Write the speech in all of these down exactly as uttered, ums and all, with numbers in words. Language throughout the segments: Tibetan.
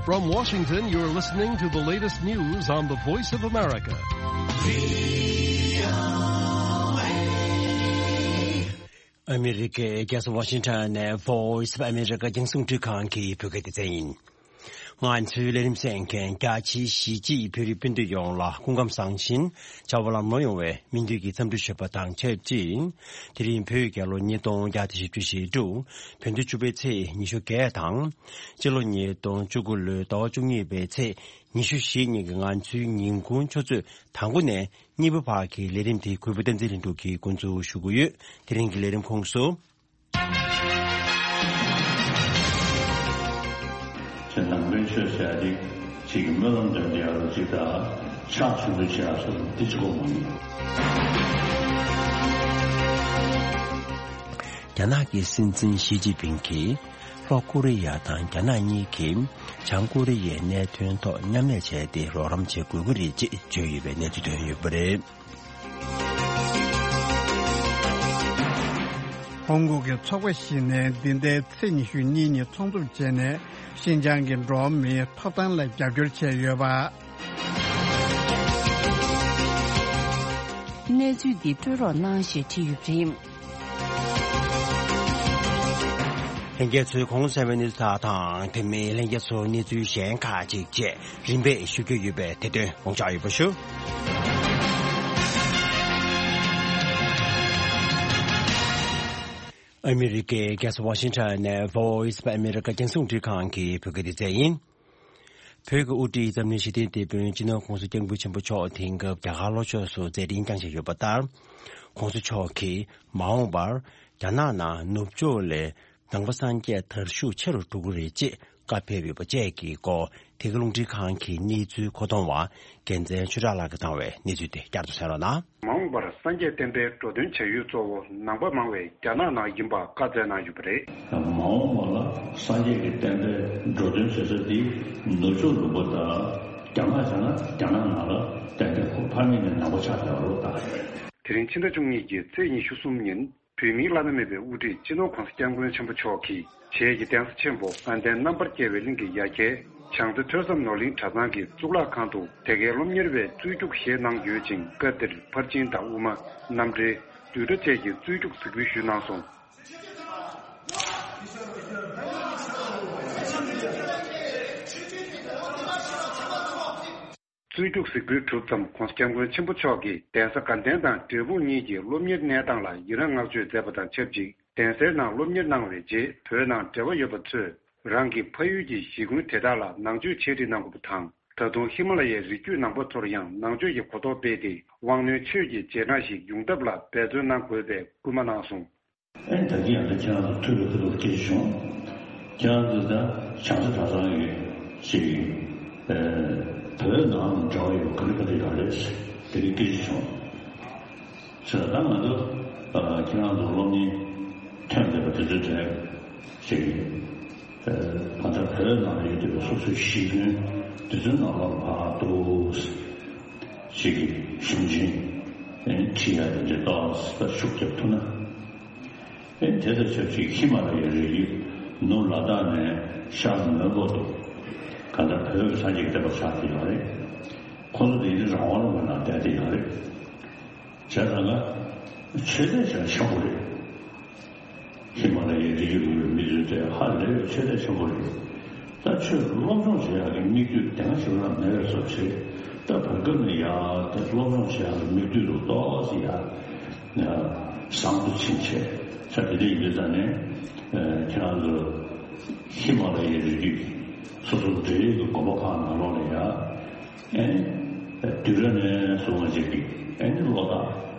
From Washington, you're listening to the latest news on the Voice of America. ཨ་མི་རི་ཀའི་རྒྱལ་ས་ཝ་ཤིང་ཊོན་ནས་Voice of America་རྒྱང་སྲིང་འཕྲིན་ཁང་གི་བོད་སྐད་སྡེ་ཚན་ཡིན། ང་ཚོའི་ལས་རིམ་གསན་མཁན་རྒྱ་ཆེའི་གཞིས་བྱེས་བོད་རིགས་སྤུན་ཟླ་ཡོངས་ལ་སྐུ་ཁམས་བཟང་ཞིང་བྱ་བ་ལམ་ལྷོང་ཡོང་བའི་སྨོན་འདུན་གྱི་འཚམས་འདྲི་ཞུ་བ་དང་ཆབས་ཅིག་དེ་རིང་བོད་རྒྱལ་ལོ་ཉིས་སྟོང་བརྒྱ་དང་བཞི་བཅུ་ཞེ་དྲུག་བོད་ཟླ་བཅུ་པའི་ཚེས་ཉི་ཤུ་བརྒྱད་དང་། སྤྱི་ལོ་ཉིས་སྟོང་བཅུ་དགུ་ལོའི་ཟླ་བ་བཅུ་གཉིས་པའི་ཚེས་ཉི་ཤུ་བཞི་ཉིན་གྱི་ང་ཚོའི་ཉིན་གུང་ཆུ་ཚོད་དང་པོ་ནས་གཉིས་པ་བར་གྱི་ལས་རིམ་དེ་གུས་པ་བསྟན་འཛིན་ལྷུན་གྲུབ་ཀྱིས་འགོ་འཛུགས་ཞུ་གི་ཡོད། དེ་རིང་གི་ལས་རིམ་ཁོངས་སུ། ཁྱེད་ནང་པའི་ཆོས་ཟེར་ཡ་དེ་ཅིག་གི་སྨོན་ལམ་འདོན་བསྡད་ཡ་ལ་ཅིག་དང་ཕྱག་མཆོད་འབུལ་བྱེད་ཡ་སོགས་འདི་གཅིག་པོ་མ་ཡིན། རྒྱ་ནག་གི་སྲིད་འཛིན་ཞི་ཅིན་ཕིང་གིས་ལྷོ་ཀོ་རི་ཡ་དང་རྒྱ་ནག་གཉིས་ཀྱིས་བྱང་ཀོ་རི་ཡའི་གནད་དོན་ཐོག་མཉམ་ལས་བྱས་ཏེ་རོགས་རམ་བྱེད་དགོས་ཀྱི་རེད་ཅེས་བརྗོད་ཡོད་པའི་གནས་ཚུལ་ཐོན་ཡོད་པ་རེད། ཧོང་ཀོང་གི་ཚོགས་པ་ཞིག་ནས་འདི་ཟླའི་ཚེས་ཉི་ཤུ་གཉིས་ཉིན་ཚོགས་འདུ་བྱས་ནས་ཤིན་ཅང་གི་འགྲོ་བ་མིའི་ཐོབ་ཐང་ལ་རྒྱབ་སྐྱོར་བྱས་ཡོད་པ། གནས་ཚུལ་འདི་སྤྲོད་རོགས་གནང་ཞེས་བྲིས་ཡོད་པ་རེད། ལྷན་རྒྱས་ཚོས་གོང་གསལ་བའི་གནས་ཚུལ་དག་དང་དེ་མིན་ལྷན་རྒྱས་ཚོར་གནས་ཚུལ་གཞན་ཁག་ཅིག་བཅས་རིམ་པས་ཞུ་རྒྱུ་ཡོད་པས་དེ་དོན་དགོངས་འཇགས་ཡོད་པ་ཞུ། ཨ་མི་རི་ཀའི་རྒྱལ་ས་ཝ་ཤིང་ཊོན་ནས་Voice of America་རྒྱང་སྲིང་འཕྲིན་ཁང་གི་བོད་སྐད་སྡེ་ཚན་ཡིན། བོད་ཀྱི་དབུ་ཁྲིད་འཛམ་གླིང་ཞི་བདེའི་དེད་དཔོན་སྤྱི་ནོར་ྋགོང་ས་ྋསྐྱབས་མགོན་ཆེན་པོ་མཆོག་དེང་སྐབས་རྒྱ་གར་ལྷོ་ཕྱོགས་སུ་མཛད་འཕྲིན་བསྐྱངས་བཞིན་ཡོད་པ་ལྟར། ྋགོང་ས་མཆོག་གིས་མ་འོངས་པར་རྒྱ་ནག་ནང་ནུབ་ཕྱོགས་ལས་ནང་པ་སངས་རྒྱས་དར་ཤུགས་ཆེ་རུ་འགྲོ་གི་རེད་ཅེས་བཀའ་ཕེབས་ཡོད་པ་བཅས་ཀྱི་སྐོར་དེ་གའི་རླུང་འཕྲིན་ཁང་གི་གནས་ཚུལ་མཁོ་གཏོང་བ་རྒྱལ་མཚན་ཆོས་གྲགས་ལགས་ཀྱིས་བཏང་བའི་གནས་ཚུལ་དེ་བསྐྱར་དུ་གསན་རོགས་གནང་། མ་འོངས་པར་སངས་རྒྱས་བསྟན་པའི་འགྲོ་དོན་བྱ་ཡུལ་གཙོ་བོ་ནང་པ་མང་བའི་རྒྱ་ནག་ནང་ཡིན་པ་བཀའ་སྩལ་གནང་ཡོད་པ་རེད། མ་འོངས་པ་ལ་སངས་རྒྱས་ཀྱི་བསྟན་པའི་འགྲོ་དོན་བྱེད་ས་འདི་ནུབ་ཕྱོགས་ལུང་པ་དང་རྒྱ་ནག་བྱས་ན་རྒྱ་ནག་ནང་ལ་ཏན་ཏན་ཁོ་ཕ་མེས་ནས་ནང་པ་ཆགས་བསྡད་པ་རེད་ད། དེ་རིང་ཕྱི་ཟླ་བཅུ་གཉིས་ཀྱི་ཚེས་ཉི་ཤུ་གསུམ་ཉིན། བོད་མིའི་བླ་ན་མེད་པའི་དབུ་ཁྲིད་སྤྱི་ནོར་ྋགོང་ས་ྋསྐྱབས་མགོན་ཆེན་པོ་མཆོག་གིས་བྱེས་ཀྱི་གདན་ས་ཆེན་པོ་དགའ་ལྡན་རྣམ་པར་རྒྱལ་བའི་གླིང་གི་ཡ་གྱལ་བྱང་རྩེ་ཐོས་བསམ་ནོར་གླིང་གྲྭ་ཚང་གི་གཙུག་ལག་ཁང་དུ་དེ་གའི་སློབ་གཉེར་བའི་རྩོད་རྒྱུགས་བཞེས་གནང་ཡོད་ཅིང་། སྐབས་དེར་ཕར་ཕྱིན་དང་དབུ་མ། རྣམ་འགྲེལ། བསྡུས་གྲྭ་བཅས་ཀྱི་རྩོད་རྒྱུགས་གཟིགས་འབུལ་ཞུས་གནང་སོང་། རྩོད་རྒྱུགས་གཟིགས་འབུལ་གྲུབ་མཚམས་ྋགོང་ས་ྋསྐྱབས་མགོན་ཆེན་པོ་མཆོག་གིས་གདན་ས་དགའ་ལྡན་དང་འབྲས་སྤུངས་གཉིས་ཀྱི་སློབ་གཉེར་གནས་སྟངས་ལ་ཡི་རངས་བསྔགས་བརྗོད་མཛད་པ་དང་ཆབས་ཅིག་གདན་སའི་ནང་སློབ་གཉེར་གནང་བའི་རྗེས་བོད་ནང་འབྲེལ་བ་ཡོད་པ་ཚོས་རང་གི་ཕ་ཡུལ་གྱི་གཞིས་ཁུལ་དེ་དག་ལ་ནང་ཆོས་ཆེད་ཁྲིད་གནང་དགོས་པ་དང་། ད་དུང་ཧི་མ་ལ་ཡའི་རི་རྒྱུད་ནང་པ་ཚོར་ཡང་ནང་ཆོས་ཀྱི་གོ་རྟོགས་སྤེལ་ཏེ་དབང་རྣོན་ཆོས་ཀྱི་རྗེས་འབྲང་ཞིག་ཡོང་ཐབས་ལ་འབད་བརྩོན་གནང་དགོས་པའི་སྐུལ་མ་གནང་སོང་། ཨེ་ད་གིན་ཡང་ད་ཁྱེད་རང་ཚོ་ཐུག་པའི་སྐབས་ལ་སྐད་ཆ་བྱུང་། ཁྱེད་རང་ཚོ་ད་བྱང་རྩེ་གྲྭ་ཚང་ཡོད་ཅིག་ཡིན། ཨེ་བོད་ནང་ལ་འབྲེལ་བ་ཡོད་ག་རེ་ག་རེ་ཡོད་རེད་ཟེར་དེ་རིང་སྐད་ཆ་བྱུང་། ཟེར་ད་ང་ཚོ་ཨ་ཁྱེད་རང་ཚོ་སློབ་གཉེར་ཐོན་བསྡད་པ་དེ་ཚོའི་གྲས་ཅིག་ཡིན། ཨེ་ད་ལྟ་བོད་ནང་ལ་ཡོད་བསྡད་པའི་སོ་སོའི་གཞིས་ཁྱོན་དེ་ཚོའི་ནང་ལ་ཕར་འདུག་ཅིག་གི་གཞུང་ཆེན་ཨེ་ཁྲིད་ཡ་དེ་འདྲའི་ཏོག་ཙམ་ཤུགས་རྒྱབ་ཐུབ་ན། ཨེ་དེ་དང་ཆབས་ཅིག་ཧི་མ་ལ་ཡའི་རི་རྒྱུད་ནུབ་ལ་དྭགས་ནས་ཤར་མོན་གྷོ་དུ་གང་ལྟར་བོད་ཀྱི་སངས་རྒྱས་ཀྱི་བསྟན་པ་ཆགས་ཀྱི་ཡོད་རེད། ཁོ་ཚོ་དེ་ནི་རང་དབང་ལུང་པའི་ནང་བསྡད་དེ་ཡོད་རེད། བྱས་ཙང་ང་ཆོས་དད་བྱ་ཆེན་པོ་རེད། ཧི་མ་ལ་ཡའི་རི་རྒྱུད་ལུང་པའི་མི་ཚོས་དེ་ཧ་ལས་པའི་ཆོས་དད་ཆེན་པོ་རེད། ད་ཆོས་སློབ་སྦྱོང་བྱེད་ཡག་གི་མིག་ལྟོས་དེ་སྔ་ཞིག་ལ་མེད་པའི་བཟོ་བྱས། ད་བར་སྐབས་ནས་ཡ་དེ་སློབ་སྦྱོང་བྱེད་ཡག་གི་མིག་ལྟོས་ལ་ཏོག་ཙམ་ཡ་བཟང་པོ་ཕྱིན་བྱས། ས་དེ་འདྲ་ཡིན་དུས་ཙང་ནས་ཁྱེད་རང་ཚོ་ཧི་མ་ལ་ཡའི་རི་རྒྱུད་སོ་སོ་འབྲེལ་ཡོད་ཀྱི་དགོན་པ་ཁག་ནང་ལོགས་ལ་ཡ། ཨེ་ནི། བསྡུས་གྲྭ་ནས་བཟུང་བ་ཅིག་གིས་ཨེ་ནི་བློ་ཐག་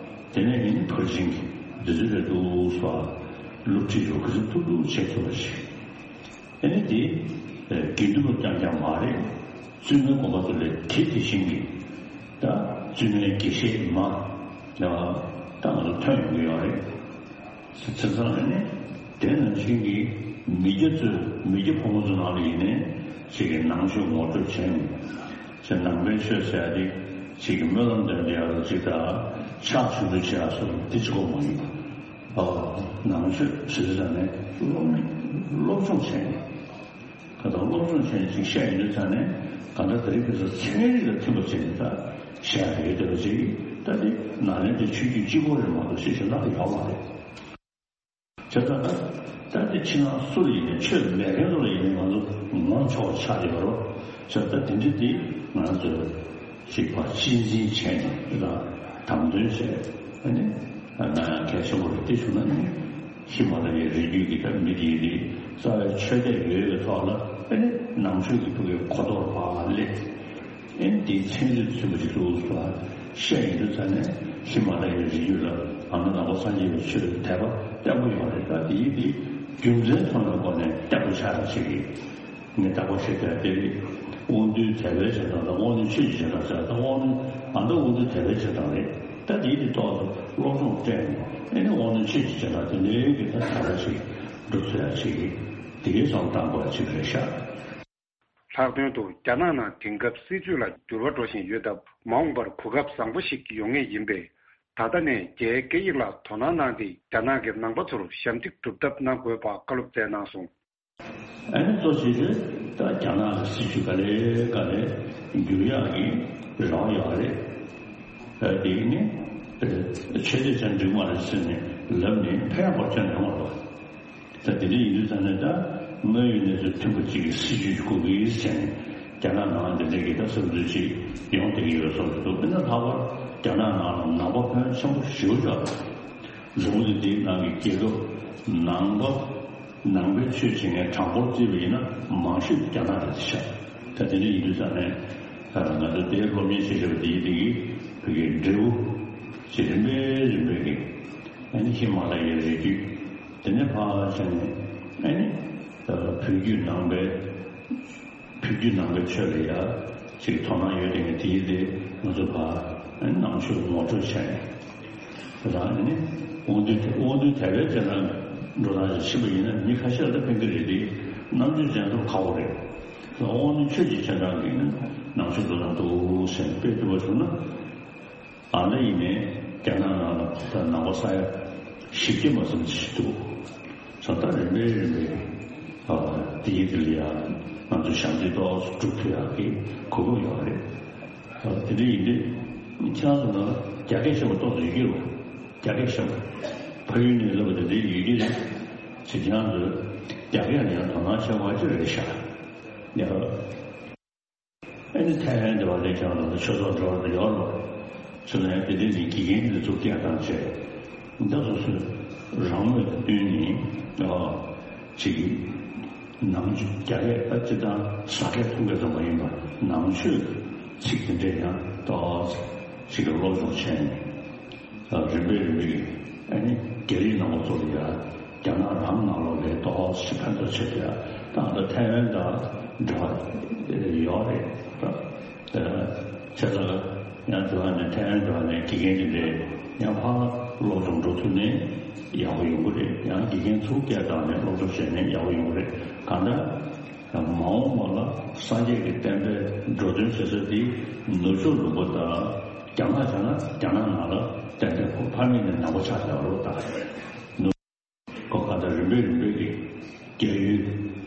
དེ་ནས་ཨེ་ནི་ཕར་ཕྱིན་གྱི་འདི་ཚོ་རེད་འདུག་སོགས་སློབ་ཁྲིད་རུ་ག་ཚོད་ཐུབ་ཐུབ་བྱེད་ཐུབ་པ་ཞིག་ཨེ་ནི་དེ་དགེ་འདུན་པ་རྐྱང་རྐྱང་མ་རེད། བཙུན་མའི་དགོན་པ་ཚོ་ལས་དེ་དེ་བཞིན་གྱི་ད་བཙུན་མའི་དགེ་བཤེས་མ་ད་ང་ཚོ་ཐོན་ཡོང་གི་ཡོད་རེད། བྱས་ཙང་ཨ་ནི་དེ་ནང་བཞིན་གྱི་མི་སྐྱ་ཚོས་མི་སྐྱ་ཕོ་མོ་ཚོ་ནང་ལ་ཡིན་ནའི་ཅིག་གི་ནང་ཆོས་ངོ་སྤྲོད་བྱས་ནས་ཅིག་ནང་པའི་ཆོས་ཟེར་ཡ་དེ་ཅིག་གི་སྨོན་ལམ་འདོན་བསྡད་ཡ་ཅིག་དང་ཕྱག་མཆོད་འབུལ་བྱེད་ཡ་སོགས་དེ་གཅིག་པོ་མ་ཡིན་པ། ཨོ་ནང་ཆོས་ཟེར་དུས་ཙང་ནས་སློབ་མ་སློབ་སྦྱོང་བྱས་ནས། ད་སློབ་སྦྱོང་བྱས་ནས་ཅིག་བཤད་ཡོང་དུས་ཙང་ནས་གང་ལྟར་དེ་རིང་ཁ་སང་ཚན་རིག་དང་མཐུན་པ་བྱས་ནས་ད་བཤད་ཡག་ཡོད་བསྡད་པ་ཅིག་ད་དེ་ནཱ་ལེནྡྲའི་ཆོས་བརྒྱུད་གཅིག་པོ་རེད་མ་གཏོགས་ཤེས་བྱ་སྣ་ཁ་ཡོད་མ་རེད། བྱས་ཙང་ད་ད་དེ་ཕྱི་ནང་སུ་ལ་ཡིན་ནའི་ཆོས་མེད་མཁན་ཚོ་ལ་ཡིན་ནའི་ང་ཚོ་ངོམ་ཆོག་ཆགས་ཡོད་རོགས། བྱས་ཙང་དེ་འདྲ་དེ་ང་ཚོས་ཅིག་ཕར་གཅེས་འཛིན་བྱས་ནས་དང་དམ་དོན་བྱས་ཨ་ནི་གནང་ཡག་གལ་ཆེན་པོ་རེད། དེ་བྱུང་ན་ནི་ཧི་མ་ལ་ཡའི་རི་རྒྱུད་ཀྱི་ད་མི་དེ་ཡིན་དེ་རྩ་བའི་ཆོས་དད་ཡོད་པའི་ཐོག་ལ་ཨ་ནི་ནང་ཆོས་ཀྱི་ཐོག་གི་གོ་རྟོགས་ཕར་སླེབས། ཨེ་འདིའི་ཚན་རིག་ཚུད་པ་ཞིག་འདུག་ཟེར་བཤད་ཡོང་དུས་ཙང་ནས་ཧི་མ་ལ་ཡའི་རི་རྒྱུད་ལ་ཨ་ནི་ནང་པ་སངས་རྒྱས་པའི་ཆོས་ཀྱི་དད་པ་བརྟན་པོ་ཡོད་རེད། ད་དེའི་དེ་རྒྱུ་མཚན་མཐོང་བའི་སྒོ་ནས་བརྟན་པོ་ཆགས་ཡག་ཅིག་གིས་ངས་བརྟག་པ་ཞིག་བྱས་ཏེ་དབང་རྟུལ་དད་པའི་བྱེ་བྲག་དང་དབང་རྣོན་ཆོས་ཀྱི་བྱེ་བྲག་ཟེར། ད་དབང་རྣོན་ཨ་མདོ་དབང་རྟུལ་དད་པའི་བྱེ་བྲག་རེད། ད་དེའི་དེ་ཐོག་ཏུ་སློབ་སྦྱོང་སྤྲད་ནས་ཨེ་ནི་དབང་རྣོན་ཆོས་ཀྱི་བྱེ་བྲག་དེ་འདྲའི་གི་ད་དར་ཞིག་འགྲོ་ཚུལ་ཡག་ཅིག་གིས་དེ་གའི་བསམ་བཏང་དགོས་ཡག་ཅིག་རེད་ཤག། ལྷག་དོན་དུ་རྒྱ་ནག་ནང་དེང་སྐབས་སྲིད་ཇུས་ལ་འགྱུར་བ་འགྲོ་བཞིན་ཡོད་སྟབས། མ་འོངས་པར་གོ་སྐབས་བཟང་པོ་ཞིག་ཡོང་ངེས་ཡིན་པས། ད་ལྟ་ནས་རྒྱའི་སྐད་ཡིག་ལ་དོ་སྣང་གནང་སྟེ། རྒྱ་ནག་གི་ནང་པ་ཚོར་ཞབས་འདེགས་སྒྲུབ་ཐབས་གནང་དགོས་པ་བཀའ་སློབ་སྩལ་གནང་སོང་། ཨ་ནི་གཙོ་ཆེ་ཤོས་ད་རྒྱ་ནག་གི་སྲིད་ཇུས་ག་ལེ་ག་ལེ་འགྱུར་ཡག་གི་རེ་བ་ཡོད་རེད། ཨ་དེ་ནི་ཆོས་དད་ཅན་འགྲིག་མ་རེད་ཟེར་ནས་ལབ་ནས་ཕན་པ་ཅང་ཡོང་མ་རེད། ད་དེ་འདྲ་ཡིན་དུས་ཙང་ནས་ད་དངོས་ཡོད་གནས་ཚུལ་མཐུན་པ་གཅིག་གི་སྲིད་ཇུས་ཤིག་དགོས་ཀྱི་ཡིན་ཟེར་ནས་རྒྱ་ནག་ནང་དེ་འདྲ་གི་ད་བསམ་ཚུལ་ཅིག་ཡོང་བསྡད་ཀྱི་ཡོད་བཟོ་འདུག་དཔེར་ན་ལྷག་པར་རྒྱ་ནག་ནང་ལ་ནང་པ་ཕོན་ཆེན་པོ་ཞེ་པོ་ཅིག་ཡོད་རེད། རྫོང་དེ་དེའི་ནང་གི་རྒྱལ་ཁབ་ནང་པ་ནང་པའི་ཆོས་བྱེད་མཁན་གྲངས་འབོར་བརྩིས་པ་ཡིན་ན་མང་ཤོས་རྒྱ་ནག་རེད་ཤག་ད་དེ་འདྲ་ཡིན་དུས་ཙང་ནས་ང་ཚོ་དེའི་སློབ་གཉེར་བྱེད་བཞིན་པ་དེའི་དེ་གི་བོད་ཀྱི་འབྲས་བུ་ཅིག་རིམ་པས་རིམ་པས་ཀྱི་ཨ་ནི་ཧི་མ་ལ་ཡའི་རི་རྒྱུད། དེ་ནས་ཕར་བྱས་ནས་ཨ་ནི་བོད་བརྒྱུད་ནང་པའི་བོད་བརྒྱུད་ནང་པའི་ཆོས་ལ་ཡ་ཅིག་དོ་སྣང་ཡོད་དེ་ངས་དེའི་དེ་ང་ཚོ་ཕར་ཨ་ནི་ནང་ཆོས་ངོ་སྤྲོད་བྱས་ནས་རང་ཨ་ནི་དབང་འདུས་དབང་འདུས་དད་པའི་རྗེས་འབྲང་འགྲོ་སྟངས་ཤིག་ཕྱིན་པ་ཡིན་ན་མི་ཁ་ཤས་ལ་ཕན་གྱི་རེད་དེ་རྣམ་དཔྱོད་ཅན་ཚོ་ཁག་པོ་རེད། དབང་རྣོན་ཆོས་ཀྱི་རྗེས་འབྲང་གིས་ནི་ནང་ཆོས་འགྲོ་སྟངས་འདུག་ཟེར་ནས་དཔེ་བསྡུར་བ་བྱུང་ན། ཨ་ནི་ཡིན་ནའི་རྒྱ་ནག་ནང་ལ་ད་ནང་པ་ས་ཡ་བཞི་བརྒྱ་མ་ཟིན་ཅིག་འདུག་ས་ད་རིམ་པས་རིམ་པས་ཨ་དེའི་དེ་ལ་ཡང་ང་ཚོ་ཞབས་འདེགས་ཏོག་ཙམ་སྒྲུབ་ཐུབ་ཡག་གི་གོ་སྐབས་ཡོད་རེད། ཨ་དེ་འདྲ་ཡིན་དུས་ཁྱེད་རང་ཚོ་ནང་ལ་རྒྱ་སྐད་ཤེས་པ་ཏོག་ཙམ་ཡོད་ཀྱི་རེད། རྒྱ་སྐད་ཤེས་པ་ཕ་ཡུལ་ནས་སླེབས་པ་དེ་འདྲ་ཡོད་ཀྱི་རེད། ཅེས་ཁྱེད་རང་ཚོས་རྒྱ་སྐད་ལ་ཡང་དོ་སྣང་བྱེད་དགོས་ཀྱི་རེད་ཤག་ཡ། ཨ་ནི་ཐའེ་ཝན་དེ་བ་ལས་ཀྱང་ལ་ཆོས་ཚོགས་འགྲོ་བ་ཡོད་རོགས། ཚུལ་ལན་དེ་དེ་ནི་དགེ་རྒན་འདི་ཚོ་སྐད་བཏང་བྱས། ད་སོ་སོའི་རང་མོས་དང་བསྟུན་ནས་ཨ་ཅིག་གིས་ནང་ཆོས་རྒྱ་སྐད་ད་སྤྱིར་བཏང་ཟ་སྐད་འཐུང་སྐད་ཙམ་མ་ཡིན་པར་ནང་ཆོས་ཚིག་དེ་འདྲས་ཡང་ཏོག་ཙམ་ཅིག་གིས་སློབ་སྦྱོང་བྱས་ནས། རིམ་པས་རིམ་པས་ཀྱིས་ཨ་ནི་རྒྱ་རིགས་ནང་པ་ཚོ་ལ་ཡ་རྒྱ་ནག་རང་ནང་ལོགས་ལ་ཏོག་ཙམ་ཕན་ཐོགས་ཆེད་དུ་ཡ་ད་ལྟ་ཐའེ་ཝན་དང་འབྲེལ་བ་ཡོད་རེད། ད་བྱས་ཙང་ཡང་དེ་བ་ནས་ཐའེ་ཝན་དེ་བ་ནས་དགེ་རྒན་དེ་འདྲས་ཡང་ཕར་སློབ་སྦྱོང་འགྲོ་ཐུབ་ནས་ཡག་པོ་ཡོང་གི་རེད། ཡང་དགེ་རྒན་ཚུར་སྐད་བཏང་ནས་སློབ་སྦྱོང་བྱས་ནས་ཡག་པོ་ཡོང་གི་རེད། གང་ལྟར། མ་འོངས་པ་ལ་སངས་རྒྱས་ཀྱི་བསྟན་པའི་འགྲོ་དོན་བྱེད་ས་དེ་ནུབ་ཕྱོགས་ལུང་པ་དང་རྒྱ་ནག་བྱས་ན་རྒྱ་ནག་ནང་ལ་བསྟན་པའི་ཁོ་ཕ་མེས་ནས་ནང་པ་ཆགས་བསྡད་པ་རེད་ད། ནུབ་ཁོ་ག་ད་རིམ་པས་རིམ་པས་ཀྱི་རྒྱ་ཡུལ་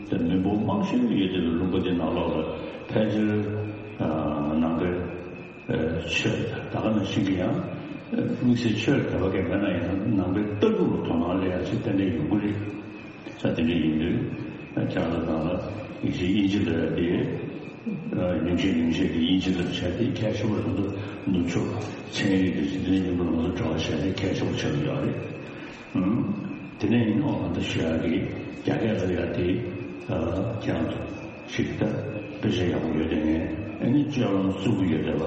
དང་མི་འབོར་མང་ཤོས་ཡོད་དེ་ལུང་པ་དེ་ནང་ལོགས་ལ་ཕལ་ཆེར་ནང་པའི་ཆོས་ད་ག་ནང་བཞིན་གྱི་ཡང་དམིགས་བསལ་ཆོས་ལ་དད་པ་གང་མེད་ན་ཡང་ནང་པའི་ལྟ་གྲུབ་ལ་དོ་སྣང་སླེབས་ཡག་ཅིག་ཏན་ཏན་ཡོང་གི་རེད། ས་དེ་འདྲ་ཡིན་དུས་ཁྱེད་རང་ཚོ་ནང་ལ་ཡིན་གཅིག་དབྱིན་ཇི་ལབ་ཡག་དེ་ཉུང་ཤས་ཉུང་ཤས་ཀྱི་དབྱིན་ཇི་ལབ་བྱས་ཏེ་གལ་ཆེ་བོ་རང་ཚོ་ནུབ་ཕྱོགས་ཚན་རིག་དང་རིག་གནས་མཉམ་དུ་ང་ཚོ་འབྲེལ་བ་བྱས་ཏེ་གལ་ཆེ་བོ་ཆགས་ཀྱི་ཡོད་རེད། ཨང་། དེ་ནས་ཡིན་ནའང་ད་ཞུ་ཡག་གི་རྒྱ་སྐད་ལབ་ཡག་དེ་ཁྱེད་རང་ཚོ་ཞིག་ད་དཔེ་ཆ་ཡག་པོ་ཡོད་དེ་ནས་ཨ་ནི་སྤྱོད་ལམ་བཙུགས་ཀྱི་ཡོད་དེ་བ་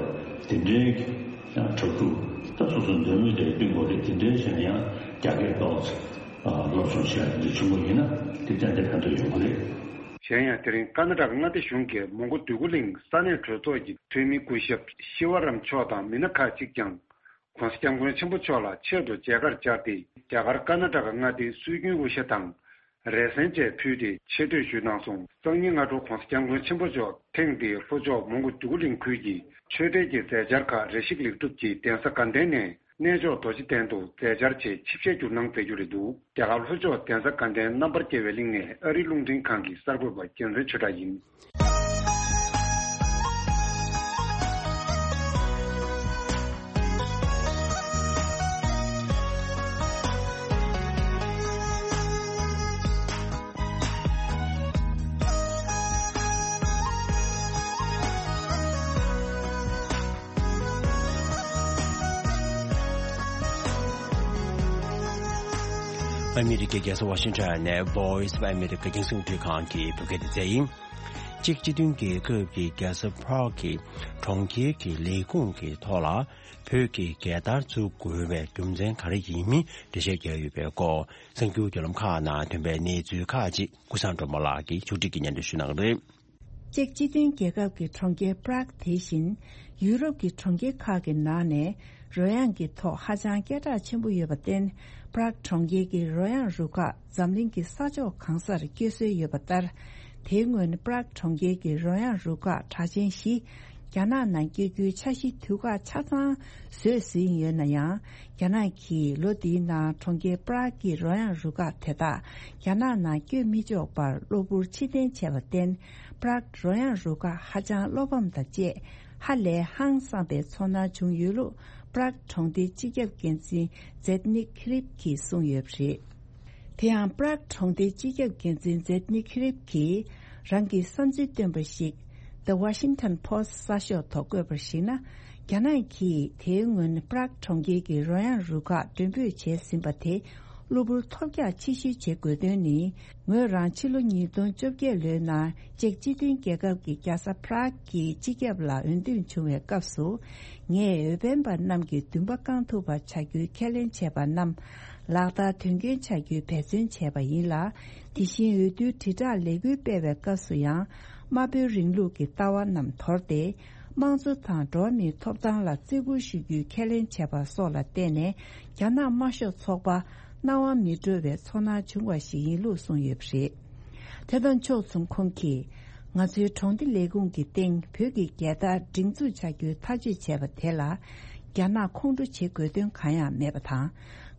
དེ་འདྲའི་ཡང་གྲ་སྒྲིག་ད་སོ་སོ་འདོད་མོས་དེ་བསྟུན་དགོས་རེད། དེ་འདྲའི་བྱས་ན་ཡང་རྒྱ་སྐད་ཏོག་ཙམ་སློབ་སྦྱོང་བྱེད་ཡག་འདི་བྱུང་བ་ཡིན་ན་དེ་ཏན་ཏན་ཕན་ཐོགས་ཡོང་གི་རེད། གཞན་ཡང་དེ་རིང་ཀ་ན་ཌ་མངའ་སྡེ་གཞུང་གིས་མོན་གྷོ་འདོད་རྒུ་གླིང་ས་གནས་གྲོས་ཚོགས་ཀྱི་འཐུས་མི་སྐུ་ཞབས་ཤི་བ་རམ་མཆོག་དང་མི་སྣ་ཁག་ཅིག་ཀྱང་༸གོང་ས་༸སྐྱབས་མགོན་ཆེན་པོ་མཆོག་ལ་ཆེད་དུ་མཇལ་ཁར་བཅར་ཏེ་རྒྱ་གར་ཀ་ན་ཌ་མངའ་སྡེའི་སྲོལ་རྒྱུན་དབུ་ཞྭ་དང་། རས་གཟན་བཅས་ཕུལ་ཏེ་ཆེ་བསྟོད་ཞུས་གནང་སོང་། སང་ཉིན་སྔ་དྲོ་༸གོང་ས་༸སྐྱབས་མགོན་ཆེན་པོ་མཆོག་ཐེངས་འདིའི་ལྷོ་ཕྱོགས་མོན་གྷོ་འདོད་རྒུ་གླིང་ཁུལ་གྱི་ཆོས་དད་ཀྱི་མཛད་འཆར་ཁག་རེ་ཞིག་ལེགས་གྲུབ་ཀྱིས་གདན་ས་དགའ་ལྡན་ནས་ གནས་མཆོག་རྡོ་རྗེ་གདན་དུ་མཛད་འཆར་ཆེད་ཆིབས་ཞལ་བསྒྱུར་གནང་མཛད་རྒྱུ་རེད་འདུག་རྒྱ་གར་ལྷོ་ཕྱོགས་གདན་ས་དགའ་ལྡན་རྣམ་པར་རྒྱལ་བའི་གླིང་ནས་ཨ་རིའི་རླུང་འཕྲིན་ཁང་གི་གསར་འགོད་པ་རྒྱལ་མཚན་ཆོས་གྲགས་ཡིན། ཨ་མི་རི་ཀའི་རྒྱལ་ས་ཝ་ཤིང་ཊོན་ནས་Voice of America རྒྱང་སྲིང་རླུང་འཕྲིན་ཁང་གི་བོད་སྐད་སྡེ་ཚན་ཡིན། གཅིག་སྤྱི་མཐུན་རྒྱལ་ཁབ་ཀྱི་རྒྱལ་ས་Prague གི་གྲོང་ཁྱེར་གྱི་ལས་ཁུངས་ཀྱི་ཐོག་ལ་བོད་ཀྱི་རྒྱལ་དར་བཙུགས་དགོས་པའི་རྒྱུ་མཚན་ག་རེ་ཡིན་མིན་འགྲེལ་བཤད་བརྒྱབ་ཡོད་པའི་སྐོར། གསར་འགྱུར་བརྒྱུད་ལམ་ཁག་ནང་ཐོན་པའི་གནས་ཚུལ་ཁག་ཅིག་ཀུན་བཟང་སྒྲོལ་མ་ལགས་ཀྱིས་ཕྱོགས་སྒྲིག་གིས་སྙན་སྒྲོན་ཞུ་གནང་གི་རེད། ཅེཀ་སྤྱི་མཐུན་རྒྱལ་ཁབ་ཀྱི་གྲོང་ཁྱེར་Prague དེ་བཞིན་ཡུ་རོབ་ཀྱི་གྲོང་ཁྱེར་ཁག་གི་ནང་ནས་རོལ་དབྱངས་ཀྱི་ཐོག་ཧ་ཅང་སྐད་གྲགས་ཆེན་པོ་ཡོད་པར་བརྟེན། Prague གྲོང་ཁྱེར་གྱི་རོལ་དབྱངས་རུ་ཁག་འཛམ་གླིང་གི་ས་ཕྱོགས་གང་སར་སྐྱེལ་སྲོལ་ཡོད་པ་ལྟར། དེའི་སྔོན་Prague གྲོང་ཁྱེར་གྱི་རོལ་དབྱངས་རུ་ཁག་གྲགས་ཅན་བཞི་རྒྱ་ནག་ནང་སྐྱེལ་རྒྱུའི་འཆར་གཞི་དུས་བཀག་ཆ་ཚང་བཟོས་ཟིན་ཡོད་ན་ཡང་། རྒྱ་ནག་གིས་ལོ་འདིའི་ནང་གྲོང་ཁྱེར་Prague གི་རོལ་དབྱངས་རུ་ཁག་དེ་དག་རྒྱ་ནག་ནང་བསྐྱོད་མི་ཆོག་པར་གློ་བུར་ཕྱིར་འཐེན་བྱས་པར་བརྟེན། Prague རོལ་དབྱངས་རུ་ཁག་ཧ་ཅང་བློ་ཕམ་དང་བཅས་ཧ་ལས་ཧང་སངས་པའི་ཚོར་སྣང་བྱུང་ཡོད་ལུགས་Prague གྲོང་སྡེའི་སྤྱི་ཁྱབ་འགན་འཛིན་Zdeněk Hrib གྱིས་གསུངས་ཡོད་པ་རེད། དེ་ཡང་Prague གྲོང་སྡེའི་སྤྱི་ཁྱབ་འགན་འཛིན་Zdeněk Hrib གྱིས་རང་གི་བསམ་ཚུལ་བཏོན་པ་ཞིག་The Washington Post གསར་ཤོག་ཐོག་བཀོད་པར་གཞིགས་ན། རྒྱ་ནག་གིས་དེའི་སྔོན་Prague གྲོང་ཁྱེར་གྱི་རོལ་དབྱངས་རུ་ཁག་མགྲོན་འབོད་བྱས་ཟིན་པ་དེ་གློ་བུར་ཐོལ་རྒྱག་ཕྱིར་བཤོལ་བྱེད་དགོས་དོན་ནི། ངོས་རང་ཕྱི་ལོ་ཉིས་སྟོང་བཅོ་བརྒྱད་ལོའི་ནང་ཅེཀ་སྤྱི་མཐུན་རྒྱལ་ཁབ་ཀྱི་རྒྱལ་ས་Prague གྱི་སྤྱི་ཁྱབ་ལ་འོས་འདེམས་བྱུང་བའི་སྐབས་སུ། ངས་འོས་འཕེན་པ་རྣམས་ཀྱི་འདུན་པ་བསྐང་ཐུབ་པ་བྱ་རྒྱུའི་ཁས་ལེན་བྱས་པ་རྣམས་ལག་བསྟར་དོན་འཁྱོལ་བྱ་རྒྱུའི་འབད་བརྩོན་བྱས་པ་ཡིན་ལ། དེ་བཞིན་འོས་བསྡུའི་དྲིལ་བསྒྲགས་ལས་འགུལ་སྤེལ་བའི་སྐབས་སུ་ཡང་། དམར་པོའི་རིང་ལུགས་ཀྱི་ལྟ་བ་རྣམས་དོར་ཏེ། དམངས་གཙོ་དང་འགྲོ་བ་མིའི་ཐོབ་ཐང་ལ་བརྩི་བཀུར་ཞུ་རྒྱུའི་ཁས་ལེན་བྱས་པ་སོགས་ལ་བརྟེན་ནས། རྒྱ་ནག་དམར་ཤོག་ཚོགས་པ་སྣང་བ་མི་འགྲོ་བའི་ཚོར་སྣང་བྱུང་བ་ཞིག་ཡིན་ལུགས་གསུངས་ཡོད་པ་རེད། དེ་དང་ཕྱོགས་མཚུངས་ཁོང་གིས། ང་ཚོའི་གྲོང་སྡེ་ལས་ཁུངས་ཀྱི་སྟེང་བོད་ཀྱི་རྒྱལ་དར་སྒྲེང་འཛུགས་བྱ་རྒྱུའི་ཐག་གཅོད་བྱས་པ་དེ་ལ། རྒྱ་ནག་ཁོང་ཁྲོ་བྱེད་དགོས་དོན་གང་ཡང་མེད་པ་དང་།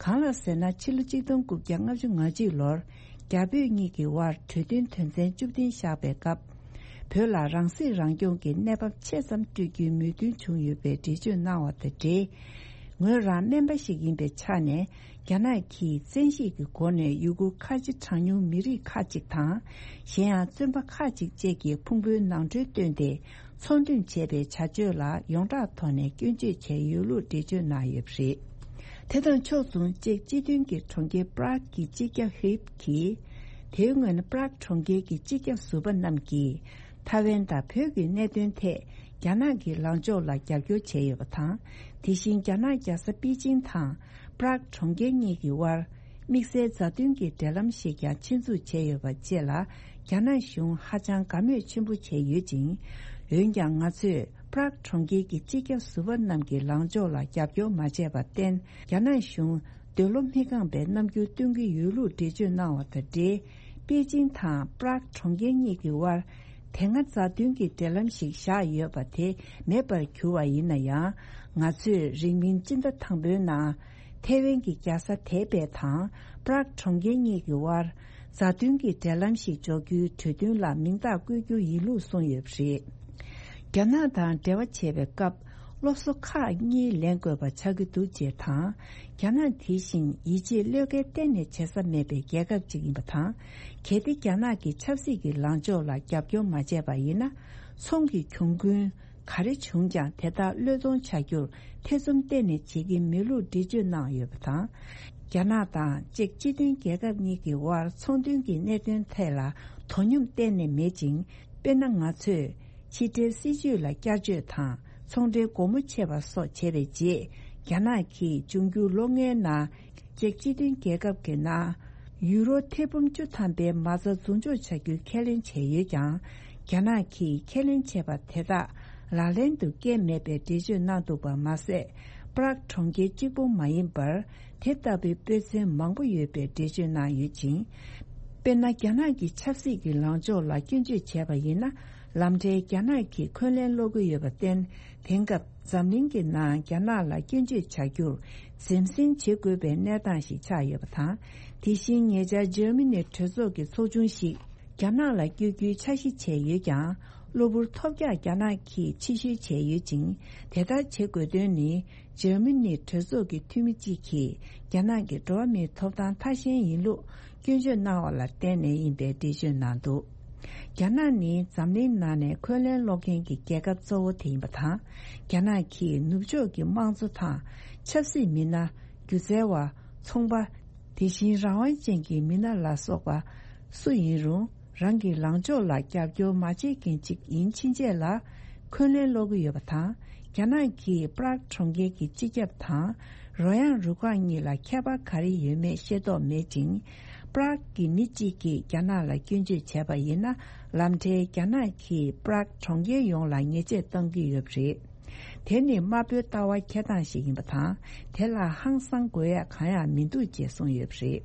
གང་ལགས་ཟེར་ན། ཕྱི་ལོ་གཅིག་སྟོང་དགུ་བརྒྱ་ལྔ་བཅུ་ང་གཅིག་ལོར། རྒྱ་བོད་གཉིས་ཀྱི་དབར་གྲོས་མཐུན་དོན་ཚན་བཅུ་བདུན་བཞག་པའི་སྐབས། བོད་ལ་རང་སྲིད་རང་སྐྱོང་གི་གནས་བབ་ཆེ་ཙམ་སྤྲོད་རྒྱུའི་མོས་མཐུན་བྱུང་ཡོད་པའི་འགྲེལ་བརྗོད་གནང་བ་དང་འབྲེལ། ངོས་རང་སྨན་པ་ཞིག་ཡིན་པའི་ཆ་ནས། རྒྱ་ནག་གིས་བཙན་ཤེད་ཀྱི་སྒོ་ནས་ཡུ་གུར་ཁ་ཆེ་གྲངས་ཉུང་མི་རིགས་ཁག་ཅིག་དང་། གཞན་ཡང་བཙོན་པ་ཁག་ཅིག་བཅས་ཀྱི་ཕུང་པོའི་ནང་ཁྲོལ་བཏོན་ཏེ། ཚོང་འདུས་བྱས་པའི་བྱ་སྤྱོད་ལ་ཡོངས་གྲགས་ཐོག་ནས་སྐྱོན་བརྗོད་བྱས་ཡོད་ལུགས་འགྲེལ་བརྗོད་གནང་ཡོད་པ་རེད། དེ་དང་ཕྱོགས་མཚུངས་ཅེཀ་སྤྱི་མཐུན་གྱི་གྲོང་ཁྱེར་Prague གྱི་སྤྱི་ཁྱབ་Hrib གྱིས། དེའི་སྔོན་Prague གྲོང་ཁྱེར་གྱི་སྤྱི་ཁྱབ་ཟུར་པ་རྣམས་ཀྱིས། ཐའེ་ཝན་དང་བོད་ཀྱི་གནད་དོན་ཐད་རྒྱ་ནག་གི་ལངས་ཕྱོགས་ལ་རྒྱབ་སྐྱོར་བྱས་ཡོད་པ་དང་། དེ་བཞིན་རྒྱ་ནག་རྒྱལ་ས་པེ་ཅིང་དང་Prague གྲོང་ཁྱེར་གཉིས་ཀྱི་དབར་དམིགས་བསལ་མཛའ་མཐུན་གྱི་འབྲེལ་ལམ་ཞིག་ཀྱང་ཆེད་འཛུགས་བྱས་ཡོད་པ་བཅས་ལ་རྒྱ་ནག་གཞུང་ཧ་ཅང་དགའ་མོས་ཆེན་པོ་བྱས་ཡོད་ཅིང་། འོན་ཀྱང་ང་ཚོས་Prague གྲོང་ཁྱེར་གྱི་སྤྱི་ཁྱབ་ཟུར་པ་རྣམས་ཀྱི་ལངས་ཕྱོགས་ལ་རྒྱབ་སྐྱོར་མ་བྱས་པར་བརྟེན། རྒྱ་ནག་གཞུང་འདོད་བློ་མི་ཁེངས་པའི་རྣམ་འགྱུར་སྟོན་གྱི་ཡོད་ལུགས་འགྲེལ་བརྗོད་གནང་བ་དང་འབྲེལ། པེ་ཅིང་དང་Prague གྲོང་ཁྱེར་གཉིས་ཀྱི་དབར་དེ་སྔ་མཛའ་མཐུན་གྱི་འབྲེལ་ལམ་ཞིག་བཞག་ཡོད་པ་དེ་མེད་པར་གྱུར་བ་ཡིན་ན་ཡང་། ང་ཚོས་རིང་མིན་སྤྱི་ཟླ་དང་པོའི་ནང་ཐའེ་ཝན་གྱི་རྒྱལ་ས་ཐའེ་པེ་དང་Prague གྲོང་ཁྱེར་གཉིས་ཀྱི་དབར་མཛའ་མཐུན་གྱི་འབྲེལ་ལམ་ཞིག་འཇོག་རྒྱུའི་གྲོས་མཐུན་ལ་མིང་རྟགས་བཀོད་རྒྱུ་ཡིན་ལུགས་གསུངས་ཡོད་པ་རེད། རྒྱ་ནག་དང་འབྲེལ་བ་བྱེད་པའི་སྐབས། སློབ་གསོ་ཁག་གཉིས་ལེན་དགོས་པ་ཆགས་ཀྱི་འདུག་ཅེས་དང་། རྒྱ་ནག་དེ་བཞིན་ཡིད་ཆེས་བློས་འགེལ་གཏན་ནས་བྱེད་ས་མེད་པའི་རྒྱལ་ཁབ་ཅིག་ཡིན་པ་དང་། གལ་ཏེ་རྒྱ་ནག་གི་ཆབ་སྲིད་ཀྱི་ལངས་ཕྱོགས་ལ་རྒྱབ་སྐྱོར་མ་བྱས་པ་ཡིན་ན། ཚོང་གི་གྱོང་གུན་ག་རེ་བྱུང་ཀྱང་དེ་དག་བློས་གཏོང་བྱ་རྒྱུར་ཐེ་ཚོམ་གཏན་ནས་བྱེད་ཀྱི་མེད་ལུགས་འགྲེལ་བརྗོད་གནང་ཡོད་པ་དང་། རྒྱ་ནག་དང་ཅེཀ་སྤྱི་མཐུན་རྒྱལ་ཁབ་གཉིས་ཀྱི་དབར་ཚོང་དོན་གྱི་གནད་དོན་ཐད་ལ་དོ་སྙོམས་གཏན་ནས་མེད་ཅིང་། དཔེར་ན། ང་ཚོས་ཕྱི་འབྲེལ་སྲིད་ཇུས་ལ་བསྐྱར་བཅོས་དང་ཚོང་འབྲེལ་སྒོ་མོ་ཕྱེ་བ་སོགས་བྱས་པའི་རྗེས། རྒྱ་ནག་གིས་འབྱུང་འགྱུར་ལོ་ལྔའི་ནང་ཅེཀ་སྤྱི་མཐུན་རྒྱལ་ཁབ་ཀྱི་ནང་ཡུ་རོ་ཐེར་འབུམ་བཅུ་ཐམ་པའི་མ་རྩ་འཛུགས་འཇོག་བྱ་རྒྱུའི་ཁས་ལེན་བྱས་ཡོད་ཀྱང་། རྒྱ་ནག་གིས་ཁས་ལེན་བྱས་པ་དེ་དག་ལག་ལེན་དུ་བསྐྱལ་མེད་པའི་འགྲེལ་བརྗོད་གནང་འདུག་པ་མ་ཟད། པ་རག་གྲོང་ཁྱེར་གཅིག་པུ་མ་ཡིན་པར་དེ་ལྟ་བུའི་དཔེ་མཚོན་མང་པོ་ཡོད་པའི་འགྲེལ་བརྗོད་གནང་ཡོད་ཅིང་། དཔེར་ན། རྒྱ་ནག་གི་ཆབ་སྲིད་ཀྱི་ལངས་ཕྱོགས་ལ་སྐྱོན་བརྗོད་བྱས་པ་ཡིན་ན། ལམ་འཕྲལ་རྒྱ་ནག་གིས་འཁོན་ལན་སློག་གི་ཡོད་པར་བརྟེན། དེང་སྐབས་འཛམ་གླིང་གི་ནང་རྒྱ་ནག་ལ་སྐྱོན་བརྗོད་བྱ་རྒྱུར་འཛེམ་ཟིན་བྱེད་དགོས་པའི་གནས་སྟངས་ཤིག་ཆགས་ཡོད་པ་དང་། དེ་བཞིན་ཉེ་ཆར་འཇར་མ་ནི་གྲོས་ཚོགས་ཀྱི་ཚོགས་ཆུང་ཞིག་རྒྱ་ནག་ལ་བསྐྱོད་རྒྱུའི་འཆར་གཞི་བྱས་ཡོད་ཀྱང་། གློ་བུར་ཐོལ་རྒྱག་རྒྱ་ནག་གིས་ཕྱིར་བཤོལ་བྱས་ཡོད་ཅིང་། དེ་ལྟར་བྱེད་དགོས་དོན་ནི། འཇར་མ་ནི་གྲོས་ཚོགས་ཀྱི་འཐུས་མི་གཅིག་གིས་རྒྱ་ནག་གི་འགྲོ་བ་མིའི་ཐོབ་ཐང་མཐའ་ཞན་ཡིན་ལུགས་སྐྱོན་བརྗོད་གནང་བ་ལ་བརྟེན་ནས་ཡིན་པའི་འགྲེལ་བརྗོད་གནང་འདུག་རྒྱ་ནག་ནི་འཛམ་གླིང་ནང་ནས་འཁོན་ལན་སློག་མཁན་གྱི་རྒྱལ་ཁབ་གཙོ་བོ་དེ་ཡིན་པ་དང་། རྒྱ་ནག་གིས་ནུབ་ཕྱོགས་ཀྱི་དམངས་གཙོ་དང་ཆབ་སྲིད་མི་སྣ། སྒྱུ་རྩལ་བ། ཚོང་པ། དེ་བཞིན་རང་དབང་ཅན་གྱི་མི་སྣ་ལ་སོགས་པ་སུ་ཡིན་རུང་། རང་གི་ལངས་ཕྱོགས་ལ་རྒྱབ་སྐྱོར་མ་བྱེད་མཁན་ཅིག་ཡིན་ཕྱིན་ཆད་ལ་འཁོན་ལན་སློག་གི་ཡོད་པ་དང་། རྒྱ་ནག་གིས་པྲག་གྲོང་ཁྱེར་གྱི་སྤྱི་ཁྱབ་དང་རོལ་དབྱངས་རུ་ཁག་གཉིས་ལ་ཁྱད་པར་ག་རེ་ཡོད་མེད་ཤེས་རྟོགས་མེད་ཅིང་། པྲག་གི་མི་གཅིག་གིས་རྒྱ་ནག་ལ་སྐྱོན་བརྗོད་བྱས་པ་ཡིན་ན། ལམ་འཕྲལ་རྒྱ་ནག་གིས་པྲག་གྲོང་ཁྱེར་ཡོངས་ལ་ཉེས་ཆད་གཏོང་གི་ཡོད་པ་རེད། དེ་ནི་དམར་པོའི་ལྟ་བ་འཁྱེར་སྟངས་ཤིག་ཡིན་པ་དང་། དེ་ལ་ཧང་སང་དགོས་ཡག་གང་ཡང་མི་འདུག་ཅེས་གསུངས་ཡོད་པ་རེད།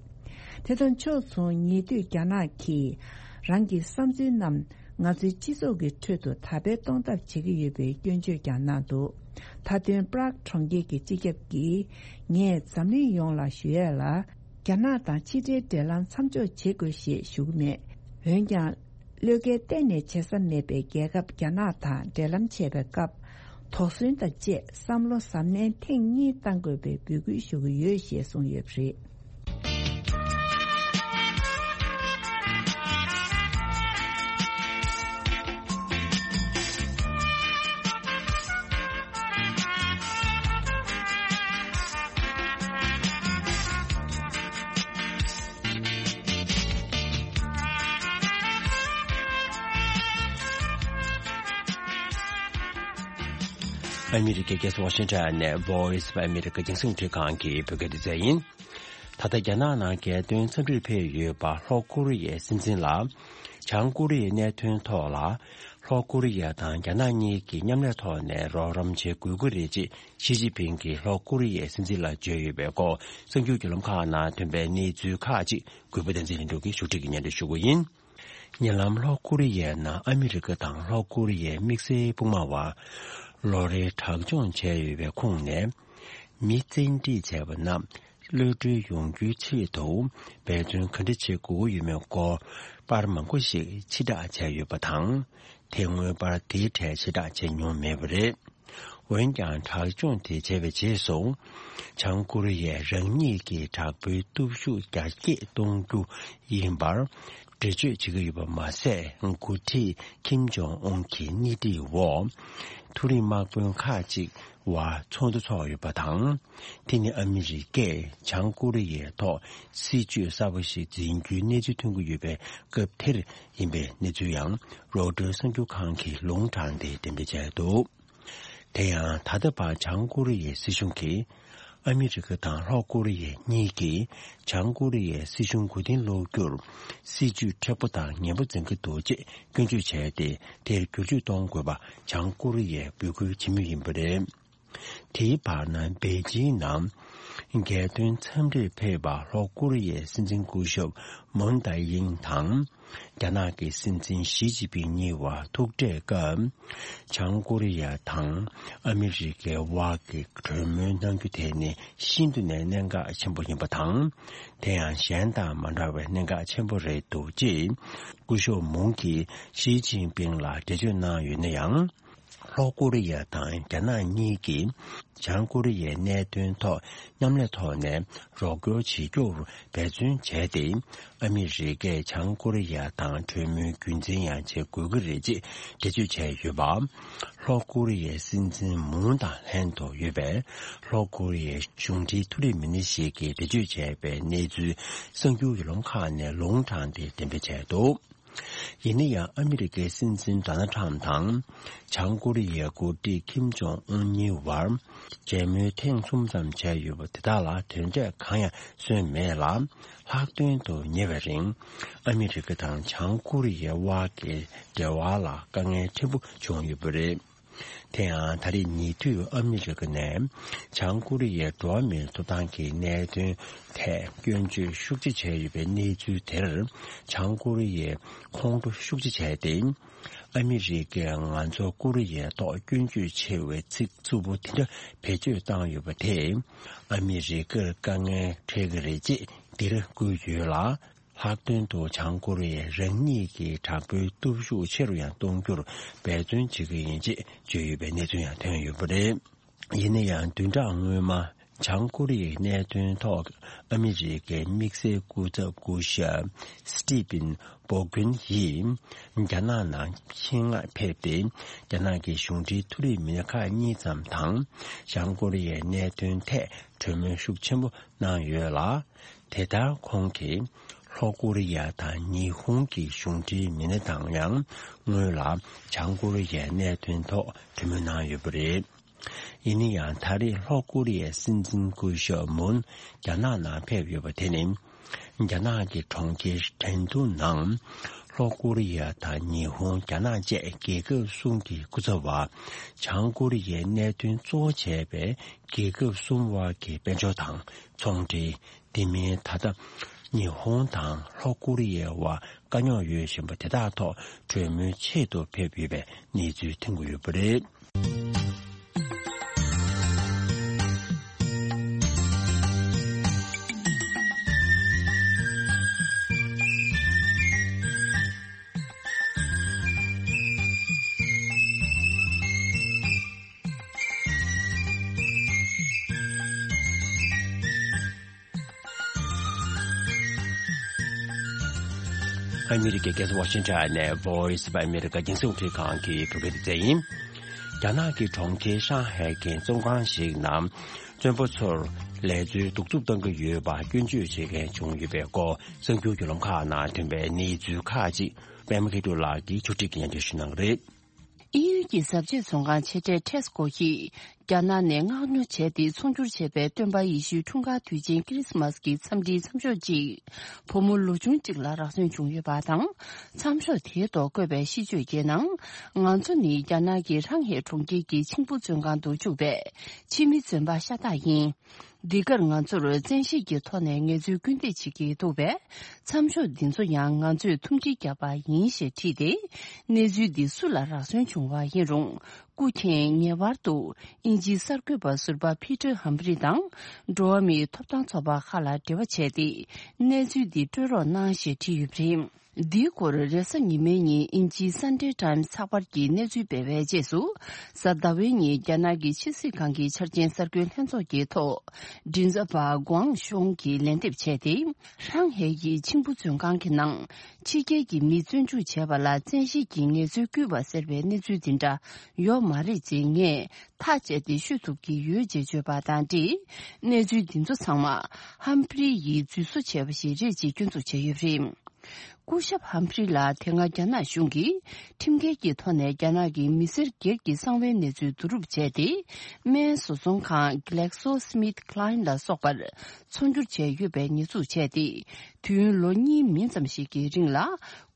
དེ་དང་ཕྱོགས་མཚུངས། ཉེ་དུས་རྒྱ་ནག་གིས་རང་གི་བསམ་ཚུལ་རྣམས་ང་ཚོའི་སྤྱི་ཚོགས་ཀྱི་ཁྲོད་དུ་དར་སྤེལ་གཏོང་ཐབས་བྱེད་ཀྱི་ཡོད་པའི་སྐྱོན་བརྗོད་ཀྱང་གནང་འདུག་མཐའ་དོན། པྲག་གྲོང་ཁྱེར་གྱི་སྤྱི་ཁྱབ་ཀྱིས་ངས་འཛམ་གླིང་ཡོངས་ལ་ཞུ་ཡས་ལ། རྒྱ་ནག་དང་ཕྱི་འབྲེལ་འབྲེལ་ལམ་མཚམས་འཇོག་བྱེད་དགོས་ཞེས་ཞུ་གི་མེད། འོན་ཀྱང་། བློས་འགེལ་གཏན་ནས་བྱེད་ས་མེད་པའི་རྒྱལ་ཁབ་རྒྱ་ནག་དང་འབྲེལ་ལམ་བྱེད་པའི་སྐབས། དོགས་ཟོན་དང་བཅས་བསམ་བློ་གཟབ་ནན་ཐེངས་གཉིས་གཏང་དགོས་པའི་འབོད་སྐུལ་ཞུ་གི་ཡོད་ཞེས་གསུངས་ཡོད་པ་རེད། ཨ་མི་རི་ཀའི་རྒྱལ་ས་ཝ་ཤིང་ཊོན་ནས་Voice of America རྒྱང་སྲིང་འཕྲིན་ཁང་གི་བོད་སྐད་སྡེ་ཚན་ཡིན། ད་ལྟ་རྒྱ་ནག་ནང་རྒྱལ་དོན་འཚམས་འདྲིར་ཕེབས་ཡོད་པ་ལྷོ་ཀོ་རི་ཡའི་སྲིད་འཛིན་ལ། བྱང་ཀོ་རི་ཡའི་གནད་དོན་ཐོག་ལ། ལྷོ་ཀོ་རི་ཡ་དང་རྒྱ་ནག་གཉིས་ཀྱིས་མཉམ་ལས་ཐོག་ནས་རོགས་རམ་བྱེད་དགོས་ཀྱི་རེད་ཅེས་ཞི་ཅིན་ཕིང་གིས་ལྷོ་ཀོ་རི་ཡའི་སྲིད་འཛིན་ལ་བརྗོད་ཡོད་པའི་སྐོར། གསར་འགྱུར་བརྒྱུད་ལམ་ཁག་ནང་ཐོན་པའི་གནས་ཚུལ་ཁག་ཅིག་གུས་པ་བསྟན་འཛིན་ལྷུན་གྲུབ་ཀྱིས་ཕྱོགས་སྒྲིག་གིས་སྙན་སྒྲོན་ཞུ་གི་ཡིན། ཉེ་ལམ་ལྷོ་ཀོ་རི་ཡའི་ནང་ཨ་མི་རི་ཀ་དང་ལྷོ་ཀོ་རི་ཡའི་དམིགས་བསལ་དཔུང་དམག་བར་ལོ་རེའི་དྲག་སྦྱོང་བྱས་ཡོད་པའི་ཁོངས་ནས། མི་བཙན་ཁྲིད་བྱས་པ་རྣམས་གློད་གྲོལ་ཡོང་རྒྱུའི་ཆེད་དུ་འབད་བརྩོན་ག་འདྲ་བྱེད་དགོས་ཀྱི་ཡོད་མེད་སྐོར་པར་མང་པོ་ཞིག་ཕྱིར་བསྒྲགས་བྱས་ཡོད་པ་དང་། དེ་སྔོན་པར་དེའི་གྲས་ཕྱིར་བསྒྲགས་བྱས་མྱོང་མེད་པ་རེད། འོན་ཀྱང་། དྲག་སྦྱོང་དེ་བྱས་པའི་རྗེས་སུ། བྱང་ཀོ་རི་ཡས་རང་ཉིད་ཀྱི་དྲག་པོའི་སྟོབས་ཤུགས་རྒྱ་སྐྱེད་གཏོང་རྒྱུ་ཡིན་པར་འགྲེལ་བརྗོད་བྱེད་ཀྱི་ཡོད་པ་མ་ཟད། འགོ་ཁྲིད་ཁིམ་ཇོང་ཨུན་གྱི་སྣེ་ཁྲིད་འོག་མཐོ་རིམ་དམག་དཔོན་ཁག་ཅིག་དབར་ཚོགས་འདུ་འཚོགས་ཡོད་པ་དང་། དེ་ནི་ཨ་མི་རི་ཀས་བྱང་ཀོ་རི་ཡའི་ཐོག་སྲིད་བྱུས་གསར་པ་ཞིག་འཛིན་རྒྱུའི་གནས་ཚུལ་ཐོན་གྱི་ཡོད་པའི་སྐབས་དེར་ཡིན་པའི་གནས་ཚུལ་ཡང་རོའི་ཊར་གསར་འགྱུར་ཁང་གིས་ལུང་དྲངས་ཏེ་འགྲེམས་སྤེལ་བྱས་འདུག་དེ་ཡང་། ད་ལྟ་བར་བྱང་ཀོ་རི་ཡའི་སྲིད་གཞུང་གིས། ཨ་མི་རི་ཀ་དང་ལྷོ་ཀོ་རི་ཡ་གཉིས་ཀྱིས་བྱང་ཀོ་རི་ཡའི་སྲིད་གཞུང་མགོ་རྟིང་སློག་རྒྱུར་སྲིད་ཇུས་མཁྲེགས་པོ་དང་ངན་པ་འཛིན་གྱི་འདུག་ཅེས་སྐྱོན་བརྗོད་བྱས་ཏེ། དེར་བསྒྱུར་བཅོས་གཏོང་དགོས་པ་བྱང་ཀོ་རི་ཡས་འབོད་སྐུལ་བྱེད་མུས་ཡིན་པ་རེད། དེའི་བར་ན། པེ་ཅིང་ནང་རྒྱལ་དོན་འཚམས་འདྲིར་ཕེབས་པ་ལྷོ་ཀོ་རི་ཡའི་སྲིད་འཛིན་སྐུ་ཞབས་མུན་ཏཱ་ཡིང་དང་། རྒྱ་ནག་གི་སྲིད་འཛིན་ཞི་ཅིན་ཕིང་གཉིས་བར་ཐུག་འཕྲད་སྐབས། བྱང་ཀོ་རི་ཡ་དང་ཨ་མི་རི་ཀའི་དབར་གྱི་གྲོས་མོལ་གནང་རྒྱུ་དེ་ནི་ཤིན་ཏུ་ནས་གནད་འགག་ཆེན་པོ་ཡིན་པ་དང་། དེ་ཡང་གཞན་དང་མ་འདྲ་བའི་གནད་འགག་ཆེན་པོ་རེད་འདུག་ཅེས་སྐུ་ཞབས་མུང་གིས་ཞི་ཅིན་ཕིང་ལ་འགྲེལ་བརྗོད་གནང་ཡོད་ན་ཡང་། ལྷོ་ཀོ་རི་ཡ་དང་རྒྱ་ནག་གཉིས་ཀྱིས་བྱང་ཀོ་རི་ཡའི་གནད་དོན་ཐོག་མཉམ་ལས་ཐོག་ནས་རོགས་སྐྱོར་བྱེད་རྒྱུར་འབད་བརྩོན་བྱས་ཏེ། ཨ་མི་རི་ཀས་བྱང་ཀོ་རི་ཡ་དང་གྲོས་མོལ་རྒྱུན་འཛིན་ཡང་བྱེད་དགོས་ཀྱི་རེད་ཅེས་འགྲེལ་བརྗོད་བྱས་ཡོད་པ། ལྷོ་ཀོ་རི་ཡའི་སྲིད་འཛིན་མུང་དང་ལྷན་དུ་ཡོད་པའི་ལྷོ་ཀོ་རི་ཡའི་གཞུང་འབྲེལ་མཐོ་རིམ་མི་སྣ་ཞིག་གིས་འགྲེལ་བརྗོད་བྱས་པའི་གནས་ཚུལ་གསར་འགྱུར་ཡུལ་ལུང་ཁག་ནས་ལུང་དྲངས་ཏེ་འགྲེམས་སྤེལ་བྱས་འདུག་ཡིན་ན་ཡང་། ཨ་མི་རི་ཀའི་སྲིད་འཛིན་ཌོ་ནལ་ཊམ་དང་། བྱང་ཀོ་རི་ཡའི་འགོ་ཁྲིད་ཁིམ་ཇོང་ཨུན་གཉིས་བར་མཇལ་མོལ་ཐེངས་གསུམ་ཙམ་བྱས་ཡོད་པ་དེ་དག་ལ་དོན་འབྲས་གང་ཡང་སོན་མེད་ལ། ལྷག་དོན་དུ་ཉེ་བའི་རིང་ཨ་མི་རི་ཀ་དང་བྱང་ཀོ་རི་ཡའི་དབར་གྱི་འབྲེལ་བ་ལ་དཀའ་ངལ་ཕྲན་བུ་བྱུང་ཡོད་པ་རེད། དེ་ཡང་ད་རེས་ཉེ་དུས་ཨ་མི་རི་ཀ་ནས་བྱང་ཀོ་རི་ཡའི་འགྲོ་བ་མིའི་ཐོབ་ཐང་གི་གནད་དོན་ཐད་སྐྱོན་བརྗོད་ཤུགས་ཆེ་བྱས་ཡོད་པའི་གནས་ཚུལ་དེར། བྱང་ཀོ་རི་ཡས་ཁོང་ཁྲོ་ཤུགས་ཆེ་བྱས་ཏེ། ཨ་མི་རི་ཀས་ང་ཚོ་ཀོ་རི་ཡའི་ཐོག་སྐྱོན་བརྗོད་ཆེ་བའི་ཚིག་རྩུབ་པོ་དེ་འདྲ་བེད་སྤྱོད་བཏང་ཡོད་པ་དེས། ཨ་མི་རི་ཀར་དཀའ་ངལ་འཕྲད་ཀྱི་རེད་ཅེས་འདིར་བཀོད་ཡོད་ལ། ལྷག་དོན་དུ་བྱང་ཀོ་རི་ཡས་རང་ཉིད་ཀྱི་དྲག་པོའི་སྟོབས་ཤུགས་ཆེ་རུ་ཡང་གཏོང་རྒྱུར་འབད་བརྩོན་བྱེད་ཀྱི་ཡིན་ཅེས་བརྗོད་ཡོད་པའི་གནས་ཚུལ་ཡང་ཐོན་ཡོད་པ་རེད། ཡིན་ན་ཡང་བདུན་ཕྲག་སྔོན་མ། བྱང་ཀོ་རི་ཡའི་གནད་དོན་ཐོག་ཨ་མི་རི་ཀའི་དམིགས་བསལ་སྐུ་ཚབ་སྐུ་ཞབས་སི་ཏི་ཕིན་སྦོ་ཀུན་ཡིས་རྒྱ་ནག་ནང་ཆེད་མངགས་ཕེབས་ཏེ། རྒྱ་ནག་གི་གཞུང་འབྲེལ་མཐོ་རིམ་མི་སྣ་ཁག་གཉིས་ཙམ་དང་། བྱང་ཀོ་རི་ཡའི་གནད་དོན་ཐད་གྲོས་མོལ་ཤུགས་ཆེན་པོ་གནང་ཡོད་ལ། དེ་ལྟར་ཁོང་གིས་ལྷོ་ཀོ་རི་ཡ་དང་ཉི་ཧོང་གི་གཞུང་འབྲེལ་མི་སྣ་དང་ཡང་སྔོན་ལ་བྱང་ཀོ་རི་ཡའི་གནད་དོན་ཐོག་གྲོས་མོལ་གནང་ཡོད་པ་རེད། ཡིན་ན་ཡང་ད་རེས་ལྷོ་ཀོ་རི་ཡའི་སྲིད་འཛིན་སྐུ་ཞབས་མུན་རྒྱ་ནག་ནང་ཕེབས་ཡོད་པ་དེ་ནི། རྒྱ་ནག་གི་གྲོང་ཁྱེར་ཁྲེང་ཏུའུ་ནང་ལྷོ་ཀོ་རི་ཡ་དང་ཉི་ཧོང་། རྒྱ་ནག་བཅས་རྒྱལ་ཁབ་གསུམ་གྱི་སྐུ་ཚབ་པ། བྱང་ཀོ་རི་ཡའི་གནད་དོན་གཙོ་བོ་བྱས་པའི་རྒྱལ་ཁབ་གསུམ་དབར་གྱི་དཔལ་འབྱོར་དང་ཚོང་འབྲེལ། དེ་མིན་ད་ལྟ་ཉི་ཧོང་དང་ལྷོ་ཀོ་རི་ཡའི་དབར་དཀའ་རྙོག་ཡོད་བཞིན་པ་དེ་དག་ཐོག་གྲོས་མོལ་ཆེད་དུ་ཕེབས་ཡོད་པའི་གནས་ཚུལ་ཐོན་གྱི་ཡོད་པ་རེད། ཨ་མི་རི་ཀའི་རྒྱལ་ས་ཝ་ཤིང་ཊོན་ནས་Voice of America རྒྱང་སྲིང་རླུང་འཕྲིན་ཁང་གི་བོད་སྐད་སྡེ་ཚན་ཡིན། རྒྱ་ནག་གི་གྲོང་ཁྱེར་ཧྲང་ཧའེ་གྱི་བཙོན་ཁང་ཞིག་ནང་བཙོན་པ་ཚོར་ལས་འཛོལ་གདུག་རྩུབ་བཏང་གི་ཡོད་པ་སྐྱོན་བརྗོད་བྱེད་མཁན་བྱུང་ཡོད་པའི་སྐོར་གསར་འགྱུར་བརྒྱུད་ལམ་ཁག་ནང་ཐོན་པའི་གནས་ཚུལ་ཁག་ཅིག་པད་མ་མཁས་གྲུབ་ལགས་ཀྱིས་ཕྱོགས་སྒྲིག་གིས་སྙན་སྒྲོན་ཞུ་གནང་གི་རེད། དབྱིན་ཡུལ་གྱི་གཟབ་རྒྱས་བཙོན་ཁང་ཆེ་གྲས་ཊེ་སི་ཀོ་ཡིས་རྒྱ་ནག་ནས་མངགས་ཉོ་བྱས་ཏེ་ཚོང་སྒྱུར་བྱས་པའི་སྟོན་པ་ཡེ་ཤུའི་འཁྲུངས་སྐར་དུས་ཆེན་ཁི་རི་སི་མ་སི་གི་འཚམས་འདྲིའི་མཚམས་ཤོག་ཅིག་བུ་མོ་ལོ་ཆུང་གཅིག་ལ་རག་སོན་བྱུང་ཡོད་པ་དང་། མཚམས་ཤོག་དེའི་ཐོག་བཀོད་པའི་ཤིས་བརྗོད་ཀྱི་ནང་། ང་ཚོ་ནི་རྒྱ་ནག་གི་ཧྲང་ཧེ་གྲོང་ཁྱེར་གྱི་མཆིང་བུ་བཙོན་ཁང་དུ་བཅུག་པའི་ཕྱི་མི་བཙོན་པ་ཤ་སྟག་ཡིན། འདི་གར་ང་ཚོར་བཙན་ཤེད་ཀྱི་ཐོག་ནས་ངལ་རྩོལ་སྐུལ་འདེད་བྱེད་ཀྱི་འདུག་པས། མཚམས་ཤོག་འདི་ཚོ་ཡང་ང་ཚོས་ཐུམ་སྒྲིལ་བརྒྱབ་པ་ཡིན་ཞེས་བྲིས་ཏེ། གནས་ཚུལ་འདི་སུ་ལ་རག་སོན་བྱུང་བ་ཡིན་རུང་། སྐུ་མཁྱེན་ངེས་པར་དུ་དབྱིན་ཇིའི་གསར་འགོད་པ་ཟུར་པ་ཕི་ཏྲ་ཧམ་ཕི་རི་དང་། འགྲོ་བ་མིའི་ཐོབ་ཐང་ཚོགས་པ་ཁག་ལ་འབྲེལ་བ་བྱས་ཏེ། གནས་ཚུལ་འདི་སྤྲོད་རོགས་གནང་ཞེས་བྲིས་ཡོད་པ་རེད། འདིའི་སྐོར་རེས་གཟའ་ཉི་མའི་ཉིན་དབྱིན་ཇིའི་Sunday Times་ཚགས་པར་གྱིས་གནས་ཚུལ་སྤེལ་བའི་རྗེས་སུ། གཟའ་ཟླ་བའི་ཉིན་རྒྱ་ནག་གི་ཕྱི་སྲིད་ཁང་གི་འཆར་ཅན་གསར་འགོད་ལྷན་ཚོགས་ཀྱི་ཐོག་མགྲིན་ཚབ་པ་ཀུའང་ཤུང་གིས་ལན་འདེབས་བྱས་ཏེ། ཧྲང་ཧའེ་ཡི་མཆིང་བུ་བཙོན་ཁང་གི་ནང་ཕྱི་རྒྱལ་གྱི་མི་བཙོན་འཇུག་བྱས་པ་ལ་བཙན་ཤེད་ཀྱིས་ངལ་རྩོལ་བསྐུལ་བ་ཟེར་བའི་གནས་ཚུལ་འདི་འདྲ་ཡོད་མ་རེད་ཅེས་ངས་ཐག་བཅད་དེ་ཤོད་ཐུབ་ཀྱི་ཡོད་ཅེས་བརྗོད་པ་དང་འབྲེལ། གནས་ཚུལ་འདི་ཚོ་ཚང་མ་ཧམ་ཕི་རི་ཡིས་འཛུལ་བཟོ་བྱས་པ་ཞིག་རེད་ཅེས་སྐྱོན་འཛུགས་བྱས་ཡོད་པ་རེད། སྐུ་ཞབས་ཧམ་ཕི་རི་ལ་དེ་སྔ་རྒྱ་ནག་གཞུང་གིས་ཁྲིམས་འགལ་གྱི་ཐོག་ནས་རྒྱ་ནག་གི་མི་སེར་སྒེར་གྱི་གསང་བའི་གནས་ཚུལ་བསྡུ་རུབ་བྱས་ཏེ། སྨན་བཟོ་ཚོང་ཁང་GlaxoSmithKline་ལ་སོགས་པར་ཚོང་སྒྱུར་བྱས་ཡོད་པའི་ཉེས་འཛུགས་བྱས་ཏེ། དུས་ཡུན་ལོ་གཉིས་མིན་ཙམ་ཞིག་གི་རིང་ལ་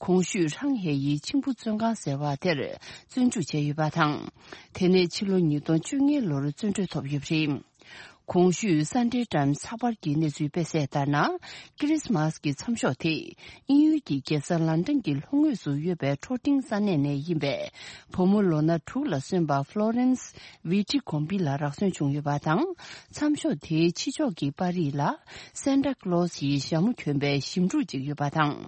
གོང་ཞུས་ཧྲང་ཧའེ་ཡི་མཆིང་བུ་བཙོན་ཁང་ཟེར་བ་དེར་བཙོན་འཇུག་བྱས་ཡོད་པ་དང་། དེ་ནས་ཕྱི་ལོ་ཉིས་སྟོང་བཅོ་ལྔའི་ལོར་བཙོན་གྲོལ་ཐོབ་ཡོད་པ་རེད། གོང་ཞུས་Sunday Times་ཚགས་པར་གྱི་གནས་ཚུལ་སྤེལ་གསལ་ལྟར་ན། ཁི་རི་སི་མ་སི་གི་མཚམས་ཤོག་དེ་དབྱིན་ཡུལ་གྱི་རྒྱལ་ས་ལན་ཀྲན་གྱི་ལྷོ་ངོས་སུ་ཡོད་པའི་ཁྲོ་ཏིང་ས་གནས་ནས་ཡིན་པའི་བུ་མོ་ལོ་ན་དྲུག་ལ་སོན་པ་Florence Viti Gombi་ལ་རག་སོན་བྱུང་ཡོད་པ་དང་། མཚམས་ཤོག་དེའི་ཕྱི་ཕྱོགས་ཀྱི་པར་རིས་ལ་Santa Claus་ཡི་ཞྭ་མོ་གྱོན་པའི་ཞིབ་འབྲུ་ཅིག་ཡོད་པ་དང་།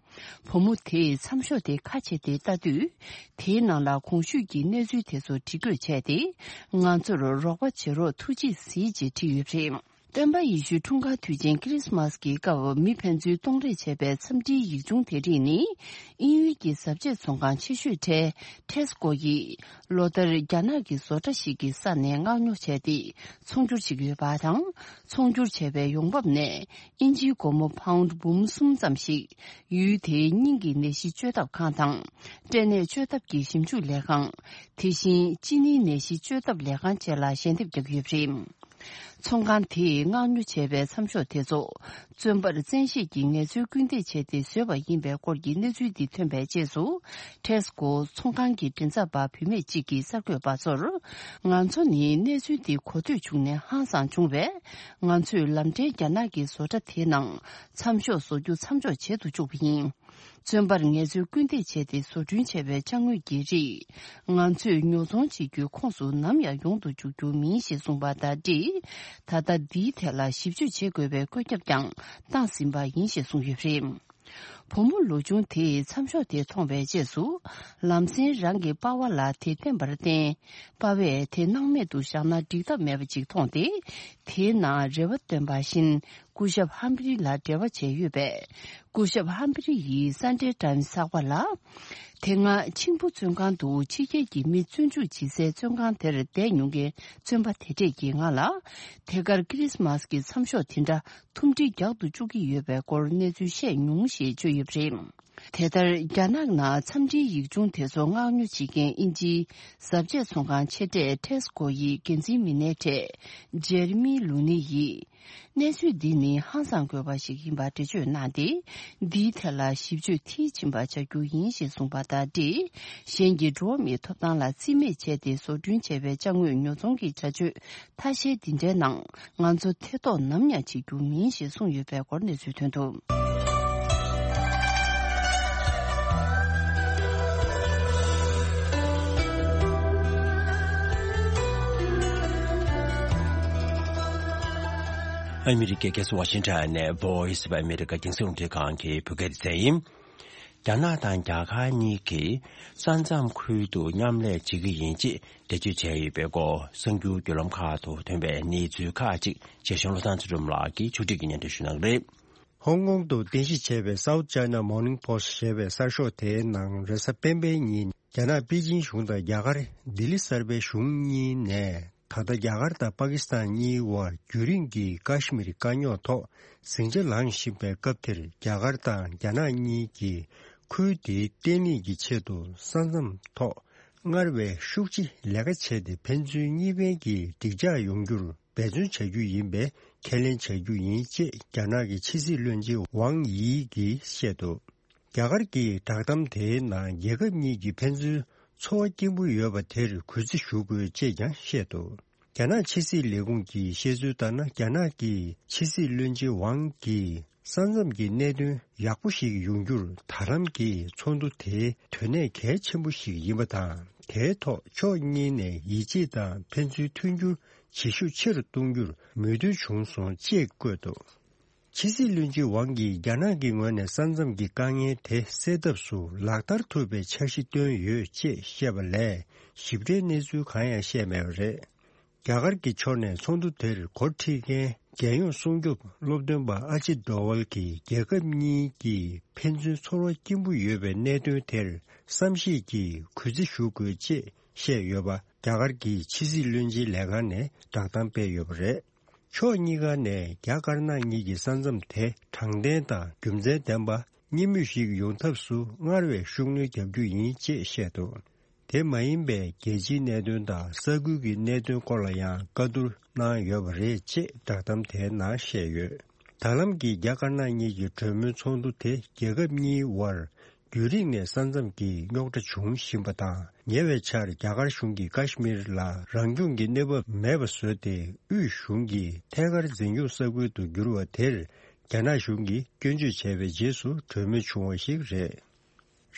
བུ་མོ་དེས་མཚམས་ཤོག་དེ་ཁ་ཕྱེ་སྟེ་ལྟ་དུས། དེའི་ནང་ལ་གོང་ཞུས་ཀྱི་གནས་ཚུལ་དེ་ཚོ་བྲིས་འགོད་བྱས་ཏེ། ང་ཚོར་རོགས་པ་བྱེད་རོགས་ཐུགས་རྗེས་གཟིགས་ཅེས་བྲིས་ཡོད་པ་རེད། སྟོན་པ་ཡེ་ཤུའི་འཁྲུངས་སྐར་དུས་ཆེན་ཁི་རི་སི་མ་སི་གི་སྐབས་མི་ཕན་ཚུན་གཏོང་རེས་བྱས་པའི་འཚམས་འདྲིའི་ཡིག་ཆུང་དེ་རིགས་ནི། དབྱིན་ཡུལ་གྱི་གཟབ་རྒྱས་ཚོང་ཁང་ཆེ་ཤོས་གྲས་ཊེ་སི་ཀོ་ཡིས་ལོ་ལྟར་རྒྱ་ནག་གི་བཟོ་གྲྭ་ཞིག་གི་ས་ནས་མངགས་ཉོ་བྱས་ཏེ་ཚོང་སྒྱུར་བྱེད་ཀྱི་ཡོད་པ་དང་། ཚོང་སྒྱུར་བྱས་པའི་ཡོང་འབབ་ནས་དབྱིན་ཇིའི་སྒོར་མོ་པའུནྜ་འབུམ་གསུམ་ཙམ་ཞིག་ཡུལ་དེའི་སྙིང་གི་ནད་གཞི་བཅོས་ཐབས་ཁང་དང་། སྐྲན་ནད་བཅོས་ཐབས་ཀྱི་ཞིབ་འཇུག་ལས་ཁང་། དེ་བཞིན་གཅིན་སྙིའི་ནད་གཞི་བཅོས་ཐབས་ལས་ཁང་བཅས་ལ་ཞལ་འདེབས་རྒྱག་གི་ཡོད་པ་རེད། ཚོང་ཁང་དེས་མངགས་ཉོ་བྱས་པའི་མཚམས་ཤོག་དེ་ཚོ། བཙོན་པར་བཙན་ཤེད་ཀྱིས་ངལ་རྩོལ་སྐུལ་འདེད་བྱས་ཏེ་བཟོས་པ་ཡིན་པའི་སྐོར་གྱི་གནས་ཚུལ་འདི་ཐོན་པའི་རྗེས་སུ། ཊེ་སི་ཀོ་ཚོང་ཁང་གི་མགྲིན་ཚབ་པ་བུད་མེད་ཅིག་གིས་གསར་འགོད་པ་ཚོར། ང་ཚོ་ནི་གནས་ཚུལ་འདི་གོ་ཐོས་བྱུང་ནས་ཧང་སངས་བྱུང་བས། ང་ཚོས་ལམ་འབྲས་རྒྱ་ནག་གི་བཟོ་གྲྭ་དེའི་ནང་མཚམས་ཤོག་བཟོ་རྒྱུ་མཚམས་འཇོག་བྱེད་དུ་བཅུག་པ་ཡིན། བཙོན་པར་ངལ་རྩོལ་སྐུལ་འདེད་བྱས་ཏེ་བཟོ་སྐྲུན་བྱས་པའི་ཅ་དངོས་ཀྱི་རིགས། ང་ཚོས་ཉོ་ཚོང་བྱེད་རྒྱུའི་ཁོངས་སུ་ནམ་ཡང་ཡོང་དུ་འཇུག་རྒྱུ་མིན་ཞེས་གསུངས་པ་དང་འབྲེལ། ད་ལྟ་འདིའི་ཐད་ལ་ཞིབ་དཔྱོད་བྱེད་དགོས་པའི་བཀོད་ཁྱབ་ཀྱང་བཏང་ཟིན་པ་ཡིན་ཞེས་གསུངས་ཡོད་པ་རེད། བུ་མོ་ལོ་ཆུང་དེས་མཚམས་ཤོག་དེ་མཐོང་བའི་རྗེས་སུ། ལམ་སེང་རང་གི་པ་ཕ་ལ་དེ་བསྟན་པར་བརྟེན། པ་ཕས་དེ་སྣང་མེད་དུ་བཞག་ན་འགྲིག་ཐབས་མེད་པ་ཅིག་མཐོང་སྟེ། དེའི་ནང་རེ་བ་བཏོན་པ་བཞིན། སྐུ་ཞབས་ཧམ་ཕི་རི་ལ་འབྲེལ་བ་བྱས་ཡོད་པས། སྐུ་ཞབས་ཧམ་ཕི་རི་ཡིས་སན་ཌེ་ཊའིམ་སི་ཚགས་པར་ལ། དེ་སྔ་ཆིང་ཕུ་བཙོན་ཁང་དུ་ཕྱི་རྒྱལ་གྱི་མི་བཙོན་འཇུག་བྱེད་སའི་བཙོན་ཁང་དེར་བསྡད་མྱོང་མཁན་བཙོན་པ་དེ་འདྲས་ཀྱིས་ང་ལ། དེ་གར་ཁི་རི་སི་མ་སི་གི་མཚམས་ཤོག་དེ་འདྲ་ཐུམ་སྒྲིལ་རྒྱག་ཏུ་བཅུག་གི་ཡོད་པའི་སྐོར་གནས་ཚུལ་བཤད་མྱོང་ཞེས་བརྗོད་ཡོད་པ་རེད། དེ་ལྟར་རྒྱ་ནག་ནང་འཚམས་འདྲིའི་ཡིག་ཆུང་དེ་ཚོ་མངགས་ཉོ་བྱེད་མཁན་དབྱིན་ཇིའི་གཟབ་ཆས་ཚོང་ཁང་ཆེ་གྲས་ཊེ་སི་ཀོ་ཡི་འགན་འཛིན་མི་སྣའི་གྲས་ཇེ་རི་མི་ལུ་ནི་ཡིས། གནས་ཚུལ་འདི་ནི་ཧང་སང་དགོས་པ་ཞིག་ཡིན་པ་འགྲེལ་བརྗོད་གནང་སྟེ། འདིའི་ཐད་ལ་ཞིབ་དཔྱོད་མཐིལ་ཕྱིན་པ་བྱ་རྒྱུ་ཡིན་ཞེས་གསུངས་པ་དང་འབྲེལ། གཞན་གྱི་འགྲོ་བ་མིའི་ཐོབ་ཐང་ལ་རྩིས་མེད་བྱས་ཏེ་བཟོ་སྐྲུན་བྱས་པའི་ཅ་དངོས་ཉོ་ཚོང་གི་བྱ་སྤྱོད་ཐ་ཤལ་འདི་འདྲའི་ནང་ང་ཚོ་ཐེ་གཏོགས་ནམ་ཡང་བྱེད་རྒྱུ་མིན་ཞེས་གསུངས་ཡོད་པའི་སྐོར་གནས་ཚུལ་ཐོན་འདུག། ཨ་མི་རི་ཀའི་རྒྱལ་ས་ཝ་ཤིང་ཊོན་ནས་Voice of America རྒྱང་སྲིང་རླུང་འཕྲིན་ཁང་གི་བོད་སྐད་སྡེ་ཚན་ཡིན། རྒྱ་ནག་དང་རྒྱ་གར་གཉིས་ཀྱིས་ས་མཚམས་ཁུལ་དུ་མཉམ་ལས་བྱེད་ཀྱི་ཡིན་ཅེས་འགྲེལ་བརྗོད་བྱས་ཡོད་པའི་སྐོར་གསར་འགྱུར་བརྒྱུད་ལམ་ཁག་ཏུ་ཐོན་པའི་གནས་ཚུལ་ཁག་ཅིག་ཆེད་བཞིན་བློ་བཟང་ཚུལ་ཁྲིམས་ལགས་ཀྱིས་ཕྱོགས་སྒྲིག་གིས་སྙན་སྒྲོན་ཞུ་གནང་གི་རེད། ཧོང་ཀོང་དུ་རྟེན་གཞི་བྱས་པའི་South China Morning Post ཞེས་པའི་གསར་ཤོག་དེའི་ནང་རེས་གཟའ་སྤེན་པའི་ཉིན་རྒྱ་ནག་པེ་ཅིན་གཞུང་དང་རྒྱ་གར་ལྡི་ལི་གསར་པའི་གཞུང་གཉིས་ནས། ད་ལྟ་རྒྱ་གར་དང་པ་ཀི་སི་ཐན་གཉིས་དབར་རྒྱུན་རིང་གི་ཀ་ཤི་མིར་དཀའ་རྙོག་ཐོག་ཟིང་ཆ་ལངས་བཞིན་པའི་སྐབས་དེར། རྒྱ་གར་དང་རྒྱ་ནག་གཉིས་ཀྱིས་ཁུལ་དེའི་བརྟན་ལྷིང་གི་ཆེད་དུ་ས་མཚམས་ཐོག་སྔར་བས་ཤུགས་ཆེ་ལས་ཀ་བྱས་ཏེ། ཕན་ཚུན་གཉིས་ཕན་གྱི་འགྲིག་འཇགས་ཡོང་རྒྱུར་འབད་བརྩོན་བྱ་རྒྱུ་ཡིན་པའི་ཁས་ལེན་བྱ་རྒྱུ་ཡིན་ཅེས་རྒྱ་ནག་གི་ཕྱི་སྲིད་བློན་ཆེན་ཝང་དབྱི་གིས་བཤད་འདུག། རྒྱ་གར་གྱི་བསྒྲགས་གཏམ་དེའི་ནང་རྒྱལ་ཁབ་གཉིས་ཀྱི་ཕན་ཚུན་ཚོར་བ་སྐྱེན་པོ་ཡོད་པ་དེར་གུས་བརྩི་ཞུ་དགོས་ཅེས་ཀྱང་བཤད་འདུག། རྒྱ་ནག་ཕྱི་སྲིད་ལས་ཁུངས་ཀྱིས་བཤད་ཚུལ་ལྟར་ན། རྒྱ་ནག་གི་ཕྱི་སྲིད་བློན་ཆེན་ཝང་གིས་ས་མཚམས་ཀྱི་གནད་དོན་ཡག་པོ་ཞིག་ཡོང་རྒྱུར་ད་ལམ་གྱི་ཚོགས་འདུ་དེ་དོན་གནད་གལ་ཆེན་པོ་ཞིག་ཡིན་པ་དང་། དེའི་ཐོག་ཕྱོགས་གཉིས་ནས་ཡིད་ཆེས་དང་ཕན་ཚུན་མཐུན་འགྱུར་བྱེད་ཤུགས་ཆེ་རུ་གཏོང་རྒྱུར་མོས་མཐུན་བྱུང་སོང་ཅེས་བཀོད་འདུག། ཕྱི་སྲིད་བློན་ཆེན་ཝང་གིས་རྒྱ་ནག་གི་ངོས་ནས་ས་མཚམས་ཀྱི་དཀའ་ངལ་དེ་སེལ་ཐབས་སུ་ལག་བསྟར་ཐུབ་པའི་འཆར་གཞི་བཏོན་ཡོད་ཅེས་བཤད་པ་ལས་ཞིབ་ཕྲའི་གནས་ཚུལ་གང་ཡང་བཤད་མེད་པ་རེད། རྒྱ་གར་གྱི་ཕྱོགས་ནས་ཚོགས་འདུ་དེར་གོ་སྒྲིག་མཁན་རྒྱལ་ཡོངས་སྲུང་སྐྱོབ་སློབ་སྟོན་པ་ཨ་ཇིད་ཌོ་ཝལ་གྱིས་རྒྱལ་ཁབ་གཉིས་ཀྱི་ཕན་ཚུན་ཚོར་བ་སྐྱེན་པོ་ཡོད་པའི་གནད་དོན་དེར་བསམ་ཤེས་ཀྱིས་གུས་བརྩི་ཞུ་དགོས་ཅེས་བཤད་ཡོད་པ་རྒྱ་གར་གྱི་ཕྱི་སྲིད་བློན་ཆེན་ལས་ཁང་ནས་བསྒྲགས་གཏམ་སྤེལ་ཡོད་པ་རེད། ཕྱོགས་གཉིས་ཀ་ནས་རྒྱ་དཀར་ནག་གཉིས་ཀྱི་ས་མཚམས་དེ་དྲང་བདེན་དང་རྒྱུ་མཚན་ལྡན་པ་གཉིས་མོས་ཤིག་ཡོང་ཐབས་སུ་སྔར་བས་ཤུགས་སྣོན་རྒྱག་རྒྱུ་ཡིན་ཅེས་བཤད་འདུག། དེ་མ་ཡིན་པའི་རྒྱལ་སྤྱིའི་གནད་དོན་དང་ས་ཁུལ་གྱི་གནད་དོན་སྐོར་ལ་ཡང་བཀའ་བསྡུར་གནང་ཡོད་པ་རེད་ཅེས་བསྒྲགས་གཏམ་དེའི་ནང་བཤད་ཡོད། ད་ལམ་གྱི་རྒྱ་དཀར་ནག་གཉིས་ཀྱི་གྲོས་མོལ་ཚོགས་འདུ་དེ་རྒྱལ་ཁབ་གཉིས་དབར་རྒྱུན་རིང་ནས་ས་མཚམས་ཀྱི་རྙོག་དྲ་བྱུང་བཞིན་པ་དང་། ཉེ་བའི་ཆར་རྒྱ་གར་གཞུང་གིས་ཀ་ཤི་མིར་ལ་རང་སྐྱོང་གི་གནས་བབ་མེད་པ་བཟོས་ཏེ། དབུས་གཞུང་གི་ཐད་ཀར་འཛིན་སྐྱོང་ས་ཁུལ་དུ་གྱུར་བ་དེར་རྒྱ་ནག་གཞུང་གིས་སྐྱོན་བརྗོད་བྱས་པའི་རྗེས་སུ་གྲོས་མོལ་བྱུང་བ་ཞིག་རེད།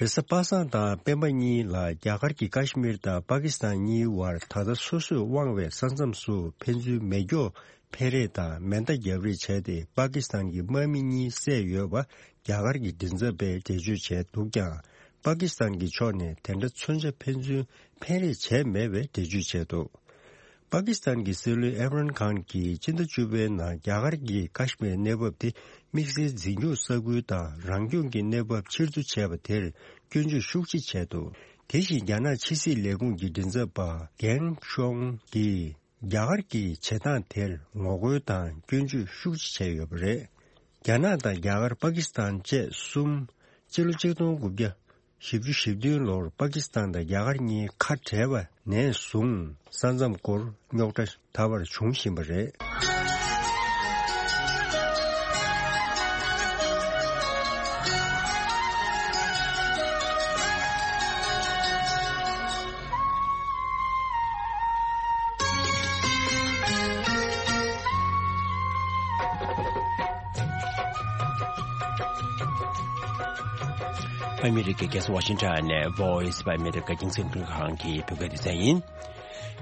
རེས་གཟའ་པ་སངས་དང་སྤེན་པ་གཉིས་ལ་རྒྱ་གར་གྱི་ཀ་ཤི་མིར་དང་པ་ཀི་སི་ཐན་གཉིས་དབར་ད་ལྟ་སོ་སོས་དབང་བའི་ས་མཚམས་སུ་ཕན་ཚུན་མེ་སྒྱོགས་འཕེན་རེས་དང་མེ་མདའ་བརྒྱབ་རེས་བྱས་ཏེ། པ་ཀི་སི་ཐན་གྱི་དམག་མི་གཉིས་བསད་ཡོད་པ་རྒྱ་གར་གྱི་མགྲིན་ཚབ་པས་འགྲེལ་བརྗོད་བྱས་འདུག་ཀྱང་། པ་ཀི་སི་ཐན་གྱི་ཕྱོགས་ནས་དེ་འདྲ་མཚོན་ཆ་ཕན་ཚུན་འཕེན་རེས་བྱས་མེད་པའི་འགྲེལ་བརྗོད་བྱས་འདུག། པ་ཀི་སི་ཐན་གྱི་སྲིད་བློན་ཨེམ་རཱན་ཁཱན་གྱིས་སྤྱི་ཟླ་བཅུ་པའི་ནང་རྒྱ་གར་གྱིས་ཀ་ཤི་མིར་གནས་བབ་དེ་དམིགས་བསལ་འཛིན་སྐྱོང་ས་ཁུལ་དང་རང་སྐྱོང་གི་གནས་བབ་ཕྱིར་བསྡུ་བྱས་པ་དེར་སྐྱོན་བརྗོད་ཤུགས་ཆེ་བྱས་འདུག། དེ་བཞིན་རྒྱ་ནག་ཕྱི་སྲིད་ལས་ཁུངས་ཀྱི་མགྲིན་ཚབ་པ་གེང་ཤོང་གིས་རྒྱ་གར་གྱི་བྱེད་སྟངས་དེར་ངོ་རྒོལ་དང་སྐྱོན་བརྗོད་ཤུགས་ཆེ་བྱས་ཡོད་པ་རེད། རྒྱ་ནག་དང་རྒྱ་གར། པ་ཀི་སི་ཐན་བཅས་གསུམ་སྤྱི་ལོ་ཆིག་སྟོང་དགུ་བརྒྱ་ བཞི་བཅུ་ཞེ་བདུན་ལོར་པ་ཀི་སི་ཐན་དང་རྒྱ་གར་གཉིས་ཁ་བྲལ་བ་ནས་བཟུང་ས་མཚམས་སྐོར་རྙོག་དྲ་ད་བར་འབྱུང་བཞིན་པ་རེད། ཨ་མི་རི་ཀའི་རྒྱལ་ས་ཝ་ཤིང་ཊོན་ནས་Voice of America་རྒྱང་སྲིང་རླུང་འཕྲིན་ཁང་གི་བོད་སྐད་སྡེ་ཚན་ཡིན།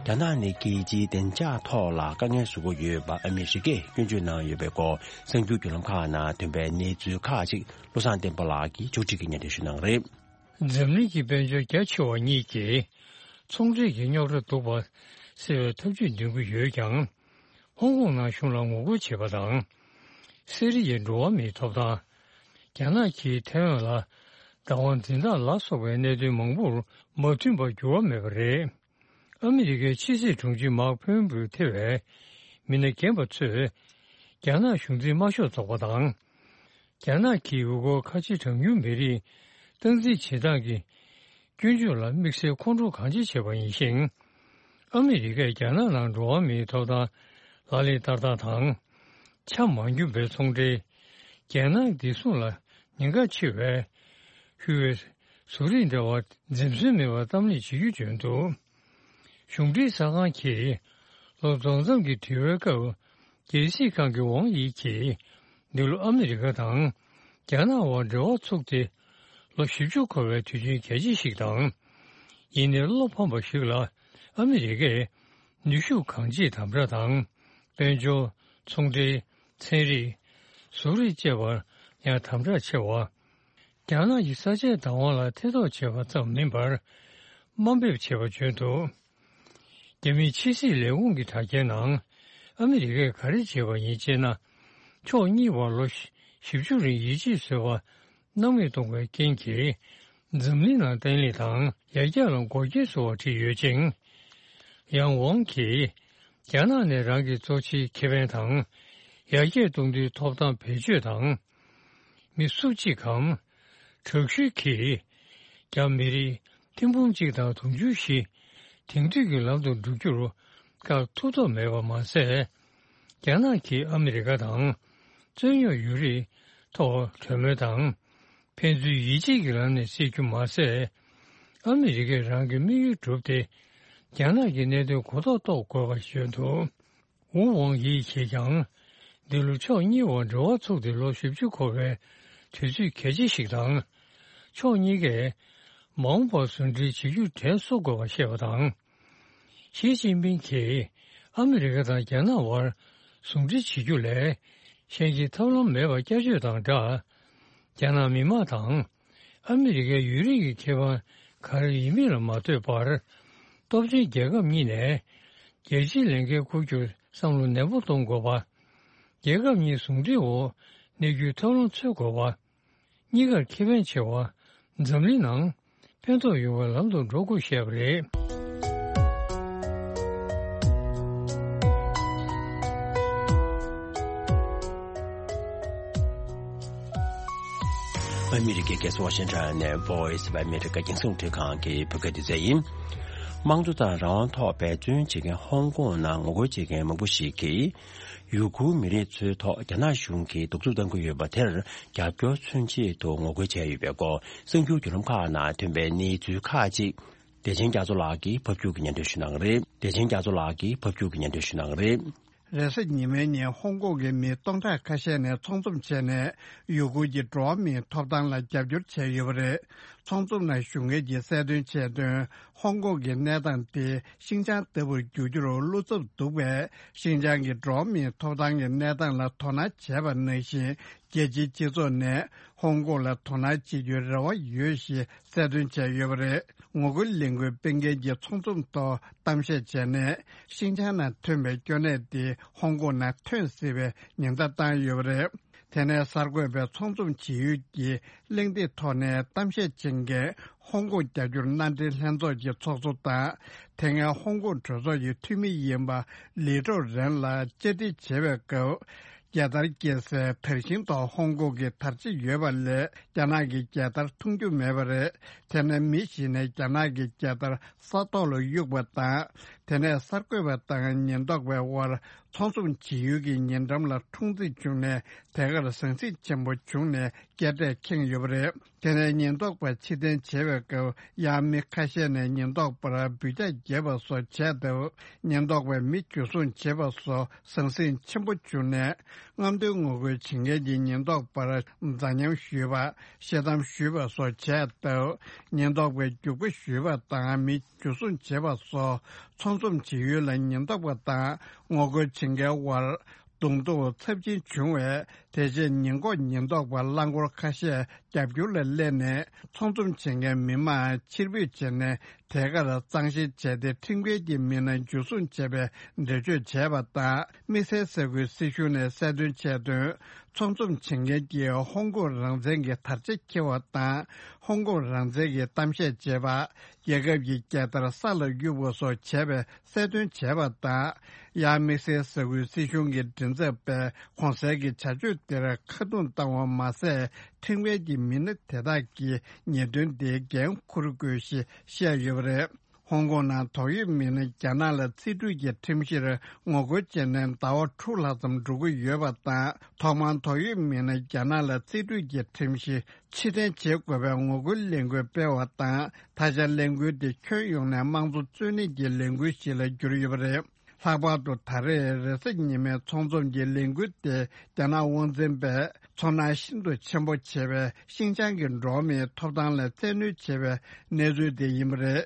རྒྱ་ནག་ནི་རྒྱལ་སྤྱིའི་བདེ་འཇགས་ཐོག་ལ་དཀའ་ངལ་བཟོ་གི་ཡོད་པ་ཨ་མི་རི་ཀས་སྐྱོན་བརྗོད་གནང་ཡོད་པའི་སྐོར་གསར་འགྱུར་བརྒྱུད་ལམ་ཁག་ནང་ཐོན་པའི་གནས་ཚུལ་ཁག་ཅིག་བློ་བཟང་བསྟན་པ་ལགས་ཀྱིས་ཕྱོགས་སྒྲིག་གིས་སྙན་སྒྲོན་ཞུ་གནང་གི་རེད། འཛམ་གླིང་གི་དཔལ་འབྱོར་རྒྱ་ཆེ་བ་གཉིས་ཀྱིས་ཚོང་འབྲེལ་གྱི་རྙོག་དྲ་འདུག་པ་སེལ་བའི་ཐབས་ཇུས་འདོན་གྱི་ཡོད་ཀྱང་། ཧོང་ཀོང་ནང་གཞུང་ལ་ངོ་རྒོལ་བྱེད་པ་དང་། སི་རི་ཡའི་འགྲོ་བ་མིའི་ཐོབ་ཐང་། རྒྱ་ནག་གིས་ཐའེ་ཝན་ལ་བདག་དབང་འཛིན་སྟངས་ལ་སོགས་པའི་གནད་དོན་མང་པོར་མ་མཐུན་པར་འགྱུར་བ་མེད་པ་རེད། ཨ་མི་རི་ཀའི་ཕྱི་སྲིད་དྲུང་ཆེ་མཱག་ཕོམ་པེའོ་ཐེ་བའི་མི་སྣ་རྒན་པ་ཚོས་རྒྱ་ནག་གཞུང་འཛིན་དམར་ཤོག་ཚོགས་པ་དང་། རྒྱ་ནག་གིས་ཡུལ་སྐོར་ཁ་ཆེ་གྲངས་ཉུང་མི་རིགས་སྟངས་འཛིན་བྱེད་སྟངས་ཀྱི་སྐྱོན་བརྗོད་ལ་དམིགས་བསལ་ཁོང་ཁྲོ་གང་ཆེ་བྱས་པ་ཡིན་ཞིང་། ཨ་མི་རི་ཀས་རྒྱ་ནག་ནང་འགྲོ་བ་མིའི་ཐོབ་ཐང་ལག་ལེན་བསྟར་སྟངས་དང་། ཆ་མ་འགྱུར་བའི་ཚོང་འབྲེལ། རྒྱལ་ནང་བདེ་སྲུང་ལ་ཉེན་ཁ་ཆེ་བའི་ཧུའེ་ཟུར་རིགས་འབྲེལ་བ་འཛེམ་ཟོན་མེད་པར་གཏམ་གླེང་བྱེད་རྒྱུ་བརྗོད་འདུག་གཞུང་འབྲེལ་གསར་ཁང་གིས་ལོ་རྫོགས་མཚམས་ཀྱི་དྲི་བའི་སྐབས། རྒྱལ་སྲིད་ཁང་གི་ཝང་ཡི་གིས་འདི་ལོ་ཨ་མི་རི་ཀ་དང་རྒྱ་ནག་དབར་འབྲེལ་བ་ཚུགས་ཏེ་ལོ་བཞི་བཅུ་འཁོར་བའི་དུས་ཆེན་གལ་ཆེ་ཞིག་དང་། ཡིན་ནའི་བློ་ཕམ་པ་ཞིག་ལ་ཨ་མི་རི་ཀས་ནུས་ཤུགས་གང་ཆེའི་དམ་དྲག་དང་། དཔལ་འབྱོར། ཚོང་འབྲེལ། ཚན་རིག་ཟུར་རིགས་བཅས་པར་ཡང་དམ་དྲག་ཆེ་བ། རྒྱ་ནག་གི་ས་ཆའི་བདག་དབང་ལ་ཐེ་གཏོགས་བྱས་པ་ཙམ་མིན་པར་དམའ་འབེབས་བྱས་པ་བརྗོད་འདུག་རྒྱ་མིའི་ཕྱི་སྲིད་ལས་ཁུངས་ཀྱི་དྲ་རྒྱའི་ནང་ཨ་མི་རི་ཀས་ག་རེ་བྱས་པ་ཡིན་ཅེ་ན། ཕྱོགས་གཉིས་བར་ལོ་བཞི་བཅུ་རིང་ཡིད་ཆེས་བཟོས་པ་གནང་མི་གཏོང་བའི་རྐྱེན་གྱིས་འཛམ་གླིང་ནང་བརྟན་ལྷིང་དང་ཡར་རྒྱས་ལ་འགོག་རྐྱེན་བཟོ་བ་བྲིས་ཡོད་ཅིང་། ཡང་ཝང་གིས་རྒྱ་ནག་ནས་རང་གི་གཙོ་ཆེའི་ཁེ་ཕན་དང་ཡར་རྒྱས་གཏོང་རྒྱུའི་ཐོབ་ཐང་བེད་སྤྱོད་དང་། མི་སུ་གཅིག་གམ། དྲག་ཤུལ་གྱིས་རྒྱ་མི་རིགས་ཐེར་འབུམ་གཅིག་དང་དུང་ཕྱུར་བཞི་དེང་དུས་ཀྱི་ལམ་དུ་འགྲོ་རྒྱུར་བཀག་ཐུབ་ཐབས་མེད་པ་མ་ཟད། རྒྱ་ནག་གིས་ཨ་མི་རི་ཀ་དང་རྩོད་རྙོག་ཡོད་རིགས་ཐོག་གྲོས་མོལ་དང་ཕན་ཚུན་ཡིད་ཆེས་ཀྱི་ལམ་ནས་སེལ་རྒྱུ་མ་ཟད། ཨ་མི་རི་ཀས་རང་གི་དམིགས་ཡུལ་བསྒྲུབས་ཏེ་རྒྱ་ནག་གི་གནད་དོན་གོ་རྟོགས་རྟོགས་དགོས་པ་བརྗོད་འདུག་ཝུ་ཝང་ཡིས་གིས་ཀྱང་། འདི་ལོ་ཕྱོགས་གཉིས་བར་འབྲེལ་བ་ཚུགས་ཏེ་ལོ་བཞི་བཅུ་འཁོར་བའི་དུས་ཚོད་གལ་ཆེ་ཞིག་དང་། ཕྱོགས་གཉིས་ཀས་མ་འོངས་པར་ཟུང་འབྲེལ་བྱེད་རྒྱུ་དྲན་གསོ་དགོས་པ་བཤད་པ་དང་། ཞི་ཅིན་ཕིང་གིས་ཨ་མི་རི་ཀ་དང་རྒྱ་ནག་བར་ཟུང་འབྲེལ་བྱེད་རྒྱུ་ལས་གཞན་གྱི་ཐབས་ལམ་མེད་པ་བསྐྱར་བརྗོད་དང་སྦྲགས། རྒྱ་ནག་མི་དམངས་དང་ཨ་མི་རི་ཀའི་ཡུན་རིང་གི་ཁེ་ཕན་ག་རེ་ཡིན་མིན་ལ་མ་ལྟོས་པར། སྟོབས་ཆེན་རྒྱལ་ཁབ་གཉིས་ནས་རྒྱལ་སྤྱིའི་ལས་འགན་འཁུར་རྒྱུར་བསམ་བློ་ནན་པོ་གཏོང་དགོས་པ། རྒྱལ་ཁབ་གཉིས་ཟུང་འབྲེལ་འོག་གནས་རྒྱུའི་ཐབས་ལམ་འཚོལ་དགོས་པ། གཉིས་ཀར་ཁེ་ཕན་ཆེ་བ། འཛམ་གླིང་ནང་ཕན་ཐོགས་ཡོང་བའི་ལམ་དུ་འགྲོ་དགོས་བཤད་པ་རེད། ཨ་མི་རི་ཀའི་རྒྱལ་ས་ཝ་ཤིང་ཊོན་ནས་Voice of America་རྒྱང་སྲིང་རླུང་འཕྲིན་ཁང་གི་བོད་སྐད་སྡེ་ཚན་ཡིན། དམངས་གཙོ་དང་རང་དབང་ཐོག་འབད་བརྩོན་བྱེད་མཁན་ཧོང་ཀོང་ནང་ངོ་རྒོལ་བྱེད་མཁན་མང་པོ་ཞིག་གིས། ཡུ་གུར་མི་རིགས་ཚོའི་ཐོག་རྒྱ་ནག་གཞུང་གིས་གདུག་རྩུབ་བཏང་གི་ཡོད་པ་དེར་རྒྱབ་སྐྱོར་མཚོན་ཆེད་དུ་ངོ་རྒོལ་བྱས་ཡོད་པའི་སྐོར་གསར་འགྱུར་བརྒྱུད་ལམ་ཁག་ནང་ཐོན་པའི་གནས་ཚུལ་ཁག་ཅིག་བདེ་ཆེན་རྒྱ་མཚོ་ལགས་ཀྱིས་ཕབ་སྒྱུར་གྱིས་སྙན་སྒྲོན་ཞུ་གནང་གི་རེད། བདེ་ཆེན་རྒྱ་མཚོ་ལགས་ཀྱིས་ཕབ་སྒྱུར་གྱིས་སྙན་སྒྲོན་ཞུ་གནང་གི་རེད། རེས་གཟའ་ཉི་མའི་ཉིན་ཧོང་ཀོང་གི་མི་སྟོང་ཕྲག་ཁ་ཤས་ནས་ཚོགས་འཛོམས་བྱས་ནས་ཡུ་གུར་གྱི་འགྲོ་བ་མིའི་ཐོབ་ཐང་ལ་རྒྱབ་སྐྱོར་བྱས་ཡོད་པ་རེད། ཚོགས་འཛོམས་ནང་ཞུགས་མཁན་གྱིས་གསལ་སྟོན་བྱས་དོན། ཧོང་ཀོང་གི་གནས་སྟངས་དེ་ཤིན་ཅང་ལྟ་བུར་འགྱུར་རྒྱུར་བློ་འཚབ་འདུག་པས། ཤིན་ཅང་གི་འགྲོ་བ་མིའི་ཐོབ་ཐང་གི་གནས་སྟངས་ལ་དོ་སྣང་བྱས་པ་ནང་བཞིན། རྒྱལ་སྤྱིའི་སྤྱི་ཚོགས་ནས་ཧོང་ཀོང་ལ་དོ་སྣང་བྱེད་རྒྱུའི་རེ་བ་ཡོད་ཞེས་གསལ་སྟོན་བྱས་ཡོད་པ་རེད། ངོ་རྒོལ་ལས་འགུལ་སྤེལ་མཁན་གྱིས་ཚོགས་འཛོམས་ཐོག་གཏམ་བཤད་བྱས་ནས། ཤིན་ཅང་ནང་ཐོན་པའི་སྐྱོ་གནས་དེ་ཧོང་ཀོང་ནང་ཐོན་སྲིད་པའི་ཉེན་བརྡ་བཏང་ཡོད་པ་རེད། དེ་ནས་གསར་འགོད་པས་ཚོགས་འཛོམས་བྱེད་ཡུལ་གྱི་གླེང་སྟེགས་ཐོག་ནས་གཏམ་བཤད་བྱེད་མཁན་ཧོང་ཀོང་རྒྱབ་སྐྱོར་མནའ་འབྲེལ་ལྷན་ཚོགས་ཀྱི་ཚོགས་གཙོ་དང་། དེ་སྔའི་ཧོང་ཀོང་གྲོས་ཚོགས་ཀྱི་འཐུས་མི་ཡིན་པ་ལི་ཀྲོའུ་རེན་ལ་བཅར་འདྲི་བྱེད་པའི་སྐབས། རྒྱལ་དར་སྐྱེས་སའི་དར་ཤིང་ཐོག་ཧོང་ཀོང་གི་དར་ཆ་ཡོད་པ་ལས་རྒྱ་ནག་གི་རྒྱལ་དར་མཐོང་རྒྱུ་མེད་པ་རེད། དེ་ནས་མི་ཞིག་ནས་རྒྱ་ནག་གི་རྒྱལ་དར་ས་ཐོག་ལ་གཡུགས་པ་དང་། དེ་ནས་གསར་འགོད་པ་དང་ཉེན་རྟོག་པའི་དབར་ཚོགས་འཛོམས་བྱེད་ཡུལ་གྱི་ཉེ་འགྲམ་ལ་འཁྲུག་འཛིང་བྱུང་ནས་དེ་གར་ཟང་ཟིང་ཆེན་པོ་བྱུང་ནས་སྐད་སྒྲ་ཁེངས་ཡོད་པ་རེད། དེ་ནས་ཉེན་རྟོག་པ་ཕྱིར་འཐེན་བྱེད་པའི་སྐབས་ཡང་མི་ཁ་ཤས་ནས་ཉེན་རྟོག་པར་འབུད་རྒྱག་བརྒྱབ་པ་སོགས་བྱས་སྟབས་ཉེན་རྟོག་པས་མི་འཇུ་བཟུང་བྱས་པ་སོགས་ཟང་ཟིང་ཆེན་པོ་བྱུང་ནས་རྔམ་སྟོན་ངོ་རྒོལ་བྱེད་མཁན་གྱི་ཉེན་རྟོག་པར་འཛའ་ཉམས་ཞུས་པ། ཤེལ་དམ་གཞུས་པ་སོགས་བྱས་སྟབས་ཉེན་རྟོག་པས་རྒྱུག་པ་གཞུས་པ་དང་མི་འཇུ་བཟུང་བྱས་པ་སོགས་ཚོགས་འཛོམས་བྱེད་ཡུལ་ལ་ཉེན་རྟོག་པ་དང་ངོ་རྒོལ་བྱེད་མཁན་དབར་གདོང་ཐུག་ཚབས་ཆེན་བྱུང་བས། དེ་རྗེས་ཉེན་འགོག་ཉེན་རྟོག་པ་རླངས་འཁོར་ཁ་ཤས་རྒྱབ་སྐྱོར་ལ་སླེབས་ནས་ཚོགས་འཛོམས་བྱེད་མཁན་མི་མང་ཕྱིར་འབུད་བྱས་ནས་དེ་གར་གཙང་བཤེར་བྱས་ཏེ་ཁྲིམས་འགལ་གྱི་མི་སྣ་འཇུ་བཟུང་བྱས་པའི་འགྲེལ་བརྗོད་བྱས་པ་དང་། དམིགས་བསལ་ས་ཁུལ་སྲིད་གཞུང་ནས་གསལ་སྟོན་བྱས་དོན། ཚོགས་འཛོམས་བྱེད་མཁན་གྱིས་ཧོང་ཀོང་རང་བཙན་གྱི་དར་ཆ་འཁྱེར་བ་དང་ཧོང་ཀོང་རང་བཙན་གྱི་གཏམ་བཤད་བྱས་པ། རྒྱལ་ཁབ་ཀྱི་རྒྱལ་དར་ས་ལ་གཡུག་པ་སོགས་བྱས་པའི་གསལ་སྟོན་བྱས་པ་དང་། ཡང་དམིགས་བསལ་ས་ཁུལ་སྲིད་གཞུང་གི་མགྲིན་ཚབ་པས་གོང་གསལ་གྱི་བྱ་སྤྱོད་དེར་ཁ་རྡུང་བཏང་བ་མ་ཟད། ཁྲིམས་འགལ་གྱི་མི་སྣ་དེ་དག་གིས་ཉེས་དོན་དེའི་འགན་འཁུར་དགོས་ཞེས་བཤད་ཡོད་པ་རེད། ཧོང་ཀོང་ནང་དོགས་ཡོད་མི་སྣ་རྒྱ་ནག་ལ་རྩིས་སྤྲོད་ཀྱི་ཁྲིམས་གཞིར་ངོ་རྒོལ་བྱས་ནས་ཟླ་བ་དྲུག་ལྷག་ཙམ་འགྲོ་གི་ཡོད་པ་དང་། ཐོག་མར་དོགས་ཡོད་མི་སྣ་རྒྱ་ནག་ལ་རྩིས་སྤྲོད་ཀྱི་ཁྲིམས་གཞི་ཕྱིར་འཐེན་བྱེད་དགོས་པའི་ངོ་རྒོལ་ལས་འགུལ་སྤེལ་བ་དང་། ད་ཆ་ལས་འགུལ་དེ་ཁྱོན་ཡོངས་ནས་དམངས་གཙོ་རྩོད་ལེན་གྱི་ལས་འགུལ་ཞིག་ལ་གྱུར་ཡོད་པ་རེད། ལྷག་པར་དུ་ད་རེས་རེས་གཟའ་ཉི་མའི་ཚོགས་འཛོམས་ཀྱི་ལས་འགུལ་དེ་རྒྱ་ནག་དབང་འཛིན་པས་ཚོར་སྣང་ཤིན་ཏུ་ཆེན་པོ་བྱེད་པའི་ཤིན་ཅང་གི་འགྲོ་བ་མིའི་ཐོབ་ཐང་ལ་བཙན་གནོན་བྱེད་པའི་གནས་ཚུལ་དེ་ཡིན་པ་རེད།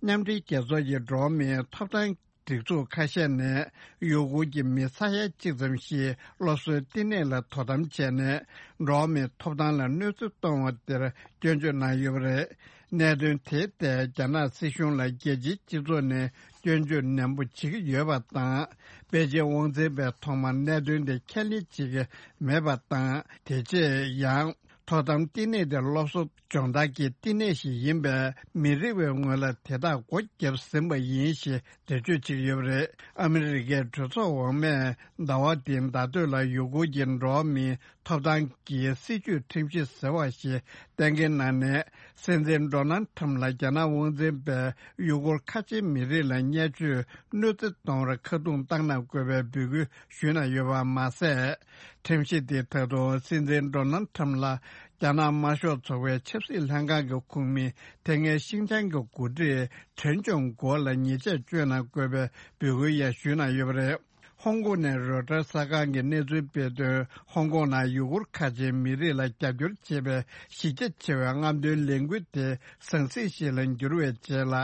མཉམ་འབྲེལ་རྒྱལ་ཚོགས་ཀྱི་འགྲོ་བ་མིའི་ཐོབ་ཐང་སྒྲིག་འཛུགས་ཁ་ཤས་ནས་ཡུ་གུར་གྱི་མི་ས་ཡ་གཅིག་ཙམ་ཞིག་སློབ་གསོའི་བསྟི་གནས་ལ་དོ་དམ་བྱས་ནས་འགྲོ་བ་མིའི་ཐོབ་ཐང་ལ་གནོད་འཚེ་གཏོང་བ་དེར་སྐྱོན་བརྗོད་གནང་ཡོད་པ་རེད། གནད་དོན་དེའི་ཐད་རྒྱ་ནག་སྲིད་གཞུང་ལ་རྒྱལ་སྤྱིའི་སྤྱི་ཚོགས་ནས་སྐྱོན་བརྗོད་ནན་པོ་བྱེད་ཀྱི་ཡོད་པ་དང་། པེ་ཅིན་དབང་འཛིན་པས་ཐོག་མར་གནད་དོན་དེ་ཁས་ལེན་བྱེད་ཀྱི་མེད་པ་དང་། དེ་རྗེས་ཡང་དོ་དམ་བསྟི་གནས་དེ་སློབ་གསོ་སྦྱོང་བརྡར་གྱི་བསྟི་གནས་ཤིག་ཡིན་པས་མི་རེ་བའི་ངོས་ལ་དེ་དག་སྒོ་བརྒྱབ་ཟིན་པ་ཡིན་ཞེས་འགྲེལ་བརྗོད་བྱེད་ཀྱི་ཡོད་པ་རེད། ཨ་མི་རི་ཀའི་གྲོས་ཚོགས་འོག་མས་ཟླ་བ་འདིའི་ཟླ་སྟོད་ལ་ཡུ་གུར་གྱི་འགྲོ་བ་མིའི་ཐོབ་ཐང་གི་སྲིད་བྱུས་ཁྲིམས་གཞི་ཟེར་བ་ཞིག་གཏན་འཁེལ་གནང་ནས། སྲིད་འཛིན་ཌོ་ནལ་ཁྲམ་ལ་རྒྱ་ནག་དབང་འཛིན་པས་ཡུ་གུར་ཁ་ཆེའི་མི་རིགས་ལ་བརྙས་བཅོས་གནོད་འཚེ་གཏོང་བར་ཁ་རྡུང་བཏང་གནང་དགོས་པའི་འབོད་སྐུལ་ཞུས་གནང་ཡོད་པ་མ་ཟད། ཁྲིམས་གཞི་དེ་ད་དུང་སྲིད་འཛིན་ཌོ་ནལ་ཁྲམ་ལ་རྒྱ་ནག་དམར་ཤོག་ཚོགས་པའི་ཆབ་སྲིད་ལྷན་ཁང་གི་ཁོངས་མི་དེ་སྔའི་ཤིན་ཅང་གི་འགོ་ཁྲིད་ཁྲེན་ཅུང་གོ་ལ་ཉེས་ཆད་གཅོད་གནང་དགོས་པའི་འབོད་སྐུལ་ཡང་ཞུས་གནང་ཡོད་པ་རེད། ཧོང་ཀོང་ནས་རོའི་ཊར་གསར་ཁང་གིས་གནས་ཚུལ་སྤེལ་དོན། ཧོང་ཀོང་ནང་ཡུ་གུར་ཁ་ཆེའི་མི་རིགས་ལ་རྒྱབ་སྐྱོར་བྱེད་པའི་གཞི་རྒྱ་ཆེ་བའི་རྔམ་སྟོན་ལས་འགུལ་དེ་ཟང་ཟིང་ཞིག་ལ་འགྱུར་བའི་རྗེས་ལ།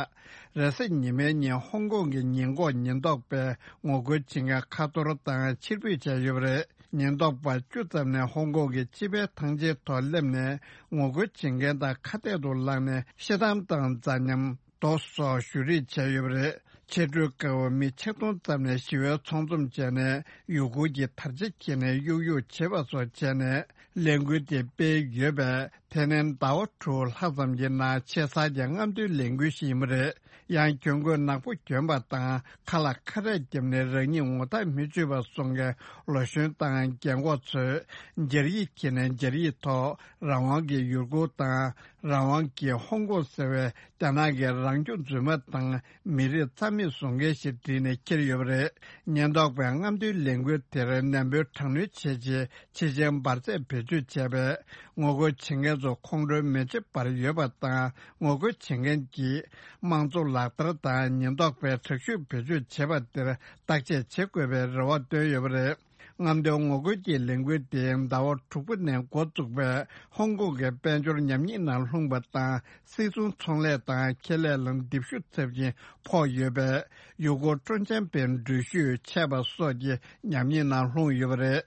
རེས་གཟའ་ཉི་མའི་ཉིན་ཧོང་ཀོང་གི་ཉེན་འགོག་ཉེན་རྟོག་པས་ངོ་རྒོལ་བྱེད་མཁན་ཁ་ཐོར་དང་ཕྱིར་འབུད་བྱས་ཡོད་པ་རེད། ཉེན་རྟོག་པ་བཅུ་ཙམ་ནས་ཧོང་ཀོང་གི་སྤྱི་པའི་ཐང་ཆེན་ཐོག་སླེབས་ནས་ངོ་རྒོལ་བྱེད་མཁན་དང་ཁ་གཏད་དུ་ལངས་ནས་ཤེལ་དམ་དང་འཛའ་ཉམས། རྡོ་སོགས་གཞུ་རེས་བྱས་ཡོད་པ་རེད། ཕྱི་དྲོའི་སྐབས་མི་ཆིག་སྟོང་ཙམ་ནས་ཞི་བའི་ཚོགས་འཛོམས་བྱས་ནས་ཡུ་གུར་གྱི་དར་ཆ་འཁྱེར་ནས་གཡུག་གཡུག་བྱེད་པ་སོགས་བྱས་ནས་ལས་འགུལ་དེ་སྤེལ་ཡོད་པས། དེ་ནི་ཟླ་བ་དྲུག་ལྷག་ཙམ་གྱི་ནང་ཆེ་ས་ཀྱི་རྔམ་སྟོན་ལས་འགུལ་ཞིག་ཡིན་པ་རེད། ཡང་གྱོང་གུད་ནག་པོ་གྱོན་པ་དང་ཁ་ལ་ཁ་རས་བརྒྱབ་ནས་རང་ཉིད་ངོ་ཐག་མི་ཆོད་པ་བཟོ་མཁན་ལོ་གཞོན་དང་རྒན་འཁོགས་ཚོས་སྦྱར་ཡིག་འཁྱེར་ནས་སྦྱར་ཡིག་ཐོག་རང་དབང་གི་ཡུལ་སྐོར་དང་རང་དབང་གི་ཧོང་ཀོང་ཟེར་བའི་རྒྱ་ནག་གི་རང་སྐྱོང་རྫུན་མ་དང་མི་རིགས་རྩ་མེད་བཟོ་མཁན་ཞིག་བྲིས་ནས་འཁྱེར་ཡོད་པ་རེད། ཉེན་རྟོག་པས་རྔམ་སྟོན་ལས་འགུལ་དེར་ནན་པོའི་དྲག་གནོན་བྱས་རྗེས་ཆེ་ཆེན་འབར་རྫས་བེད་སྤྱོད་བྱས་པས། ངོ་རྒོལ་བྱེད་མཁན་ཚོ་ཁོང་ཁྲོའི་མེ་ལྕེ་འབར་ཡོད་པ་དང་། ངོ་རྒོལ་བྱེད་མཁན་གྱིས་དམངས་གཙོ་ལག་བསྟར་དང་ཉེན་རྟོག་པས་དྲག་ཤུགས་བེད་སྤྱོད་བྱས་པ་དེར་བརྟག་དཔྱད་བྱེད་དགོས་པའི་རེ་བ་བཏོན་ཡོད་པ་རེད། རྔམ་སྟོན་ངོ་རྒོལ་གྱི་ལས་འགུལ་དེ་ཟླ་བ་དྲུག་པ་ནས་འགོ་བཙུགས་པས། ཧོང་ཀོང་གི་དཔལ་འབྱོར་ཉམས་ཉེས་ནང་ལྷུང་བ་དང་། སིལ་སུང་ཚོང་ལས་དང་ཁེ་ལས་ལ་རྡིབ་ཤུགས་ཚབས་ཆེན་ཕོག་ཡོད་པས། ཡུལ་སྐོར་སྤྲོ་འཆམ་པའི་འགྲུལ་བཞུད་ཆད་པ་སོགས་ཀྱི་ཉམས་ཉེས་ནང་ལྷུང་ཡོད་པ་རེད།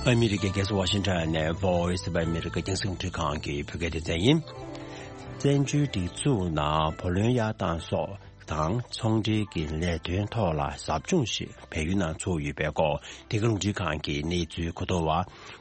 ཨ་མི་རི་ཀའི་རྒྱལ་ས་ཝ་ཤིང་ཊོན་ནས་Voice of America རྒྱང་སྲིང་རླུང་འཕྲིན་ཁང་གི་བོད་སྐད་སྡེ་ཚན་ཡིན། བཙན་བྱོལ་སྒྲིག་འཛུགས་ནང་བུ་ལོན་གཡར་སྟངས་སོགས་དང་ཚོང་འབྲེལ་གྱི་ལས་དོན་ཐོག་ལ་ཟབ་སྦྱོང་ཞིག་བལ་ཡུལ་ནང་ཚོགས་ཡོད་པའི་སྐོར་འདི་ག་རླུང་འཕྲིན་ཁང་གི་གནས་ཚུལ་གོ་བསྡུར་བ་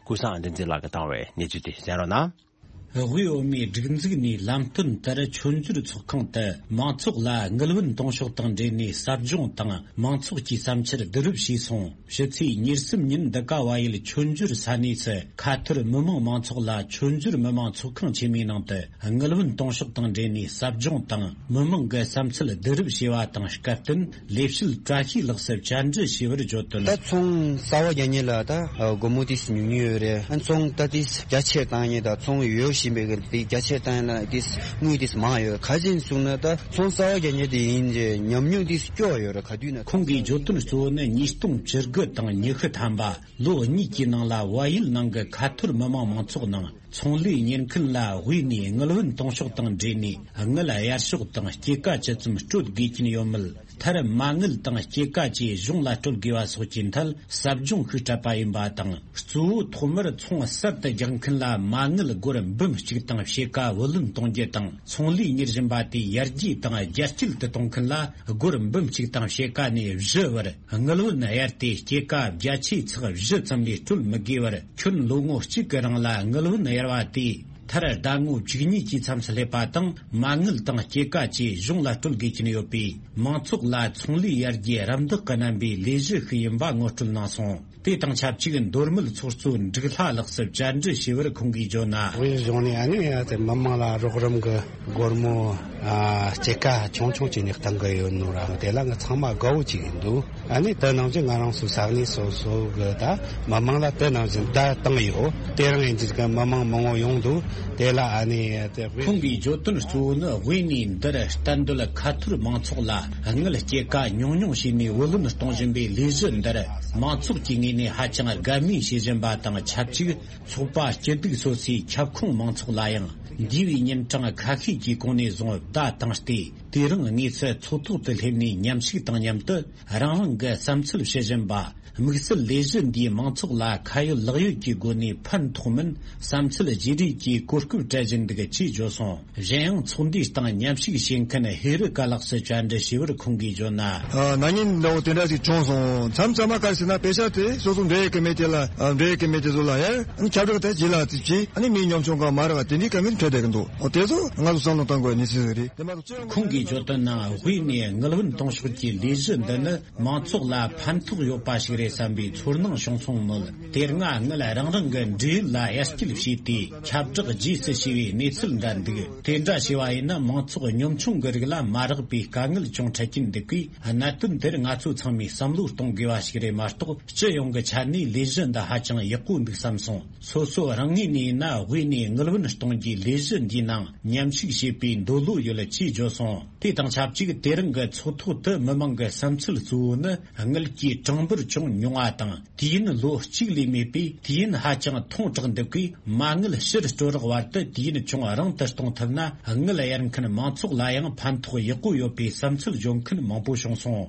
ཀུན་བཟང་བསྟན་འཛིན་ལགས་ཀྱིས་བཏང་བའི་གནས་ཚུལ་དེ་གསན་རོགས་གནང་། དབུས་འོས་མིའི་སྒྲིག་འཛུགས་ནས་ལམ་སྟོན་ལྟར་མཆོད་འཇོར་ཚོགས་ཁང་དུ་མང་ཚོགས་ལ་དངུལ་བུན་གཏོང་ཕྱོགས་དང་འབྲེལ་ནས་ཟབ་སྦྱོང་དང་མང་ཚོགས་ཀྱི་བསམ་འཆར་བསྡུ་རུབ་བྱས་སོང་། ཕྱི་ཚེས་ཉེར་གསུམ་ཉིན་འདི་ག་བལ་ཡུལ་མཆོད་འཇོར་ས་གནས་སུ་ཁ་ཐོར་མི་མང་མང་ཚོགས་ལ་མཆོད་འཇོར་མི་མང་ཚོགས་ཁང་ཆེན་མོའི་ནང་དུ་དངུལ་བུན་གཏོང་ཕྱོགས་དང་འབྲེལ་ནས་ཟབ་སྦྱོང་དང་མི་མང་གི་བསམ་ཚུལ་བསྡུ་རུབ་བྱས་པ་དང་སྐབས་བསྟུན་ལས་བྱེད་བཀྲ་ཤིས་ལགས་སུ་བཅར་འདྲི་ཞུས་པར་བརྗོད་དོན། ད་ཚོང་གསར་པ་རྒྱག་མཁན་ལ་ད་སྒོར་མོ་ཏིས་ཉུང་ཉུང་ཡོད་རེད། ཨ་ཚོང་ད་ཏིས་རྒྱ་ཆེར་བཏང་མཁན་དང་ཚོང་ཡོད་བཞིན་པའི་གི་ཏིས་རྒྱ་ཆེར་བཏང་ཡིན་ན་ཏིས་དངུལ་ཏིས་མང་ཡོད། ག་ཅིན་གསུངས་ན་ད་ཚོང་གསར་པ་རྒྱག་མཁན་དེ་ཡིན་རྗེས་ཉམས་མྱོང་ཏིས་སྐྱོ་ཡོད་རེད། ག་དུས་ན་ཁོང་གིས་བརྗོད་དོན་གཙོ་བོ་ནི་ཉིས་སྟོང་བཅུ་དགུ་དང་ཉི་ཤུ་ཐམ་པ་ལོ་གཉིས་ཀྱི་ནང་ལ་བལ་ཡུལ་ནང་གི་ཁ་ཐོར་མི་མང་མང་ཚོགས་ནང་ཚོང་ལས་གཉེར་མཁན་ལ་དབུས་ནས་དངུལ་བུན་གཏོང་ཕྱོགས་དང་འབྲེལ་ནས་དངུལ་གཡར་ཕྱོགས་དང་སྐྱེད་ཀ་ཇི་ཙམ་སྤྲོད་དགོས་ཀྱིན་ཡོད་མེད། མཐར་མ་དངུལ་དང་སྐྱེད་ཀ་བཅས་གཞུང་ལ་སྤྲོད་དགོས་པ་སོགས་ཀྱི་ཐད་ཟབ་སྦྱོང་ཤིག་སྤྲད་པ་ཡིན་པ་དང་། གཙོ་བོ་ཐོག་མར་ཚོང་གསར་དུ་རྒྱག་མཁན་ལ་མ་དངུལ་སྒོར་འབུམ་གཅིག་དང་ཕྱེད་ཀ་བུ་ལོན་གཏོང་རྒྱུ་དང་། ཚོང་ལས་གཉེར་བཞིན་པ་དེ་ཡར་རྒྱས་དང་རྒྱ་སྐྱེད་དུ་གཏོང་མཁན་ལ་སྒོར་འབུམ་གཅིག་དང་ཕྱེད་ཀ་ནས་བཞི་བར་དངུལ་བུན་གཡར་ཏེ་སྐྱེད་ཀ་བརྒྱ་ཆའི་ཚེག་བཞི་ཙམ་ལས་སྤྲོད་མི་དགོས་པར། ཁྱོན་ལོ་ངོ་གཅིག་གི་རིང་ལ་དངུལ་བུན་གཡར་བ་དེས་མཐར་ཟླ་ངོ་བཅུ་གཉིས་ཀྱི་མཚམས་སུ་སླེབས་པ་དང་། མ་དངུལ་དང་སྐྱེད་ཀ་བཅས་གཞུང་ལ་སྤྲོད་དགོས་ཀྱིན་ཡོད་པས། མང་ཚོགས་ལ་ཚོང་ལས་ཡར་རྒྱས་རམ་འདེགས་ཀྱི་རྣམ་པའི་ལས་གཞི་ཞིག་ཡིན་པ་ངོ་སྤྲོད་གནང་སོང་། དེ་དང་ཆབས་ཅིག་མདོ་སྨད་ཚོགས་གཙོ་འབྲུག་ལྷ་ལགས་སུ་བཅར་འདྲི་ཞུས་པར་ཁོང་གིས་བརྗོད་ན། དབུས་གཞུང་ནས་ཨ་ནི་ཡ་དེ་མི་མང་ལ་རོགས་རམ་གྱི་སྒོར་མོ་ཨ་སྐྱེད་ཀ་ཆུང་ཆུང་བྱས་ནས་གཏང་གི་ཡོད་ནོ་ར། དེ་ལ་ང་ཚང་མ་དགའ་བོ་བྱས་ཡིན་འདུག་ཨ་ནི་དེ་ནང་བཞིན་ང་རང་ཚོའི་ས་གནས་སོ་སོ་གི་ད་མི་མང་ལ་དེ་ནང་བཞིན་བརྡ་བཏང་ཡོད། དེ་རིང་ཡིན་གྱི་གི་མི་མང་མང་བོ་ཡོང་འདུག་དེ་ལ་ཨ་ནི་དེ་ཁོང་གིས་བརྗོད་དོན་གཙོ་བོ་ནི་དབུས་ནས་འདིར་གཏན་སྡོད་ཁ་ཐོར་མང་ཚོགས་ལ་དངུལ་སྐྱེད་ཀ་ཉུང་ཉུང་བྱས་ནས་བུ་ལོན་གཏོང་བཞིན་པའི་ལས་གཞི་འདིར་མང་ཚོགས་ཀྱི་ངོས་ནས་ཧ་ཅང་དགའ་མོས་བྱེད་བཞིན་པ་དང་ཆབས་ཅིག་ཚོགས་པ་སྐྱིད་སྡུག་སོ་སོའི་ཁྱབ་ཁོངས་མང་ཚོགས་ལ་ཡང་འདས་པའི་ཉིན་གྲངས་ཁ་ཤས་ཀྱི་གོང་ནས་བཟུང་བརྡ་བཏང་སྟེ། དེ་རིང་དངོས་སུ་ཚོགས་ཐོག་ཏུ་སླེབས་ནས་མཉམ་ཞུགས་དང་མཉམ་དུ་རང་རང་གི་བསམ་ཚུལ་བཤད་བཞིན་པ། དམིགས་བསལ་ལས་གཞི་འདིས་མང་ཚོགས་ལ་ཁ་ཡོད་ལག་ཡོད་ཀྱི་སྒོ་ནས་ཕན་ཐོགས་མིན་བསམ་ཚུལ་བརྗེ་རེས་ཀྱི་གོ་སྐབས་སྤྲད་བཞིན་འདུག་ཅེས་བརྗོད་སོང་། གཞན་ཡང་ཚོགས་འདུའི་སྟེང་མཉམ་ཞུགས་བྱེད་མཁན་ཧེ་རི་ཀ་ལགས་སུ་བཅར་འདྲི་ཞུས་པར་ཁོང་གིས་བརྗོད་ན། ཨ་ན་ནིང་འདྲ་བོ་དེ་འདྲ་ཞིག་བྱུང་སོང་། མཚམས་མཚམས་མ་ག་རེ་ཟེར་ན་དཔེ་ཆ་དེ་སོ་སོ་འབྲེལ་ཡོད་ཀྱི་མེད་དེ་ལ་ཨ་འབྲེལ་ཡོད་ཀྱི་མེད་དེ་ཚོ་ལ་ཡ་ཨ་ནི་ཁྱབ་བསྒྲགས་དེ་བྱེད་ལ་དེ་བྱེད་ཨ་ནི་མིའི་ཉམ་ཆུང་གང་མ་རག་དེ་འདྲའི་ཀ་མིན་འཕྲད་བསྡད་ཀྱི་འདུག་འོ་དེ་ཚོ་ང་ཚོ་བསམ་བློ་གཏོང་དགོས་ནི་སྲིད་རེད། དེ་མ་གཏོགས་ཅི་ཡང་། ཁོང་གིས་བརྗོད་དོན་ནང་དབུས་ནས་དངུལ་བུན་གཏོང་ཕྱོགས་ཀྱི་ལས་གཞི་འདི་ནི་མང་ཚོགས་ལ་ཕན་ཐོགས་ཡོད་པ་ཞིག་རེད་བསམ་པའི་ཚོར་སྣང་བྱུང་སོང་མོད། དེ་སྔ་དངུལ་རང་རང་གི་འབྲེལ་ཡོད་ལ་གཡར་སྐྱེལ་བྱས་ཏེ་ཁྱབ་བསྒྲགས་རྗེས་སུ་ཞུས་པའི་གནས་ཚུལ་འདྲ་འདུག་དེ་འདྲ་བྱས་པ་ཡིན་ན་མང་ཚོགས་ཉམ་ཆུང་གི་རིགས་ལ་མ་རག་པའི་དཀའ་ངལ་ཅུང་འཕྲད་ཀྱིན་འདུག་པས། གནད་དོན་དེར་ང་ཚོ་ཚང་མས་བསམ་བློ་གཏོང་དགོས་པ་ཞིག་རེད་མ་གཏོགས། སྤྱི་ཡོངས་ཀྱི་ཆ་ནས་ལས་གཞི་འདི་ཧ་ཅང་ཡག་པོ་འདུག་བསམ་སོང་། སོ་སོ་རང་ངོས་ནས་ཡིན་ན་དབུས་ནས་དངུལ་བུན་གཏོང་རྒྱུའི་ལས་གཞི་འདིའི་ནང་མཉམ་ཞུགས་བྱེད་པའི་འདོད་བློ་ཡོད་ཅེས་བརྗོད་སོང་། དེ་དང་ཆབས་ཅིག་དེ་རིང་གི་ཚོགས་ཐོག་ཏུ་མི་མང་གི་བསམ་ཚུལ་གཙོ་བོ་ནི་དངུལ་གྱི་གྲངས་འབོར་ཅུང་ཉུང་བ་དང་། དུས་ཡུན་ལོ་གཅིག་ལས་མེད་པས་དུས་ཡུན་ཧ་ཅང་ཐུང་དྲགས་འདུག་གས། མ་དངུལ་ཕྱིར་སྤྲོད་རོགས་བར་དུ་དུས་ཡུན་ཅུང་རིང་དུ་གཏོང་ཐུབ་ན་དངུལ་གཡར་མཁན་མང་ཚོགས་ལ་ཡང་ཕན་ཐོགས་ཡག་པོ་ཡོད་པའི་བསམ་ཚུལ་བརྗོད་མཁན་མང་པོ་བྱུང་སོང་།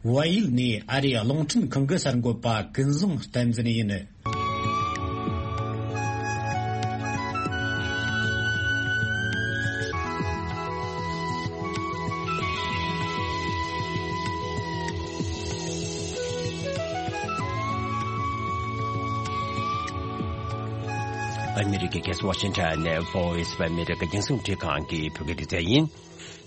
བལ་ཡུལ་ནས་ཨ་རིའི་རླུང་འཕྲིན་ཁང་གི་གསར་འགོད་པ་ཀུན་བཟང་བསྟན་འཛིན་ཡིན། ཨ་མི་རི་ཀའི་རྒྱལ་ས་ཝ་ཤིང་ཊོན་ནས་Voice of America རྒྱང་སྲིང་རླུང་འཕྲིན་ཁང་གི་བོད་སྐད་སྡེ་ཚན་ཡིན།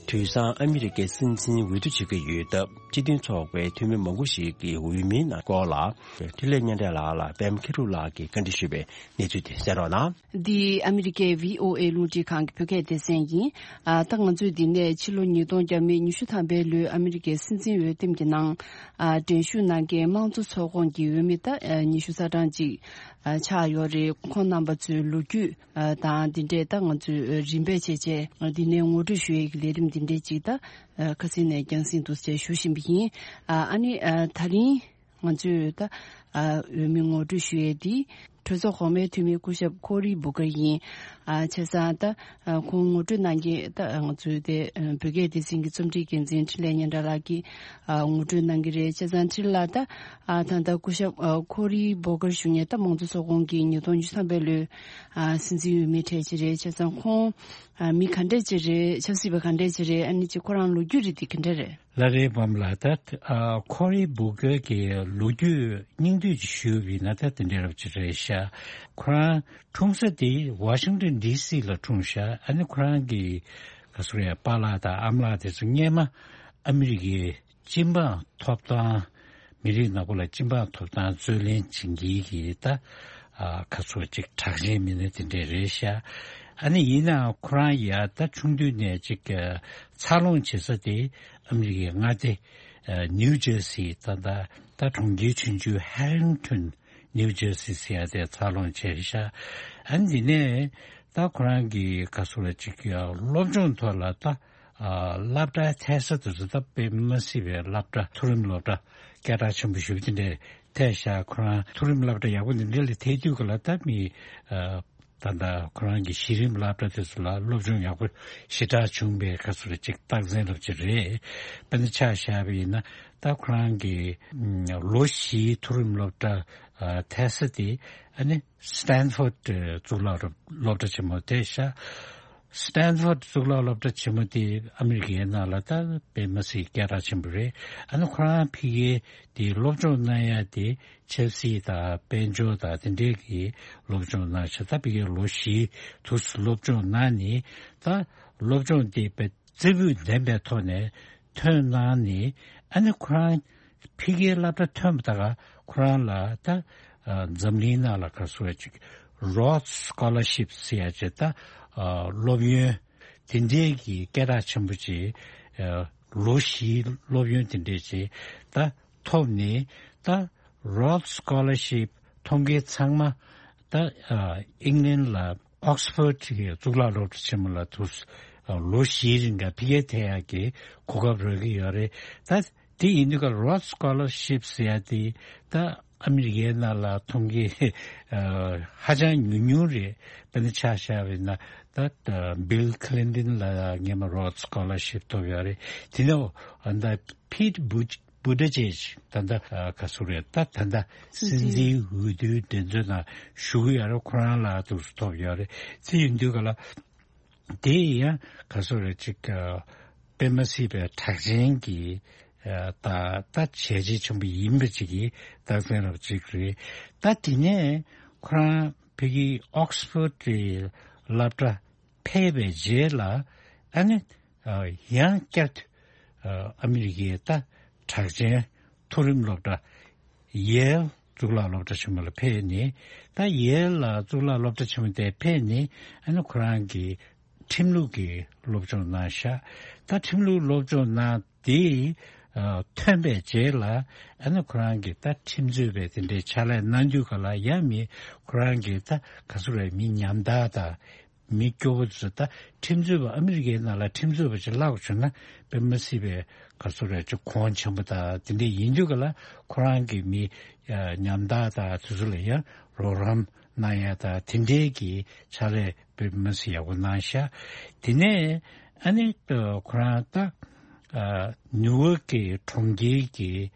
དུས་སང་ཨ་མི་རི་ཀའི་སྲིད་འཛིན་འོས་བསྡུ་བྱེད་ཀྱི་ཡོད་སྟབས། སྤྱི་མཐུན་ཚོགས་པའི་འཐུས་མི་མང་པོ་ཞིག་གིས་འོས་མིའི་ནང་སྐོར་ལ། འཕྲིན་ལས་མཉམ་འབྲེལ་ལག་ལ་པད་མ་མཁས་གྲུབ་ལགས་ཀྱིས་བཀའ་འདྲི་ཞུས་པའི་གནས་ཚུལ་དེ་གསན་རོགས་གནང་། འདི་ཨ་མི་རི་ཀའི་བྷི་ཨོ་ཨེ་རླུང་འཕྲིན་ཁང་གི་བོད་སྐད་སྡེ་ཚན་ཡིན། ཨ་ད་ང་ཚོས་འདི་ནས་ཕྱི་ལོ་ཉིས་སྟོང་བརྒྱ་མེད་ཉི་ཤུ་ཐམ་པའི་ལོའི་ཨ་མི་རི་ཀའི་སྲིད་འཛིན་འོས་འདེམས་ཀྱི་ནང་ཨ་འགྲན་ཞུགས་གནང་མཁན་དམངས་གཙོ་ཚོགས་ཁོངས་ཀྱི་འོས་མི་ད་ཨ་ཉི་ཤུ་རྩ་གྲངས་ཅིག་ཨ་ཆགས་ཡོད་རེད། ཁོང་རྣམ་པ་ཚོའི་ལོ་རྒྱུས། ཨ་དང་འདི་འདྲས་ད་ང་ཚོས་རིམ་པས་བྱས་བྱས་འདི་ནས་ངོ་སྤྲོད་ཞུ་ཡས་ཀྱི་ལས་རིམ་འདི་འདྲས་ཅིག་ད་ཨ་ཁ་སང་ནས་རྒྱང་སྲིང་དུ་བྱས་ཞུ་བཞིན་པ་ཡིན། ཨ་ཨ་ནི་ཨ་ད་རིང་ང་ཚོས་ད་ཨ་འོས་མི་ངོ་སྤྲོད་ཞུ་ཡས་འདི་ གྲོས་ཚོགས་གོང་མའི་འཐུས་མི་སྐུ་ཞབས་ཁོ་རི་བུ་ཀར་ཡིན། ཨ་བྱས་ཙང་ད་ཨ་ཁོང་ངོ་སྤྲོད་གནང་མཁན་ད་ང་ཚོའི་དེ་ཨ་བོད་སྐད་སྡེ་ཚན་གྱི་རྩོམ་སྒྲིག་འགན་འཛིན་འཕྲིན་ལས་སྙན་གྲགས་ལགས་ཀྱིས་ཨ་ངོ་སྤྲོད་གནང་གི་རེད། བྱས་ཙང་འཕྲིན་ལགས་ད་ཨ་ད་ལྟ་སྐུ་ཞབས་ཨ་ཁོ་རི་བུ་ཀར་ཞུ་མཁན་ད་དམངས་གཙོ་ཚོགས་ཁོངས་ཀྱི་ཉིས་སྟོང་ཉི་ཤུ་རྩ་གསུམ་པའི་ལོའི་ཨ་སྲིད་འཛིན་འོས་མི་གྲས་ཅིག་རེད། བྱས་ཙང་ཁོང་ཨ་མི་ག་འདྲས་ཅིག་རེད། ཆབ་སྲིད་པ་ག་འདྲས་ཅིག་རེད། ཨ་ནི་ཅིག་ཁོ་རང་ལོ་རྒྱུས་རིགས་དེ་ག་འདྲས་རེད། ལ་རེ་བམ་ལ་ད་ཨ་ཁོ་རི་བུ་ཀར་གྱི་ལོ་རྒྱུས་སྙིང་བསྡུས་ཅིག་ཞུས་པ་ཡིན་ན་ད་དེ་འདྲ་རབ་ཅིག་རེད་ཤག་ཁོ་རང་འཁྲུངས་ས་དེ་ཝ་ཤིང་ཏོན་ཌི་སི་ལ་འཁྲུངས་ཤག་ཨ་ནི་ཁོ་རང་གི་ག་ཟེར་རེད། པཱ་ལགས་དང་ཨ་མ་ལགས་དེ་ཚོ་སྔས་མ་ཨ་མི་རི་ཀའི་སྤྱི་འབངས་ཐོབ་ཐང་། མི་རིགས་ནག་པོ་ལ་སྤྱི་འབངས་ཐོབ་ཐང་རྩོད་ལེན་བྱེད་མཁན་གྱི་ད་ཨ་ཁ་ཚོ་ཅིག་གྲགས་ཅན་མི་སྣ་དེ་འདྲས་རེད་ཤག་ཨ་ནི་ཡིན་ནའང་ཁོ་རང་ཡ་ད་ཆུང་དུས་ནས་ཅིག་ཨ་འཚར་ལོངས་བྱེད་ས་དེ་ཨ་མི་རི་ཀའི་མངའ་སྡེ་ཨ་ནིའུ་ཇར་སི་ད་ད་ད་གྲོང་ཁྱེར་ཆུང་ཆུང་ཧེ་རིང་ཊོན་ནིའུ་ཇར་སི་ཟེར་ཡ་དེ་འཚར་ལོངས་བྱས་ཤག་ཨ་ནི་དེ་ནས་ད་ཁོ་རང་གི་ག་ཚོ་ལ་ཅིག་ཨ་སློབ་སྦྱོང་ཐོག་ལ་ད། ཨ་སློབ་གྲྭའི་མཐར་ས་དེ་ཚོ་ད་དཔེ་མི་སྲིད་པའི་སློབ་གྲྭ། མཐོ་རིམ་སློབ་གྲྭ་སྐད་གྲགས་ཆེན་པོ་ཞེ་པོ་དེ་འདྲས་ཐོན་ཤག་ཁོ་རང་མཐོ་རིམ་སློབ་གྲྭ་ཡག་པོ་འདི་འདྲས་ལ་ཐོན་དུས་ག་ལ་ད་མི་ཨ་ད་ལྟ་ཁོ་རང་གི་གཞི་རིམ་སློབ་གྲྭ་དེ་ཚོ་ལ་སློབ་སྦྱོང་ཡག་པོ་ཞེ་དྲག་བྱུང་བའི་སྐབས་སུ་ལ་ཅིག་རྟགས་མཚན་ལབ་ཅིག་རེད། དཔེར་ན་ཆ་བཞག་པ་ཡིན་ན་ད་ཁོ་རང་གི་ཨ་ལོ་བཞིའི་མཐོ་རིམ་སློབ་གྲྭ་ཨ་མཐར་ས་དེ་ཨ་ནི་སི་ཏན་ཕོར་ཌི་གཙུག་ལག་སློབ་གྲྭ་ཆེན་མོ་དེ་ཤག་སི་ཏན་ཕོར་ཌི་གཙུག་ལག་སློབ་གྲྭ་ཆེན་མོ་དེ་ཨ་མི་རི་ཀའི་ནང་ལ་ད་དཔེ་མི་སྲིད་སྐད་གྲགས་ཆེན་པོ་རེད། ཨ་ནི་ཁོ་རང་ཕ་གིར་དེ་སློབ་སྦྱོང་གནང་ཡ་དེ་ཆབ་སྲིད་དང་དཔལ་འབྱོར་དང་དེ་འདྲའི་གི་སློབ་སྦྱོང་གནང་ཤག་ད་ཕ་གིར་ལོ་བཞི་དུས་སུ་སློབ་སྦྱོང་གནང་ནས་ད་སློབ་སྦྱོང་དེ་དཔེ་རྩེ་ཕུད་ལྡན་པའི་ཐོག་ནས་ཐོན་གནང་ནས། ཨ་ནི་ཁོ་རང་ཕ་གིའི་སློབ་གྲྭ་ཐོན་པ་ད་ག་ཁོ་རང་ལ་ད་ཨ་འཛམ་གླིང་ནང་ལ་ག་ཚོད་ཅིག་རོ་ཌི་སི་ཀོ་ལར་ཤིབ་ཟེར་ཡ་ཅིག་ད་ཨ་སློབ་ཡོན་དེ་འདྲའི་གི་སྐད་གྲགས་ཆེན་པོ་ཅིག་ཨ་ལོ་བཞིའི་སློབ་ཡོན་དེ་འདྲའི་ཅིག་ད་ཐོབ་ནས། ད་རོ་ཌི་སི་ཀོ་ལར་ཤིབ་ཐོབ་མཁན་ཚང་མ་ད་ཨ་ཨིང་ལན་ལ་ཨོག་སི་ཕོར་ཌི་གི་གཙུག་ལག་སློབ་གྲྭ་ཆེན་མོ་ལ་དུས་ཨ་ལོ་བཞིའི་རིང་ག་ཕ་གིར་ཐོན་ཡག་གི་གོ་སྐབས་རག་གི་ཡོད་རེད། ད་དེ་ཡིན་དུས་ཀ་རོ་ཌི་སི་ཀོ་ལར་ཤིབ་ཟེར་ཡ་དེ་ད་ཨ་མི་རི་ཀའི་ནང་ལ་ཐོབ་མཁན་ཨ་ཧ་ཅང་ཉུང་ཉུང་རེད། དཔེར་ན་ཆ་བཞག་པ་ཡིན་ན་ད་ད་བྷིལ་ཁི་ལིན་ཏོན་ལ་སྔས་མ་རོ་ཌི་སི་ཀོ་ལར་ཤིབ་ཐོབ་ཡོད་རེད། དེ་ནས་ཨ་ད་ཕིཊ་བུ་བུ་ཏི་ཇེཇ་ད་ལྟ་ཨ་ག་ཚོད་རེད། ད་ད་ལྟ་སྲིད་འཛིན་འོས་བསྡུའི་འགྲན་རྩོད་ནང་ཞུགས་ཡོད་རེད། ཁོ་རང་ལ་འདུག་སེ་ཐོབ་ཡོད་རེད། དེ་ཡིན་དུས་ག་ལ་དེ་ཡང་ག་ཚོད་རེད་ཅིག་ཨ་དཔེ་མ་སྲིད་པའི་གྲགས་ཅན་གྱི་ཨ་ད་ད་བྱས་རྗེས་ཆེན་པོ་ཡིན་པ་ཅིག་གི་རྟགས་མཚན་རབ་ཅིག་རེད། ད་དེ་ནས་ཁོ་རང་ཕ་གིའི་ཨོག་སི་ཕོར་ཌི་སློབ་གྲྭ་ཕེབས་པའི་རྗེས་ལ་ཨ་ནི་ཨ་ཡང་བསྐྱར་དུ་ཨ་ཨ་མི་རི་ཀའི་ད་གྲགས་ཅན་མཐོ་རིམ་སློབ་གྲྭ་ཡེལ་གཙུག་ལག་སློབ་གྲྭ་ཆེན་མོ་ལ་ཕེབས་ནས། ད་ཡེལ་ལ་གཙུག་ལག་སློབ་གྲྭ་ཆེན་མོ་དེ་ཕེབས་ནས་ཨ་ནི་ཁོ་རང་གི་ཁྲིམས་ལུགས་ཀྱི་སློབ་སྦྱོང་གནང་ཤག་ད་ཁྲིམས་ལུགས་སློབ་སྦྱོང་གནང་དེ་ཨ་ཐོན་པའི་རྗེས་ལ་ཨ་ནི་ཁོ་རང་གི་ད་ཁྲིམས་རྩོད་པའི་དེ་འདྲའི་ཕྱག་ལས་གནང་དུས་ག་ལ་ཡང་མི་ཁོ་རང་གི་ད་ག་ཚོད་རེད། མི་ཉམ་ཐག་དང་མི་སྐྱོ་བོ་ཚོ་ད་ཁྲིམས་རྩོད་པ་ཨ་མི་རི་ཀའི་ནང་ལ་ཁྲིམས་རྩོད་པ་ཅིག་བརླག་བྱུང་ན་དཔེ་མ་སྲིད་པའི་ག་ཚོད་རེད་ཅིག་གོང་ཆེན་པོ་དང་དེ་འདྲ་ཡིན་དུས་ག་ལ་ཁོ་རང་གི་མི་ཉམ་ཐག་དང་དེ་ཚོ་ལ་ཡང་རོགས་རམ་གནང་ཡ་དང་དེ་འདྲའི་གི་ཕྱག་ལས་དཔེ་མ་སྲིད་ཡག་པོ་གནང་ཤག་དེ་ནས་ཨ་ནི་ཁོ་རང་ད་ནིའུ་ཡོག་གི་གྲོང་ཁྱེར་གྱི་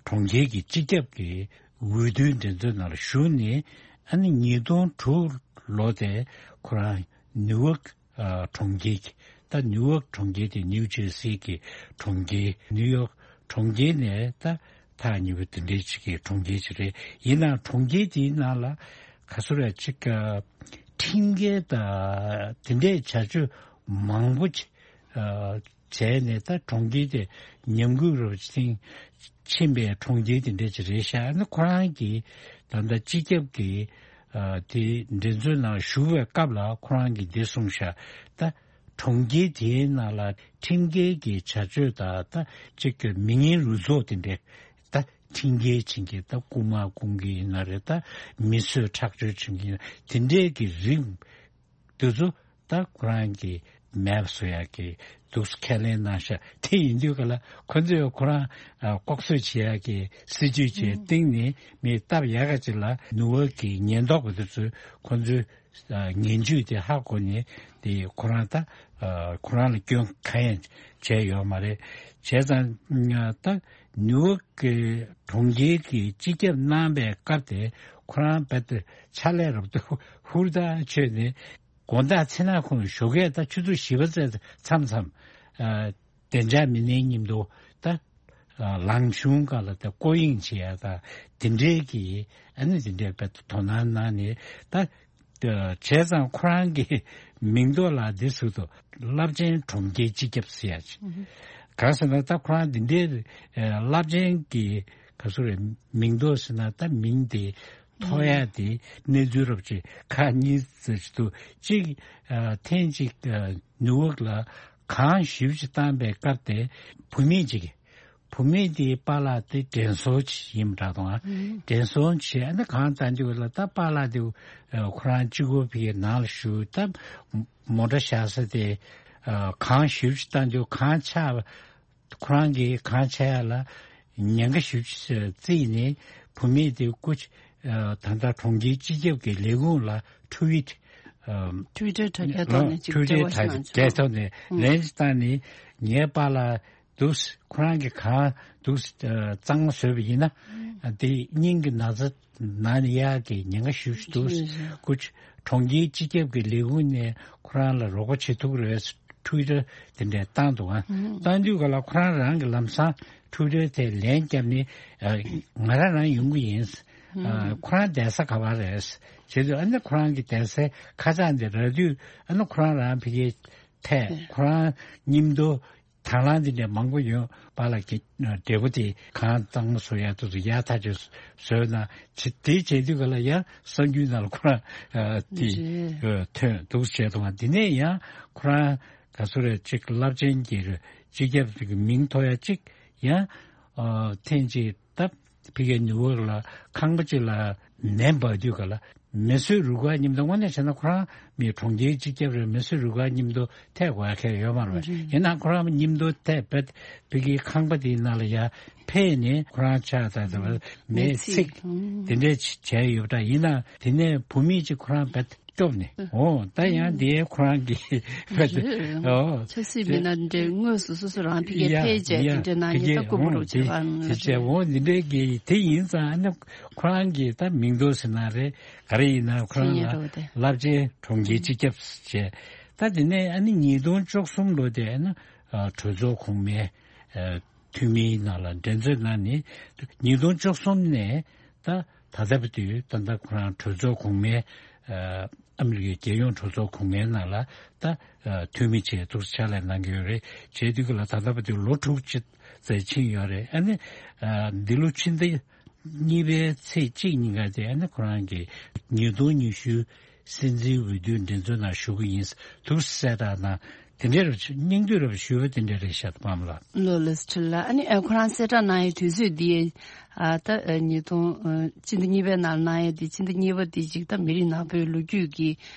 གྲོང་ཁྱེར་གྱི་སྤྱི་ཁྱབ་ཀྱི་འོས་བསྡུའི་འགྲན་རྩོད་ནང་ལ་ཞུགས་ནས་ཨ་ནི་ཉིས་སྟོང་དྲུག་ལོ་དེ་ཁོ་རང་ནིའུ་ཡོག་ཨ་གྲོང་ཁྱེར་གྱི་ད་ནིའུ་ཡོག་གྲོང་ཁྱེར་དེ་ནིའུ་ཇར་སི་གི་གྲོང་ཁྱེར། ནིའུ་ཡོག་གྲོང་ཁྱེར་ནས་ད་ཐག་ཉེ་པོ་དེ་འདྲའི་ཅིག་གི་གྲོང་ཁྱེར་ཅིག་རེད། ཡིན་ནའང་གྲོང་ཁྱེར་དེའི་ནང་ལ་ག་ཚོད་རེད་ཅིག་ཨ་ཁྲིམས་འགལ་དང་དེ་འདྲའི་བྱ་སྤྱོད་མང་པོ་ཅིག་ཨ་བྱས་ནས་ད་གྲོང་ཁྱེར་དེ་ཉམས་རྒུད་རུ་ཕྱིན་ཕྱིན་པའི་གྲོང་ཁྱེར་དེ་འདྲ་ཅིག་རེད་ཤག་ཨ་ནི་ཁོ་རང་གིས་ད་ལྟ་སྤྱི་ཁྱབ་ཀྱི་ཨ་དེ་འགྲན་རྩོད་ནང་ཞུགས་པའི་སྐབས་ལ་ཁོ་རང་གིས་འདི་གསུངས་ཤག་ད་གྲོང་ཁྱེར་དེའི་ནང་ལ་ཁྲིམས་འགལ་གྱི་བྱ་སྤྱོད་དང་ད་ཅིག་གི་མི་ངན་རུལ་སུངས་དེ་འདྲ་ད་ཁྲིམས་འགལ་བྱེད་མཁན་ད་རྐུ་མ་རྐུ་མཁན་ཡིན་ན་རེད། ད་མི་གསོད་ཁྲག་སྦྱོར་བྱེད་མཁན་དེ་འདྲའི་གི་རིགས་དེ་ཚོ་ད་ཁོ་རང་གི་ མེད་པ་བཟོ་ཡག་གི་འདུག་སེ་ཁས་ལེན་གནང་ཤག་དེ་ཡིན་དུས་ག་ལ་ཁོ་ཚོས་ཁོ་རང་ཨ་ལྐོག་གསོད་བྱེད་ཡག་གི་སྲིད་ཇུས་བྱས་ཨུ། སྟེང་ནས་མི་སྟབས་ཡག་ག་ཅིག་ལ་ནུ་ཝོག་གི་ཉེན་རྟོག་པ་དེ་ཚོས་ཁོ་ཚོའི་ཨ་ངན་ཇུས་དེ་ཧ་གོ་ནས་དེ་ཁོ་རང་ད་ཨ་ཁོ་རང་ལ་སྐྱོན་གང་ཡང་བྱས་ཡོད་མ་རེད། བྱས་ཙང་ད་ནིའུ་ཡོག་གི་གྲོང་ཁྱེར་གྱི་སྤྱི་ཁྱབ་གནང་པའི་སྐབས་དེ་ཁོ་རང་རྦད་དེ་ཕྱག་ལས་རབ་ཏུ་ཧུར་ཐག་བྱས་ནས་དགོང་དག་མཚན་ནག་ཁུང་ཞོགས་ཀས་ད་ཆུ་ཚོད་བཞི་པ་ཙམ་མཚམས་མཚམས་ཨ་བདེ་འཇགས་མི་སྣའི་མཉམ་དུ་ད་ཨ་ལང་ཆུང་སྒང་ལ་ད་སྐོར་གཡེང་བྱེད་ཡ་ད་དེ་འདྲའི་གི་ཨ་ནི་དེ་འདྲའི་རྦད་དེ་དོ་སྣང་གནང་ནས་ད། བྱས་ཙང་ཁོ་རང་གི་མིང་ཐོག་ལ་འདི་ཟེར་དུས་རླབས་ཆེན་གྲོང་ཁྱེར་སྤྱི་ཁྱབ་ཟེར་ཡ་ཅིག་ཨུ་ཧུ། གང་ཟེར་ན་ད་ཁོ་རང་འདི་འདྲའི་ཨ་རླབས་ཆེན་གྱི་ག་ཚོད་རེད་མིང་ཐོག་ཟེར་ན་ད་མིང་དེ་ཐོགས་ཡ་དེ་གནས་ཚུལ་རབ་ཅིག་ཁག་གཉིས་ཟེར་གྱི་འདུག་གཅིག་ཨ་ཐེངས་གཅིག་ཨ་ནིའུ་ཡོག་ལ་གངས་ཞེ་པོ་ཅིག་བཏང་པའི་སྐབས་དེ་བུད་མེད་ཅིག་བུད་མེད་དེའི་པཱ་ལགས་དེ་དྲན་གསོ་ཡིན་པ་འདྲ་དང་། ཨང་། དྲན་གསོ་བྱས་ཨ་ནི་གང་བཏང་རྒྱུ་ལ་ད་པཱ་ལགས་དེ་ཁོ་རང་གཅིག་པོ་ཕ་གིའི་ནང་ལ་བཞུགས་ད་མོ་ཊ་བཞག་ས་དེ་གངས་ཞེ་པོ་ཅིག་བཏང་རྒྱུ་གངས་ཆག་ཁོ་རང་གིས་གངས་ཆག་ཡ་ལ་ཉེན་ཁ་ཞེ་པོ་ཅིག་བརྩིས་ནས་བུད་མེད་དེ་སྐུ་ད་ལྟ་གྲོང་ཁྱེར་སྤྱི་ཁྱབ་ཀྱི་ལས་ཁུངས་ལ་ཊུ་ཝིཊ་ཊུ་ཝི་ཊར་དྲ་རྒྱའི་ཐོག་ནས་ཅིག་ཊུ་ཝི་ཊར་འབྲེལ་བ་ཞིག་གནང་བྱུང་། དྲ་རྒྱའི་ཐོག་ནས་ལན་ཅིག་བཏང་ནས་ངའི་པཱ་ལགས་འདུག་ཁོ་རང་གིས་གང་འདུག་གཙང་མ་བཟོས་པ་ཡིན་ན་དེ་སྙིང་གི་ན་ཚ་ན་ནས་ཡག་གི་ཉེན་ཁ་ཞེ་པོ་ཅིག་འདུག་རེད་རེད། སྐུ་གྲོང་ཁྱེར་སྤྱི་ཁྱབ་ཀྱི་ལས་ཁུངས་ནས་ཁོ་རང་ལ་རོགས་པ་བྱེད་ཐུབ་ཀྱི་རེད་ཊུ་ཝི་ཊར་དེ་འདྲས་བཏང་འདུག་ཨ། བཏང་དུས་ག་ལ་ཁོ་རང་རང་གི་ལམ་སང་ཊུ་ཝི་ཊར་དེ་ལན་བརྒྱབ་ནས་ང་རང་རང་ཡོང་གི་ཡིན། ཁོ་རང་བསྡད་ས་ག་པར་རེད། བྱས་དུས་ཨ་ནི་ཁོ་རང་གི་བསྡད་སའི་ཁ་བྱང་དེ་རག་དུས་ཨ་ནི་ཁོ་རང་རང་ཕ་གིའི་ཐད་ཁོ་རང་མཉམ་དུ་དང་བླངས་འདི་འདྲ་མང་པོ་ཡོད་པ་ལ་གི་འབྲས་བུ་དེ་གང་གཙང་མ་བཟོ་ཡ་དུ་ཡག་ཐག་ཆོད་བཟོས་ན་ཅི་དེ་བྱེད་དུས་ག་ལ་ཡང་གསར་འགྱུར་ནང་ལ་ཁོ་རང་དེ་ཐོན་འདུག་བྱས་དང་དེ་ནས་ཡང་ཁོ་རང་ག་ཚོད་རེད་ཅིག་རླབས་ཆེན་གྱི་སྤྱི་ཁྱབ་ཀྱི་མིང་ཐོགས་ཡ་ཅིག་ཡང་ཐེངས་ཅིག་སྟབས། ཕ་གིའི་ནིའུ་ཡོག་ལ་ཁང་པ་གཅིག་ལ་ནད་འབར་དུས་ག་ལ་མི་གསོད་རུ་ཁག་མཉམ་དུ་དངོས་གནས་བྱས་ན་ཁོ་རང་མི་གྲོང་ཁྱེར་སྤྱི་ཁྱབ་རེད། མི་གསོད་རུ་ཁག་མཉམ་དུ་ཐད་དགོས་ཡ་ཁེལ་ཡོད་མ་རེད། ཡིན་ན་ཁོ་རང་མཉམ་དུ་ཐད་པད་ཕ་གིའི་ཁང་པ་དེའི་ནང་ལ་ཡ་ཕེབས་ནས་ཁོ་རང་ཕྱག་དང་དེ་བ་མེ་ཚིག་དེ་འདྲས་བྱས་ཡོད་པ་འདྲ། ཡིན་ན་དེ་ནས་བུད་མེད་ཅིག་ཁོ་རང་བད། སྐྱོབ་ནས། ཨོ་ད་ཡང་དེའི་ཁོ་རང་གི་ཕ་གི་ཨོ་ཆབ་སྲིད་མི་སྣ་འདྲའི་དངོས་སུ་སོ་སོ་རང་ཕ་གིར་ཡ་ཕེབས་བྱས་ཡ་དེ་འདྲའི་ནང་ཕ་གི་ཡིན་ད་ལྐོག་ཨོ་གུ་རུ་དེ་བྱེད་པ་དེ་བྱས་ཨོ་འདི་འདྲའི་གི་དེ་ཡིན་ཙང་ཨ་ནི་ཁོ་རང་གི་ད་མིང་ཐོགས་ཟེར་ན་རེད་ག་རེ་ཡིན་ན་ཁོ་རང་ལ་རླབས་ཆེན་གྲོང་ཁྱེར་སྤྱི་ཁྱབ་བྱས་ད་དེ་ནས་ཨ་ནི་ཉིས་སྟོང་བཅུ་གསུམ་ལོ་དེ་ཨ་ནི་གྲོས་ཚོགས་གོང་མའི། འཐུས་མིའི་ནང་ལ་འགྲན་རྩོད་གནང་ནས་ཉིས་སྟོང་བཅུ་གསུམ་ནས་ད་ད་ལྟ་བར་དུ་ད་ལྟ་ཁོ་རང་གྲོས་ཚོགས་གོང་མའི་ཨ་མི་རི་ཀའི་རྒྱལ་ཡོངས་གྲོས་ཚོགས་གོང་མའི་ནང་ལ་ད་འཐུས་མི་བྱས་འདུག་ཕྱག་ལས་གནང་གི་ཡོད་རེད། བྱས་དུས་ཀྱི་ལ་ད་ལྟ་བར་དུ་ལོ་དྲུག་ཅུ་ཙམ་ཕྱིན་ཡོད་རེད། ཨ་ནི་འདི་ལོ་ཕྱི་ཟླ་གཉིས་པའི་ཚེས་གཅིག་ཉིན་ཀ་དེ་ཨ་ནི་ཁོ་རང་གི་ཉིས་སྟོང་ཉི་ཤུ། སྲིད་འཛིན་འོས་བསྡུའི་འགྲན་རྩོད་ནང་ཞུགས་ཀྱི་ཡིན་འདུག་གསལ་བསྒྲགས་གནང་། དེ་འདྲའི་རབ་སྙིང་བསྡུས་རབ་ཞུས་པ་དེ་འདྲ་རེད་ཤག་པམ་ལགས། ལོ་ལེགས་ཁྲི་ལ་ཨ་ནི་ཨ་ཁོ་རང་གསལ་བསྒྲགས་གནང་ཡའི་དུས་ཚོད་འདི་ཨ་ད་ཉིས་སྟོང་ཕྱི་ཟླ་གཉིས་པའི་ནང་གནང་ཡའི་དེ་ཕྱི་ཟླ་གཉིས་པ་འདི་ཅིག་ད་མི་རིགས་ནག་པོའི་ལོ་རྒྱུས་ཀྱི་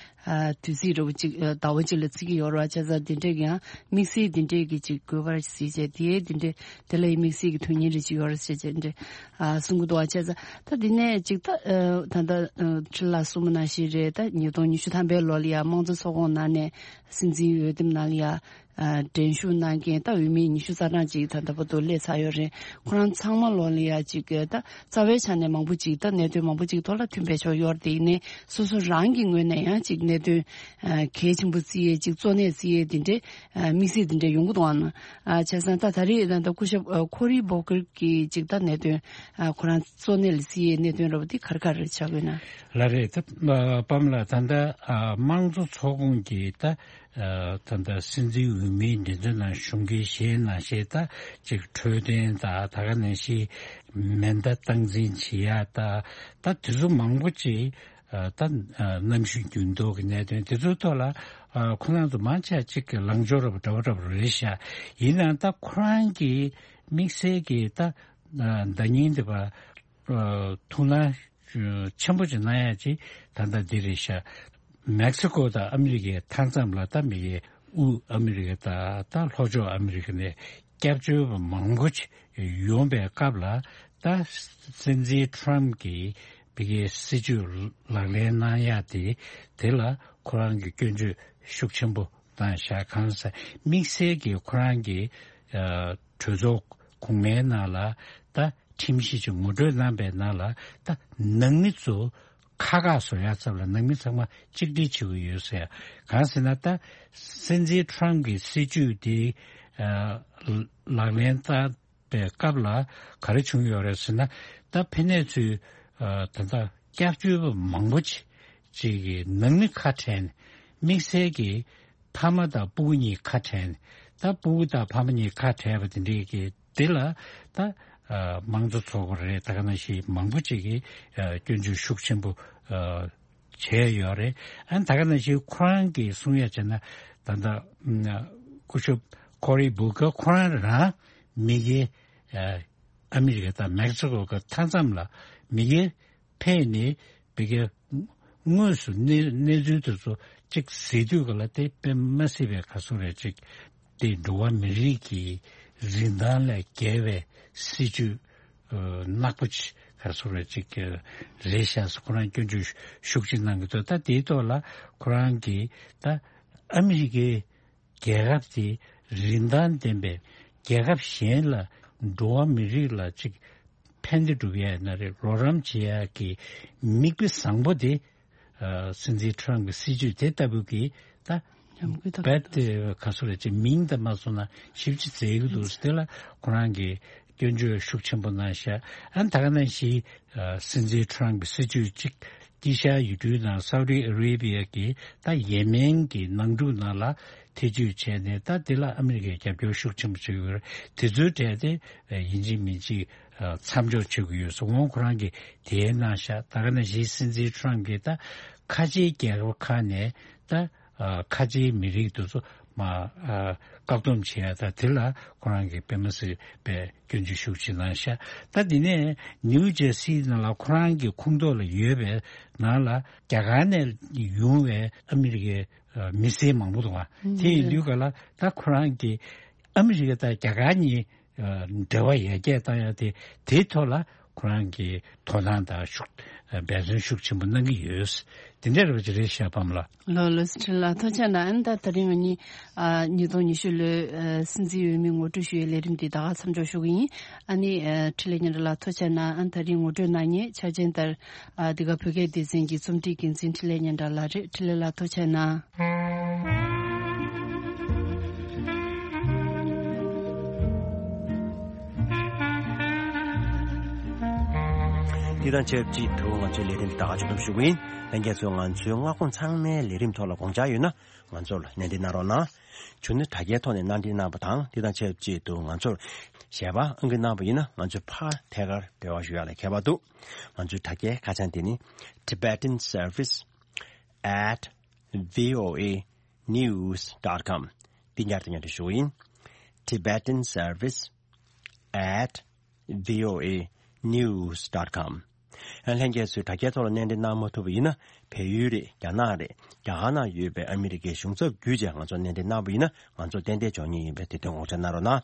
དུས་ཚིགས་རབ་ཅིག་ཟླ་བ་ཅིག་ལ་བརྩི་གི་ཡོད་རེད་བ། བྱས་ཙང་དེ་འདྲའི་ཡང་དམིགས་བསལ་དེ་འདྲའི་གི་ཅིག་དགོས་པ་རེད་ཟེར་བྱས་དེ་དེ་འདྲའི་དེ་ལ་ཡི་དམིགས་བསལ་གྱི་དོན་སྙིང་རེ་ཅིག་ཡོད་རེད་ཟེར་བྱས་འདྲ་ཨ་གསུང་གི་འདུག་བ། བྱས་ཙང་ད་འདི་ནས་ཅིག་ད་ཨ་ད་ལྟ་ཨ་ཁྲི་ལགས་གསུངས་པ་ནང་བཞིན་རེད། ད་ཉིས་སྟོང་ཉི་ཤུ་ཐམ་པའི་ལོ་ལ་ཡང་དམངས་གཙོ་ཚོགས་ཁོངས་ནང་ནས་སྲིད་འཛིན་འོས་འདེམས་ནང་ལ་ཡང་ཨ་འགྲན་ཞུགས་གནང་མཁན་ད་འོས་མི་ཉི་ཤུ་རྩ་གྲངས་ཅིག་ད་ལྟ་བར་དུ་སླེབས་ཚར་ཡོད་རེད། ཁོ་རང་ཚང་མ་ལོ་ལ་ཡང་ཅིག་ད་རྩ་བའི་ཆ་ནས་མང་པོ་ཅིག་ད་གནད་དོན་མང་པོ་ཅིག་ཐོག་ལ་མཐུན་པའི་ཕྱོགས་ཡོད་རེད། དེ་ཡིན་ནའི་སོ་སོ་རང་གི་ངོས་ནས་ཡང་ཅིག་གནད་དོན་ཨ་གལ་ཆེན་པོ་བརྩི་ཡས་ཅིག་གཙོ་གནད་བརྩི་ཡས་དེ་འདྲའི་ཨ་དམིགས་བསལ་དེ་འདྲ་ཡོང་གི་འདུག་ཨང་། ཨ་བྱས་ཙང་ད་ད་རེས་ད་ལྟ་སྐུ་ཞབས་ཨ་ཁོ་རི་བོ་ཀིར་གྱི་ཅིག་ད་གནད་དོན་ཨ་ཁོ་རང་གཙོ་གནད་ལ་བརྩི་ཡས་གནད་དོན་ར་བ་འདི་ག་རེ་ག་རེ་ཆགས་ཀྱི་ཡོད་ན། ལགས་རེད། ད་ཨ་པམ་ལགས་ད་ལྟ་ཨ་དམངས་གཙོ་ཚོགས་ཁོངས་ཀྱི་ད་ཨ་ད་ལྟ་སྲིད་འཛིན་འོས་མིའི་འགྲན་རྩོད་ནང་ཞུགས་མཁན་གཞན་ནང་བཞིན་ད་ཅིག་འཕྲོད་བསྟེན་ད་ད་ག་ནང་བཞིན་མེ་མདའ་སྟངས་འཛིན་བྱེད་ཡ་ད་ད་དེ་ཚོ་མང་པོ་ཅིག་ད་གནམ་གཤིས་འགྱུར་ལྡོག་གི་གནད་དོན་དེ་ཚོའི་ཐོག་ལ་ཁོ་རང་ཚོ་མང་ཆེ་ཅིག་གི་ལངས་ཕྱོགས་རབ་འདྲ་བོ་འདྲ་བོ་རེད་ཤག་ཡིན་ནའང་ད་ཁོ་རང་གི་དམིགས་བསལ་གྱི་ད་བརྡ་རྙིང་དེ་བ་ཐུགས་སྣང་ཆེན་པོ་ཅིག་གནང་ཡ་ཅིག་ད་ལྟ་འདི་རེད་ཤག་མེག་སི་ཀོ་དང་ཨ་མི་རི་ཀའི་མཐའ་མཚམས་ལ་ད་མི་གི་ དབུས་ཨ་མི་རི་ཀ་དང་ད་ལྷོ་ཕྱོགས་ཨ་མི་རི་ཀ་ནས་སྐྱབས་བཅོལ་བ་མང་པོ་ཅིག་ཡོང་པའི་སྐབས་ལ། ད་སྲིད་འཛིན་ཊམ་གྱིས་བི་གའི་སྲིད་ཇུས་ལག་ལེན་གནང་ཡག་དེ་དེ་ལ་ཁོ་རང་གིས་སྐྱོན་བརྗོད་ཤུགས་ཆེན་པོ་བཏང་བཞག་གང་ཟེར་དམིགས་བསལ་གྱིས་ཁོ་རང་གིས་ཨ་གྲོས་ཚོགས་གོང་མའི་ནང་ལ་ད་ཁྲིམས་གཞི་ཅིག་ངོ་སྤྲོད་གནང་པའི་ནང་ལ་ད་ནང་མི་ཚོ་ཁ་ཁ་བཟོ་ཡག་ཚབ་ལ་ནང་མི་ཚང་མ་གཅིག་སྒྲིལ་བྱེད་དགོས་ཡོད་ཟེར། གང་ཟེར་ན་ད་སྲིད་འཛིན་ཊམ་གྱི་སྲིད་ཇུས་དེ་ཨ་ལག་ལེན་བསྟར་པའི་སྐབས་ལ་ག་རེ་བྱུང་ཡོད་རེད་ཟེར་ན། ད་ཕ་ནས་ཚུར་ཨ་ད་ལྟ་སྐྱབས་བཅོལ་བ་མང་པོ་ཅིག་ཅིག་གི་ནང་མི་ཁ་བྲལ་ནས་དམིགས་བསལ་གྱི་ཕ་མ་དང་སྤུ་གུ་གཉིས་ཁ་བྲལ་ནས། ད་སྤུ་གུ་དང་ཕ་མ་གཉིས་ཁ་བྲལ་བ་དེ་འདྲའི་གི་དེ་ལ་ད་ཨ་དམངས་གཙོ་ཚོགས་པ་རེད། ད་ག་ནང་བཞིན་མང་པོ་ཅིག་གིས་ཨ་སྐྱོན་བརྗོད་ཤུགས་ཆེན་པོ་ཨ་བྱས་ཡོད་རེད། ཨ་ནི་ད་ག་ནང་བཞིན་ཁོ་རང་གིས་གསུང་ཡ་བྱས་ན། ད་ལྟ་ཨ་སྐུ་ཞབས་ཀོ་རི་བུ་ཀར་ཁོ་རང་རང་མི་སྒེར་ཨ་ཨ་མི་རི་ཀ་དང་མེག་སི་ཀོ་གི་མཐའ་མཚམས་ལ་མི་སྒེར་ཕེབས་ནས་བི་གའི་དངོས་སུ་གནས་གནས་ཚུལ་དེ་ཚོ་གཅིག་གཟིགས་དུས་ག་ལ་དེ་དཔེ་མ་སྲིད་པའི་ག་ཚོད་རེད་ཅིག་དེ་འགྲོ་བ་མི་རིགས་ཀྱི་རིན་ཐང་ལས་བརྒལ་བའི་སྲིད་ཇུས་ཨ་ནག་པོ་ཅིག་ག་ཚོད་རེད་ཅིག་རེད་ཤག་ཟེར་ཁོ་རང་སྐྱོན་བརྗོད་ཤུགས་ཆེ་གནང་གི་འདུག་ད་དེའི་ཐོག་ལ་ཁོ་རང་གིས་ད་ཨ་མི་རི་ཀའི་རྒྱལ་ཁབ་དེ་རིན་ཐང་ལྡན་པའི་རྒྱལ་ཁབ་གཞན་ལ་འགྲོ་བ་མི་རིགས་ལ་ཅིག་ཕན་བདེ་སྒྲུབ་ཡ་ཡིན་ན་རེད། རོགས་རམ་བྱེད་ཡ་གི་མིག་དཔེ་བཟང་པོ་དེ་ཨ་སྲིད་འཛིན་ཊམ་གྱི་སྲིད་ཇུས་དེ་ལྟ་བུ་གི་ད་ཉམས་རྒུད་ད་རྦད་དེ་ག་ཚོད་རེད་ཅེས་མིང་དང་མ་སོང་ན་ཞིབ་ཅིག་བཙལ་གི་འདུག་དེ་ལ་ཁོ་རང་གིས་སྐྱོན་བརྗོད་ཤུགས་ཆེན་པོ་གནང་ཤག་ཨ་ད་ག་ནང་བཞིན་ཨ་སྲིད་འཛིན་ཊམ་གྱི་སྲིད་ཇུས་གཅིག་དཀྱིལ་ཤར་ཡུལ་གྲུའི་ནང་སའུ་ཏི་ཨ་རེ་བྷི་ཡ་གི་ད་ཡེ་མེན་གྱི་ནང་འཁྲུག་ནང་ལ་ཐེ་བྱུས་བྱས་ནས། ད་དེ་ལ་ཨ་མི་རི་ཀས་རྒྱབ་སྐྱོར་ཤུགས་ཆེན་པོ་བྱེད་ཀྱི་ཡོད་རེད། དེ་ཚོའི་གྲས་དེ་ཡིན་གཅིག་མིན་གཅིག་མཚམས་འཇོག་བྱེད་དགོས་ཡོད་ཟེར་འོང་ཁོ་རང་གིས་དེ་གནང་ཤག་ད་ག་ནང་བཞིན་སྲིད་འཛིན་ཊམ་གྱིས་ད་ཁ་ཆེའི་རྒྱལ་ཁབ་ཁག་ནས་ད་ཨ་ཁ་ཆེའི་མི་རིགས་དེ་ཚོ་མ་ཨ་བཀག་སྡོམ་བྱེད་ཡ། ད་དེ་ལ་ཁོ་རང་གིས་དཔེ་མ་སྲིད་པའི་སྐྱོན་བརྗོད་ཤུགས་ཆེ་གནང་ཤག་ད་དེ་ནས་ནིའུ་ཇར་སི་ནང་ལ་ཁོ་རང་གི་ཁོངས་གཏོགས་ལ་ཡོད་པའི་ནང་ལ་རྒྱ་གར་ནས་ཡོང་བའི་ཨ་མི་རི་ཀའི་ཨ་མི་སེར་མང་པོ་འདུག་ག་དེ་ཡིན་དུས་ག་ལ་ད་ཁོ་རང་གིས་ཨ་མི་རི་ཀ་དང་རྒྱ་གར་གཉིས་ཨ་འབྲེལ་བ་ཡར་རྒྱས་བཏང་ཡ་དེ་དེའི་ཐོག་ལ་ཁོ་རང་གིས་དོ་སྣང་དང་ཤུགས་འབད་བརྩོན་ཤུགས་ཆེན་པོ་གནང་གི་ཡོད། དེ་འདྲ་རེད་པ་ཅིག་རེད་ཤག་པ་མ་ལགས། ལགས་ལགས་སོ། ཁྲི་ལགས་ཐུགས་རྗེ་གནང་། ཨ་ནི་ད་དེ་རིང་ང་གཉིས་ཨ་ཉིས་སྟོང་ཉི་ཤུ་ལོའི་ཨ་སྲིད་འཛིན་འོས་མི་ངོ་སྤྲོད་ཞུ་ཡའི་ལས་རིམ་འདི་ད་ག་མཚམས་འཇོག་ཞུ་གི་ཡིན། ཨ་ནི་ཨ་འཕྲིན་ལས་སྙན་གྲགས་ལགས་ཐུགས་རྗེ་གནང་། ཨ་ནི་ད་རིང་ངོ་སྤྲོད་གནང་མཁན་ཆ་ཅན་ལྟར་ཨ་འདི་ག་བོད་སྐད་སྡེ་ཚན་གྱི་རྩོམ་སྒྲིག་འགན་འཛིན་འཕྲིན་ལས་སྙན་གྲགས་ལགས་རེད། འཕྲིན་ལས་ལགས་ཐུགས་རྗེ་གནང་། འདི་དང་ཆབས་ཅིག་ཏུ་ང་ཚོའི་ལས་རིམ་ད་ག་ཆུ་དུམ་ཞུ་གི་ཡིན། ལྷན་རྒྱས་ཚོས་ང་ཚོའི་མངའ་ཁོངས་ཚང་མའི་ལས་རིམ་ཐོག་ལ་དགོངས་འཆར་ཡོད་ན་ང་ཚོར་གནས་འདྲི་གནང་རོགས་གནང་། བྱུང་ན་དྲ་རྒྱའི་ཐོག་ནས་གནང་འདྲི་གནང་བ་དང་། འདི་དང་ཆབས་ཅིག་ཏུ་ང་ཚོར་ཞལ་པར་ཨང་ཀི་གནང་བ་ཡིན་ན་ང་ཚོས་ཕར་ཐད་ཀར་འབྲེལ་བ་ཞུ་ཡག་ལ་ཁྱད་པར་འདུག་ང་ཚོའི་དྲ་རྒྱའི་ཁ་བྱང་དེ་ནི་Tibetan Service at V O A News dot com། འདི་ཉར་དུ་ཉར་དུ་ཞུ་ཡིན། Tibetan Service at V O A News dot com། ལྷན་རྒྱས་ཚོས་དྲ་རྒྱའི་ཐོག་ལ་གནས་འདྲི་གནང་མ་ཐུབ་པ་ཡིན་ན། བལ་ཡུལ་རེད། རྒྱ་ནག་རེད། རྒྱ་གར་ནང་ཡོད་པའི་ཨ་མི་རི་ཀའི་གཞུང་ཚབ་བརྒྱུད་བྱས་ང་ཚོར་གནས་འདྲི་གནང་བ་ཡིན་ན་ང་ཚོ་ཏན་ཏན་འབྱོར་ངེས་ཡིན་པས་དེ་དོན་དགོངས་འཇགས་གནང་རོགས་གནང་།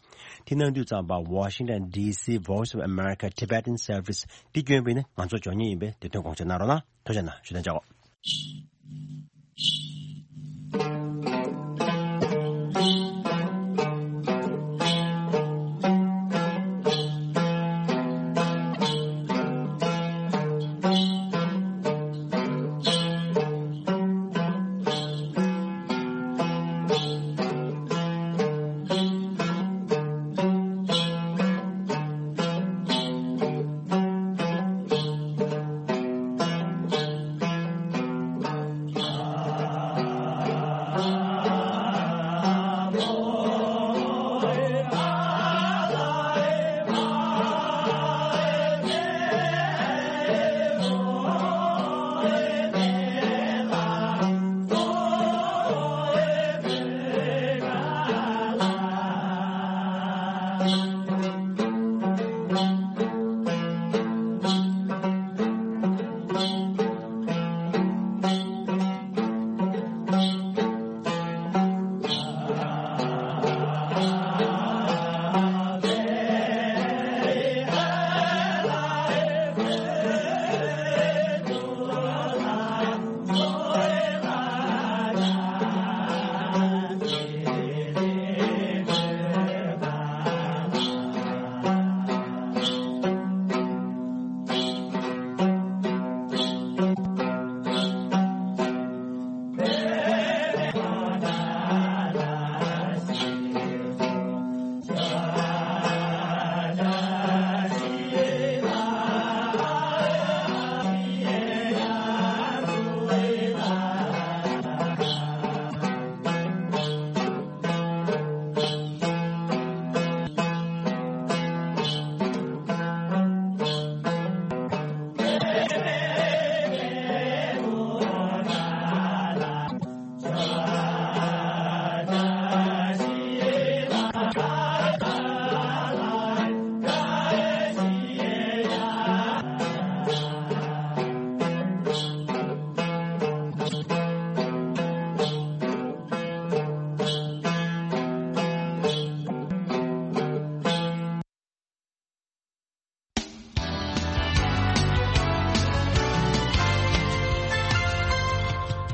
དེ་གནང་དུས་ཙམ་པ་Washington D C Voice of America Tibetan Service འདི་བསྐྱོན་པ་ཡིན་ན་ང་ཚོ་འབྱོར་ངེས་ཡིན་པས་དེ་དོན་དགོངས་འཇགས་གནང་རོགས་གནང་། ཐུགས་རྗེ་གནང་། ཞུ་དོན་བྱའོ།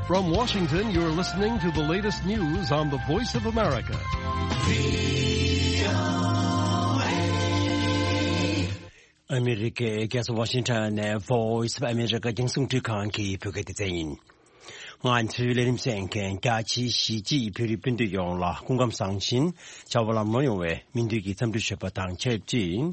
From Washington, you're listening to the latest news on the Voice of America. ཨ་མི་རི་ཀའི་རྒྱལ་ས་ཝ་ཤིང་ཊོན་ནས་Voice of America རྒྱང་སྲིང་འཕྲིན་ཁང་གི་བོད་སྐད་སྡེ་ཚན་ཡིན། ང་ཚོའི་ལས་རིམ་གསན་མཁན་རྒྱ་ཆེའི་གཞིས་བྱེས་བོད་རིགས་སྤུན་ཟླ་ཡོངས་ལ་སྐུ་ཁམས་བཟང་ཞིང་བྱ་བ་ལམ་ལྷོང་ཡོང་བའི་སྨོན་འདུན་གྱི་འཚམས་འདྲི་ཞུས་པ་དང་ཆབས་ཅིག་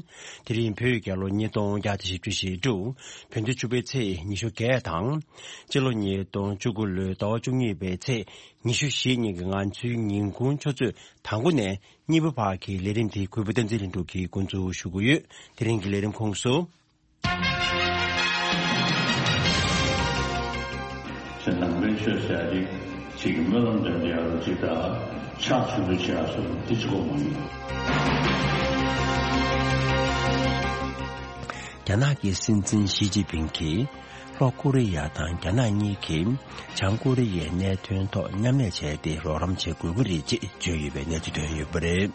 དེ་རིང་བོད་རྒྱལ་ལོ་ཉིས་སྟོང་བརྒྱ་དང་བཞི་བཅུ་ཞེ་དྲུག་བོད་ཟླ་བཅུ་པའི་ཚེས་ཉི་ཤུ་བརྒྱད་དང་། སྤྱི་ལོ་ཉིས་སྟོང་བཅུ་དགུ་ལོའི་ཟླ་བ་བཅུ་གཉིས་པའི་ཚེས་ཉི་ཤུ་བཞི་ཉིན་གྱི་ང་ཚོའི་ཉིན་གུང་ཆུ་ཚོད་དང་པོ་ནས་གཉིས་པ་བར་གྱི་ལས་རིམ་དེ་གུས་པ་བསྟན་འཛིན་ལྷུན་གྲུབ་ཀྱིས་འགོ་འཛུགས་ཞུ་གི་ཡོད། དེ་རིང་གི་ལས་རིམ་ཁོངས་སུ། ཞེས་ནང་པའི་ཆོས་ཟེར་ཡ་དེ་གཅིག་གི་སྨོན་ལམ་འདོན་བྱེད་ཡག་ལ་གཅིག་དང་ཕྱག་མཆོད་འབུལ་བྱེད་ཡག་སོགས་དེ་གཅིག་པོ་མ་ཡིན། རྒྱ་ནག་གི་སྲིད་འཛིན་ཞི་ཅིན་ཕིང་གིས་ལྷོ་ཀོ་རི་ཡ་དང་རྒྱ་ནག་གཉིས་ཀྱིས་བྱང་ཀོ་རི་ཡའི་གནད་དོན་ཐོག་མཉམ་ལས་བྱས་ཏེ་རོགས་རམ་བྱེད་དགོས་ཀྱི་རེད་ཅེས་བརྗོད་ཡོད་པའི་གནས་ཚུལ་ཐོན་ཡོད་པ་རེད།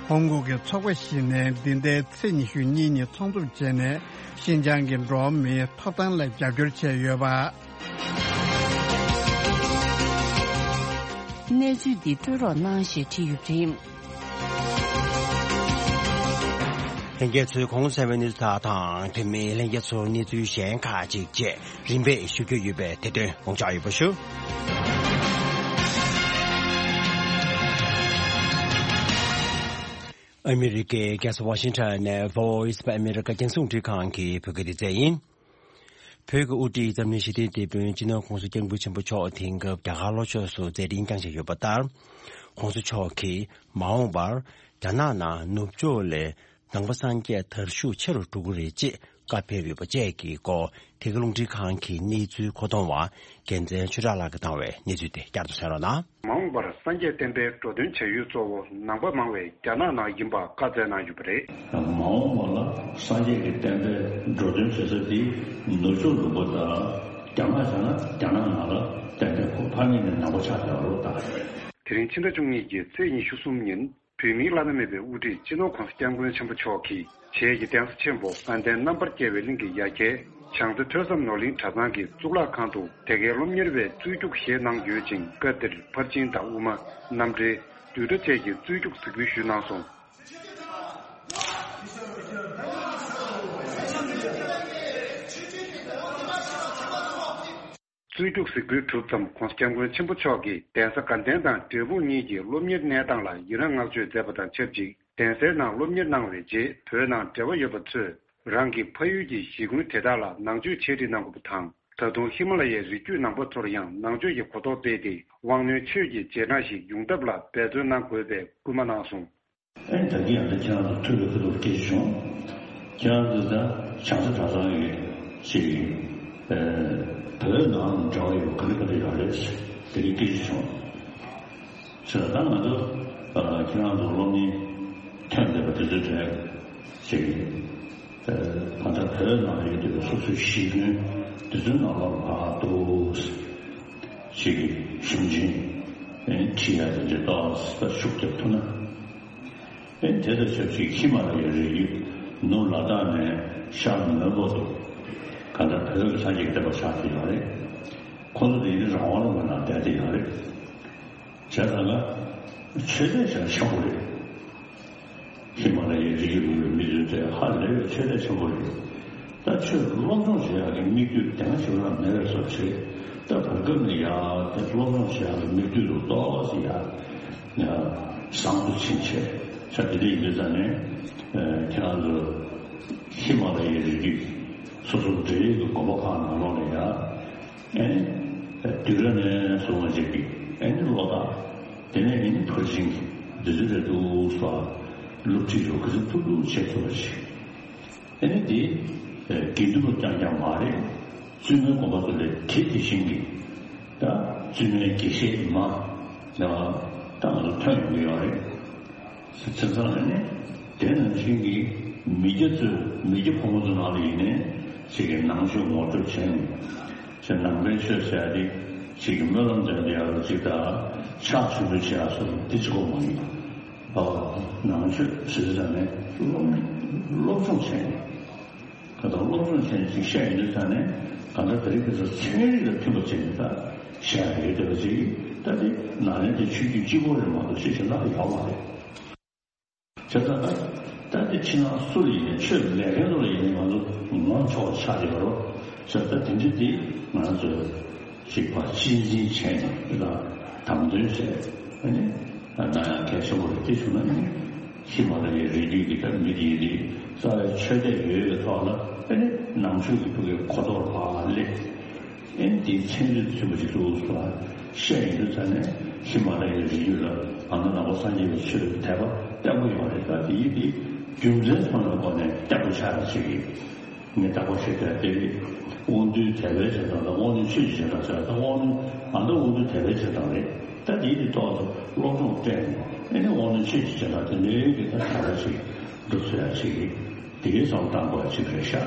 ཧོང་ཀོང་གི་ཚོགས་པ་ཞིག་ནས་འདི་ཟླའི་ཚེས་ཉི་ཤུ་གཉིས་ཉིན་ཚོགས་འདུ་བྱས་ནས་ཤིན་ཅང་གི་འགྲོ་བ་མིའི་ཐོབ་ཐང་ལ་རྒྱབ་སྐྱོར་བྱས་ཡོད་པ། གནས་ཚུལ་འདི་སྤྲོད་རོགས་གནང་ཞེས་བྲིས་ཡོད་པ་རེད། ལྷན་རྒྱས་ཚོས་གོང་གསལ་བའི་གནས་ཚུལ་དག་དང་དེ་མིན་ལྷན་རྒྱས་ཚོར་གནས་ཚུལ་གཞན་ཁག་ཅིག་བཅས་རིམ་པས་ཞུ་རྒྱུ་ཡོད་པས་དེ་དོན་དགོངས་འཇགས་ཡོད་པ་ཞུ། ཨ་མི་རི་ཀའི་རྒྱལ་ས་ཝ་ཤིང་ཊོན་ནས་Voice of America རྒྱང་སྲིང་འཕྲིན་ཁང་གི་བོད་སྐད་སྡེ་ཚན་ཡིན། བོད་ཀྱི་དབུ་ཁྲིད་འཛམ་གླིང་ཞི་བདེའི་དེད་དཔོན་སྤྱི་ནོར་༸གོང་ས་༸སྐྱབས་མགོན་ཆེན་པོ་མཆོག་དེང་སྐབས་རྒྱ་གར་ལྷོ་ཕྱོགས་སུ་མཛད་འཕྲིན་བསྐྱངས་བཞིན་ཡོད་པ་ལྟར། ༸གོང་ས་མཆོག་གིས་མ་འོངས་པར་རྒྱ་ནག་ནང་ནུབ་ཕྱོགས་ལས་ནང་པ་སངས་རྒྱས་དར་ཤུགས་ཆེ་རུ་འགྲོ་གི་རེད་ཅེས་བཀའ་ཕེབས་ཡོད་པ་བཅས་ཀྱི་སྐོར་དེ་གའི་རླུང་འཕྲིན་ཁང་གི་གནས་ཚུལ་མཁོ་གཏོང་བ་རྒྱལ་མཚན་ཆོས་གྲགས་ལགས་ཀྱིས་བཏང་བའི་གནས་ཚུལ་དེ་བསྐྱར་དུ་གསན་རོགས་གནང་། མ་འོངས་པར་སངས་རྒྱས་བསྟན་པའི་འགྲོ་དོན་བྱ་ཡུལ་གཙོ་བོ་ནང་པ་མང་བའི་རྒྱ་ནག་ནང་ཡིན་པ་བཀའ་སྩལ་གནང་ཡོད་པ་རེད། མ་འོངས་པ་ལ་སངས་རྒྱས་ཀྱི་བསྟན་པའི་འགྲོ་དོན་བྱེད་ས་དེ་ནུབ་ཕྱོགས་ལུང་པ་དང་རྒྱ་ནག་བྱས་ན་རྒྱ་ནག་ནང་ལ་བསྟན་པའི་ཁོ་ཕ་མེས་ནས་ནང་པ་ཆགས་བསྡད་པ་རེད་ད། དེ་རིང་ཕྱི་ཟླ་བཅུ་གཉིས་ཀྱི་ཚེས་ཉི་ཤུ་གསུམ་ཉིན་བོད་མིའི་བླ་ན་མེད་པའི་དབུ་ཁྲིད་སྤྱི་ནོར་༸གོང་ས་༸སྐྱབས་མགོན་ཆེན་པོ་མཆོག་གིས་བྱེས་ཀྱི་གདན་ས་ཆེན་པོ་དགའ་ལྡན་རྣམ་པར་རྒྱལ་བའི་གླིང་གི་ཡ་གྱལ་བྱང་རྩེ་ཐོས་བསམ་ནོར་གླིང་གྲྭ་ཚང་གི་གཙུག་ལག་ཁང་དུ་དེ་གའི་སློབ་གཉེར་བའི་རྩོད་རྒྱུགས་བཞེས་གནང་ཡོད་ཅིང་། སྐབས་དེར་ཕར་ཕྱིན་དང་དབུ་མ། རྣམ་འགྲེལ། བསྡུས་གྲྭ་བཅས་ཀྱི་རྩོད་རྒྱུགས་གཟིགས་འབུལ་ཞུས་གནང་སོང་། རྩོད་རྒྱུགས་གཟིགས་འབུལ་གྲུབ་མཚམས་༸གོང་ས་༸སྐྱབས་མགོན་ཆེན་པོ་མཆོག་གིས་གདན་ས་དགའ་ལྡན་དང་འབྲས་སྤུངས་གཉིས་ཀྱི་སློབ་གཉེར་གནས་སྟངས་ལ་ཡི་རངས་བསྔགས་བརྗོད་མཛད་པ་དང་ཆབས་ཅིག་གདན་སའི་ནང་སློབ་གཉེར་གནང་བའི་རྗེས་བོད་ནང་འབྲེལ་བ་ཡོད་པ་ཚོས་རང་གི་ཕ་ཡུལ་གྱི་གཞིས་ཁུལ་དེ་དག་ལ་ནང་ཆོས་ཆེད་ཁྲིད་གནང་དགོས་པ་དང་། ད་དུང་ཧི་མ་ལ་ཡའི་རི་རྒྱུད་ནང་པ་ཚོར་ཡང་ནང་ཆོས་ཀྱི་གོ་རྟོགས་སྤེལ་ཏེ་དབང་རྣོན་ཆོས་ཀྱི་རྗེས་འབྲང་ཞིག་ཡོང་ཐབས་ལ་འབད་བརྩོན་གནང་དགོས་པའི་སྐུལ་མ་གནང་སོང་། ཨེ་ད་གིན་ཡང་ད་ཁྱེད་རང་ཚོ་ཐུགས་ལ་ཁ་ཐུག་སྐད་ཆ་བྱུང་། ཁྱེད་རང་ཚོ་ད་བྱང་ས་གྲྭ་ཚང་གི་ཅིག་ཨེ་བོད་ནང་འབྲེལ་བ་ཡོད་ག་རེ་ག་རེ་ཡོད་རེད་དེ་གི་སྐད་ཆ་བྱུང་། ཟེར་ད་ང་ཚོ་ཨ་ཁྱེད་རང་ཚོ་སློབ་གཉེར་ཐོན་བསྡད་པ་དེ་ཚོའི་གྲས་ཅིག་ཨེ་ད་ལྟ་བོད་ནང་ཡོད་བསྡད་པའི་སོ་སོའི་གཞིས་ཁྱོན་དེ་ཚོའི་ནང་ལོགས་ལ་ཕར་འདུག་ཅིག་གི་ཞིབ་མཆན་ཨེ་བྲིས་ཡ་དེ་འདྲ་ཏོག་ཙམ་ཤུགས་རྒྱབ་ཐུབ་ན། ཨེ་དེ་དང་ཆབས་ཅིག་ཧི་མ་ལ་ཡའི་རི་རྒྱུད་ནུབ་ལ་དྭགས་ནས་ཤར་མོན་གྷོ་དུ་ག་ད་བོད་ཀྱི་སངས་རྒྱས་ཀྱི་བསྟན་པ་ཆགས་ཀྱི་ཡོད་རེད། ཁོ་ཚོ་དེ་ཡིན་རང་དབང་ལུང་པའི་ནང་བསྡད་དེ་ཡོད་རེད། བྱས་ཙང་ཀ་ཆོས་དད་ཆེན་པོ་རེད། ཧི་མ་ལ་ཡའི་རི་རྒྱུད་ལུང་པའི་མི་ཚོས་དེ་ཧ་ལས་པའི་ཆོས་དད་ཆེན་པོ་རེད། ད་ཆོས་སློབ་སྦྱོང་བྱེད་ཡག་གི་མིག་ལྟོས་དེ་སྔ་ཞིག་ལ་མེད་པའི་བཟོ་བྱས། ད་བར་སྐབས་ནས་ཡ་དེ་སློབ་སྦྱོང་བྱེད་ཡག་གི་མིག་ལྟོས་དུ་ཏོག་ཙམ་ཡ་ཡ་བཟང་དུ་ཕྱིན་བྱས། ཆ་དེ་འདྲ་ཡིན་དུས་ཙང་ནས་ཁྱེད་རང་ཚོ་ཧི་མ་ལ་ཡའི་རི་རྒྱུད་སོ་སོ་འབྲེལ་ཡོད་ཀྱི་དགོན་པ་ཁག་ནང་ལོགས་ནས་ཡ་ཨེ་ནི་དུས་རབས་ནས་བཟུང་བ་ཅིག་གི་ཨེ་ནི་བློ་ཐག་དེ་ནས་ཨེ་ནི་ཕར་ཕྱིན་གྱི་འདི་ཚོ་རེད་འདུག་སོགས་ སློབ་ཁྲིད་རོགས་སྐུ་ཚབ་ཐུབ་ཐུབ་བྱེད་ཐུབ་པ་ཞིག་ཨ་ནི་དེ་དགེ་འདུན་པ་རྐྱང་རྐྱང་མ་རེད། བཙུན་མའི་དགོན་པ་ཚོ་ལས་དེ་དེ་བཞིན་གྱི་ད་བཙུན་མའི་དགེ་བཤེས་མ་ད་ང་ཚོ་ཐོན་ཡོང་གི་ཡོད་རེད། བྱས་ཙང་ནས་ནི་དེ་ནང་བཞིན་གྱི་མི་སྐྱ་ཚོས་མི་སྐྱ་ཕོ་མོ་ཚོ་ནང་ལ་ཡིན་ནའི་ཅིག་གི་ནང་ཆོས་ངོ་སྤྲོད་བྱས་ནས་ཅིག་ནང་པའི་ཆོས་ཟེར་ཡ་དེ་ཅིག་གི་སྨོན་ལམ་འདོན་བསྡད་ཡ་ལ་ཅིག་དང་ཕྱག་མཆོད་འབུལ་བྱེད་ཡ་སོགས་དེ་གཅིག་པོ་མ་ཡིན་པ། ནང་ཆོས་ཟེར་ཙང་ནས་སློབ་སློབ་སྦྱོང་བྱས་ནས་ག་ད་སློབ་སྦྱོང་བྱས་ནས་ཅིག་བཤད་ཡོང་དུས་ཙང་ནས་ག་ད་དེ་རིང་ཁ་སང་ཚན་རིག་དང་མཐུན་པ་བྱས་ནས་ད་བཤད་ཡ་ཡོད་བསྡད་པ་ཅིག་ད་དེ་ནང་ལན་དེ་ཆོས་བརྒྱུད་གཅིག་པོ་རེད་མ་གཏོགས་ཅིག་གཞན་དག་ཡོད་མ་རེད། བྱས་ཙང་ད་ད་དེ་ཕྱི་ནང་སུ་ལ་ཡིན་ནའི་ཆོས་ལས་མཁན་ཚོ་ལ་ཡིན་ནའི་ང་ཚོ་ངོམ་ཆོག་པ་ཆགས་ཡོད་རོགས། བྱས་ཙང་དེ་འདྲ་དེ་ང་ཚོས་ཅིག་ཕར་གཅེས་འཛིན་བྱས་ནས་དེ་དང་དམ་དོན་བྱས་ཨ་ནི་གནང་ཡག་གལ་ཆེན་པོ་རེད། དེ་བྱུང་ན་ནི་ཧི་མ་ལ་ཡའི་རི་རྒྱུད་ཀྱི་ད་མི་དེ་ཡིན་དེ་རྩ་བའི་ཆོས་དད་ཡོད་པའི་ཐོག་ལ་ཨ་ནི་ནང་ཆོས་ཀྱི་ཕ་གིའི་གོ་རྟོགས་ཕར་སླེབས། ཨེ་འདིའི་ཚན་རིག་མཐུན་པ་ཞིག་འདུག་ཟེར་བཤད་ཡོང་དུས་ཙང་ནས་ཧི་མ་ལ་ཡའི་རི་རྒྱུད་ལ་ང་ཚོ་ནང་པ་སངས་རྒྱས་པའི་ཆོས་དད་པ་བརྟན་པོ་ཡོད་རེད། ད་དེའི་དེ་རྒྱུ་མཚན་ཐོག་ནས་སྒོ་ནས་བརྟན་པོ་ཆགས་ཡ་ཅིག་གིས་ངས་བརྟག་པ་ཞིག་བྱས་ཏེ་དབང་འདུས་དད་པའི་བྱེ་བྲག་དང་དབང་རྣོན་ཆོས་ཀྱི་བྱེ་བྲག་ཟེར། ད་དབང་རྣོན་ང་ཚོ་དབང་འདུས་དད་པའི་བྱེ་བྲག་རེད། ད་དེའི་དེ་ཐོག་ཏུ་སློབ་སྦྱོང་སྤྲད་ནས་ཨེ་ནི་དབང་རྣོན་ཆོས་ཀྱི་བྱེ་བྲག་དེ་འདྲའི་གི་ད་དད་པ་ཞིག་འགྲོ་ཚུགས་ཡ་ཅིག་གིས་དེ་གའི་བསམ་བློ་བཏང་དགོས་ཡ་ཅིག་རེད་ཤག་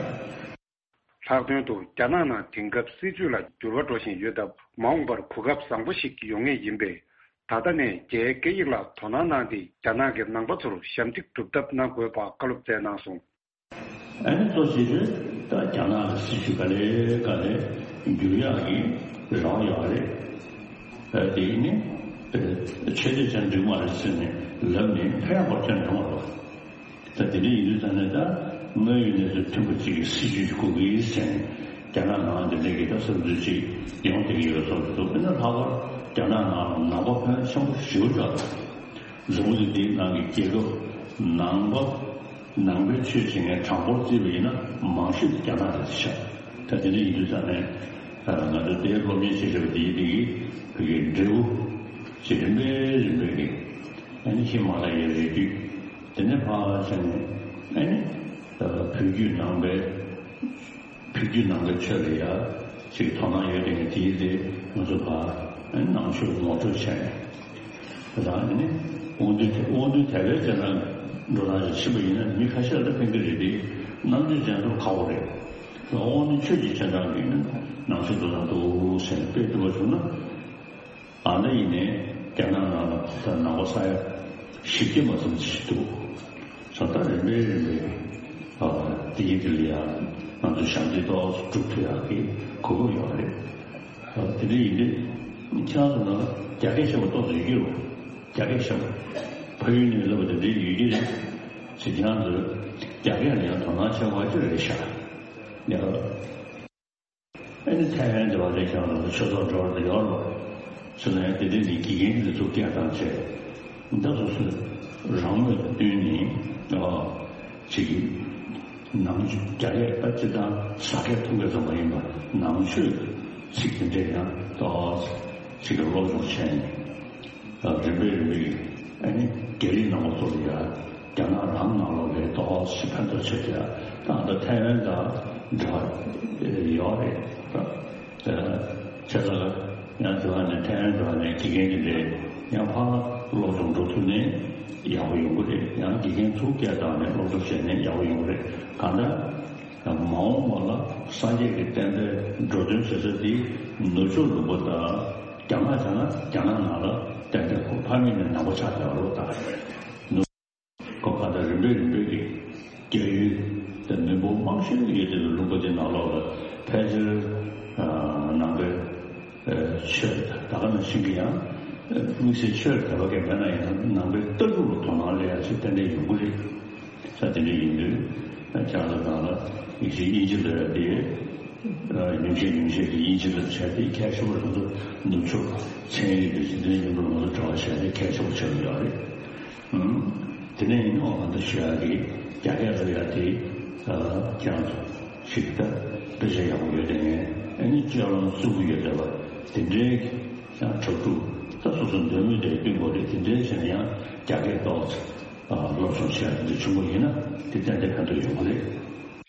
ལྷག་དོན་དུ་རྒྱ་ནག་ནང་དེང་སྐབས་སྲིད་བྱུས་ལ་འགྱུར་བ་འགྲོ་བཞིན་ཡོད་སྟབས། མ་འོངས་པར་གོ་སྐབས་བཟང་པོ་ཞིག་ཡོང་ངེས་ཡིན་པས། ད་ལྟ་ནས་རྒྱའི་སྐད་ཡིག་ལ་དོ་སྣང་གནང་སྟེ། རྒྱ་ནག་གི་ནང་པ་ཚོར་ཞབས་འདེགས་སྒྲུབ་ཐབས་གནང་དགོས་པ་བཀའ་སློབ་སྩལ་གནང་སོང་། ཨ་ནི་གཙོ་ཆེ་ཤོས་ད་རྒྱ་ནག་གི་སྲིད་བྱུས་ག་ལེ་ག་ལེ་འགྱུར་ཡག་གི་རེ་བ་ཡོད་རེད། ཨ་དེ་ནི་ཨ་ཆེ་བསྟོད་ཅན་འགྲིག་མ་རེད་ཟེར་ནས་ལབ་ནས་ཕན་ཡག་པོ་ཅང་ཡོང་མ་རེད། ད་དེ་འདྲ་ཡིན་དུས་ཙང་ནས་ད་དངོས་ཡོད་གནས་ཚུལ་མཐུན་པ་གཅིག་གི་སྲིད་བྱུས་ཤིག་དགོས་ཀྱི་ཡིན་ཟེར་ནས་རྒྱ་ནག་ནང་དེ་འདྲ་གི་ད་བསམ་ཚུལ་ཅིག་ཡོང་བསྡད་ཀྱི་ཡོད་བཟོ་འདུག་དཔེར་ན་ལྷག་པར་རྒྱ་ནག་ནང་ལ་ནང་པ་ཕོན་ཆེན་པོ་ཞེ་པོ་ཅིག་ཡོད་རེད། འཛམ་བུ་གླིང་འདིའི་ནང་གི་རྒྱལ་ཁབ་ནང་པ་ནང་པའི་ཆོས་བྱེད་མཁན་གྲངས་འབོར་བརྩིས་པ་ཡིན་ན་མང་ཤོས་དེ་རྒྱ་ནག་རེད་ཤག་ད་དེ་འདྲ་ཡིན་དུས་ཙང་ནས་ང་ཚོ་དེའི་སློབ་གཉེར་བྱེད་བཞིན་པ་དེའི་དེ་གི་བོད་ཀྱི་འབྲས་བུ་ཞེས་རིམ་པས་རིམ་པས་ཀྱི་ཨ་ནི་ཧི་མ་ལ་ཡའི་རི་རྒྱུད། དེ་ནས་ཕར་ཕྱིན་ནས་ཨ་ནི་བོད་བརྒྱུད་ནང་པའི་བོད་བརྒྱུད་ནང་པའི་ཆོས་ལ་ཡ་ཅིག་དོ་སྣང་ཡོད་དེ་ངས་དེའི་དེ་ང་ཚོ་ཕར་ཨ་ནི་ནང་ཆོས་ངོ་སྤྲོད་བྱས་ནས་ད་ཨ་ནི་དབང་འདུས་དེ་དབང་འདུས་དད་པའི་རྗེས་འབྲང་འགྲོ་སྟངས་ཤིག་ཕྱིན་པ་ཡིན་ན་མི་ཁ་ཤས་ལ་ཕན་གྱི་རེད་དེ་རྣམ་དཔྱོད་ཅན་ཚོར་ཁག་པོ་རེད། དབང་འདུས་ཆོས་ཀྱི་རྗེས་འབྲང་གི་ནང་ཆོས་འགྲོ་སྟངས་འདུག་ཟེར་ནས་དཔེ་སྟོན་པ་བྱུང་ན། ཨ་ནི་ཡིན་ནའི་རྒྱ་ནག་ནང་ལ་ད་ནང་པ་ས་ཡ་བཞི་བརྒྱ་མ་ཟིན་ཅིག་འདུག་ས་ད་རིམ་པས་རིམ་པས་ཨ་དེ་ཡིན་དེ་ལ་ཡང་ང་ཚོ་ཞབས་འདེགས་ཏོག་ཙམ་སྒྲུབ་ཐུབ་ཡག་གི་གོ་སྐབས་ཡོད་རེད། ཨ་དེ་འདྲ་ཡིན་དུས་ཁྱེད་རང་ཚོ་ནང་ལ་རྒྱ་སྐད་ཤེས་པ་ཏོག་ཙམ་ཡོད་ཀྱི་རེད། རྒྱ་སྐད་ཤེས་པ་ཕ་ཡུལ་ནས་སླེབས་པ་དེ་འདྲ་ཡོད་ཀྱི་རེད། ཅེས་ཁྱེད་རང་ཚོས་རྒྱ་སྐད་ལ་ཡང་དོ་སྣང་བྱེད་དགོས་ཀྱི་རེད་ཤག་ཡ། ཨ་ནི་ཐའེ་ཝན་དེ་བ་ལས་ཀྱང་ཆོས་ཚོགས་འགྲོ་བ་དེ་ཡོད་རེད། ཚུལ་ལ་ཡང་དེ་འདྲའི་ནི་དགེ་རྒན་འདི་ཚོ་སྐད་བཏང་བྱས། ད་སོ་སོའི་རང་མོས་བསྟུན་ནས་ཨ་ཅིག་གིས་ནང་རྒྱ་སྐད་ད་སྤྱིར་བཏང་ཟ་སྐད་འཐུང་སྐད་ཙམ་མ་ཡིན་པར་ནང་ཆོས་ཚིག་དེ་འདྲས་ཡང་ཏོག་ཙམ་ཅིག་གི་སློབ་སྦྱོང་བྱས་ནས། རིམ་པས་རིམ་པས་ཨ་ནི་རྒྱ་རིགས་ནང་པ་ཚོ་ལ་ཡ་རྒྱ་ནག་རང་ནང་ལོགས་ལ་ཏོག་ཙམ་ཕན་ཐོགས་ཆེ་དེ་ད་ལྟ་ཐའེ་ཝན་དང་འབྲེལ་བ་ཡོད་རེད། བྱས་ཙང་ཡང་དེ་བ་ནས་ཐའེ་ཝན་དེ་བ་ནས་དགེ་རྒན་དེ་འདྲས་ཡང་ཕར་སློབ་སྦྱོང་འགྲོ་ཐུབ་ནས་ཡག་པོ་ཡོང་གི་རེད། ཡང་དགེ་རྒན་ཚོ་སྐད་བཏང་ནས་སློབ་སྦྱོང་བྱས་ནས་ཡག་པོ་ཡོང་གི་རེད། གང་ལྟར། མ་འོངས་པ་ལ་སངས་རྒྱས་ཀྱི་བསྟན་པའི་འགྲོ་དོན་བྱེད་ས་དེ་ནུབ་ཕྱོགས་ལུང་པ་དང་རྒྱ་ནག་བྱས་ན་རྒྱ་ནག་ནང་ལ་བསྟན་པའི་ཁོ་ཕ་མེས་ནས་ནང་པ་ཆགས་བསྡད་པ་རེད་ད། ནུབ་ཁོ་ག་ད་རིམ་པས་རིམ་པས་ཀྱི་རྒྱ་ཡུལ་དང་མི་འབོར་མང་ཤོས་ཡོད་དེ་ལུང་པ་དེ་ནང་ལོགས་ལ་ཕལ་ཆེར་ནང་པའི་ཆོས་ད་ག་ནང་བཞིན་གྱི་ཡང་དམིགས་བསལ་ཆོས་དད་པ་གས་མེད་ན་ཡང་ནང་པའི་ལྟ་གྲུབ་ལ་དོ་སྣང་སླེབས་ཡ་ཞིག་ཏན་ཏན་ཡོང་གི་རེད། ས་དེ་འདྲ་ཡིན་དུས་ཁྱེད་རང་ཚོ་ནང་ལ་ཡིན་གཅིག་དབྱིན་ཇི་ལབ་ཡ་དེ་ཉུང་ཤས་ཉུང་ཤས་ཀྱི་དབྱིན་ཇི་ལབ་བྱས་ཏེ་ཁྱད་ཆོས་པ་ང་ཚོ་ནུབ་ཕྱོགས་ཚན་རིག་དང་རྗེས་དྲན་ཡིན་པར་ང་ཚོ་འབྲེལ་བ་བྱས་ཏེ་ཁྱད་ཆོས་པ་ཆགས་ཀྱི་ཡོད་རེད། ཨང་། དེ་ནས་ཡིན་ནའང་ང་ཚོ་ཞུ་ཡ་གི་རྒྱ་སྐད་ལབ་ཡ་དེ་ཁྱེད་རང་ཚོ་ཞིག་ད་དཔེ་ཆ་ཡག་པོ་ཡོད་དེ་ངས་ཨ་ནི་སྤྱོད་ལམ་བརྩི་གི་ཡོད་དེ་བ་དེ་འདྲའི་ཡང་གྲ་སྒྲིག་ད་སོ་སོ་འདོད་མོས་དེ་བསྟུན་དགོས་རེད། དེ་འདྲའི་བྱས་ན་ཡང་རྒྱ་སྐད་ཏོག་ཙམ། སློབ་སྦྱོང་བྱས་འདི་བྱུང་བ་ཡིན་ན་དེ་ཏན་ཏན་ཕན་ཐོགས་ཡོང་གི་རེད།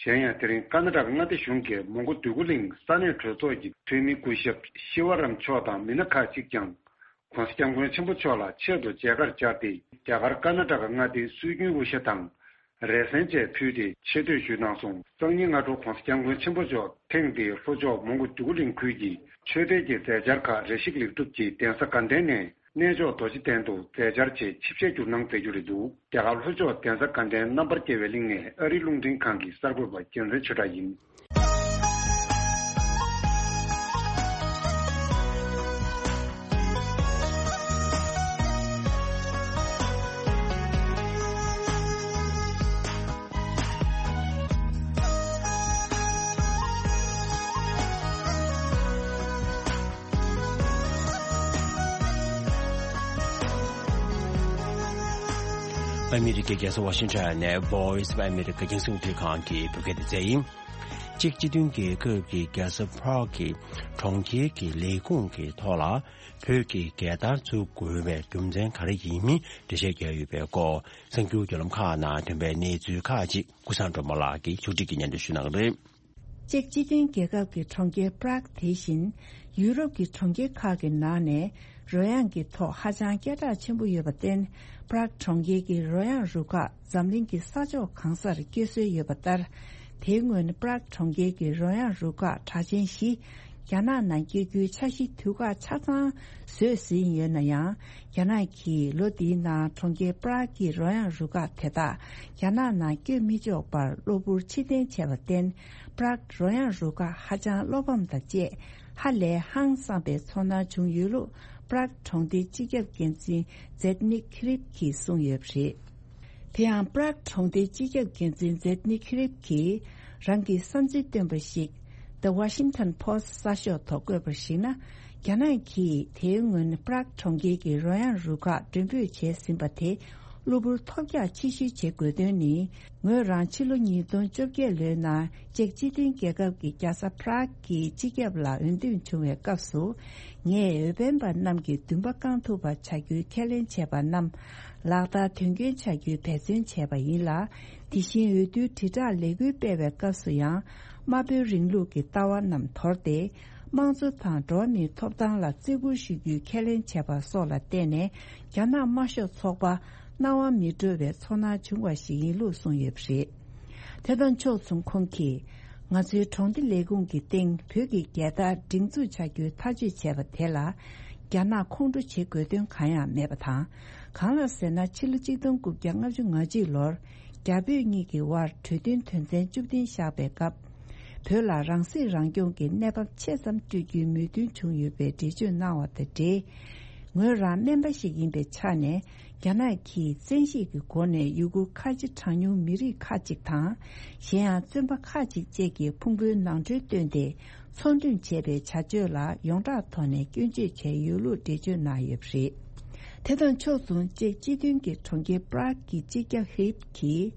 གཞན་ཡང་དེ་རིང་ཀ་ན་ཌ་མངའ་སྡེ་གཞུང་གིས་མོན་གྷོ་འདོད་རྒུ་གླིང་ས་གནས་གྲོས་ཚོགས་ཀྱི་འཐུས་མི་སྐུ་ཞབས་ཤི་བ་རམ་མཆོག་དང་མི་སྣ་ཁག་ཅིག་ཀྱང་༸གོང་ས་༸སྐྱབས་མགོན་ཆེན་པོ་མཆོག་ལ་ཆེད་དུ་མཇལ་ཁར་བཅར་ཏེ་རྒྱ་གར་ཀ་ན་ཌ་མངའ་སྡེའི་སྲོལ་རྒྱུན་དབུ་ཞྭ་དང་། རས་གཟན་བཅས་ཕུལ་ཏེ་ཆེ་བསྟོད་ཞུས་གནང་སོང་། སང་ཉིན་སྔ་དྲོ་༸གོང་ས་༸སྐྱབས་མགོན་ཆེན་པོ་མཆོག་ཐེངས་འདིའི་ལྷོ་ཕྱོགས་མོན་གྷོ་འདོད་རྒུ་གླིང་ཁུལ་གྱི་ཆོས་དད་ཀྱི་མཛད་འཆར་ཁག་རེ་ཞིག་ལེགས་གྲུབ་ཀྱིས་གདན་ས་དགའ་ལྡན་ནས་གནས་མཆོག་རྡོ་རྗེ་གདན་དུ་མཛད་འཆར་ཆེད་ཆིབས་ཞལ་བསྒྱུར་གནང་མཛད་རྒྱུ་རེད་འདུག་རྒྱ་གར་ལྷོ་ཕྱོགས་གདན་ས་དགའ་ལྡན་རྣམ་པར་རྒྱལ་བའི་གླིང་ནས་ཨ་རིའི་རླུང་འཕྲིན་ཁང་གི་གསར་འགོད་པ་རྒྱལ་མཚན་ཆོས་གྲགས་ཡིན། ཨ་མི་རི་ཀའི་རྒྱལ་ས་ཝ་ཤིང་ཊོན་ནས་Voice of America་རྒྱང་སྲིང་རླུང་འཕྲིན་ཁང་གི་བོད་སྐད་སྡེ་ཚན་ཡིན། ཅེཀ་སྤྱི་མཐུན་རྒྱལ་ཁབ་ཀྱི་རྒྱལ་ས་Prague་གི་གྲོང་ཁྱེར་གྱི་ལས་ཁུངས་ཀྱི་ཐོག་ལ་བོད་ཀྱི་རྒྱལ་དར་བཙུགས་དགོས་པའི་རྒྱུ་མཚན་ག་རེ་ཡིན་མིན་འགྲེལ་བཤད་བརྒྱབ་ཡོད་པའི་སྐོར་གསར་འགྱུར་བརྒྱུད་ལམ་ཁག་ནང་ཐོན་པའི་གནས་ཚུལ་ཁག་ཅིག་ཀུན་བཟང་སྒྲོལ་མ་ལགས་ཀྱིས་ཕྱོགས་སྒྲིག་གིས་སྙན་སྒྲོན་ཞུ་གནང་གི་རེད། ཅེཀ་སྤྱི་མཐུན་རྒྱལ་ཁབ་ཀྱི་གྲོང་ཁྱེར་Prague་དེ་བཞིན་ཡུ་རོབ་ཀྱི་གྲོང་ཁྱེར་ཁག་གི་ནང་ནས་རོལ་དབྱངས་ཀྱི་ཐོག་ཧ་ཅང་སྐད་གྲགས་ཆེན་པོ་ཡོད་པར་བརྟེན། Prague་གྲོང་ཁྱེར་གྱི་རོལ་དབྱངས་རུ་ཁག་འཛམ་གླིང་གི་ས་ཕྱོགས་གང་སར་སྐྱོད་སྲོལ་ཡོད་པ་ལྟར། དེའི་སྔོན་Prague་གྲོང་ཁྱེར་གྱི་རོལ་དབྱངས་རུ་ཁག་གྲགས་ཅན་བཞི་རྒྱ་ནག་ནང་སྐྱོད་རྒྱུའི་འཆར་གཞི་དུས་བཀག་ཆ་ཚང་བཟོས་ཟིན་ཡོད་ན་ཡང་། རྒྱ་ནག་གིས་ལོ་འདིའི་ནང་གྲོང་ཁྱེར་Prague་གི་རོལ་དབྱངས་རུ་ཁག་དེ་དག་རྒྱ་ནག་ནང་སྐྱོད་མི་ཆོག་པར་གློ་བུར་ཕྱིར་འཐེན་བྱས་པར་བརྟེན། Prague་རོལ་དབྱངས་རུ་ཁག་ཧ་ཅང་བློ་ཕམ་དང་བཅས་ཧ་ལས་ཧང་སངས་པའི་ཚོར་སྣང་བྱུང་ཡོད་ལུགས་Prague་གྲོང་སྡེའི་སྤྱི་ཁྱབ་འགན་འཛིན་Zdeněk Hrib་གིས་གསུངས་ཡོད་པ་རེད། དེ་ཡང་Prague་གྲོང་སྡེའི་སྤྱི་ཁྱབ་འགན་འཛིན་Zdeněk Hrib་གིས་རང་གི་བསམ་ཚུལ་བཏོན་པ་ཞིག་The Washington Post་གསར་ཤོག་ཐོག་བཀོད་པར་གཞིགས་ན། རྒྱ་ནག་གིས་དེའི་སྔོན་Prague་གྲོང་ཁྱེར་གྱི་རོལ་དབྱངས་རུ་ཁག་མགྲོན་འབོད་བྱས་ཟིན་པ་དེ་གློ་བུར་ཐོལ་རྒྱག་ཕྱིར་བཤོལ་བྱེད་དགོས་དོན་ནི། ངོས་རང་ཕྱི་ལོ་ཉིས་སྟོང་བཅོ་བརྒྱད་ལོའི་ནང་ཅེཀ་སྤྱི་མཐུན་རྒྱལ་ཁབ་ཀྱི་རྒྱལ་ས་Prague་གི་སྤྱི་ཁྱབ་ལ་འོས་འདེམས་བྱུང་བའི་སྐབས་སུ། ངས་འོས་འཕེན་པ་རྣམས་ཀྱི་འདུན་པ་བསྐང་ཐུབ་པ་བྱ་རྒྱུའི་ཁས་ལེན་བྱས་པ་རྣམས་ལག་བསྟར་དོན་འཁྱོལ་བྱ་རྒྱུའི་འབད་བརྩོན་བྱས་པ་ཡིན་ལ། དེ་བཞིན་འོས་བསྡུའི་དྲིལ་བསྒྲགས་ལས་འགུལ་སྤེལ་བའི་སྐབས་སུ་ཡང་། དམར་པོའི་རིང་ལུགས་ཀྱི་ལྟ་བ་རྣམས་དོར་ཏེ། དམངས་གཙོ་དང་འགྲོ་བ་མིའི་ཐོབ་ཐང་ལ་བརྩི་བཀུར་ཞུ་རྒྱུའི་ཁས་ལེན་བྱས་པ་སོགས་ལ་བརྟེན་ནས། རྒྱ་ནག་དམར་ཤོག་ཚོགས་པ་སྣང་བ་མི་འགྲོ་བའི་ཚོར་སྣང་བྱུང་བ་ཞིག་ཡིན་ལུགས་གསུངས་ཡོད་པ་རེད། དེ་དང་ཕྱོགས་མཚུངས་ཁོང་གིས། ང་ཚོའི་གྲོང་སྡེ་ལས་ཁུངས་ཀྱི་སྟེང་བོད་ཀྱི་རྒྱལ་དར་སྒྲེང་འཛུགས་བྱ་རྒྱུའི་ཐག་གཅོད་བྱས་པ་དེ་ལ། རྒྱ་ནག་ཁོང་ཁྲོ་བྱེད་དགོས་དོན་གང་ཡང་མེད་པ་དང་། གང་ལགས་ཟེར་ན། ཕྱི་ལོ་གཅིག་སྟོང་དགུ་བརྒྱ་ལྔ་བཅུ་ང་གཅིག་ལོར། རྒྱ་བོད་གཉིས་ཀྱི་དབར་གྲོས་མཐུན་དོན་ཚན་བཅུ་བདུན་བཞག་པའི་སྐབས། བོད་ལ་རང་སྲིད་རང་སྐྱོང་གི་གནས་བབ་ཆེ་ཙམ་སྤྲོད་རྒྱུའི་མོས་མཐུན་བྱུང་ཡོད་པའི་འགྲེལ་བརྗོད་གནང་བ་དང་འབྲེལ། ངོས་རང་སྨན་པ་ཞིག་ཡིན་པའི་ཆ་ནས། རྒྱ་ནག་གིས་བཙན་ཤེད་ཀྱི་སྒོ་ནས་ཡུ་གུར་ཁ་ཆེ་གྲངས་ཉུང་མི་རིགས་ཁག་ཅིག་དང་། གཞན་ཡང་བཙོན་པ་ཁག་ཅིག་བཅས་ཀྱི་ཕུང་པོའི་ནང་ཁྲོལ་བཏོན་ཏེ། ཚོང་འགྲེམས་བྱས་པའི་བྱ་སྤྱོད་ལ་ཡོངས་གྲགས་ཐོག་ནས་སྐྱོན་བརྗོད་བྱས་ཡོད་ལུགས་འགྲེལ་བརྗོད་གནང་ཡོད་པ་རེད། དེ་དང་ཕྱོགས་མཚུངས། ཅེཀ་སྤྱི་མཐུན་གྱི་གྲོང་ཁྱེར་Prague་གི་སྤྱི་ཁྱབ་Hrib་གིས།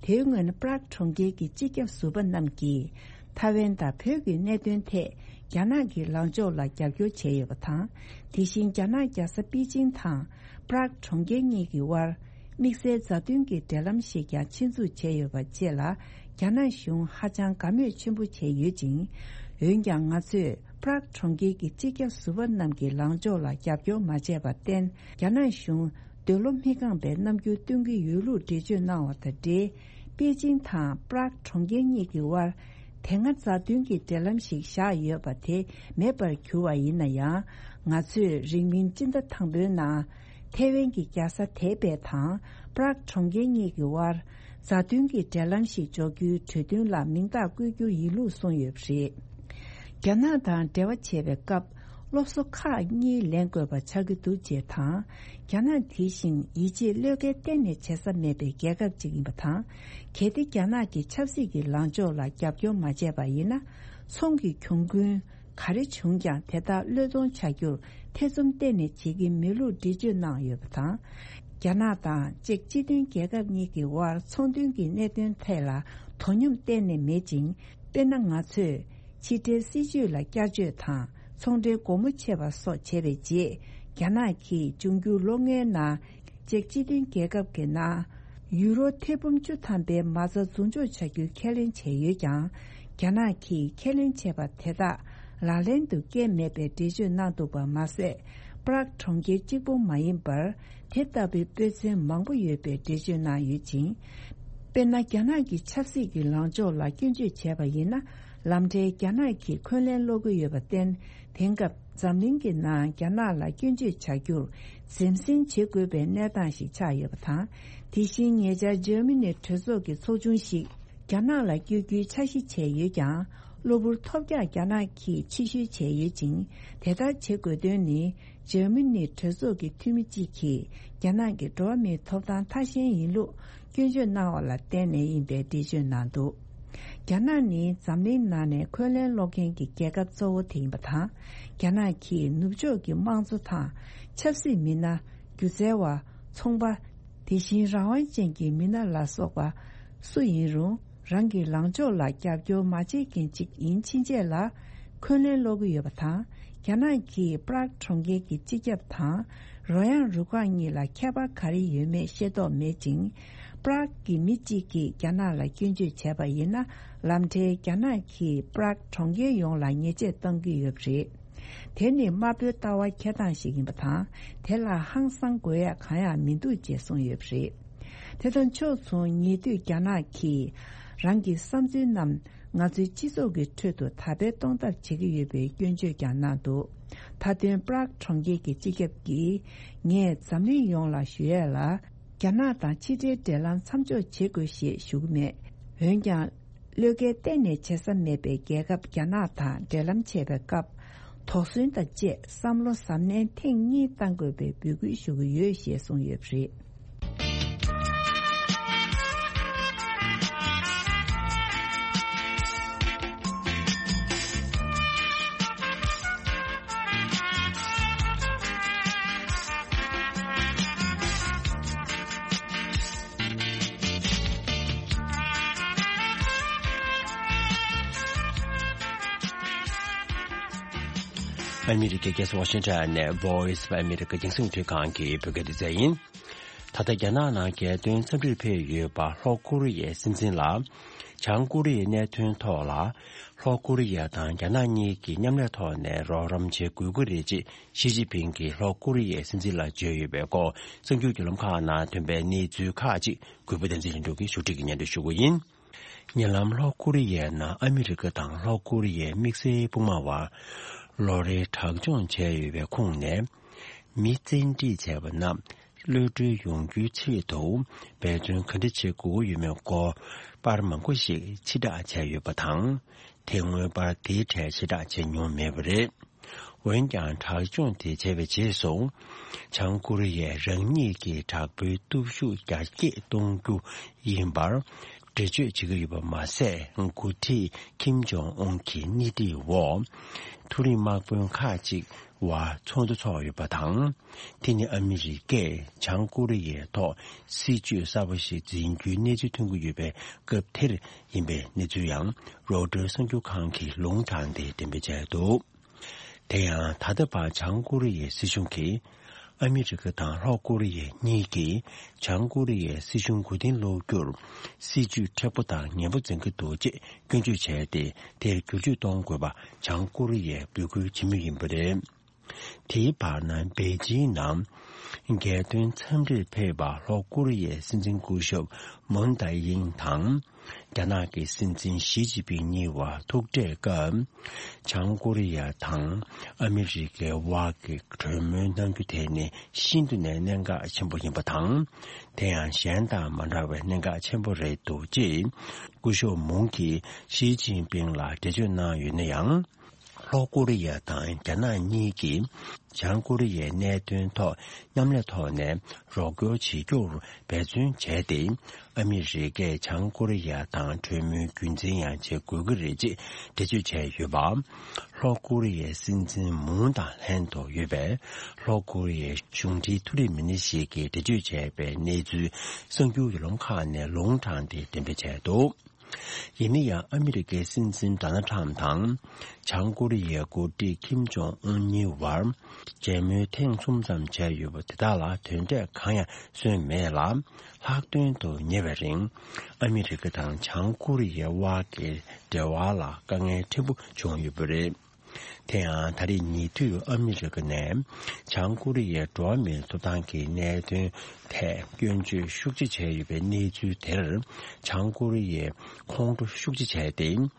དེའི་སྔོན་Prague་གྲོང་ཁྱེར་གྱི་སྤྱི་ཁྱབ་ཟུར་པ་རྣམས་ཀྱིས། ཐའེ་ཝན་དང་བོད་ཀྱི་གནད་དོན་ཐད། རྒྱ་ནག་གི་ལངས་ཕྱོགས་ལ་རྒྱབ་སྐྱོར་བྱས་ཡོད་པ་དང་། དེ་བཞིན་རྒྱ་ནག་རྒྱལ་ས་པེ་ཅིང་དང་། Prague་གྲོང་ཁྱེར་གཉིས་ཀྱི་དབར། དམིགས་བསལ་མཛའ་མཐུན་གྱི་འབྲེལ་ལམ་ཞིག་ཀྱང་ཆེད་འཛུགས་བྱས་ཡོད་པ་བཅས་ལ། རྒྱ་ནག་གཞུང་ཧ་ཅང་དགའ་མོས་ཆེན་པོ་བྱས་ཡོད་ཅིང་། འོན་ཀྱང་ང་ཚོས། Prague་གྲོང་ཁྱེར་གྱི་སྤྱི་ཁྱབ་ཟུར་པ་རྣམས་ཀྱི་ལངས་ཕྱོགས་ལ་རྒྱབ་སྐྱོར་མ་བྱས་པར་བརྟེན། རྒྱ་ནག་གཞུང་། འདོད་བློ་མི་བསྐངས་པའི་རྣམ་འགྱུར་སྟོན་གྱི་ཡོད་ལུགས་འགྲེལ་བརྗོད་གནང་བ་དང་འབྲེལ། པེ་ཅིང་དང་Prague་གྲོང་ཁྱེར་གཉིས་ཀྱི་དབར། དེ་སྔ་མཛའ་མཐུན་གྱི་འབྲེལ་ལམ་ཞིག་བཞག་ཡོད་པ་དེ་མེད་པར་གྱུར་བ་ཡིན་ན་ཡང་། ང་ཚོས་རིང་མིན་སྤྱི་ཟླ་དང་པོའི་ནང་། ཐའེ་ཝན་གྱི་རྒྱལ་ས་ཐའེ་པེ་དང་Prague་གྲོང་ཁྱེར་གཉིས་ཀྱི་དབར། མཛའ་མཐུན་གྱི་འབྲེལ་ལམ་ཞིག་འཇོག་རྒྱུའི་གྲོས་མཐུན་ལ་མིང་རྟགས་བཀོད་རྒྱུ་ཡིན་ལུགས་གསུངས་ཡོད་པ་རེད། རྒྱ་ནག་དང་འབྲེལ་བ་བྱེད་པའི་སྐབས། སློབ་གསོ་ཁག་གཉིས་ལེན་དགོས་པ་ཆགས་ཀྱི་འདུག་ཅེས་དང་། རྒྱ་ནག་དེ་བཞིན་ཡིད་ཆེས་བློས་འགེལ་གཏན་ནས་བྱེད་ས་མེད་པའི་རྒྱལ་ཁབ་ཅིག་ཡིན་པ་དང་། གལ་ཏེ་རྒྱ་ནག་གི་ཆབ་སྲིད་ཀྱི་ལངས་ཕྱོགས་ལ་རྒྱབ་སྐྱོར་མ་བྱས་པ་ཡིན་ན། ཚོང་གི་གྱོང་གུན་ག་རེ་བྱུང་ཀྱང་དེ་དག་བློས་གཏོང་བྱ་རྒྱུར་ཐེ་ཚོམ་གཏན་ནས་བྱེད་ཀྱི་མེད་ལུགས་འགྲེལ་བརྗོད་གནང་ཡོད་པ་དང་། རྒྱ་ནག་དང་ཅེཀ་སྤྱི་མཐུན་རྒྱལ་ཁབ་གཉིས་ཀྱི་དབར་ཚོང་དོན་གྱི་གནད་དོན་ཐད་ལ་དོ་སྙོམས་གཏན་ནས་མེད་ཅིང་། དཔེར་ན། ང་ཚོས་ཕྱི་འབྲེལ་སྲིད་ཇུས་ལ་བསྐྱར་བཅོས་དང་ཚོང་འབྲེལ་སྒོ་མོ་ཕྱེ་བ་སོགས་བྱས་པའི་རྗེས། རྒྱ་ནག་གིས་འབྱུང་འགྱུར་ལོ་ལྔའི་ནང་ཅེཀ་སྤྱི་མཐུན་རྒྱལ་ཁབ་ཀྱི་ནང་ ཡུ་རོ་ཐེར་འབུམ་བཅུ་ཐམ་པའི་མ་རྩ་འཛུགས་འཇོག་བྱ་རྒྱུའི་ཁས་ལེན་བྱས་ཡོད་ཀྱང་། རྒྱ་ནག་གིས་ཁས་ལེན་བྱས་པ་དེ་དག་ལག་ལེན་དུ་བཀལ་མེད་པའི་འགྲེལ་བརྗོད་གནང་འདུག་པ་མ་ཟད། པྲག་གྲོང་ཁྱེར་གཅིག་པུ་མ་ཡིན་པར། དེ་ལྟ་བུའི་དཔེ་མཚོན་མང་པོ་ཡོད་པའི་འགྲེལ་བརྗོད་གནང་ཡོད་ཅིང་། དཔེར་ན། རྒྱ་ནག་གི་ཆབ་སྲིད་ཀྱི་ལངས་ཕྱོགས་ལ་སྐྱོན་བརྗོད་བྱས་པ་ཡིན་ན། ལམ་འཕྲལ་རྒྱ་ནག་གིས་འཁོན་ལན་སློག་གི་ཡོད་པར་བརྟེན། དེང་སྐབས་འཛམ་གླིང་གི་ནང་རྒྱ་ནག་ལ་སྐྱོན་བརྗོད་བྱ་རྒྱུར་འཛེམ་ཟོན་བྱེད་དགོས་པའི་གནས་སྟངས་ཤིག་ཆགས་ཡོད་པ་དང་། དེ་བཞིན་ཉེ་ཆར་འཇར་མ་ནི་གྲོས་ཚོགས་ཀྱི་ཚོགས་ཆུང་ཞིག་རྒྱ་ནག་ལ་བསྐྱོད་རྒྱུའི་འཆར་གཞི་བྱས་ཡོད་ཀྱང་། གློ་བུར་ཐོལ་རྒྱག་རྒྱ་ནག་གིས་ཕྱིར་བཤོལ་བྱས་ཡོད་ཅིང་། དེ་ལྟར་བྱེད་དགོས་དོན་ནི། འཇར་མ་ནི་གྲོས་ཚོགས་ཀྱི་འཐུས་མི་གཅིག་གིས་རྒྱ་ནག་གི་འགྲོ་བ་མིའི་ཐོབ་ཐང་ཐ་ཞན་ཡིན་ལུགས་སྐྱོན་བརྗོད་གནང་བ་ལ་བརྟེན་ནས་ཡིན་པའི་འགྲེལ་བརྗོད་གནང་འདུག་རྒྱ་ནག་ནི་འཛམ་གླིང་ནང་ནས་འཁོན་ལན་སློག་མཁན་གྱི་རྒྱལ་ཁབ་གཙོ་བོ་དེ་ཡིན་པ་དང་། རྒྱ་ནག་གིས་ནུབ་ཕྱོགས་ཀྱི་དམངས་གཙོ་དང་། ཆབ་སྲིད་མི་སྣ། སྒྱུ་རྩལ་བ། ཚོང་པ། དེ་བཞིན་རང་དབང་ཅན་གྱི་མི་སྣ་ལ་སོགས་པ་སུ་ཡིན་རུང་། རང་གི་ལངས་ཕྱོགས་ལ་རྒྱབ་སྐྱོར་མ་བྱེད་མཁན་ཅིག་ཡིན་ཕྱིན་ཆད་ལ་འཁོན་ལན་སློག་གི་ཡོད་པ་དང་། རྒྱ་ནག་གིས་པྲག་གྲོང་ཁྱེར་གྱི་སྤྱི་ཁྱབ་དང་རོལ་དབྱངས་རུ་ཁག་གཉིས་ལ་ཁྱད་པར་ག་རེ་ཡོད་མེད་ཤེས་རྟོགས་མེད་ཅིང་། པྲག་གི་མི་གཅིག་གིས་རྒྱ་ནག་ལ་སྐྱོན་བརྗོད་བྱས་པ་ཡིན་ན། ལམ་འཕྲལ་རྒྱ་ནག་གིས་པྲག་གྲོང་ཁྱེར་ཡོངས་ལ་ཉེས་ཆད་གཏོང་གི་ཡོད་པ་རེད། དེ་ནི་དམར་པོའི་ལྟ་བ་འཁྱེར་སྟངས་ཤིག་ཡིན་པ་དང་། དེ་ལ་ཧང་སང་དགོས་ཡག་གང་ཡང་མི་འདུག་ཅེས་གསུངས་ཡོད་པ་རེད། དེ་དང་ཕྱོགས་མཚུངས། ཉེ་དུས་རྒྱ་ནག་གིས་རང་གི་བསམ་ཚུལ་རྣམས་ང་ཚོའི་སྤྱི་ཚོགས་ཀྱི་ཁྲོད་དུ་དར་སྤེལ་གཏོང་ཐབས་བྱེད་ཀྱི་ཡོད་པའི་སྐྱོན་བརྗོད་ཀྱང་གནང་འདུག་མཐའ་དོན། པྲག་གྲོང་ཁྱེར་གྱི་སྤྱི་ཁྱབ་ཀྱིས། ངས་འཛམ་གླིང་ཡོངས་ལ་ཞུ་ཡས་ལ། རྒྱ་ནག་དང་ཕྱི་འབྲེལ་འབྲེལ་ལམ་མཚམས་འཇོག་བྱེད་དགོས་ཞེས་ཞུ་གི་མེད། འོན་ཀྱང་། བློས་འགེལ་གཏན་ནས་བྱེད་ས་མེད་པའི་རྒྱལ་ཁབ་རྒྱ་ནག་དང་འབྲེལ་ལམ་བྱེད་པའི་སྐབས། དོགས་ཟོན་དང་བཅས་བསམ་བློ་གཟབ་ནན་ཐེངས་གཉིས་གཏང་དགོས་པའི་འབོད་སྐུལ་ཞུ་གི་ཡོད་ཞེས་གསུངས་ཡོད་པ་རེད། ཨ་མི་རི་ཀའི་རྒྱལ་ས་ཝ་ཤིང་ཊོན་ནས་Voice of America རྒྱང་སྲིང་རླུང་འཕྲིན་ཁང་གི་བོད་སྐད་སྡེ་ཚན་ཡིན། ད་ལྟ་རྒྱ་ནག་ནང་རྒྱལ་དོན་འཚམས་འདྲིར་ཕེབས་ཡོད་པ་ལྷོ་ཀོ་རི་ཡའི་སྲིད་འཛིན་ལ། བྱང་ཀོ་རི་ཡའི་གནད་དོན་ཐོག་ལ། ལྷོ་ཀོ་རི་ཡ་དང་རྒྱ་ནག་གཉིས་ཀྱིས་མཉམ་ལས་ཐོག་ནས་རོགས་རམ་བྱེད་དགོས་ཀྱི་རེད་ཅེས་ཞི་ཅིན་ཕིང་གིས་ལྷོ་ཀོ་རི་ཡའི་སྲིད་འཛིན་ལ་བརྗོད་ཡོད་པའི་སྐོར། གསར་འགྱུར་བརྒྱུད་ལམ་ཁག་ནང་ཐོན་པའི་གནས་ཚུལ་ཁག་ཅིག་གུས་པ་བསྟན་འཛིན་ལྷུན་གྲུབ་ཀྱིས་ཞུ་སྒྲིག་གིས་སྙན་སྒྲོན་ཞུ་གི་ཡིན། ཉེ་ལམ་ལྷོ་ཀོ་རི་ཡའི་ནང་ཨ་མི་རི་ཀ་དང་ལྷོ་ཀོ་རི་ཡའི་དམིགས་བསལ་དཔུང་དམག་བར་ལོ་རེའི་དྲག་སྦྱོང་བྱས་ཡོད་པའི་ཁོངས་ནས། མི་བཙན་ཁྲིད་བྱས་པ་རྣམས་གློད་གྲོལ་ཡོང་རྒྱུའི་ཆེད་དུ་འབད་བརྩོན་ག་འདྲ་བྱེད་དགོས་ཡོད་མེད་སྐོར་པར་མང་པོ་ཞིག་ཕྱིར་བསྒྲགས་བྱས་ཡོད་པ་དང་། དེ་སྔོན་པར་དེའི་གྲས་ཕྱིར་བསྒྲགས་བྱས་མྱོང་མེད་པ་རེད། འོན་ཀྱང་། དྲག་སྦྱོང་དེ་བྱས་པའི་རྗེས་སུ། བྱང་ཀོ་རི་ཡས་རང་ཉིད་ཀྱི་དྲག་པོའི་སྟོབས་ཤུགས་རྒྱ་སྐྱེད་གཏོང་རྒྱུ་ཡིན་པར་འགྲེལ་བརྗོད་བྱེད་ཀྱི་ཡོད་པ་མ་ཟད། འགོ་ཁྲིད་ཁིམ་ཇོང་ཨུན་གྱི་སྣེ་ཁྲིད་འོག་མཐོ་རིམ་དམག་དཔོན་ཁག་ཅིག་བར་ཚོགས་འདུ་འཚོགས་ཡོད་པ་དང་། དེ་ནི་ཨ་མི་རི་ཀས་བྱང་ཀོ་རི་ཡའི་ཐོག་སྲིད་ཇུས་གསར་པ་ཞིག་འཛིན་རྒྱུའི་གནས་ཚུལ་ཐོན་གྱི་ཡོད་པའི་སྐབས་དེར་ཡིན་པའི་གནས་ཚུལ་ཡང་རོའི་ཊར་གསར་འགྱུར་ཁང་གིས་ལུང་དྲངས་ཏེ་འགྲེམས་སྤེལ་བྱས་འདུག་དེ་ཡང་ད་ལྟ་བར་བྱང་ཀོ་རི་ཡའི་སྲིད་གཞུང་གིས། ཨ་མི་རི་ཀ་དང་ལྷོ་ཀོ་རི་ཡ་གཉིས་ཀྱིས་བྱང་ཀོ་རི་ཡའི་སྲིད་གཞུང་མགོ་རྟིང་སློག་རྒྱུར་སྲིད་ཇུས་མཁྲེགས་པོ་དང་ངན་པ་འཛིན་གྱི་འདུག་ཅེས་སྐྱོན་བརྗོད་བྱས་ཏེ། དེར་བསྒྱུར་བཅོས་གཏོང་དགོས་པ་བྱང་ཀོ་རི་ཡས་འབོད་སྐུལ་བྱེད་མུས་ཡིན་པ་རེད། དེའི་བར་ན། པེ་ཅིང་ནང་རྒྱལ་དོན་འཚམས་འདྲིར་ཕེབས་པ་ལྷོ་ཀོ་རི་ཡའི་སྲིད་འཛིན་སྐུ་ཞབས་མུན་ཏཱ་ཡིང་དང་། རྒྱ་ནག་གི་སྲིད་འཛིན་ཞི་ཅིན་ཕིང་གཉིས་བར་ཐུག་འཕྲད་སྐབས། བྱང་ཀོ་རི་ཡ་དང་ཨ་མི་རི་ཀའི་དབར་གྱི་གྲོས་མོལ་གནང་རྒྱུ་དེ་ནི་ཤིན་ཏུ་ནས་གནད་འགག་ཆེན་པོ་ཡིན་པ་དང་། དེ་ཡང་གཞན་དང་མ་འདྲ་བའི་གནད་འགག་ཆེན་པོ་རེད་འདུག་ཅེས་སྐུ་ཞབས་མུང་གིས་ཞི་ཅིན་ཕིང་ལ་འགྲེལ་བརྗོད་གནང་ཡོད་ན་ཡང་། ལྷོ་ཀོ་རི་ཡ་དང་རྒྱ་ནག་གཉིས་ཀྱིས་བྱང་ཀོ་རི་ཡའི་གནད་དོན་ཐོག་མཉམ་ལས་ཐོག་ནས་རོགས་སྐྱོར་བྱེད་རྒྱུར་འབད་བརྩོན་བྱས་ཏེ། ཨ་མི་རི་ཀས་བྱང་ཀོ་རི་ཡ་དང་གྲོས་མོལ་རྒྱུན་འཛིན་ཡང་བྱེད་དགོས་ཀྱི་རེད་ཅེས་འགྲེལ་བརྗོད་བྱས་ཡོད་པ། ལྷོ་ཀོ་རི་ཡའི་སྲིད་འཛིན་མུང་དང་ལྷན་དུ་ཡོད་པའི་ལྷོ་ཀོ་རི་ཡའི་གཞུང་འབྲེལ་མཐོ་རིམ་མི་སྣ་ཞིག་གིས་འགྲེལ་བརྗོད་བྱས་པའི་གནས་ཚུལ་གསར་འགྱུར་བརྒྱུད་ལམ་ཁག་ནས་ལུང་དྲངས་ཏེ་འགྲེམས་སྤེལ་བྱས་འདུག་ཡིན་ན་ཡང་ཨ་མི་རི་ཀའི་སྲིད་འཛིན་ཌོ་ནལ་ཊམ་དང་། བྱང་ཀོ་རི་ཡའི་འགོ་ཁྲིད་ཁིམ་ཇོང་ཨུན་གཉིས་བར་མཇལ་མོལ་ཐེངས་གསུམ་ཙམ་བྱས་ཡོད་པ་དེ་དག་ལ་དོན་འབྲས་གང་ཡང་སོན་མེད་ལ། ལྷག་དོན་དུ་ཉེ་བའི་རིང་ཨ་མི་རི་ཀ་དང་བྱང་ཀོ་རི་ཡའི་དབར་གྱི་འབྲེལ་བ་ལ་དཀའ་ངལ་ཕྲན་བུ་བྱུང་ཡོད་པ་རེད། དེ་ཡང་ད་རེས་ཉེ་དུས་ཨ་མི་རི་ཀ་ནས་བྱང་ཀོ་རི་ཡའི་འགྲོ་བ་མིའི་ཐོབ་ཐང་གི་གནད་དོན་ཐད་སྐྱོན་བརྗོད་ཤུགས་ཆེ་བྱས་ཡོད་པའི་གནས་ཚུལ་དེར་བྱང་ཀོ་རི་ཡས་ཁོང་ཁྲོ་ཤུགས་ཆེ་བྱས་ཏེ།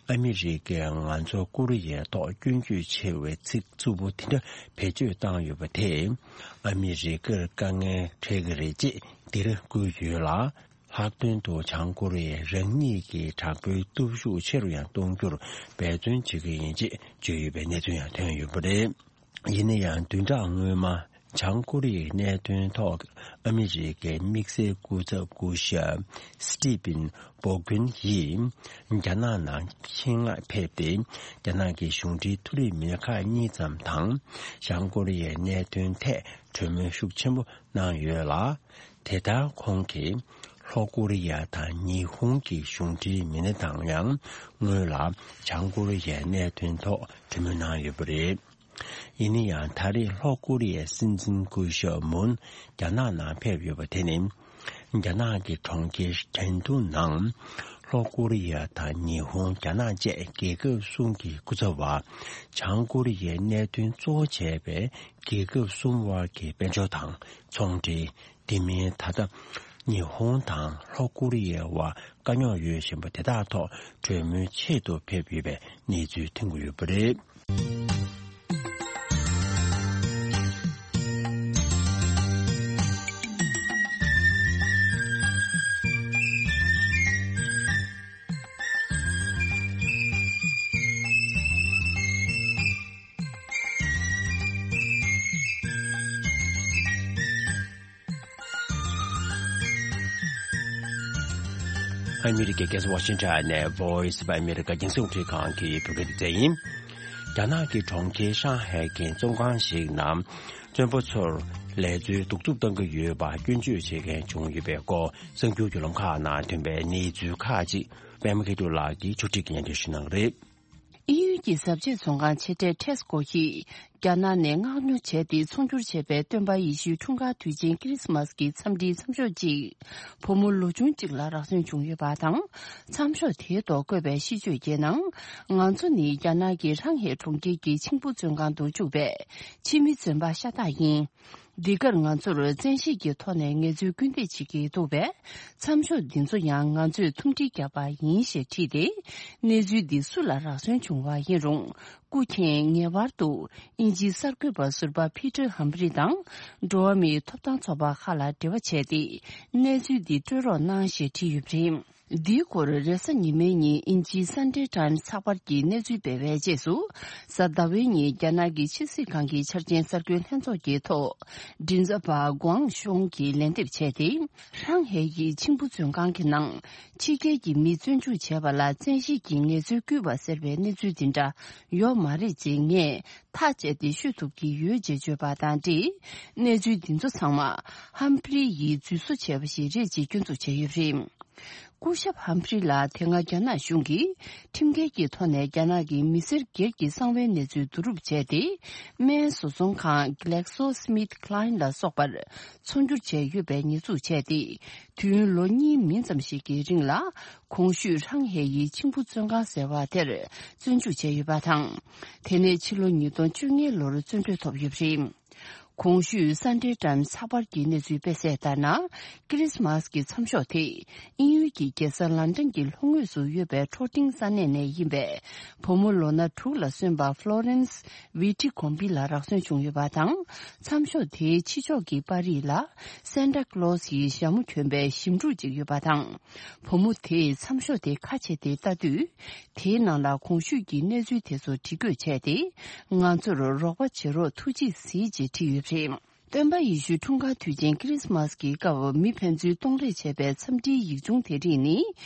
ཨ་མི་རི་ཀས་ང་ཚོ་ཀོ་རི་ཡའི་ཐོག་སྐྱོན་བརྗོད་ཆེ་བའི་ཚིག་རྩུབ་པོ་དེ་འདྲ་བེད་སྤྱོད་བཏང་ཡོད་པ་དེས་ཨ་མི་རི་ཀར་དཀའ་ངལ་འཕྲད་ཀྱི་རེད་ཅེས་འདིར་བཀོད་ཡོད་ལ། ལྷག་དོན་དུ་བྱང་ཀོ་རི་ཡས་རང་ཉིད་ཀྱི་དྲག་པོའི་སྟོབས་ཤུགས་ཆེ་རུ་ཡང་གཏོང་རྒྱུར་འབད་བརྩོན་བྱེད་ཀྱི་ཡིན་ཅེས་བརྗོད་ཡོད་པའི་གནས་ཚུལ་ཡང་ཐོན་ཡོད་པ་རེད། ཡིན་ན་ཡང་བདུན་ཕྲག་སྔོན་མ་བྱང་ཀོ་རི་ཡའི་གནད་དོན་ཐོག་ཨ་མི་རི་ཀའི་དམིགས་བསལ་སྐུ་ཚབ་སྐུ་ཞབས་སི་ཏི་ཕིན་བོ་གུན་ཡིས་རྒྱ་ནག་ནང་ཆེད་མངགས་ཕེབས་ཏེ། རྒྱ་ནག་གི་གཞུང་འབྲེལ་མཐོ་རིམ་མི་སྣ་ཁག་གཉིས་ཙམ་དང་། བྱང་ཀོ་རི་ཡའི་གནད་དོན་ཐད་གྲོས་མོལ་ཤུགས་ཆེན་པོ་གནང་ཡོད་ལ། དེ་ལྟར་ཁོང་གིས་ལྷོ་ཀོ་རི་ཡ་དང་ཉི་ཧོང་གི་གཞུང་འབྲེལ་མི་སྣ་དང་ཡང་སྔོན་ལ་བྱང་ཀོ་རི་ཡའི་གནད་དོན་ཐོག་གྲོས་མོལ་གནང་ཡོད་པ་རེད། ཡིན་ན་ཡང་ད་རེས་ལྷོ་ཀོ་རི་ཡའི་སྲིད་འཛིན་སྐུ་ཞབས་མུན་རྒྱ་ནག་ནང་ཕེབས་ཡོད་པ་དེ་ནི། རྒྱ་ནག་གི་གྲོང་ཁྱེར་ཁྲེང་ཏུའུ་ནང་ལྷོ་ཀོ་རི་ཡ་དང་ཉི་ཧོང་རྒྱ་ནག་བཅས་རྒྱལ་ཁབ་གསུམ་གྱི་སྐུ་ཚབ་པ་བྱང་ཀོ་རི་ཡའི་གནད་དོན་གཙོ་བོ་བྱས་པའི་རྒྱལ་ཁབ་གསུམ་དབར་གྱི་དཔལ་འབྱོར་དང་ཚོང་འབྲེལ། དེ་མིན་ད་ལྟ་ཉི་ཧོང་དང་ལྷོ་ཀོ་རི་ཡའི་དབར་དཀའ་རྙོག་ཡོད་བཞིན་པ་དེ་དག་ཐོག་གྲོས་མོལ་ཆེད་དུ་ཕེབས་ཡོད་པའི་གནས་ཚུལ་ཐོན་གྱི་ཡོད་པ་རེད། ཨ་མི་རི་ཀའི་རྒྱལ་ས་ཝ་ཤིང་ཊོན་ནས་Voice of America རྒྱང་སྲིང་རླུང་འཕྲིན་ཁང་གི་བོད་སྐད་སྡེ་ཚན་ཡིན། རྒྱ་ནག་གི་གྲོང་ཁྱེར་ཧྲང་ཧའེ་གྱི་བཙོན་ཁང་ཞིག་ནང་བཙོན་པ་ཚོར་ལས་འཛོལ་གདུག་རྩུབ་བཏང་གི་ཡོད་པ་སྐྱོན་བརྗོད་བྱེད་མཁན་བྱུང་ཡོད་པའི་སྐོར་གསར་འགྱུར་བརྒྱུད་ལམ་ཁག་ནང་ཐོན་པའི་གནས་ཚུལ་ཁག་ཅིག་པད་མ་སྐྱིད་སྡུག་ལགས་ཀྱིས་ཕྱོགས་སྒྲིག་གིས་སྙན་སྒྲོན་ཞུ་གནང་གི་རེད། དབྱིན་ཡུལ་གྱི་ཟབ་ཆོས་ཚོང་ཁང་ཆེ་གྲས་Tesco ཡིས་རྒྱ་ནག་ནས་མངགས་ཉོ་བྱས་ཏེ་ཚོང་སྒྱུར་བྱས་པའི་སྟོན་པ་ཡེ་ཤུའི་འཁྲུངས་སྐར་དུས་ཆེན་ཁི་རི་སི་མ་སི་གི་འཚམས་འདྲིའི་མཚམས་ཤོག་ཅིག་བུ་མོ་ལོ་ཆུང་གཅིག་ལ་རག་སོན་བྱུང་ཡོད་པ་དང་། མཚམས་ཤོག་དེའི་ཐོག་བཀོད་པའི་ཤིས་བརྗོད་ཀྱི་ནང་། ང་ཚོ་ནི་རྒྱ་ནག་གི་ཧྲང་ཧའེ་གྲོང་ཁྱེར་གྱི་ཆིང་ཕུ་བཙོན་ཁང་དུ་བཅུག་པའི་ཕྱི་མི་བཙོན་པ་ཤ་སྟག་ཡིན། འདི་གར་ང་ཚོར་བཙན་ཤེད་ཀྱི་ཐོག་ནས་ངལ་རྩོལ་སྐུལ་འདེད་བྱེད་ཀྱི་འདུག་པས། མཚམས་ཤོག་འདི་ཚོ་ཡང་ང་ཚོས་ཐུམ་སྒྲིལ་བརྒྱབ་པ་ཡིན་ཞེས་བྲིས་ཏེ། གནས་ཚུལ་འདི་སུ་ལ་རག་སོན་བྱུང་བ་ཡིན་རུང་། སྐུ་མཁྱེན་ངེས་པར་དུ་དབྱིན་ཇིའི་གསར་འགོད་པ་ཟུར་པ་Peter Humphreys དང་འགྲོ་བ་མིའི་ཐོབ་ཐང་ཚོགས་པ་ཁག་ལ་འབྲེལ་བ་བྱས་ཏེ། གནས་ཚུལ་འདི་སྤྲོད་རོགས་གནང་ཞེས་བྲིས་ཡོད་པ་རེད། འདིའི་སྐོར་རེས་གཟའ་ཉི་མའི་ཉིན་དབྱིན་ཇིའི་Sunday Times ཚགས་པར་གྱིས་གནས་ཚུལ་སྤེལ་བའི་རྗེས་སུ། གཟའ་ཟླ་བའི་ཉིན་རྒྱ་ནག་གི་ཕྱི་སྲིད་ཁང་གི་འཆར་ཅན་གསར་འགོད་ལྷན་ཚོགས་ཀྱི་ཐོག་མགྲིན་ཚབ་པ་ཀུའང་ཤུང་གིས་ལན་འདེབས་བྱས་ཏེ། ཧྲང་ཧའེ་ཡི་ཆིང་ཕུ་བཙོན་ཁང་གི་ནང་ཕྱི་རྒྱལ་གྱི་མི་བཙོན་འཇུག་བྱས་པ་ལ་བཙན་ཤེད་ཀྱིས་ངལ་རྩོལ་བསྐུལ་བ་ཟེར་བའི་གནས་ཚུལ་འདི་འདྲ་ཡོད་མ་རེད་ཅེས་ངས་ཐག་བཅད་དེ་ཤོད་ཐུབ་ཀྱི་ཡོད་ཅེས་བརྗོད་པ་དང་འབྲེལ། གནས་ཚུལ་འདི་ཚོ་ཚང་མ་ཧམ་ཕི་རི་ཡིས་འཛུལ་བཟོ་བྱས་པ་ཞིག་རེད་ཅེས་སྐྱོན་འཛུགས་བྱས་ཡོད་པ་རེད། སྐུ་ཞབས་ཧམ་ཕི་རི་ལ་དེ་སྔ་རྒྱ་ནག་གཞུང་གིས་ཁྲིམས་འགལ་གྱི་ཐོག་ནས་རྒྱ་ནག་གི་མི་སེར་སྒེར་གྱི་གསང་བའི་གནས་ཚུལ་བསྡུ་རུབ་བྱས་ཏེ། སྨན་བཟོ་ཚོང་ཁང་GlaxoSmithKline ལ་སོགས་པར་ཚོང་སྒྱུར་བྱས་ཡོད་པའི་ཉེས་འཛུགས་བྱས་ཏེ། དུས་ཡུན་ལོ་གཉིས་མིན་ཙམ་ཞིག་གི་རིང་ལ་གོང་ཞུས་ཧྲང་ཧའེ་ཡི་ཆིང་ཕུ་བཙོན་ཁང་ཟེར་བ་དེར་བཙོན་འཇུག་བྱས་ཡོད་པ་དང་། དེ་ནས་ཕྱི་ལོ་ཉིས་སྟོང་བཅོ་ལྔ་ལོར་བཙོན་གྲོལ་ཐོབ་ཡོད་པ་རེད། གོང་ཞུས་Sunday Times ཚགས་པར་གྱི་གནས་ཚུལ་སྤེལ་གསལ་ལྟར་ན། ཁི་རི་སི་མ་སི་གི་མཚམས་ཤོག་དེ་དབྱིན་ཡུལ་གྱི་རྒྱལ་ས་ལན་ཀྲན་གྱི་ལྷོ་ངོས་སུ་ཡོད་པའི་ཁྲོ་ཏིང་ས་གནས་ནས་ཡིན་པའི་བུ་མོ་ལོ་ན་དྲུག་ལ་སོན་པ་Florence Vitticombie ལ་རག་སོན་བྱུང་ཡོད་པ་དང་། མཚམས་ཤོག་དེའི་ཕྱི་ཕྱོགས་ཀྱི་པར་རིས་ལ་Santa Claus ཡི་ཞྭ་མོ་གྱོན་པའི་ཞིབ་འབྲུ་ཅིག་ཡོད་པ་དང་། བུ་མོ་དེས་མཚམས་ཤོག་དེ་ཁ་ཕྱེ་སྟེ་ལྟ་དུས། དེའི་ནང་ལ་གོང་ཞུས་ཀྱི་གནས་ཚུལ་དེ་ཚོ་བྲིས་འགོད་བྱས་ཏེ། ང་ཚོར་རོགས་པ་བྱེད་རོགས་ཐུགས་རྗེས་གཟིགས་ཅེས་བྲིས་ཡོད་པ་རེད། སྟོན་པ་ཡེ་ཤུའི་འཁྲུངས་སྐར་དུས་ཆེན་ཁི་རི་སི་མཱ་སི་ཀྱི་སྐབས་མི་ཕན་ཚུན་གཏོང་ལེན་བྱས་པའི་འཚམས་འདྲིའི་ཡིག་ཆུང་དེ་རིགས་ནི།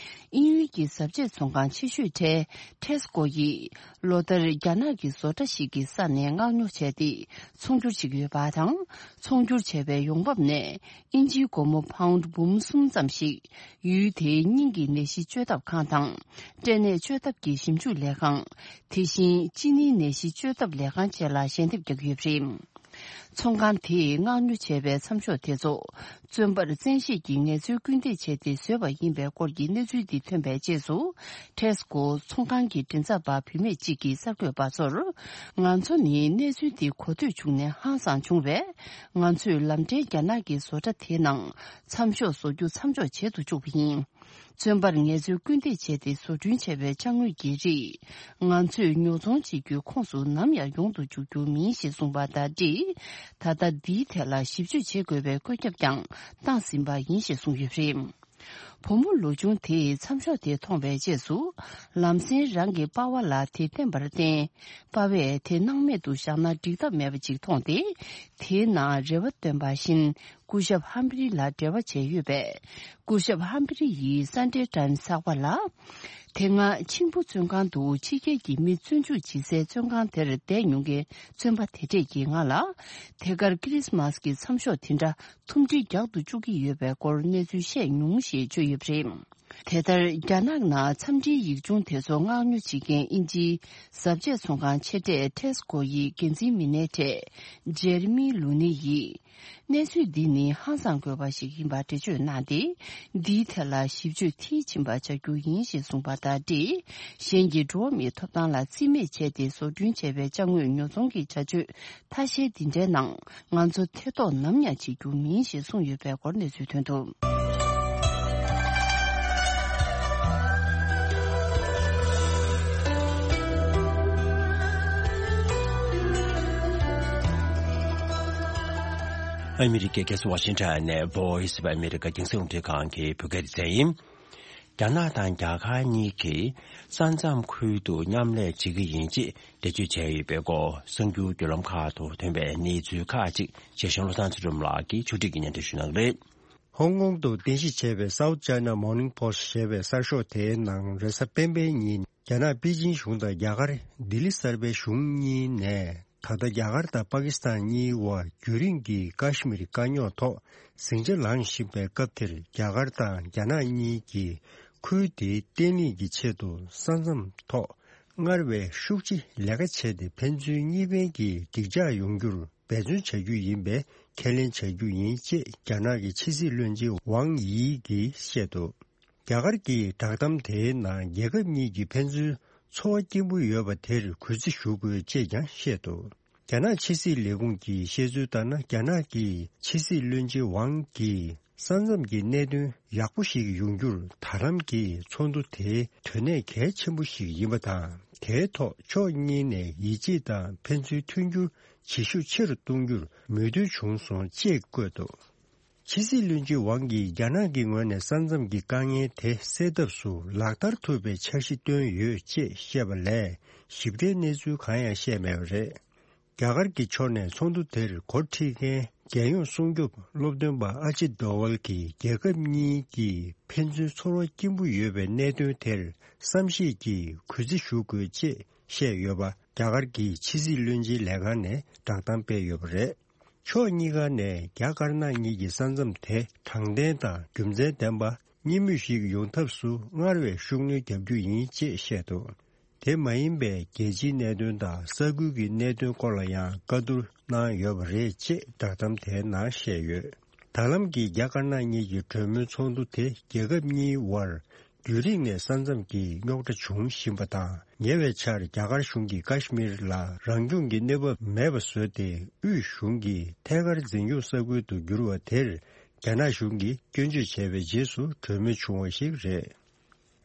དབྱིན་ཡུལ་གྱི་གཟབ་རྒྱས་ཚོང་ཁང་ཆེ་ཤོས་གྲས་ཊེ་སི་ཀོ་ཡིས་ལོ་ལྟར་རྒྱ་ནག་གི་བཟོ་གྲྭ་ཞིག་གི་ས་ནས་མངགས་ཉོ་བྱས་ཏེ་ཚོང་སྒྱུར་བྱེད་ཀྱི་ཡོད་པ་དང་། ཚོང་སྒྱུར་བྱས་པའི་ཡོང་འབབ་ནས་དབྱིན་ཇིའི་སྒོར་མོ་པའུན་འབུམ་གསུམ་ཙམ་ཞིག་ཡུལ་དེའི་སྙིང་གི་ནད་གཞི་བཅོས་ཐབས་ཁང་དང་། སྐྲན་ནད་བཅོས་ཐབས་ཀྱི་ཞིབ་འཇུག་ལས་ཁང་། དེ་བཞིན་གཅིན་སྙིའི་ནད་གཞི་བཅོས་ཐབས་ལས་ཁང་བཅས་ལ་ཞལ་འདེབས་རྒྱག་གི་ཡོད་པ་རེད། ཚོང་ཁང་དེས་མངགས་ཉོ་བྱས་པའི་མཚམས་ཤོག་དེ་ཚོ། བཙོན་པར་བཙན་ཤེད་ཀྱིས་ངལ་རྩོལ་སྐུལ་འདེད་བྱས་ཏེ་བཟོས་པ་ཡིན་པའི་སྐོར་གྱི་གནས་ཚུལ་འདི་ཐོན་པའི་རྗེས་སུ། ཊེ་སི་ཀོ་ཚོང་ཁང་གི་མགྲིན་ཚབ་པ་བུད་མེད་ཅིག་གིས་གསར་འགོད་པ་ཚོར། ང་ཚོ་ནི་གནས་ཚུལ་འདི་གོ་ཐོས་བྱུང་ནས་ཧང་སངས་བྱུང་བས། ང་ཚོས་ལམ་འབྲས་རྒྱ་ནག་གི་བཟོ་གྲྭ་དེའི་ནང་མཚམས་ཤོག་བཟོ་རྒྱུ་མཚམས་འཇོག་བྱེད་དུ་བཅུག་པ་ཡིན། བཙོན་པར་ངལ་རྩོལ་སྐུལ་འདེད་བྱས་ཏེ་བཟོ་སྐྲུན་བྱས་པའི་ཅ་དངོས་ཀྱི་རིགས། ང་ཚོས་ཉོ་ཚོང་བྱེད་རྒྱུའི་ཁོངས་སུ་ནམ་ཡང་ཡོང་དུ་འཇུག་རྒྱུ་མིན་ཞེས་གསུངས་པ་དང་འབྲེལ། ད་ལྟ་འདིའི་ཐད་ལ་ཞིབ་དཔྱོད་བྱེད་དགོས་པའི་བཀོད་ཁྱབ་ཀྱང་བཏང་ཟིན་པ་ཡིན་ཞེས་གསུངས་ཡོད་པ་རེད། བུ་མོ་ལོ་ཆུང་དེས་མཚམས་ཤོག་དེ་མཐོང་བའི་རྗེས་སུ། ལམ་སེང་རང་གི་པ་ཕ་ལ་དེ་བསྟན་པར་བརྟེན། པ་ཕས་དེ་སྣང་མེད་དུ་བཞག་ན་འགྲིག་ཐབས་མེད་པ་ཅིག་མཐོང་སྟེ། དེའི་ནང་རེ་བ་བཏོན་པ་བཞིན། སྐུ་ཞབས་ཧམ་ཕི་རི་ལ་འབྲེལ་བ་བྱས་ཡོད་པས། སྐུ་ཞབས་ཧམ་ཕི་རི་ཡིས་སན་ཌེ་ཊའིམ་ཚགས་པར་ལ། དེ་སྔ་མཆིམས་ཕུ་བཙོན་ཁང་དུ་ཕྱི་རྒྱལ་གྱི་མི་བཙོན་འཇུག་བྱེད་སའི་བཙོན་ཁང་དེར་བསྡད་མྱོང་མཁན་བཙོན་པ་དེ་གྲས་ཀྱིས་ང་ལ། དེ་གར་ཁི་རི་སི་མཱ་སི་ཀྱི་མཚམས་ཤོག་དེ་འདྲ་ཐུམ་སྒྲིལ་རྒྱག་ཏུ་བཅུག་གི་ཡོད་པའི་སྐོར་གནས་ཚུལ་བཤད་མྱོང་ཞེས་བརྗོད་ཡོད་པ་རེད། དེ་ལྟར་རྒྱ་ནག་ནང་འཚམས་འདྲིའི་ཡིག་ཆུང་དེ་ཚོ་མངགས་ཉོ་བྱེད་མཁན་དབྱིན་ཇིའི་གཟབ་རྒྱས་ཚོང་ཁང་ཆེ་གྲས་ཊེ་སི་ཀོ་ཡི་འགན་འཛིན་མི་སྣའི་གྲས་ཇེ་རི་མི་ལུ་ནི་ཡིས། གནས་ཚུལ་འདི་ནི་ཧང་སང་དགོས་པ་ཞིག་ཡིན་པ་འགྲེལ་བརྗོད་གནང་སྟེ། འདིའི་ཐད་ལ་ཞིབ་དཔྱོད་མཐིལ་ཕྱིན་པ་བྱ་རྒྱུ་ཡིན་ཞེས་གསུངས་པ་དང་འབྲེལ། གཞན་གྱི་འགྲོ་བ་མིའི་ཐོབ་ཐང་ལ་རྩིས་མེད་བྱས་ཏེ་བཟོ་སྐྲུན་བྱས་པའི་ཅ་དངོས་ཉོ་ཚོང་གི་བྱ་སྤྱོད་ཐ་ཤལ་འདི་འདྲའི་ནང་ང་ཚོ་ཐེ་གཏོགས་ནམ་ཡང་བྱེད་རྒྱུ་མིན་ཞེས་གསུངས་ཡོད་པའི་སྐོར་གནས་ཚུལ་ཐོན་འདུག་ཨ་མི་རི་ཀའི་རྒྱལ་ས་ཝ་ཤིང་ཊོན་ནས་Voice of America རྒྱང་སྲིང་རླུང་འཕྲིན་ཁང་གི་བོད་སྐད་སྡེ་ཚན་ཡིན། རྒྱ་ནག་དང་རྒྱ་གར་གཉིས་ཀྱིས་ས་མཚམས་ཁུལ་དུ་མཉམ་ལས་བྱེད་ཀྱི་ཡིན་ཅེས་འགྲེལ་བརྗོད་བྱས་ཡོད་པའི་སྐོར་གསར་འགྱུར་བརྒྱུད་ལམ་ཁག་ཏུ་ཐོན་པའི་གནས་ཚུལ་ཁག་ཅིག་རྒྱལ་གཞུང་བློ་བཟང་ཚུལ་ཁྲིམས་ལགས་ཀྱིས་ཕྱོགས་སྒྲིག་གིས་སྙན་སྒྲོན་ཞུ་གནང་གི་རེད། ཧོང་ཀོང་དུ་རྟེན་གཞི་བྱས་པའི་South China Morning Post ཞེས་པའི་གསར་ཤོག་དེའི་ནང་རེས་གཟའ་སྤེན་པའི་ཉིན་རྒྱ་ནག་པེ་ཅིན་གཞུང་དང་རྒྱ་གར་ལྡི་ལི་གསར་པའི་གཞུང་གཉིས་ནས། ད་ལྟ་རྒྱ་གར་དང་པ་ཀི་སི་ཐན་གཉིས་དབར་རྒྱུན་རིང་གི་ཀ་ཤི་མིར་དཀའ་རྙོག་ཐོག་ཟིང་ཆ་ལངས་བཞིན་པའི་སྐབས་དེར། རྒྱ་གར་དང་རྒྱ་ནག་གཉིས་ཀྱིས་ཁུལ་དེའི་བརྟན་ལྷིང་གི་ཆེད་དུ་ས་མཚམས་ཐོག་སྔར་བས་ཤུགས་ཆེ་ལས་ཀ་བྱས་ཏེ། ཕན་ཚུན་གཉིས་ཕན་གྱི་འགྲིག་འཇགས་ཡོང་རྒྱུར་འབད་བརྩོན་བྱ་རྒྱུ་ཡིན་པའི་ཁས་ལེན་བྱ་རྒྱུ་ཡིན་ཅེས་རྒྱ་ནག་གི་ཕྱི་སྲིད་བློན་ཆེན་ཝང་དབྱི་གིས་བཤད་འདུག་རྒྱ་གར་གྱི་བསྒྲགས་གཏམ་དེའི་ནང་། རྒྱལ་ཁབ་གཉིས་ཀྱི་ཕན་ཚུན་ཚོར་བ་སྐྱེན་པོ་ཡོད་པ་དེར་གུས་བརྩི་ཞུ་དགོས་ཅེས་ཀྱང་བཤད་འདུག་རྒྱ་ནག་ཕྱི་སྲིད་ལས་ཁུངས་ཀྱིས་བཤད་ཚུལ་ལྟར་ན། རྒྱ་ནག་གི་ཕྱི་སྲིད་བློན་ཆེན་ཝང་གིས་ས་མཚམས་ཀྱི་གནད་དོན་ཡག་པོ་ཞིག་ཡོང་རྒྱུར། ད་ལམ་གྱི་ཚོགས་འདུ་དེ་དོན་གནད་གལ་ཆེན་པོ་ཞིག་ཡིན་པ་དང་། དེའི་ཐོག་ཕྱོགས་གཉིས་ནས་ཡིད་ཆེས་དང་ཕན་ཚུན་མཐུན་འགྱུར་བྱེད་ཤུགས་ཆེ་རུ་གཏོང་རྒྱུར་མོས་མཐུན་བྱུང་སོང་ཅེས་བཀོད་འདུག་ཕྱི་སྲིད་བློན་ཆེན་ཝང་གིས་རྒྱ་ནག་གི་ངོས་ནས་ས་མཚམས་ཀྱི་དཀའ་ངལ་དེ་སེལ་ཐབས་སུ་ལག་བསྟར་ཐུབ་པའི་འཆར་གཞི་བཏོན་ཡོད་ཅེས་བཤད་པ་ལས། ཞིབ་ཕྲའི་གནས་ཚུལ་གང་ཡང་བཤད་མེད་པ་རེད། རྒྱ་གར་གྱི་ཕྱོགས་ནས་ཚོགས་འདུ་དེར་འགོ་ཁྲིད་མཁན་རྒྱལ་ཡོངས་སྲུང་སྐྱོབ་སློབ་སྟོན་པ་ཨ་ཇིད་དོ་ཝལ་གྱིས། རྒྱལ་ཁབ་གཉིས་ཀྱིས་ཕན་ཚུན་ཚོར་བ་སྐྱེན་པོ་ཡོད་པའི་གནད་དོན་དེར་བསམ་ཤེས་ཀྱིས་གུས་བརྩི་ཞུ་དགོས་ཅེས་བཤད་ཡོད་པ། རྒྱ་གར་གྱི་ཕྱི་སྲིད་བློན་ཆེན་ལས་ཁང་ནས་བསྒྲགས་གཏམ་སྤེལ་ཡོད་པ་རེད། ཕྱོགས་གཉིས་ཀ་ནས་རྒྱ་དཀར་ནག་གཉིས་ཀྱི་ས་མཚམས་དེ་དྲང་བདེན་དང་རྒྱུ་མཚན་ལྡན་པ། གཉིས་མོས་ཤིག་ཡོང་ཐབས་སུ་སྔར་བས་ཤུགས་སྣོན་རྒྱག་རྒྱུ་ཡིན་ཅེས་བཤད་འདུག་དེ་མ་ཡིན་པའི་རྒྱལ་སྤྱིའི་གནད་དོན་དང་ས་ཁུལ་གྱི་གནད་དོན་སྐོར་ལ་ཡང་བཀའ་བསྡུར་གནང་ཡོད་པ་རེད་ཅེས་བསྒྲགས་གཏམ་དེའི་ནང་བཤད་ཡོད། ད་ལམ་གྱི་རྒྱ་དཀར་ནག་གཉིས་ཀྱི་གྲོས་མོལ་ཚོགས་འདུ་དེ་རྒྱལ་ཁབ་གཉིས་དབར་རྒྱུན་རིང་ནས་ས་མཚམས་ཀྱི་རྙོག་དྲ་འབྱུང་བཞིན་པ་དང་། ཉེ་བའི་ཆར་རྒྱ་གར་གཞུང་གིས་ཀ་ཤི་མིར་ལ་རང་སྐྱོང་གི་གནས་བབ་མེད་པ་བཟོས་ཏེ། དབུས་གཞུང་གིས་ཐད་ཀར་འཛིན་སྐྱོང་ས་ཁུལ་དུ་གྱུར་བ་དེར་རྒྱ་ནག་གཞུང་གིས་སྐྱོན་བརྗོད་བྱས་པའི་རྗེས་སུ་གྲོས་མོལ་བྱུང་བ་ཞིག་རེད།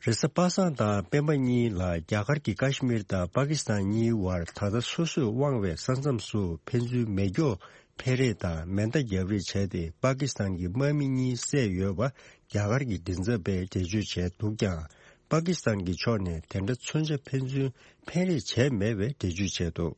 རེས་གཟའ་པ་སངས་དང་སྤེན་པ་གཉིས་ལ་རྒྱ་གར་གྱི་ཀ་ཤི་མིར་དང་པ་ཀི་སི་ཐན་གཉིས་དབར་ད་ལྟ་སོ་སོས་དབང་བའི་ས་མཚམས་སུ་ཕན་ཚུན་མེ་སྒྱོགས་འཕེན་རེས་དང་མེ་མདའ་བརྒྱབ་རེས་བྱས་ཏེ། པ་ཀི་སི་ཐན་གྱི་དམག་མི་གཉིས་བསད་ཡོད་པ་རྒྱ་གར་གྱི་མགྲིན་ཚབ་པས་འགྲེལ་བརྗོད་བྱས་འདུག་ཀྱང་། པ་ཀི་སི་ཐན་གྱི་ཕྱོགས་ནས་དེ་འདྲ་མཚོན་ཆ་ཕན་ཚུན་འཕེན་རེས་བྱས་མེད་པའི་འགྲེལ་བརྗོད་བྱས་འདུག་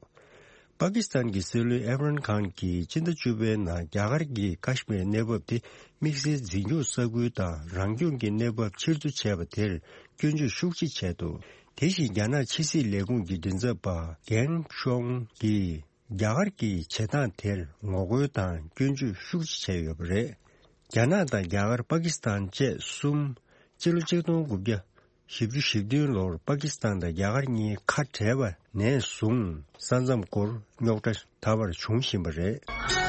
པ་ཀི་སི་ཐན་གྱི་སྲིད་བློན་ཨེམ་རན་ཁཱན་གྱིས་ཕྱི་ཟླ་བཅུ་པའི་ནང་རྒྱ་གར་གྱིས་ཀ་ཤི་མིར་གནས་བབ་དེ་དམིགས་བསལ་འཛིན་སྐྱོང་ས་ཁུལ་དང་རང་སྐྱོང་གི་གནས་བབ་ཕྱིར་བསྡུ་བྱས་པ་དེར་སྐྱོན་བརྗོད་ཤུགས་ཆེ་བྱས་འདུག་དེ་བཞིན་རྒྱ་ནག་ཕྱི་སྲིད་ལས་ཁུངས་ཀྱི་མགྲིན་ཚབ་པ་གྷན་ཤོང་གིས། རྒྱ་གར་གྱི་བྱེད་སྟངས་དེར་ངོ་རྒོལ་དང་སྐྱོན་བརྗོད་ཤུགས་ཆེ་བྱས་ཡོད་པ་རེད། རྒྱ་ནག་དང་རྒྱ་གར། པ་ཀི་སི་ཐན་བཅས་གསུམ་སྤྱི་ལོ་ཆིག་སྟོང་དགུ་བརྒྱ་བཞི་བཅུ་ཞེ་བདུན་ལོར་པ་ཀི་སི་ཐན་དང་རྒྱ་གར་གཉིས་ཁ་བྲལ་བ་ནས་བཟུང་ས་མཚམས་སྐོར་རྙོག་དྲ་ད་བར་བྱུང་བཞིན་པ་རེད།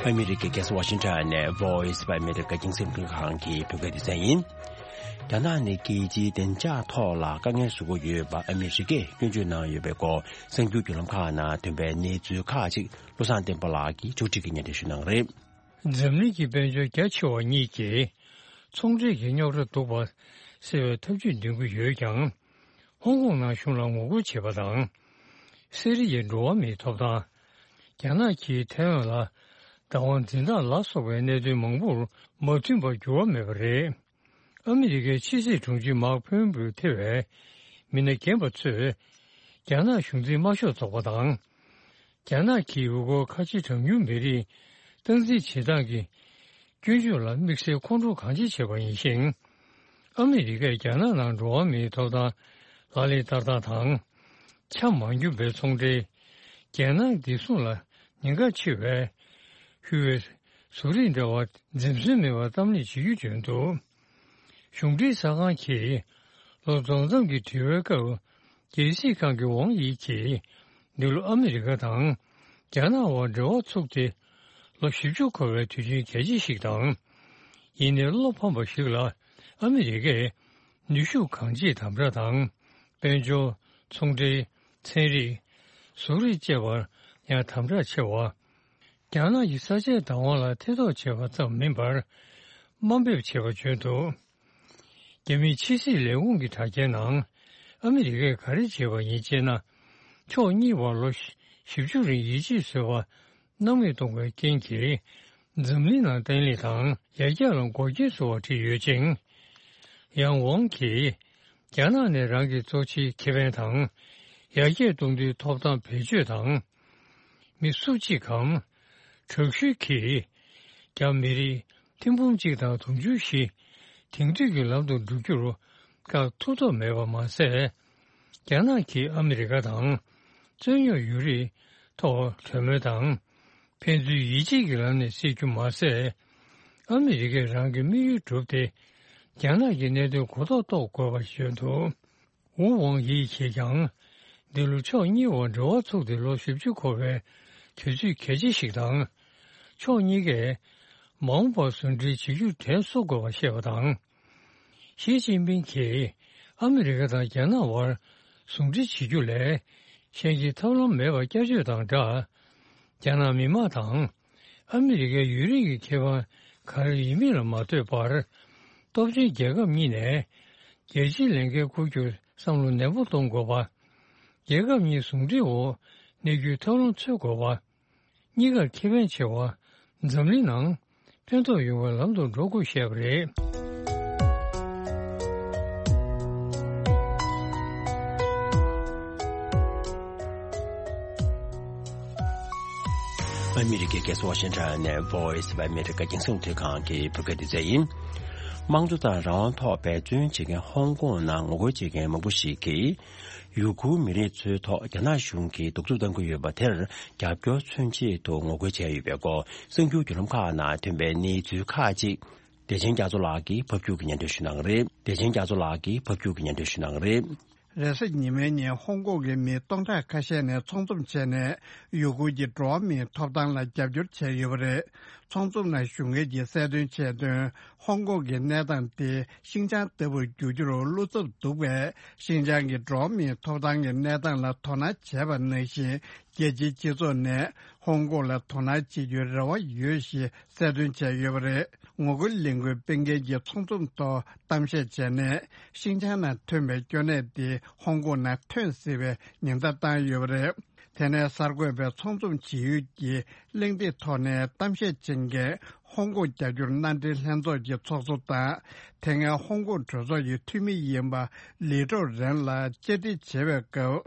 ཨ་མི་རི་ཀའི་རྒྱལ་ས་ཝ་ཤིང་ཊོན་ནས་Voice of America རྒྱང་སྲིང་རླུང་འཕྲིན་ཁང་གི་བོད་སྐད་སྡེ་ཚན་ཡིན། རྒྱ་ནག་ནི་རྒྱལ་སྤྱིའི་བདེ་འཇགས་ཐོག་ལ་དཀའ་ངལ་བཟོ་གི་ཡོད་པ་ཨ་མི་རི་ཀས་སྐྱོན་བརྗོད་གནང་ཡོད་པའི་སྐོར་གསར་འགྱུར་བརྒྱུད་ལམ་ཁག་ནང་ཐོན་པའི་གནས་ཚུལ་ཁག་ཅིག་བློ་བཟང་བསྟན་པ་ལགས་ཀྱིས་ཕྱོགས་སྒྲིག་གིས་སྙན་སྒྲོན་ཞུ་གནང་གི་རེད། འཛམ་གླིང་གི་དཔལ་འབྱོར་རྒྱ་ཆེ་བ་གཉིས་ཀྱིས་ཚོང་འབྲེལ་གྱི་རྙོག་དྲ་བསྡུ་བར་སེལ་བའི་ཐབས་ཇུས་འདོན་གྱི་ཡོད་ཀྱང་། ཧོང་ཀོང་ནང་གཞུང་ལ་ངོ་རྒོལ་བྱེད་པ་དང་། སི་རི་ཡའི་འགྲོ་བ་མིའི་ཐོབ་ཐང་། རྒྱ་ནག་གིས་ཐའེ་ཝན་ལ་བདག་དབང་འཛིན་སྟངས་ལ་སོགས་པའི་གནད་དོན་མང་པོར་མ་མཐུན་པར་འགྱུར་བ་མེད་པ་རེད། ཨ་མི་རི་ཀའི་ཕྱི་སྲིད་དྲུང་ཆེ་མཱག་ཕོམ་པིའོ་ཐེ་བའི་མི་སྣ་རྒན་པ་ཚོས་རྒྱ་ནག་གཞུང་འཛིན་དམར་ཤོག་ཚོགས་པ་དང་། རྒྱ་ནག་གིས་ཡུལ་སྐོར་ཁ་ཆེ་གྲངས་ཉུང་མི་རིགས་སྟངས་འཛིན་བྱེད་སྟངས་ཀྱི་སྐྱོན་བརྗོད་ལ་དམིགས་བསལ་ཁོང་ཁྲོ་གང་ཆེ་བྱས་པ་ཡིན་ཞིང་། ཨ་མི་རི་ཀས་རྒྱ་ནག་ནང་འགྲོ་བ་མིའི་ཐོབ་ཐང་ལག་ལེན་བསྟར་སྟངས་དང་། ཆ་མ་འགྱུར་བའི་ཚོང་འབྲེལ། རྒྱལ་ནང་བདེ་སྲུང་ལ་ཉེན་ཁ་ཆེ་བའི་ཧུའེ་བཟོ་རིག་འདྲ་བ་འཛེམ་ཟོན་མེད་པར་གཏམ་གླེང་བྱེད་རྒྱུ་བརྗོད་འདུག་གཞུང་འབྲེལ་གསར་ཁང་གིས་ལོ་རྫོགས་མཚམས་ཀྱི་དྲི་བའི་སྐབས། རྒྱལ་སྲིད་ཁང་གི་ཝང་ཡི་གིས་འདི་ལོ་ཨ་མི་རི་ཀ་དང་རྒྱ་ནག་དབར་འབྲེལ་བ་ཚུགས་ཏེ་ལོ་བཞི་བཅུ་འཁོར་བའི་དུས་ཆེན་གལ་ཆེ་ཞིག་དང་། ཡིན་ནའི་བློ་ཕམ་པ་ཞིག་ལ་ཨ་མི་རི་ཀས་ནུས་ཤུགས་གང་ཆེའི་དམ་དྲག་དང་། དཔལ་འབྱོར། ཚོང་འབྲེལ། ཚན་རིག་བཟོ་རིག་བཅས་པར་ཡང་དམ་དྲག་ཆེ་བ། རྒྱ་ནག་གི་ས་ཆའི་བདག་དབང་ལ་ཐེ་གཏོགས་བྱས་པ་ཙམ་མིན་པར། དམའ་འབེབས་བྱས་པ་བརྗོད་འདུག་རྒྱ་མིའི་ཕྱི་སྲིད་ལས་ཁུངས་ཀྱི་དྲ་རྒྱའི་ནང་། ཨ་མི་རི་ཀས་ག་རེ་བྱས་པ་ཡིན་ཅེ་ན། ཕྱོགས་གཉིས་བར་ལོ་བཞི་བཅུ་རིང་ཡིད་ཆེས་བཟོས་པ་སྣང་མེད་གཏོང་བའི་རྐྱེན་གྱིས། འཛམ་གླིང་ནང་བརྟན་ལྷིང་དང་ཡར་རྒྱས་ལ་འགོག་རྐྱེན་བཟོ་བར་བྲིས་ཡོད་ཅིང་། ཡང་ཝང་གིས། རྒྱ་ནག་ནས་རང་གི་གཙོ་ཆེའི་ཁེ་ཕན་དང་། ཡར་རྒྱས་གཏོང་དུས་ཐོབ་ཐང་བེད་སྤྱོད་དང་། མི་སུ་གཅིག་གམ། དྲག་ཤུལ་གྱིས། རྒྱ་མི་རིགས་ཐེར་འབུམ་གཅིག་དང་དུང་ཕྱུར་བཞི། དེང་དུས་ཀྱི་ལམ་དུ་འགྲོ་རྒྱུར། བཀག་ཐུབ་ཐབས་མེད་པ་མ་ཟད། རྒྱ་ནག་གིས་ཨ་མི་རི་ཀ་དང་། རྩོད་རྙོག་ཡོད་རིགས་ཐོག་གྲོས་མོལ་དང་། ཕན་ཚུན་ཡིད་ཆེས་ཀྱི་ལམ་ནས་སེལ་རྒྱུ་མ་ཟད། ཨ་མི་རི་ཀས་རང་གི་དམིགས་ཡུལ་བསྒྲུབས་ཏེ། རྒྱ་ནག་གི་གནད་དོན་གོ་རྟོགས་རྟོགས་དགོས་པ་བརྗོད་འདུག་ཝུ་ཝང་ཡི་གིས་ཀྱང་། འདི་ལོ་ཕྱོགས་གཉིས་བར་འབྲེལ་བ་ཚུགས་ཏེ་ལོ་བཞི་བཅུ་འཁོར་བའི་དུས་ཚོད་གལ་ཆེ་ཞིག་དང་། ཕྱོགས་གཉིས་ཀས་མ་འོངས་པར་ཟུང་འབྲེལ་བྱེད་རྒྱུར་དྲན་གསོ་དགོས་པ་བཤད་པ་དང་། ཞི་ཅིན་ཕིང་གིས་ཨ་མི་རི་ཀ་དང་རྒྱ་ནག་དབར་ཟུང་འབྲེལ་བྱེད་རྒྱུ་ལས་གཞན་གྱི་ཐབས་ལམ་མེད་པ་བསྐྱར་བརྗོད་དང་སྦྲགས། རྒྱ་ནག་མི་དམངས་དང་། ཨ་མི་རི་ཀའི་ཡུན་རིང་གི་ཁེ་ཕན་ག་རེ་ཡིན་མིན་ལ་མ་ལྟོས་པར། སྟོབས་ཆེན་རྒྱལ་ཁབ་གཉིས་ནས་རྒྱལ་སྤྱིའི་ལས་འགན་འཁུར་རྒྱུར་བསམ་བློ་ནན་པོ་གཏོང་དགོས་པ། རྒྱལ་ཁབ་གཉིས་ཟུང་འབྲེལ་འོག་གནས་རྒྱུའི་ཐབས་ལམ་འཚོལ་དགོས་པ། གཉིས་ཀར་ཁེ་ཕན་ཆེ་བ། འཛམ་གླིང་ནང་ཕན་ཐོགས་ཡོང་བའི་ལམ་དུ་འགྲོ་དགོས་བཤད་པ་རེད། ཨ་མི་རི་ཀའི་རྒྱལ་ས་ཝ་ཤིང་ཊོན་ནས་Voice of America རྒྱང་སྲིང་རླུང་འཕྲིན་ཁང་གི་བོད་སྐད་སྡེ་ཚན་ཡིན། དམངས་གཙོ་དང་རང་དབང་ཐོག་འབད་བརྩོན་བྱེད་མཁན་ཧོང་ཀོང་ནང་ངོ་རྒོལ་བྱེད་མཁན་མང་པོ་ཞིག་གིས། ཡུ་གུར་མི་རིགས་ཚོའི་ཐོག་རྒྱ་ནག་གཞུང་གིས་གདུག་རྩུབ་གཏང་གི་ཡོད་པ་དེར་རྒྱབ་སྐྱོར་མཚོན་ཆེད་དུ་ངོ་རྒོལ་བྱས་ཡོད་པའི་སྐོར་གསར་འགྱུར་བརྒྱུད་ལམ་ཁག་ནང་ཐོན་པའི་གནས་ཚུལ་ཁག་ཅིག་བདེ་ཆེན་རྒྱ་མཚོ་ལགས་ཀྱིས་ཕབ་སྒྱུར་གྱིས་སྙན་སྒྲོན་ཞུ་གནང་གི་རེད། བདེ་ཆེན་རྒྱ་མཚོ་ལགས་ཀྱིས་ཕབ་སྒྱུར་གྱིས་སྙན་སྒྲོན་ཞུ་གནང་གི་རེད། རེས་གཟའ་ཉི་མའི་ཉིན་ཧོང་ཀོང་གི་མི་སྟོང་ཕྲག་ཁ་ཤས་ནས་ཚོགས་འཛོམས་བྱས་ནས་ཡུ་གུར་གྱི་འགྲོ་བ་མིའི་ཐོབ་ཐང་ལ་རྒྱབ་སྐྱོར་བྱས་ཡོད་པ་རེད། ཚོགས་འཛོམས་ནང་ཞུགས་མཁན་གྱིས་གསལ་སྟོན་བྱས་དོན། ཧོང་ཀོང་གི་གནས་སྟངས་དེ་ཤིན་ཅང་ལྟ་བུར་འགྱུར་རྒྱུར་བློ་འཚབ་འདུག་པས། ཤིན་ཅང་གི་འགྲོ་བ་མིའི་ཐོབ་ཐང་གི་གནས་སྟངས་ལ་དོ་སྣང་བྱས་པ་ནང་བཞིན། རྒྱལ་སྤྱིའི་སྤྱི་ཚོགས་ནས་ཧོང་ཀོང་ལ་དོ་སྣང་བྱེད་རྒྱུའི་རེ་བ་ཡོད་ཞེས་གསལ་སྟོན་བྱས་ཡོད་པ་རེད། ངོ་རྒོལ་ལས་འགུལ་སྤེལ་མཁན་གྱི་ཚོགས་འཛོམས་ཐོག་གཏམ་བཤད་བྱས་ནས། ཤིན་ཅང་ནང་ཐོན་པའི་སྐྱོ་གནས་དེ་ཧོང་ཀོང་ནང་ཐོན་སྲིད་པའི་ཉེན་བརྡ་བཏང་ཡོད་པ་རེད། དེ་ནས་གསར་འགོད་པའི་ཚོགས་འཛོམས་བྱེད་ཡུལ་གྱི་གླེང་སྟེགས་ཐོག་ནས་གཏམ་བཤད་བྱེད་མཁན་ཧོང་ཀོང་རྒྱ་སྒྱུར་མནའ་འབྲེལ་ལྷན་ཚོགས་ཀྱི་ཚོགས་གཙོ་དང་། དེ་སྔའི་ཧོང་ཀོང་གྲོས་ཚོགས་ཀྱི་འཐུས་མི་ཡིན་པ་ལི་ཀྲོའུ་རེན་ལ་བཅར་འདྲི་བྱེད་པའི་སྐབས།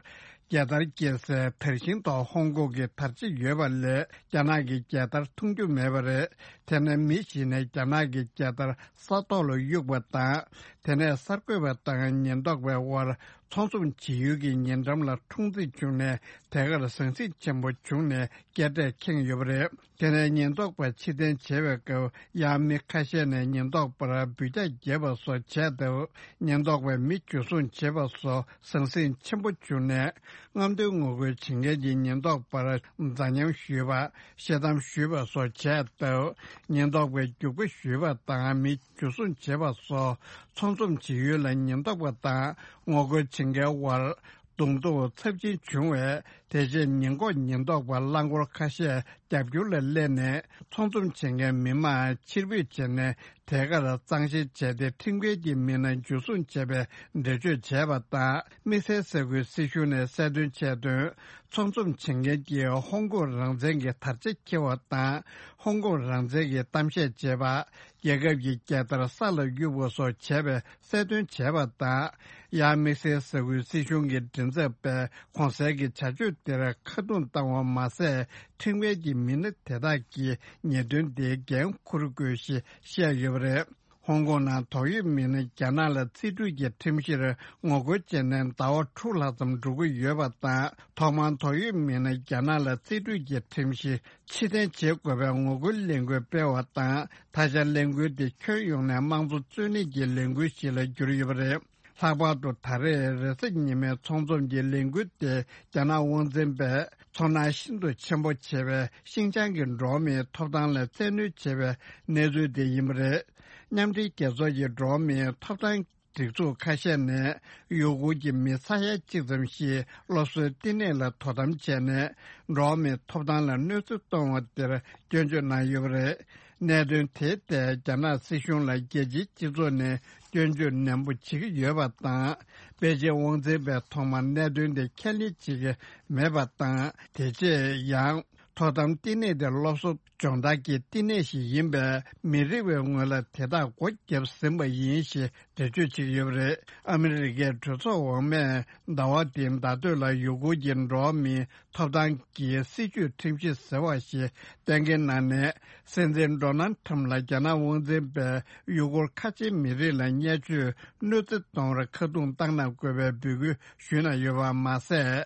རྒྱལ་དར་སྐྱེལ་སའི་དར་ཤིང་ཐོག་ཧོང་ཀོང་གི་དར་ཆ་ཡོད་པ་ལས། རྒྱ་ནག་གི་རྒྱལ་དར་མཐོང་རྒྱུ་མེད་པ་རེད། དེ་ནི་མི་ཞིག་ནས་རྒྱ་ནག་གི་རྒྱལ་དར་ས་ཐོག་ལ་གཡུགས་པ་དང་། དེ་ནས་གསར་འགོད་པ་དང་ཉེན་རྟོག་པའི་དབར་ཚོགས་འཛོམས་བྱེད་ཡུལ་གྱི་ཉེ་འགྲམ་ལ་འཁྲུག་འཛིང་བྱུང་ནས། དེ་གར་ཟང་ཟིང་ཆེན་པོ་བྱུང་ནས་སྐད་སྒྲ་ཁེངས་ཡོད་པ་རེད། དེ་ནས་ཉེན་རྟོག་པ་ཕྱིར་འཐེན་བྱས་པའི་སྐབས། ཡང་མི་ཁ་ཤས་ནས་ཉེན་རྟོག་པར་འབུད་རྒྱག་བརྒྱབ་པ་སོགས་བྱས་སྟབས། ཉེན་རྟོག་པས་མི་འཇུ་བཟུང་བྱས་པ་སོགས་ཟང་ཟིང་ཆེན་པོ་བྱུང་ནས། རྔམ་སྟོན་ངོ་རྒོལ་བྱེད་མཁན་གྱི་ཉེན་རྟོག་པར་འཛའ་ཉམས་ཞུས་པ། བཤད་གཏམ་ཞུས་པ་སོགས་བྱས་སྟབས། ཉེན་རྟོག་པས་རྒྱུག་པ་ཞུས་པ་དང་མི་འཇུ་བཟུང་བྱས་པ་སོགས། ཚོགས་འཛོམས་བྱེད་ཡུལ་ལ་ཉེན་རྟོག་པ་དང་ངོ་རྒོལ་བྱེད་མཁན་དབར་གདོང་ཐུག་ཚབས་ཆེན་བྱུང་བས། དེ་རྗེས་ཉེན་འགོག་ཉེན་རྟོག་པ་རླངས་འཁོར་ཁ་ཤས་རྒྱབ་སྐྱོར་ལ་སླེབས་ནས། ཚོགས་འཛོམས་བྱེད་མཁན་མི་མང་ཕྱིར་འབུད་བྱས་ནས། དེ་གར་གཙང་བཤེར་བྱས་ཏེ། ཁྲིམས་འགལ་གྱི་མི་སྣ་འཇུ་བཟུང་བྱས་པའི་འགྲེལ་བརྗོད་བྱས་པ་དང་། དམིགས་བསལ་ས་ཁུལ་སྲིད་གཞུང་ནས་གསལ་སྟོན་བྱས་དོན། ཚོགས་འཛོམས་བྱེད་མཁན་གྱིས་ཧོང་ཀོང་རང་བཙན་གྱི་དར་ཆ་འཁྱེར་བ་དང་། ཧོང་ཀོང་རང་བཙན་གྱི་གཏམ་བཤད་བྱས་པ། རྒྱལ་ཁབ་ཀྱི་རྒྱལ་དར་ས་ལ་གཡུགས་པ་སོགས་བྱས་པའི་གསལ་སྟོན་བྱས་པ་དང་། ཡང་དམིགས་བསལ་ས་ཁུལ་སྲིད་གཞུང་གི་མགྲིན་ཚབ་པས་གོང་གསལ་གྱི་བྱ་སྤྱོད་དེར་ཁ་རྡུང་བཏང་བ་མ་ཟད། ཁྲིམས་འགལ་གྱི་མི་སྣ་དེ་དག་གིས་ཉེས་དོན་དེའི་འགན་འཁུར་དགོས་ཞེས་བཤད་ཡོད་པ་རེད། ཧོང་ཀོང་ནང་དོགས་ཡོད་མི་སྣ་རྒྱ་ནག་ལ་རྩིས་སྤྲོད་ཀྱི་ཁྲིམས་གཞིརbetween ངོ་རྒོལ་བྱས་ནས་ཟླ་བ་དྲུག་ལྷག་ཙམ་འགྲོ་གི་ཡོད་པ་དང་། ཐོག་མར་དོགས་ཡོད་མི་སྣ་རྒྱ་ནག་ལ་རྩིས་སྤྲོད་ཀྱི་ཁྲིམས་གཞི་ཕྱིར་འཐེན་བྱེད་དགོས་པའི་ངོ་རྒོལ་ལས་འགུལ་སྤེལ་བ་དང་། ད་ཆ་ལས་འགུལ་དེ་ཁྱོན་ཡོངས་ནས་དམངས་གཙོ་རྩོད་ལེན་གྱི་ལས་འགུལ་ཞིག་ལ་གྱུར་ཡོད་པ་རེད། ལྷག་པར་དུ་ད་རེས་རེས་གཟའ་ཉི་མའི་ཚོགས་འཛོམས་ཀྱི་ལས་འགུལ་དེ་རྒྱ་ནག་དབང་འཛིན་པས་ཚོར་སྣང་ཤིན་ཏུ་ཆེན་པོ་བྱེད་པའི་ཤིན་ཅང་གི་འགྲོ་བ་མིའི་ཐོབ་ཐང་ལ་བཙན་གནོན་བྱེད་པའི་གནས་ཚུལ་དེ་ཡིན་པ་རེད། མཉམ་འབྲེལ་རྒྱལ་ཚོགས་ཀྱི་འགྲོ་བ་མིའི་ཐོབ་ཐང་སྒྲིག་འཛུགས་ཁ་ཤས་ནས་ཡུ་གུར་གྱི་མི་ས་ཡ་གཅིག་ཙམ་ཞིག་སློབ་གསོའི་བསྟི་གནས་ལ་དོ་དམ་བྱས་ནས། འགྲོ་བ་མིའི་ཐོབ་ཐང་ལ་གནོད་འཚེ་གཏོང་བ་དེར་སྐྱོན་བརྗོད་གནང་ཡོད་པ་རེད། གནད་དོན་དེའི་ཐད་རྒྱ་ནག་སྲིད་གཞུང་ལ་རྒྱལ་སྤྱིའི་སྤྱི་ཚོགས་ནས་སྐྱོན་བརྗོད་ནན་པོ་བྱེད་ཀྱི་ཡོད་པ་དང་། པེ་ཅིན་དབང་འཛིན་པས་ཐོག་མར་གནད་དོན་དེ་ཁས་ལེན་བྱེད་ཀྱི་མེད་པ་དང་། དེ་རྗེས་ཡང་། དོ་དམ་བསྟི་གནས་དེ་སློབ་གསོ་སྦྱོང་བརྡར་གྱི་བསྟི་གནས་ཤིག་ཡིན་པས། མི་རིགས་པའི་ངོས་ལ་དེ་དག་སྒོ་བརྒྱབ་ཟིན་པ་ཡིན་ཞེས་འགྲེལ་བརྗོད་བྱེད་ཀྱི་ཡོད་པ་རེད། ཨ་མི་རི་ཀའི་གྲོས་ཚོགས་འོག་མས་ཟླ་བ་འདིའི་ཟླ་སྟོད་ལ་ཡུ་གུར་གྱི་འགྲོ་བ་མིའི་ཐོབ་ཐང་གི་སྲིད་བྱུས་ཁྲིམས་གཞི་ཟེར་བ་ཞིག་གཏན་འཁེལ་གནང་ནས། སྲིད་འཛིན་ཌོ་ནལ་ཁྲམ་ལ་རྒྱ་ནག་དབང་འཛིན་པས་ཡུ་གུར་ཁ་ཆེའི་མི་རིགས་ལ་བརྙས་བཅོས་གནོད་འཚེ་གཏོང་བར་ཁ་རྡུང་བཏང་གནང་དགོས་པའི་འབོད་སྐུལ་ཞུས་གནང་ཡོད་པ་མ་ཟད།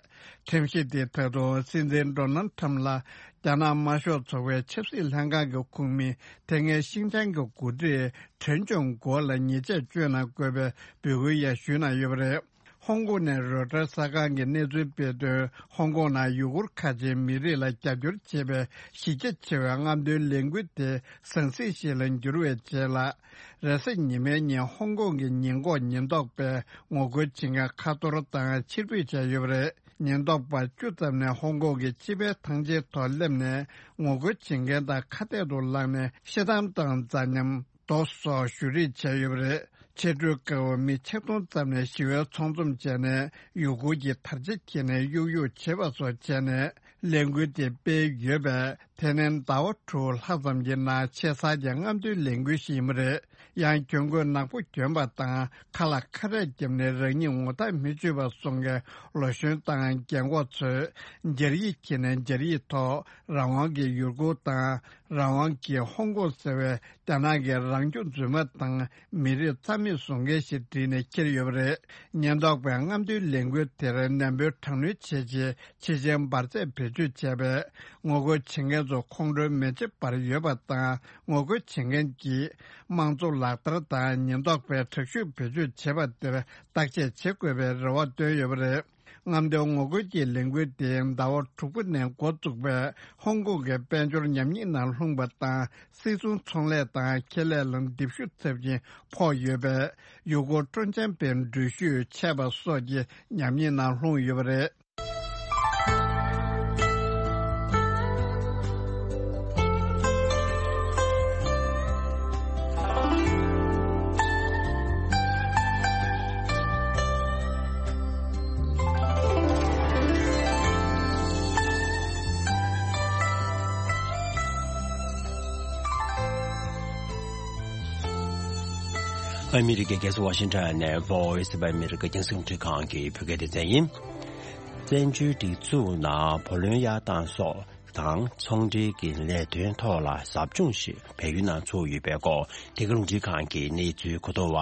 ཁྲིམས་གཞི་དེ་ད་དུང་སྲིད་འཛིན་ཌོ་ནལ་ཁྲམ་ལ་རྒྱ་ནག་དམར་ཤོག་ཚོགས་པའི་ཆབ་སྲིད་ལྷན་ཁང་གི་ཁོངས་མི་དེ་སྔའི་ཤིན་ཅང་གི་འགོ་ཁྲིད་ཁྲེན་ཅུང་གོ་ལ་ཉེས་ཆད་གཅོད་གནང་དགོས་པའི་འབོད་སྐུལ་ཡང་ཞུས་གནང་ཡོད་པ་རེད། ཧོང་ཀོང་ནས་རོའི་ཊར་གསར་ཁང་གིས་གནས་ཚུལ་སྤེལ་དོན། ཧོང་ཀོང་ནང་ཡུ་གུར་ཁ་ཆེའི་མི་རིགས་ལ་རྒྱབ་སྐྱོར་བྱེད་པའི་གཞི་རྒྱ་ཆེ་བའི་རྔམ་སྟོན་ལས་འགུལ་དེ་ཟང་ཟིང་ཞིག་ལ་འགྱུར་བའི་རྗེས་ལ། རེས་གཟའ་ཉི་མའི་ཉིན་ཧོང་ཀོང་གི་ཉེན་འགོག་ཉེན་རྟོག་པས་ངོ་རྒོལ་བྱེད་མཁན་ཁ་གཏོར་དང་ཕྱིར་འབུད་བྱས་ཡོད་པ་རེད། ཉེན་རྟོག་པ་བཅུ་ཙམ་ནས་ཧོང་ཀོང་གི་སྤྱི་པའི་ཐང་ཆེན་ཐོག་སླེབས་ནས། ངོ་རྒོལ་བྱེད་མཁན་དང་ཁ་གཏད་དུ་ལངས་ནས། བཤད་གཏམ་དང་འཛའ་ཉམས། རྡོ་སོགས་གཞུ་རེས་བྱས་ཡོད་པ་རེད། ཕྱི་དྲོའི་སྐབས་མི་ཆིག་སྟོང་ཙམ་ནས་ཞི་བའི་ཚོགས་འཛོམས་བྱས་ནས། ཡུ་གུར་གྱི་དར་ཆ་འཁྱེར་ནས་གཡུག་གཡུག་བྱེད་པ་སོགས་བྱས་ནས། ལས་འགུལ་དེ་སྤེལ་ཡོད་པས། དེ་ནི་ཟླ་བ་དྲུག་ལྷག་ཙམ་གྱི་ནང་ཆེ་ས་ཀྱི་རྔམ་སྟོན་ལས་འགུལ་ཞིག་ཡིན་པ་རེད། ཡང་གྱོན་གོས་ནག་པོ་གྱོན་པ་དང་། ཁ་ལ་ཁ་རས་བརྒྱབ་ནས་རང་ཉིད་ངོ་ཐག་མི་ཆོད་པ་བཟོ་མཁན་ལོ་གཞོན་དང་རྒན་གོག་ཚོས་སྦྱར་ཡིག་འཁྱེར་ནས་སྦྱར་ཡིག་ཐོག་རང་དབང་གི་ཡུ་གུར་དང་། རང་དབང་གི་ཧོང་ཀོང་ཟེར་བའི་རྒྱ་ནག་གི་རང་སྐྱོང་རྫུན་མ་དང་མི་རིགས་རྩ་མེད་བཟོ་མཁན་ཞེས་བྲིས་ནས་འཁྱེར་ཡོད་པ་རེད། ཉེན་རྟོག་པས་རྔམ་སྟོན་ལས་འགུལ་དེར་ནན་པོའི་དྲག་གནོན་བྱས་རྗེས། ཕྱི་རྒྱལ་འབར་རྫས་བེད་སྤྱོད་བྱས་པས། ངོ་རྒོལ་བྱེད་མཁན་ཚོ་ཁོང་ཁྲོའི་མེ་ལྕེ་འབར་ཡོད་པ་དང་། ངོ་རྒོལ་བྱེད་མཁན་གྱིས་དམངས་གཙོ་ལག་བསྟར་དང་ཉེན་རྟོག་པས་དྲག་ཤུགས་བེད་སྤྱོད་བྱས་པ་དེར་བརྟག་དཔྱད་བྱེད་དགོས་པའི་རེ་བ་བཏོན་ཡོད་པ་རེད། རྔམ་སྟོན་ངོ་རྒོལ་གྱི་ལས་འགུལ་དེ་ཟླ་བ་དྲུག་པ་ནས་འགོ་བཙུགས་པའི་ཧོང་ཀོང་གི་དཔལ་འབྱོར་ཉམས་ཉེས་ནང་ལྷུང་བ་དང་། སིལ་སུང་ཚོང་ལས་དང་ཁེ་ལས་ལ་ལྡེབ་ཤུགས་ཚབས་ཆེན་ཕོག་ཡོད་པས། ཡུ་གུར་སྤྲོ་འཆམ་པའི་འགྲུལ་བཞུད་ཆད་པ་སོགས་ཀྱི་ཉམས་ཉེས་ནང་ལྷུང་ཡོད་པ་རེད། ཨ་མི་རི་ཀའི་རྒྱལ་ས་ཝ་ཤིང་ཊོན་ནས་Voice of America རྒྱང་སྲིང་རླུང་འཕྲིན་ཁང་གི་བོད་སྐད་སྡེ་ཚན་ཡིན། བཙན་བྱོལ་སྒྲིག་འཛུགས་ནང་བུ་ལོན་གཡར་སྟངས་སོགས་དང་ཚོང་འབྲེལ་གྱི་ལས་དོན་ཐོག་ལ་ཟབ་སྦྱོང་ཞིག་བལ་ཡུལ་ནང་ཚོགས་ཡོད་པའི་སྐོར། དེ་ག་རླུང་འཕྲིན་ཁང་གི་གནས་ཚུལ་གོ་བསྡུར་བ་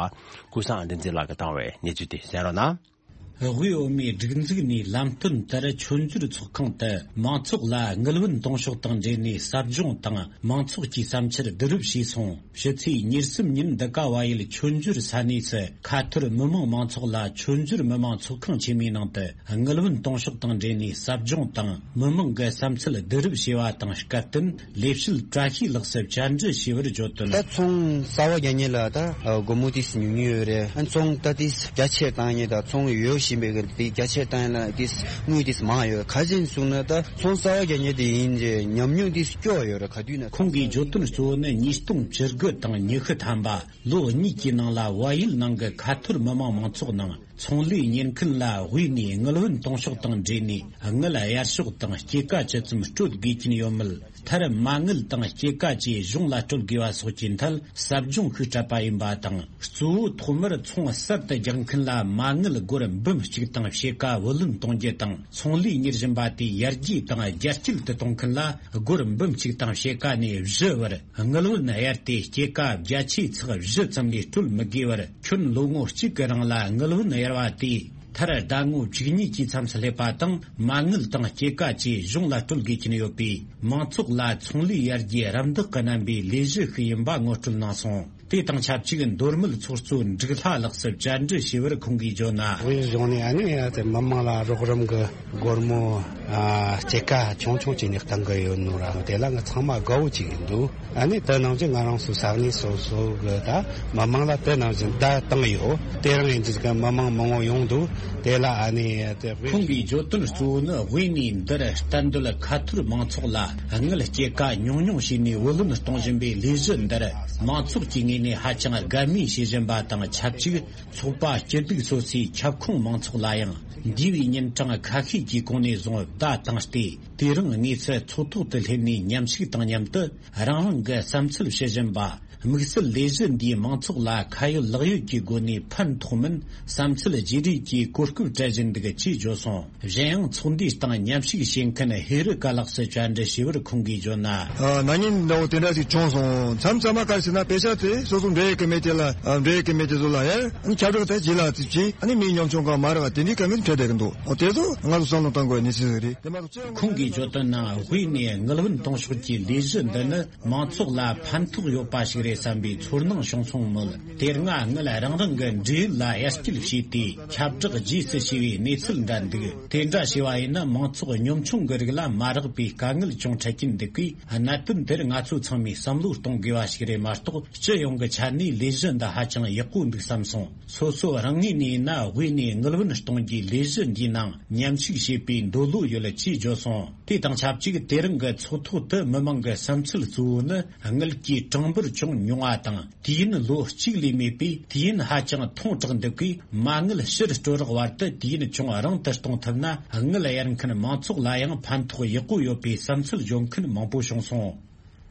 ཀུན་བཟང་བསྟན་འཛིན་ལགས་ཀྱིས་བཏང་བའི་གནས་ཚུལ་དེ་གསན་རོགས་གནང་། དབུས་འོག་མའི་སྒྲིག་འཛུགས་ནས་ལམ་སྟོན་ལྟར། མཆོད་འཇོར་ཚོགས་ཁང་དུ་མང་ཚོགས་ལ་དངུལ་བུན་གཏོང་ཕྱོགས་དང་འབྲེལ་ནས་ཟབ་སྦྱོང་དང་མང་ཚོགས་ཀྱི་བསམ་འཆར་བསྡུ་རུབ་བྱས་སོང་། ཕྱི་ཚེས་ཉེར་གསུམ་ཉིན་འདི་ག་བལ་ཡུལ་མཆོད་འཇོར་ས་གནས་སུ་ཁ་ཐོར་མི་མང་མང་ཚོགས་ལ་མཆོད་འཇོར་མི་མང་ཚོགས་ཁང་ཆེན་མོའི་ནང་དུ་དངུལ་བུན་གཏོང་ཕྱོགས་དང་འབྲེལ་ནས་ཟབ་སྦྱོང་དང་མི་མང་གི་བསམ་ཚུལ་བསྡུ་རུབ་བྱས་པ་དང་སྐབས་བསྟུན་ལས་བྱེད་བཀྲ་ཤིས་ལགས་སུ་བཅར་འདྲི་ཞུས་པར་བརྗོད་དོན། ད་ཚོང་གསར་པ་རྒྱག་མཁན་ལ་ད་སྒོར་མོ་ཏིས་ཉུང་ཉུང་ཡོད་རེད། ཨ་ཚོང་ད་ཏིས་རྒྱ་ཆེར་བཏང་མཁན་དང་ཚོང་ཡོད་བཞིན་པའི་གི་ཏིས་རྒྱ་ཆེར་བཏང་ཡིན་ན་ཏིས་དངུལ་ཏིས་མང་ཡོད། ག་ཅིན་གསུངས་ན་ད་ཚོང་གསར་པ་རྒྱག་མཁན་དེ་ཡིན་རྗེས་ཉམས་མྱོང་ཏིས་སྐྱོ་ཡོད་རེད། ག་དུས་ན། ཁོང་གིས་བརྗོད་དོན་གཙོ་བོ་ནི་ཉིས་སྟོང་བཅུ་དགུ་དང་ཉི་ཤུ་ཐམ་པ་ལོ་གཉིས་ཀྱི་ནང་ལ་བལ་ཡུལ་ནང་གི་ཁ་ཐོར་མི་མང་མང་ཚོགས་ནང་ཚོང་ལས་གཉེར་མཁན་ལ་དབུས་ནས་དངུལ་བུན་གཏོང་ཕྱོགས་དང་འབྲེལ་ནས་དངུལ་གཡར་ཕྱོགས་དང་སྐྱེད་ཀ་ཇི་ཙམ་སྤྲོད་དགོས་ཀྱིན་ཡོད་མེད། མཐར་མ་དངུལ་དང་སྐྱེད་ཀ་བཅས་གཞུང་ལ་སྤྲོད་དགོས་པ་སོགས་ཀྱི་ཐད་ཟབ་སྦྱོང་ཤིག་སྤྲད་པ་ཡིན་པ་དང་། གཙོ་བོ་ཐོག་མར་ཚོང་གསར་དུ་རྒྱག་མཁན་ལ་མ་དངུལ་སྒོར་འབུམ་གཅིག་དང་ཕྱེད་ཀ་བུ་ལོན་གཏོང་རྒྱུ་དང་། ཚོང་ལས་གཉེར་བཞིན་པ་དེ་ཡར་རྒྱས་དང་རྒྱ་སྐྱེད་དུ་གཏོང་མཁན་ལ་སྒོར་འབུམ་གཅིག་དང་ཕྱེད་ཀ་ནས་བཞི་བར་དངུལ་བུན་གཡར་ཏེ་སྐྱེད་ཀ་བརྒྱ་ཆའི་ཚེག་བཞི་ཙམ་ལས་སྤྲོད་མི་དགོས་པར་ཁྱོན་ལོ་ངོ་གཅིག་གི་རིང་ལ་དངུལ་བུན་གཡར་བ་དེས། མཐར་ཟླ་ངོ་བཅུ་གཉིས་ཀྱི་མཚམས་སུ་སླེབས་པ་དང་མ་དངུལ་དང་སྐྱེད་ཀ་བཅས་གཞུང་ལ་སྤྲོད་དགོས་ཀྱིན་ཡོད་པས། མང་ཚོགས་ལ་ཚོང་ལས་ཡར་རྒྱས་རམ་འདེགས་ཀྱི་རྣམ་པའི་ལས་གཞི་ཞིག་ཡིན་པ་ངོ་སྤྲོད་གནང་སོང་། དེ་དང་ཆབས་ཅིག་མདོ་སྨད་ཚོགས་གཙོ་འབྲུག་ལྷ་ལགས་སུ་བཅར་འདྲི་ཞུས་པར་ཁོང་གིས་བརྗོད་ན། དབུས་གཞུང་ནས་ཨ་ནི་ཡ་ཚེ་མི་མང་ལ་རོགས་རམ་གྱི་སྒོར་མོ་ཨ་སྐྱེད་ཀ་ཆུང་ཆུང་ཅིག་ནས་གཏང་གི་ཡོད་ནོ་ར། དེ་ལ་ང་ཚང་མ་དགའ་བོ་ཅིག་ཡིན་འདུག་ཨ་ནི་དེ་ནང་བཞིན་ང་རང་ཚོ་ས་གནས་སོ་སོ་གི་ད་མི་མང་ལ་དེ་ནང་བཞིན་བརྡ་བཏང་ཡོད། དེ་རིང་ཡིན་གྱི་མི་མང་མང་བོ་ཡོང་འདུག་དེ་ལ་ཨ་ནི་དེ་ཁོང་གིས་བརྗོད་དོན་གཙོ་བོ་ནི་དབུས་ནས་འདིར་གཏན་སྡོད་ཁ་ཐོར་མང་ཚོགས་ལ་དངུལ་སྐྱེད་ཀ་ཉུང་ཉུང་བྱས་ནས་བུ་ལོན་གཏོང་བཞིན་པའི་ལས་གཞི་འདིར་མང་ཚོགས་ཀྱི་ངོས་ནས་ཧ་ཅང་དགའ་མོས་བྱེད་བཞིན་པ་དང་ཆབས་ཅིག་ཚོགས་པ་སྐྱིད་སྡུག་སོ་སོའི་ཁྱབ་ཁོངས་མང་ཚོགས་ལ་ཡང་འདས་པའི་ཉིན་གྲངས་ཁ་ཤས་ཀྱི་གོང་ནས་བཟུང་བརྡ་བཏང་སྟེ། དེ་རིང་དངོས་སུ་ཚོགས་ཐོག་ཏུ་སླེབས་ནས་མཉམ་ཞུགས་དང་མཉམ་དུ་རང་རང་གི་བསམ་ཚུལ་བཤད་བཞིན་པ། དམིགས་བསལ་ལས་གཞི་འདིས་མང་ཚོགས་ལ་ཁ་ཡོད་ལག་ཡོད་ཀྱི་སྒོ་ནས་ཕན་ཐོགས་མིན་བསམ་ཚུལ་བརྗེ་རེས་ཀྱི་གོ་སྐབས་སྤྲད་བཞིན་འདུག་ཅེས་བརྗོད་སོང་། གཞན་ཡང་ཚོགས་འདུའི་སྟེང་མཉམ་ཞུགས་བྱེད་མཁན་ཧེ་རི་ཀ་ལགས་སུ་བཅར་འདྲི་ཞུས་པར་ཁོང་གིས་བརྗོད་ན། ཨ་ན་ནིང་འདྲ་བོ་དེ་འདྲ་ཞིག་བྱུང་སོང་། མཚམས་མཚམས་མ་ག་རེ་ཟེར་ན་དཔེ་ཆ་དེ་སོ་སོ་འབྲེལ་ཡོད་ཀི་མི་དེ་ལ་ཨ་འབྲེལ་ཡོད་ཀི་མི་དེ་ཚོ་ལ་ཡ་ཨ་ནི་ཁྱབ་བསྒྲགས་དེ་བྱེད་ལ་ཙིག་བྱེད་ཨ་ནི་མི་ཉམ་ཆུང་གང་མ་རེད་བ་དེ་འདྲའི་ཀ་མི་འཕྲད་བསྡད་ཀི་འདུག་འོ་དེ་ཚོ་ང་ཚོ་བསམ་བློ་གཏོང་དགོས་གནས་ཚུལ་ཞིག་རེད། དེ་མ་གཏོགས་ཁོང་གིས་བརྗོད་དོན་ནང་དབུས་ནས་དངུལ་བུན་གཏོང་ཕྱོགས་ཀྱི་ལས་གཞི་འདི་ནི་མང་ཚོགས་ལ་ཕན་ཐོགས་ཡོད་པ་ཞིག་རེད་བསམ་པའི་ཚོར་སྣང་བྱུང་སོང་མོད། དེ་སྔ་དངུལ་རང་རང་གི་འབྲེལ་ཡོད་ལ་དབྱར་སྐྱེལ་བྱས་ཏེ་ཁྱབ་བསྒྲགས་རྗེས་སུ་བྱས་པའི་གནས་ཚུལ་འདྲ་འདུག་དེ་འདྲ་བྱས་པ་ཡིན་ན་མང་ཚོགས་ཉམ་ཆུང་གི་རིགས་ལ་མ་རག་པའི་དཀའ་ངལ་ཅུང་འཕྲད་ཀྱིན་འདུག་གས། གནད་དོན་དེར་ང་ཚོ་ཚང་མས་བསམ་བློ་གཏོང་དགོས་པ་ཞིག་རེད་མ་གཏོགས། སྤྱི་ཡོངས་ཀྱི་ཆ་ནས་ལས་གཞི་འདི་ཧ་ཅང་ཡག་པོ་འདུག་བསམ་སོང་། སོ་སོ་རང་ངོས་ནས་ཡིན་ན་དབུས་ནས་དངུལ་བུན་གཏོང་རྒྱུའི་ལས་གཞི་འདིའི་ནང་མཉམ་ཞུགས་བྱེད་པའི་འདོད་བློ་ཡོད་ཅེས་བརྗོད་སོང་། དེ་དང་ཆབས་ཅིག་དེ་རིང་གི་ཚོགས་ཐོག་ཏུ་མི་མང་གི་བསམ་ཚུལ་གཙོ་བོ་ནི་དངུལ་གྱི་གྲངས་འབོར་ཅུང་ཉུང་བ་དང་། དུས་ཡུན་ལོ་གཅིག་ལས་མེད་པས་དུས་ཡུན་ཧ་ཅང་ཐུང་དྲགས་འདུག་གས། མ་དངུལ་ཕྱིར་སྤྲོད་རོགས་བར་དུ་དུས་ཡུན་ཅུང་རིང་དུ་གཏོང་ཐུབ་ན་དངུལ་གཡར་མཁན་མང་ཚོགས་ལ་ཡང་ཕན་ཐོགས་ཡག་པོ་ཡོད་པའི་བསམ་ཚུལ་འཇོག་མཁན་མང་པོ་བྱུང་སོང་།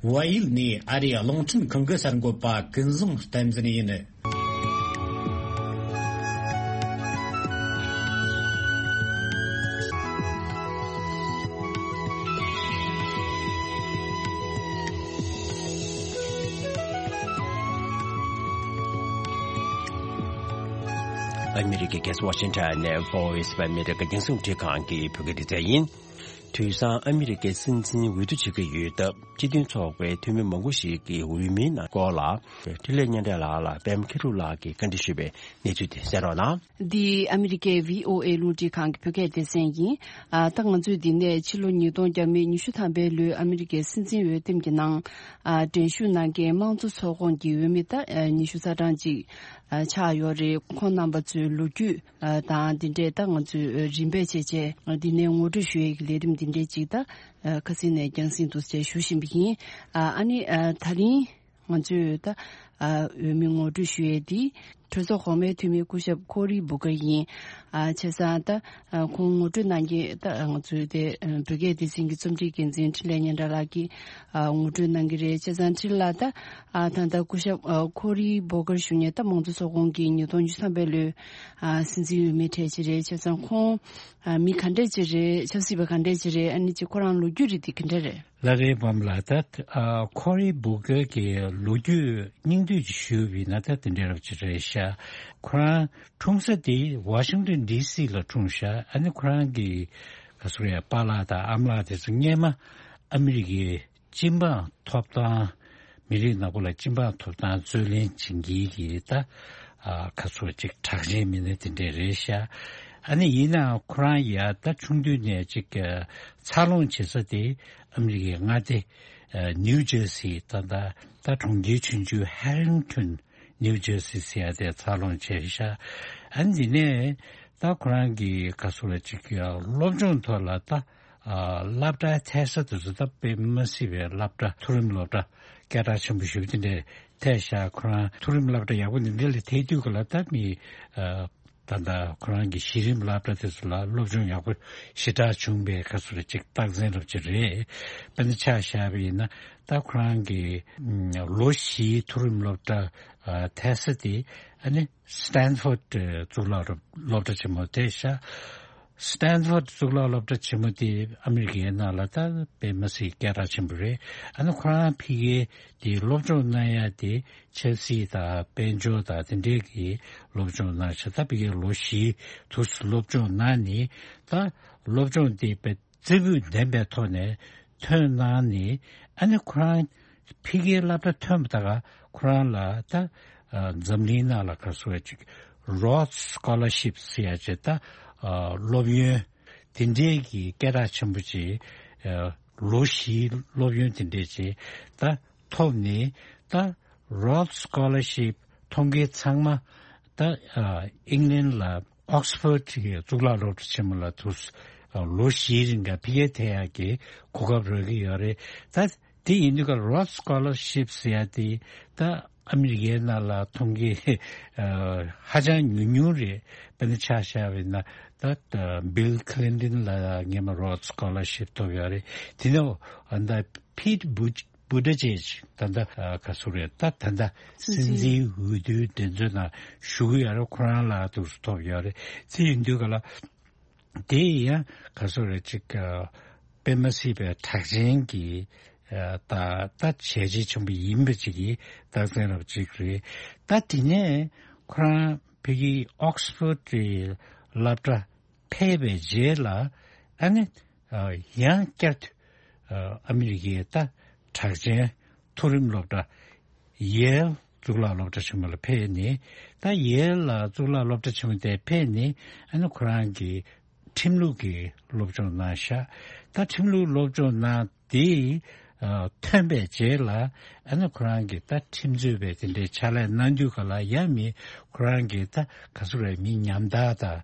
བལ་ཡུལ་ནས་ཨ་རིའི་རླུང་འཕྲིན་ཁང་གི་གསར་འགོད་པ་ཀུན་བཟང་བསྟན་འཛིན་ཡིན། ཨ་མི་རི་ཀའི་རྒྱལ་ས་ཝ་ཤིང་ཊོན་ནས་Voice of America རྒྱང་སྲིང་རླུང་འཕྲིན་ཁང་གི་བོད་སྐད་སྡེ་ཚན་ཡིན། དུས་སང་ཨ་མི་རི་ཀའི་སྲིད་འཛིན་འོས་བསྡུ་བྱེད་ཀྱི་ཡོད་སྟབས། སྤྱི་མཐུན་ཚོགས་པའི་འཐུས་མི་མང་པོ་ཞིག་གིས་འོས་མིའི་ནང་སྐོར་ལ། འཕྲིན་ལས་གཉན་བྲག་ལགས་ལ་པད་མ་མཁས་གྲུབ་ལགས་ཀྱིས་བཀའ་འདྲི་ཞུས་པའི་གནས་ཚུལ་དེ་གསན་རོགས་གནང་། འདི་ཨ་མི་རི་ཀའི་བྷི་ཨོ་ཨེ་རླུང་འཕྲིན་ཁང་གི་བོད་སྐད་སྡེ་ཚན་ཡིན། ཨ་ད་ང་ཚོས་འདི་ནས་ཕྱི་ལོ་ཉིས་སྟོང་ཉི་ཤུ་ཐམ་པའི་ལོའི་ཨ་མི་རི་ཀའི་སྲིད་འཛིན་འོས་འདེམས་ཀྱི་ནང་། ཨ་འགྲན་ཞུགས་གནང་མཁན་དམངས་གཙོ་ཚོགས་ཁོངས་ཀྱི་འོས་མི་ད་ཉི་ཤུ་རྩ་གྲངས་ཅིག་ཆགས་ཡོད་རེད། ཁོང་རྣམ་པ་ཚོའི་ལོ་རྒྱུས། ཨ་དང་འདི་འདྲས་ད་ང་ཚོས་རིམ་པས་བྱས་བྱས་འདི་ནས་ངོ་སྤྲོད་ཞུ་ཡས་ཀྱི་ལས་རིམ་འདི་འདྲས་ཅིག་ད་ཨ་ཁ་སང་ནས་རྒྱང་སྲིང་དུ་བྱས་ཞུ་བཞིན་པ་ཡིན། ཨ་ཨ་ནི་ཨ་ད་རིང་ང་ཚོས་ད་ ཨ་འོས་མི་ངོ་སྤྲོད་ཞུ་ཡས་དེ་གྲོས་ཚོགས་གོང་མའི་འཐུས་མི་སྐུ་ཞབས་ཁོ་རི་བུ་ཀར་ཡིན། ཨ་བྱས་ཙང་ད་ཨ་ཁོང་ངོ་སྤྲོད་གནང་མཁན་ད་ང་ཚོའི་དེ་ཨ་བོད་སྐད་སྡེ་ཚན་གྱི་རྩོམ་སྒྲིག་འགན་འཛིན་འཕྲིན་ལས་སྙན་གྲགས་ལགས་ཀྱིས་ཨ་ངོ་སྤྲོད་གནང་གི་རེད། བྱས་ཙང་འཕྲིན་ལགས་ད་ཨ་ད་ལྟ་སྐུ་ཞབས་ཨ་ཁོ་རི་བུ་ཀར་ཞུ་མཁན་ད་མང་གཙོ་ཚོགས་ཁོངས་ཀྱི་ཉིས་སྟོང་བཅུ་ཐམ་པའི་ལོའི་ཨ་སྲིད་འཛིན་འོས་མི་གྲས་ཅིག་རེད། བྱས་ཙང་ཁོང་ཨ་མི་ག་འདྲས་ཅིག་རེད། ཆབ་སྲིད་པ་ག་འདྲས་ཅིག་རེད། ཨ་ནི་ཅིག་ཁོ་རང་ལོ་རྒྱུས་རིགས་དེ་ག་འདྲས་རེད། ལ་རེ་བམ་ལ་ད་ཨ་ཁོ་རི་བུ་ཀར་གྱི་ལོ་རྒྱུས་སྙིང་བསྡུས་ཅིག་ཞུས་པ་ཡིན་ན་ད་དེ་འདྲ་རབ་ཅིག་རེད་ཤག་ཁོ་རང་འཁྲུངས་ས་དེ་ཝ་ཤིང་ཏོན་ཌི་སི་ལ་འཁྲུངས་ཤག་ཨ་ནི་ཁོ་རང་གི་ག་ཟེར་ཡ་པཱ་ལགས་དང་ཨ་མ་ལགས་དེ་ཚོ་སྔས་མ་ཨ་མི་རི་ཀའི་སྤྱི་འབངས་ཐོབ་ཐང་མི་རིགས་ནག་པོ་ལ་སྤྱི་འབངས་ཐོབ་ཐང་རྩོད་ལེན་བྱེད་མཁན་གྱི་ད་ཨ་ཁ་ཚུགས་ཅིག་གྲགས་ཅན་མི་སྣ་དེ་འདྲས་རེད་ཤག་ཨ་ནི་ཡིན་ནའང་ཁོ་རང་ཡ་ད་ཆུང་དུས་ནས་ཅིག་འཚར་ལོངས་བྱེད་ས་དེ་ཨ་མི་རི་ཀའི་མངའ་སྡེ་ཨ་ནིའུ་ཇར་སི་ད་ད་ད་གྲོང་ཁྱེར་ཆུང་ཆུང་ཧེ་རིང་ཊོན་ནིའུ་ཇར་སི་ཟེར་ཡ་དེ་འཚར་ལོངས་བྱས་ཤག་ཨ་ནི་འདི་ནས་ད་ཁོ་རང་གི་ག་ཟེར་ཅིག་སློབ་སྦྱོང་ཐོག་ལ་ད་ཨ་སློབ་གྲྭའི་ཐད་ས་དེ་ཚོ་ད་དཔེ་མ་སྲིད་པའི་སློབ་གྲྭ་མཐོ་རིམ་སློབ་གྲྭ་སྐད་གྲགས་ཆེན་པོ་ཞེ་པོ་དེ་འདྲས་ཐད་ཤག་ཁོ་རང་མཐོ་རིམ་སློབ་གྲྭ་ཡག་པོ་འདི་འདྲ་ལ་ཐད་དུས་ག་ལ་ད་མི་ཨ་ད་ལྟ་ཁོ་རང་གི་གཞི་རིམ་སློབ་གྲྭ་དེ་ཚོ་ལ་སློབ་སྦྱོང་ཡག་པོ་ཞེ་དྲག་བྱུང་བའི་ཁ་ཚུར་ཅིག་རྟགས་མཚན་རབ་ཅིག་རེད། དཔེར་ན་ཆ་བཞག་པ་ཡིན་ན་ད་ཁོ་རང་གི་ལོ་བཞིའི་མཐོ་རིམ་སློབ་གྲྭ་ཐད་ས་དེ་ཨ་ནི་སི་ཏན་ཕོར་ཌི་གཙུག་ལག་སློབ་གྲྭ་ཆེན་མོ་དེ་ཤག་སི་ཏན་ཕོར་ཌི་གཙུག་ལག་སློབ་གྲྭ་ཆེན་མོ་དེ་ཨ་མི་རི་ཀའི་ནང་ལ་ད་དཔེ་མ་སྲིད་སྐད་གྲགས་ཆེན་པོ་རེད། ཨ་ནི་ཁོ་རང་ཕ་གིའི་དེ་སློབ་སྦྱོང་གནང་ཡ་དེ་ཆབ་སྲིད་དང་དཔལ་འབྱོར་དང་དེ་འདྲའི་གི་སློབ་སྦྱོང་གནང་ཤག་ད་ཕ་གིའི་ལོ་བཞིའི་དུས་སུ་སློབ་སྦྱོང་གནང་ནས་ད་སློབ་སྦྱོང་དེ་དཔེ་རྩེ་ཕུད་ལྡན་པའི་ཐོག་ནས་ཐོན་གནང་ནས་ཨ་ནི་ཁོ་རང་ཕ་གིའི་སློབ་གྲྭ་ཐོན་པ་དང་ཁོ་རང་ལ་ད་ཨ་འཛམ་གླིང་ནང་ལ་ག་ཟེར་ཅིག་རོ་ཌི་སི་ཀོ་ལར་ཤིབ་ཟེར་ཡ་ཅིག་ད་ཨ་སློབ་ཡོན་དེ་འདྲའི་གི་སྐད་གྲགས་ཆེན་པོ་ཅིག་ཨ་ལོ་བཞིའི་སློབ་ཡོན་དེ་འདྲའི་ཅིག་ད་ཐོབ་ནས་ད་རོ་ཌི་སི་ཀོ་ལར་ཤིབ་ཐོབ་མཁན་ཚང་མ་ད་ཨ་ཨིང་ལན་ལ་ཨོག་སི་ཕོར་ཌི་གི་གཙུག་ལག་སློབ་གྲྭ་ཆེན་མོ་ལ་དུ་ལོ་བཞིའི་རིང་ག་ཕ་གིར་ཐད་ཡག་གི་གོ་སྐབས་རག་གི་ཡོད་རེད། ད་དེ་ཡིན་དུས་ཀ་རོ་ཌི་སི་ཀོ་ལར་ཤིབ་ཟེར་ཡ་དེ་ད་ཨ་མི་རི་ཀའི་ནང་ལ་ཐོབ་མཁན་ཧ་ཅང་ཉུང་ཉུང་རེད། དཔེར་ན་ཆ་བཞག་པ་ཡིན་ན་ད་བིལ་ཁི་ལིན་ཏོན་ལ་སྔས་མ་རོ་ཌི་སི་ཀོ་ལར་ཤིབ་ཐོབ་ཡོད་རེད། དེ་ནས་ད་ཕིཊ་བུ་བུ་ཏི་ཇེཇ་ད་ལྟ་ག་ཟེར་རེད། ད་ད་ལྟ་སྲིད་འཛིན་འོས་བསྡུའི་འགྲན་རྩོད་ནང་ཞུགས་ཀྱི་ཡོད་རེད། ཁོ་རང་ལ་དུ་ཐོབ་ཡོད་རེད། དེ་ཡིན་དུས་ག་ལ་དེ་ཡང་ག་ཟེར་རེད་ཅིག་དཔེ་མ་སྲིད་པའི་གྲགས་ཅན་གྱི་ད་ད་བྱས་རྗེས་ཆེན་པོ་ཡིན་པ་ཅིག་གི་རྟགས་མཚན་རབ་ཅིག་རེད། ད་དེ་ནས་ཁོ་རང་ཕ་གི་ཨོག་སི་ཕོར་ཌི་སློབ་གྲྭ་ཕེབས་པའི་རྗེས་ལ་ཨ་ནི་ཡང་བསྐྱར་དུ་ཨ་མི་རི་ཀའི་ད་གྲགས་ཅན་མཐོ་རིམ་སློབ་གྲྭ་ཡེལ་གཙུག་ལག་སློབ་གྲྭ་ཆེན་མོ་ལ་ཕེབས་ནས་ད་ཡེལ་ལ་གཙུག་ལག་སློབ་གྲྭ་ཆེན་མོ་དེ་ཕེབས་ནས་ཨ་ནི་ཁོ་རང་གི་ཁྲིམས་ལུགས་ཀྱི་སློབ་སྦྱོང་གནང་ཤག་ད་ཁྲིམས་ལུགས་སློབ་སྦྱོང་གནང་དེ་ཐོན་པའི་རྗེས་ལ་ཨ་ནི་ཁོ་རང་གི་ད་ཁྲིམས་རྩོད་པའི་དེ་འདྲའི་ཕྱག་ལས་གནང་དུས་ག་ལ་ཡང་མི་ཁོ་རང་གི་ད་ག་ཟེར་རེད་མི་ཉམ་ཐག་དང་།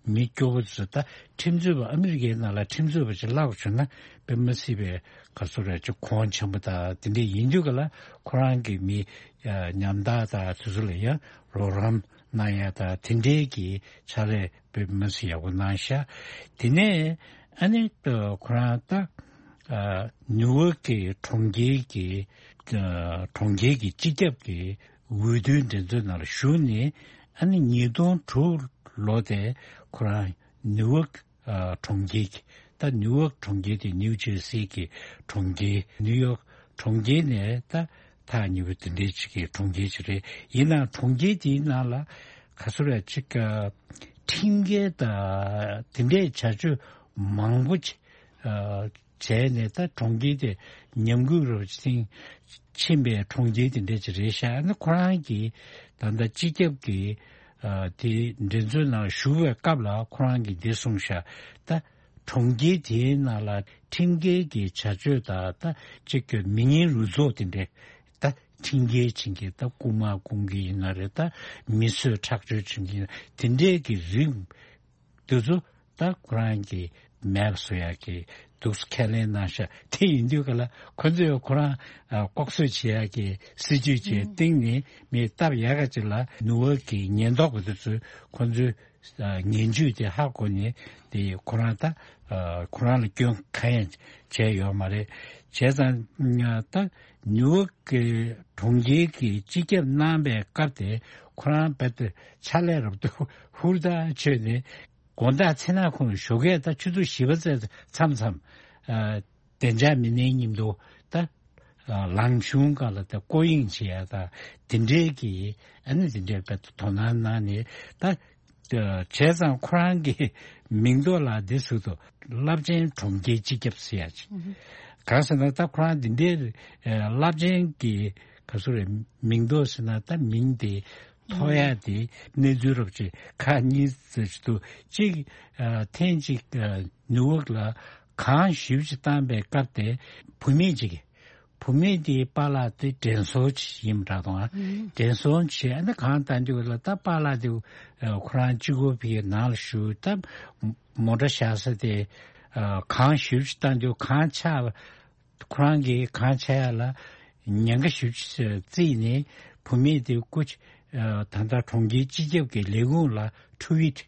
མི་སྐྱོ་བོ་ཚོ་ད་ཁྲིམས་རྩོད་པ་ཨ་མི་རི་ཀའི་ནང་ལ་ཁྲིམས་རྩོད་པ་ཅིག་བརླག་བྱུང་ན་དཔེ་མ་སྲིད་པའི་ག་ཚོད་རེད་ཅིག་གོང་ཆེན་པོ་དང་དེ་འདྲས་ཡིན་དུས་ག་ལ་ཁོ་རང་གི་མི་ཉམ་ཐག་དང་དེ་ཚོ་ལ་ཡང་རོགས་རམ་གནང་ཡ་དང་དེ་འདྲས་ཀྱི་ཕྱག་ལས་དཔེ་མ་སྲིད་ཡག་པོ་གནང་ཤག་དེ་ནས་ཨ་ནི་ཁོ་རང་ད་ནིའུ་ཡོག་གི་གྲོང་ཁྱེར་གྱི་གྲོང་ཁྱེར་གྱི་སྤྱི་ཁྱབ་ཀྱི་འོས་བསྡུའི་འགྲན་རྩོད་ནང་ལ་ཞུགས་ནས་ཨ་ནི་ཉིས་སྟོང་དྲུག་ལོ་དེ་ཁོ་རང་ནིའུ་ཡོག་ཨ་གྲོང་ཁྱེར་གྱི་ད་ནིའུ་ཡོག་གྲོང་ཁྱེར་དེ་ནིའུ་ཇར་སི་གི་གྲོང་ཁྱེར་ནིའུ་ཡོག་གྲོང་ཁྱེར་ནས་ད་ཐག་ཉེ་བོ་དེ་འདྲའི་ཅིག་གི་གྲོང་ཁྱེར་ཅིག་རེད། ཡིན་ནའང་གྲོང་ཁྱེར་དེའི་ནང་ལ་ག་ཚོད་རེད་ཅིག་ཨ་ཁྲིམས་འགལ་དང་དེ་འདྲའི་བྱ་སྤྱོད་མང་པོ་ཅིག་ཨ། བྱས་ནས་ད་གྲོང་ཁྱེར་དེ་ཉམས་རྒུད་རུ་ཕྱིན་ཕྱིན་པའི་གྲོང་ཁྱེར་དེ་འདྲ་ཅིག་རེད་ཤག་ཨ་ནི་ཁོ་རང་གིས་ད་ལྟ་སྤྱི་ཁྱབ་ཀྱི་ཨ་དེ་འགྲན་རྩོད་ནང་ཞུགས་པའི་སྐབས་ལ་ཁོ་རང་གིས་འདི་གསུངས་ཤག་ད་གྲོང་ཁྱེར་དེའི་ནང་ལ་ཁྲིམས་འགལ་གྱི་བྱ་སྤྱོད་དང་ད་གཅིག་གི་མི་ངན་རུ་ཚོགས་དེ་འདྲ་ད་ཁྲིམས་འགལ་བྱེད་མཁན་ད་རྐུ་མ་རྐུ་མཁན་ཡིན་ན་རེད། ད་མི་གསོད་ཁྲག་སྦྱོར་བྱེད་མཁན་དེ་འདྲའི་གི་རིགས་དེ་ཚོ་ད་ཁོ་རང་གིས་མེད་པ་བཟོ་ཡག་གི་ འདུག་སེ་ཁས་ལེན་གནང་ཤག་དེ་ཡིན་དུས་ག་ལ་ཁོ་ཚོས་ཁོ་རང་ཨ་ལྐོག་གསོད་བྱེད་ཡག་གི་སྲིད་ཇུས་བྱས་ཨུ། སྟེང་ནས་མི་སྟབས་ཡག་ག་ཅིག་ལ་ནུ་ཝོག་གི་ཉེན་རྟོག་པ་དེ་ཚོས་ཁོ་ཚོའི་ཨ་ངན་ཇུས་དེ་ཧ་གོ་ནས་དེ་ཁོ་རང་ད་ཨ་ཁོ་རང་ལ་སྐྱོན་གང་ཡང་བྱས་ཡོད་མ་རེད། བྱས་ཙང་ད་ནུ་ཝོག་གི་གྲོང་ཁྱེར་གྱི་སྤྱི་ཁྱབ་གནང་པའི་སྐབས་དེ་ཁོ་རང་རྦད་དེ་ཕྱག་ལས་རབ་ཏུ་ཧུར་ཐག་བྱས་ནས། དགོང་དག་མཚན་ནག་ཁོང་ཞོགས་ཀས་ད་ཆུ་ཚོད་བཞི་པ་ཙམ་མཚམས་མཚམས་ཨ་བདེ་འཇགས་མི་སྣའི་མཉམ་དུ་ད་ཨ་ལང་གཞུང་སྒང་ལ་ད་སྐོར་གཡེང་བྱེད་ཡ་ད་དེ་འདྲའི་གི་ཨ་ནི་དེ་འདྲའི་དཔེ་དོ་སྣང་གནང་ནས་ད་ཨ་བྱས་ཙང་ཁོ་རང་གི་མིང་ཐོག་ལ་འདི་ཟེར་དུས་རླབས་ཆེན་གྲོང་ཁྱེར་སྤྱི་ཁྱབ་ཟེར་ཡ་ཅིག་གང་ཟེར་ན་ད་ཁོ་རང་འདི་འདྲའི་ཨ་རླབས་ཆེན་གི་ག་ཚོད་རེད། མིང་ཐོག་ཟེར་ན་ད་མིང་དེ་ཐོགས་ཡ་དེ་གནས་ཚུལ་རོབ་ཅིག་ཁག་གཉིས་ཙམ་ཞིག་འདུག་གཅིག་ཨ་ཐེངས་གཅིག་ཨ་ནུ་ཝོག་ལ་གངས་ཞེ་པོ་ཅིག་བཏང་པའི་སྐབས་དེ་བུད་མེད་ཅིག་གིས་བུད་མེད་དེའི་པཱ་ལགས་དེ་དྲན་གསོ་ཅིག་ཡིན་པ་འདྲ་འདུག་ཨ། དྲན་གསོ་བྱས་ཨ་ནི་གངས་བཏང་དུས་ལ་ད་པཱ་ལགས་དེ་ཨ་ཁོ་རང་གཅིག་པོ་ཕ་གིའི་ནང་ལ་བཞུགས། ད་མོ་ཊ་བཞག་ས་དེ་ཨ་གངས་ཞེ་པོ་ཅིག་བཏང་དུས་གངས་ཆག་ཁོ་རང་གིས་གངས་ཆག་ཡ་ལ་ཉེན་ཁ་ཞེ་པོ་ཅིག་བརྩིས་ནས་བུད་མེད་དེ་སྐུ་ཨ་ད་ལྟ་གྲོང་ཁྱེར་སྤྱི་ཁྱབ་ཀྱི་ལས་ཁུངས་ལ་ཊུ་ཝིཊ་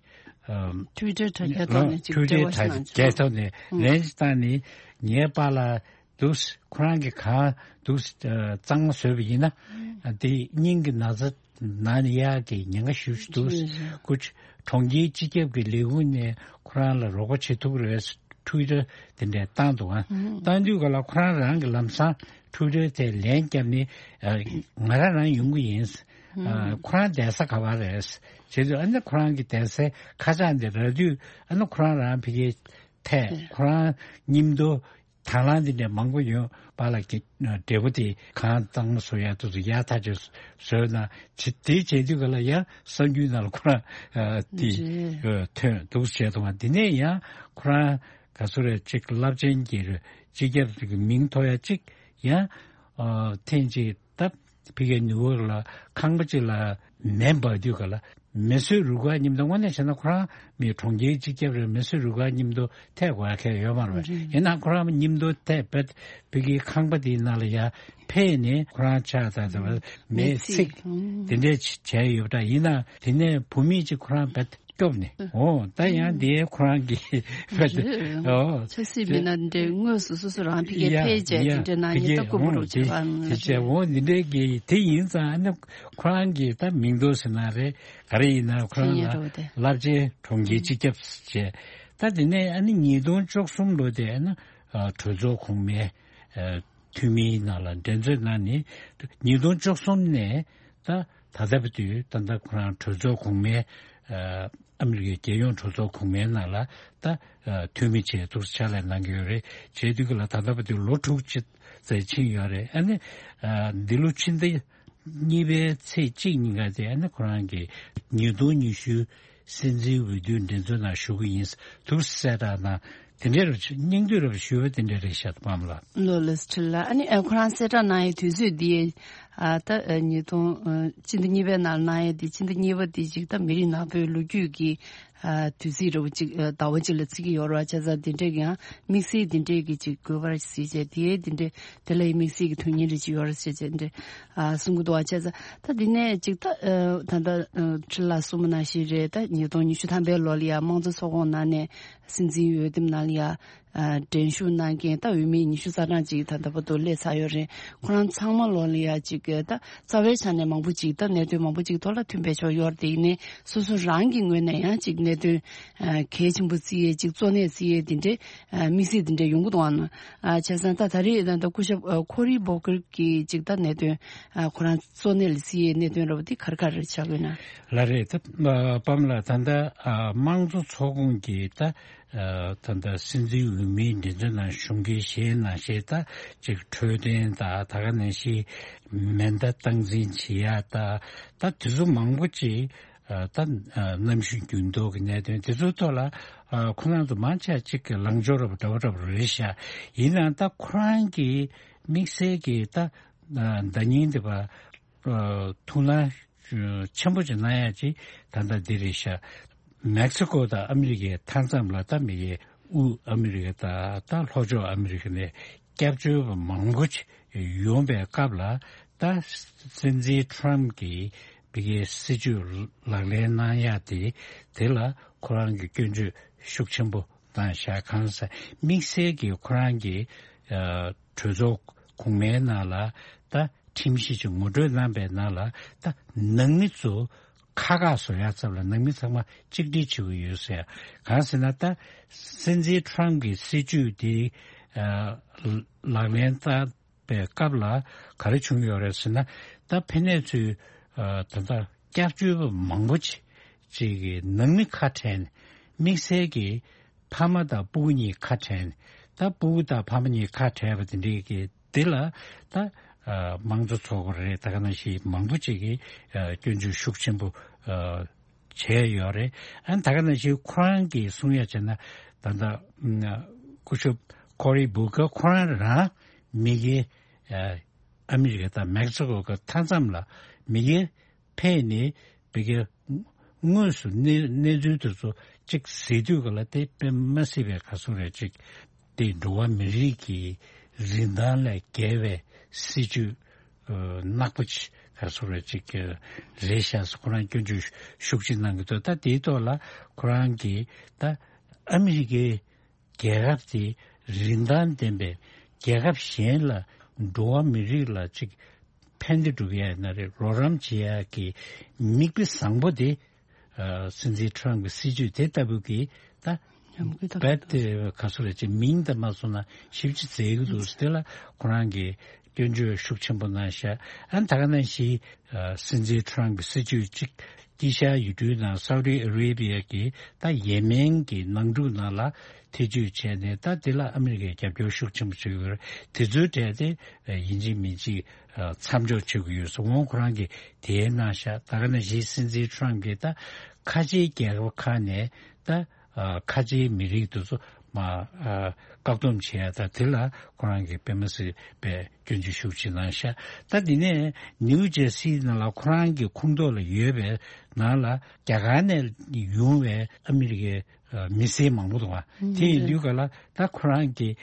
ཨ་ཊུ་ཝི་ཊར་དྲ་རྒྱ་ཐོག་ནས་ཅིག་ཊུ་ཝི་འབྲེལ་བ་ཊར་ཞིག་གནང་བྱུང་། རྒྱལ་ཐོག་ནས་ཨུ། ལན་ཅིག་བཏང་ནས་ངའི་པཱ་ལགས་འདུག་སེ་ཁོ་རང་གིས་གངས་འདུག་སེ་ཨ་གཙང་མ་བཟོས་པ་ཡིན་ན་ཨ་དེ་སྙིང་གི་ན་ཚ་ན་ནི་ཡག་གི་ཉེན་ཁ་ཞེ་པོ་ཅིག་འདུག་ཅི་རེད། སྐུ་གྲོང་ཁྱེར་སྤྱི་ཁྱབ་ཀྱི་ལས་ཁུངས་ནས་ཁོ་རང་ལ་རོགས་པ་བྱེད་ཐུབ་རེད། ཊུ་ཝི་ཊར་དེ་འདྲས་བཏང་འདུག་ཨ། ཨུ། བཏང་དུས་ག་ལ་ཁོ་རང་རང་གི་ལམ་སང་ཊུ་ཝི་ཊར་དེ་ལན་བརྒྱབ་ནས་ཨ་ང་རང་རང་ཡོང་གི་ཡིན། ཨ་ཁོ་རང་བསྡད་ས་ག་པར་རེད། བྱས་དུས་ཨ་ནི་ཁོ་རང་གི་བསྡད་སའི་ཁ་བྱང་དེ་རག་དུས་ཨ་ནི་ཁོ་རང་རང་ཕ་གིར་ཐད་ཁོ་རང་མཉམ་དུ་དང་བླངས་འདི་འདྲ་མང་པོ་ཡོད་པ་ལ་གི་འབྲས་བུ་དེ་གང་བཏང་བཟོ་ཡ་དུ་ཡག་ཐག་ཆོད་བཟོས་ན་དེ་དེ་བྱེད་དུས་ག་ལ་ཡ་གསར་འགྱུར་ནང་ལ་ཁོ་རང་ཨ་དེ་རེད། ཨ་ཐོན་འདུག་བྱས་དུས་དེ་ནས་ཡང་ཁོ་རང་ག་ཚོད་རེད་ཅིག་རླབས་ཆེན་གྱི་རེད་སྤྱི་ཁྱབ་ཀྱི་མིང་ཐོགས་ཡ་ཅིག་ཡང་ཨ་ཐེངས་ཅིག་ད་ཕ་གིའི་ནུ་ཝོག་ལ་ཁང་པ་ཅིག་ལ་མེ་འབར་དུས་ག་ལ་མེ་གསོད་རུ་ཁག་མཉམ་དུ་དངོས་གནས་བྱས་ན་ཁོ་རང་མི་གྲོང་ཁྱེར་སྤྱི་ཁྱབ་རེད། མེ་གསོད་རུ་ཁག་མཉམ་དུ་ཐད་དགོས་ཡ་གང་ཡང་ཡོད་མ་རེད་པ། རེད། ཡིན་ནའང་ཁོ་རང་མཉམ་དུ་ཐད་པའི་ཕ་གིའི་ཁང་པ་དེའི་ནང་ལ་ཡ་ཕེབས་ནས་ཁོ་རང་ཕྱག་དང་དེ་བ་མེ་མེ་འཚིག་འཚིག་ཨང་དེ་འདྲས་བྱས་ཡོད་པ་འདྲ། ཡིན་ནའང་དེ་ནས་བུད་མེད་ཅིག་ཁོ་རང་རྦད་སྐྱོབ་ནས་ཨོ་ད་ཡང་དེ་ཁོ་རང་གི་རྦད་རེད། ཨོ་ཆབ་སྲིད་མི་སྣ་འདྲའི་དངོས་སུ་སོ་སོ་རང་ཕ་གིར་ཡ་ཕེབས་བྱས་ཡ་དེ་འདྲའི་ནང་ཕ་ཉིད་གིས་ལྟ་སྐུ་མོ་ཨོ་རུ་དེ་བྱེད་པ་དེ་བྱས་ཨོ་འདི་འདྲའི་གི་དེ་ཡིན་ཙང་ཨ་ནི་ཁོ་རང་གི་ད་མིང་ཐོགས་ཟེར་ན་རེད། ག་རེ་ཡིན་ན་ཁོ་རང་ལ་རླབས་ཆེན་གྲོང་ཁྱེར་སྤྱི་ཁྱབ་བྱས། ད་དེ་ནས་ཨ་ནི་ཉིས་སྟོང་བཅུ་གསུམ་ལོ་དེ་ཨ་ནི་གྲོས་ཚོགས་གོང་མའི་འཐུས་མིའི་ནང་ལ་འགྲན་རྩོད་གནང་ནས་ཉིས་སྟོང་བཅུ་གསུམ་ནས་ད་ད་ལྟ་བར་དུ་ད་ལྟ་ཁོ་རང་གྲོས་ཚོགས་གོང་མའི་ཨ་མི་རི་ཀའི་རྒྱལ་ཡོངས་གྲོས་ཚོགས་གོང་མའི་ནང་ལ་ད་འཐུས་མི་བྱས་འདུག་ཕྱག་ལས་གནང་གི་ཡོད་རེད། བྱས་དུས་ཀྱི་ལ་ད་ལྟ་བར་དུ་ལོ་དྲུག་ཅུ་ཙམ་ཕྱིན་ཡོད་རེད། ཨ་ནི་འདི་ལོ་ཕྱི་ཟླ་གཉིས་པའི་ཚེས་གཅིག་ཉིན་ཀ་དེ་ཨ་ནི་ཁོ་རང་གིས་ཉིས་སྟོང་ཉི་ཤུ་སྲིད་འཛིན་འོས་བསྡུའི་འགྲན་རྩོད་ནང་ཞུགས་ཀྱི་ཡིན་འདུག་གསལ་བསྒྲགས་གནང་། དེ་འདྲའི་རུ་སྙིང་བསྡུས་རུ་ཞུས་པ་དེ་འདྲ་རེད་ཤག་པམ་ལགས། ལོ་ལེགས་ཁྲི་ལ་ཨ་ནི་ཨ་ཁོ་རང་གསལ་བསྒྲགས་གནང་ཡའི་དུས་ཚོད་འདི་ཨ་ད་ཉིས་སྟོང་ཕྱི་ཟླ་གཉིས་པའི་ནང་གནང་ཡ་འདི་ཕྱི་ཟླ་གཉིས་པ་འདི་ཅིག་ད་མི་རིགས་ནག་པོའི་ལོ་རྒྱུས་ཀྱི་ཨ་དུས་ཚིགས་རུ་ཅིག་ཟླ་བ་གཅིག་ལ་བརྩི་གི་ཡོད་ར་བྱས་ཙང་དེ་འདྲའི་ཡང་དམིགས་བསལ་དེ་འདྲའི་གི་ཅིག་དགོས་པ་ར་ཞིག་བྱས་དེ་དེ་འདྲའི་དེ་ལ་ཡི་དམིགས་བསལ་གྱི་དོན་སྙིང་རེ་ཅིག་ཡོད་རེད་ཟེར་བྱས་འདྲ། ཨ་གསུང་གི་འདུག་བ་བྱས་ཙང་ད་འདི་ནས་ཅིག་ད་ཨ་ད་ལྟ་ཨ་ཁྲི་ལ་གསུངས་པ་ནང་བཞིན་རེད། ད་ཉིས་སྟོང་ཉི་ཤུ་ཐམ་པའི་ལོ་ལ་ཡ་དམངས་གཙོ་ཚོགས་ཁོངས་ནང་ནས་སྲིད་འཛིན་འོས་འདེམས་ནང་ལ་ཡ་ཨ་འགྲན་ཞུགས་གནང་མཁན་ད་འོས་མི་ཉི་ཤུ་རྩ་གྲངས་ཅིག་ད་ལྟ་བར་དུ་སླེབས་ཚར་ཡོད་རེད། ཁོ་རང་ཚང་མ་ལོ་ལ་ཡ་ཅིག་ད་རྩ་བའི་ཆ་ནས་མང་པོ་ཅིག་ད་གནད་དོན་མང་པོ་ཅིག་ཐོག་ལ་མཐུན་པའི་ཕྱོགས་ཡོད་རེད། དེ་ཡིན་ནའི་སོ་སོ་རང་གི་ངོས་ནས་ཡང་ཅིག་གནད་དོན་ཨ་གལ་ཆེན་པོ་བརྩི་ཡས་ཅིག་གཙོ་གནད་བརྩི་ཡས་དེ་འདྲའི་ཨ་དམིགས་བསལ་དེ་འདྲ་ཡོང་གི་འདུག་ཨང་། ཨ་བྱས་ཙང་ད་ད་རེས་ད་ལྟ་སྐུ་ཞབས་ཨ་ཁོ་རི་བྷོ་ཀར་གྱིས་ཅིག་ད་གནད་དོན་ཨ་ཁོ་རང་གཙོ་གནད་ལ་བརྩི་ཡས་གནད་དོན་ར་བ་འདི་ག་རེ་ག་རེ་ཆགས་ཡོད་ན། ལགས་རེད། ད་ཨ་པམ་ལགས་ད་ལྟ་ཨ་དམངས་གཙོ་ཚོགས་ཁོངས་ཀྱི་ད་ཨ་ད་ལྟ་སྲིད་འཛིན་འོས་མིའི་འགྲན་རྩོད་ནང་ཞུགས་མཁན་ཞེས་ནང་བཞིན་ད་ཅིག་འཕྲོད་བསྟེན་ད་ད་ག་ནང་བཞིན་མེ་མདའ་སྟངས་འཛིན་བྱེད་ཡ་ད་ད་དེ་ཚོ་མང་པོ་ཅིག་ཨ་ད་ཨ་གནམ་གཤིས་འགྱུར་ལྡོག་གི་གནད་དོན་དེ་ཚོའི་ཐོག་ལ་ཨ་ཁོ་རང་ཚོ་མང་ཆེ་གཅིག་གི་ལངས་ཕྱོགས་རབ་འདྲ་བོ་འདྲ་བོ་རེད་ཤག་ཡིན་ནའང་ད་ཁོ་རང་གི་དམིགས་བསལ་གྱི་ད་ཨ་ཟླ་ཉིན་འདི་བ་ཨ་ཐུགས་སྣང་ཆེན་པོ་ཅིག་གནང་ཡ་ཅིག་ད་ལྟ་འདི་རེད་ཤག་མེག་སི་ཀོ་དང་ཨ་མི་རི་ཀའི་མཐའ་མཚམས་ལ་ད་མི་གི་ དབུས་ཨ་མི་རི་ཀ་དང་ད་ལྷོ་ཕྱོགས་ཨ་མི་རི་ཀ་ནས་སྐྱབས་བཅོལ་བ་མང་པོ་ཅིག་ཡོང་པའི་སྐབས་ལ། ད་སྲིད་འཛིན་ཁྲོམ་གྱིས་བི་གའི་སྲིད་ཇུས་ལག་ལེན་གནང་ཡག་དེ་དེ་ལ་ཁོ་རང་གིས་སྐྱོན་བརྗོད་ཤུགས་ཆེན་པོ་གནང་བཞག་གང་ཟེར་དམིགས་བསལ་གྱིས་ཁོ་རང་གིས་ཨ་གྲོས་ཚོགས་གོང་མའི་ནང་ལ་ད་ཁྲིམས་གཞི་ཅིག་ངོ་སྤྲོད་གནང་པའི་ནང་ལ་ད་ནང་མི་ཚོ་ཁ་ཁ་བཟོ་ཡག་ཚབ་ལ་ནང་མི་ཚང་མ་གཅིག་སྒྲིལ་བྱེད་དགོས་ཡོད་ཟེར། གང་ཟེར་ན་ད་སྲིད་འཛིན་ཁྲོམ་གྱི་སྲིད་ཇུས་དེ་ཨ་ལག་ལེན་བསྟར་པའི་སྐབས་ལ་ག་རེ་བྱུང་ཡོད་རེད་ཟེར་ན། ད་ཕན་ནས་ཚུལ་ཨ་ད་ལྟ་སྐྱབས་བཅོལ་བ་མང་པོ་ཅིག་ཅིག་གི་ནང་མི་ཁ་བྲལ་ནས་དམིགས་བསལ་གྱི་ཕ་མ་དང་སྤུ་གུ་གཉིས་ཁ་བྲལ་ནས། ད་སྤུ་གུ་དང་ཕ་མ་གཉིས་ཁ་བྲལ་བ་དེ་འདྲའི་གི་དེ་ལ་ད་ཨ་དམངས་གཙོ་ཚོགས་པ་རེད། ད་ག་ནང་བཞིན་མང་པོ་ཅིག་གིས་ཨ་སྐྱོན་བརྗོད་ཤུགས་ཆེན་པོ་ཨ་བྱས་ཡོད་རེད། ཨ་ད་ག་ནང་བཞིན་ཁོ་རང་གིས་གསུང་ཡ་བྱས་ན། ད་ལྟ་ཨ་སྐུ་ཞབས་ཀོ་རི་བུ་ཀར་ཁོ་རང་རང་མི་སྒེར་ཨ་ཨ་མི་རི་ཀ་དང་མེག་སི་ཀོ་གི་མཐའ་མཚམས་ལ་མི་སྒེར་ཕེབས་ནས་བི་གའི་དངོས་སུ་གནས་གནས་ཚུལ་དེ་ཚོ་གཅིག་གཟིགས་དུས་ག་ལ་དེ་དཔེ་མ་སྲིད་པའི་ག་ཚོད་རེད་ཅིག་དེ་འགྲོ་བ་མི་རིགས་ཀྱི་རིན་ཐང་ལས་བརྒལ་བའི་སྲིད་ཇུས་ཨ་ནག་པོ་ཅིག་ག་ཚོད་རེད་ཅིག་རེད་ཤག་ཟེར་ཁོ་རང་སྐྱོན་བརྗོད་ཤུགས་ཆེ་གནང་གི་འདུག་ད་དེའི་ཐོག་ལ་ཁོ་རང་གིས་ད་ཨ་མི་རི་ཀའི་རྒྱལ་ཁབ་དེ་རིན་ཐང་ལྡན་པའི་རྒྱལ་ཁབ་གཞན་ལ་འགྲོ་བ་མི་རིགས་ལ་ཅིག་ཕན་བདེ་སྒྲུབ་ཡ་ཡིན་ན་རེད། རོགས་རམ་བྱེད་ཡ་གི་མིག་དཔེ་བཟང་པོ་དེ་ཨ་སྲིད་འཛིན་ཁྲོམ་གྱི་སྲིད་ཇུས་དེ་ལྟ་བུ་གི་ད་ཉམས་རྒུད་དང་རྦད་དེ་ག་ཚོད་རེད་ཅེས་མིང་དང་མ་སོང་ན་ཞིབ་ཅིག་བཙལ་གི་འདུག་དེ་ལ་ཁོ་རང་གིས་སྐྱོན་བརྗོད་ཤུགས་ཆེན་པོ་གནང་ཤག་ཨ་ད་ག་ནང་བཞིན་ཨ་སྲིད་འཛིན་ཁྲོམ་གྱི་སྲིད་ཇུས་གཅིག་དཀྱིལ་ཤར་ཡུལ་གྲུའི་ནང་སའུ་ཏི་ཨ་རེ་བྷི་ཡ་གི་ད་ཡེ་མེན་གྱི་ནང་འཁྲུག་ནང་ལ་ཐེ་བྱུས་བྱས་ནས། ད་དེ་ལ་ཨ་མི་རི་ཀས་རྒྱབ་སྐྱོར་ཤུགས་ཆེན་པོ་བྱེད་ཀྱི་ཡོད་རེད། དེ་ཚོའི་གྲས་དེ་ཡིན་གཅིག་མིན་གཅིག་མཚམས་འཇོག་བྱེད་ཀྱི་ཡོད་ཟེར་འོང་ཁོ་རང་གིས་དེ་གནང་ཤག་ད་ག་ནང་བཞིན་སྲིད་འཛིན་ཁྲོམ་གྱིས་ད་ཁ་ཆེའི་རྒྱལ་ཁབ་ཁག་ནས་ད་ཨ་ཁ་ཆེའི་མི་རིགས་དེ་ཚོ་མ་ཨ་བཀག་སྡོམ་བྱེད་ཡ་ད་དེ་ལ་ཁོ་རང་གིས་དཔེ་མ་སྲིད་པའི་སྐྱོན་བརྗོད་ཤུགས་ཆེ་གནང་ཤག་ད་དེ་ནས་ནིའུ་ཇར་སི་ནང་ལ་ཁོ་རང་གི་ཁོངས་གཏོགས་ལ་ཡོད་པའི་ནང་ལ་རྒྱ་གར་ནས་ཡོང་བའི་ཨ་མི་རི་ཀའི་ཨ་མི་སེར་མང་པོ་འདུག་པ། དེ་ཡིན་དུས་ག་ལ་ད་ཁོ་རང་གིས་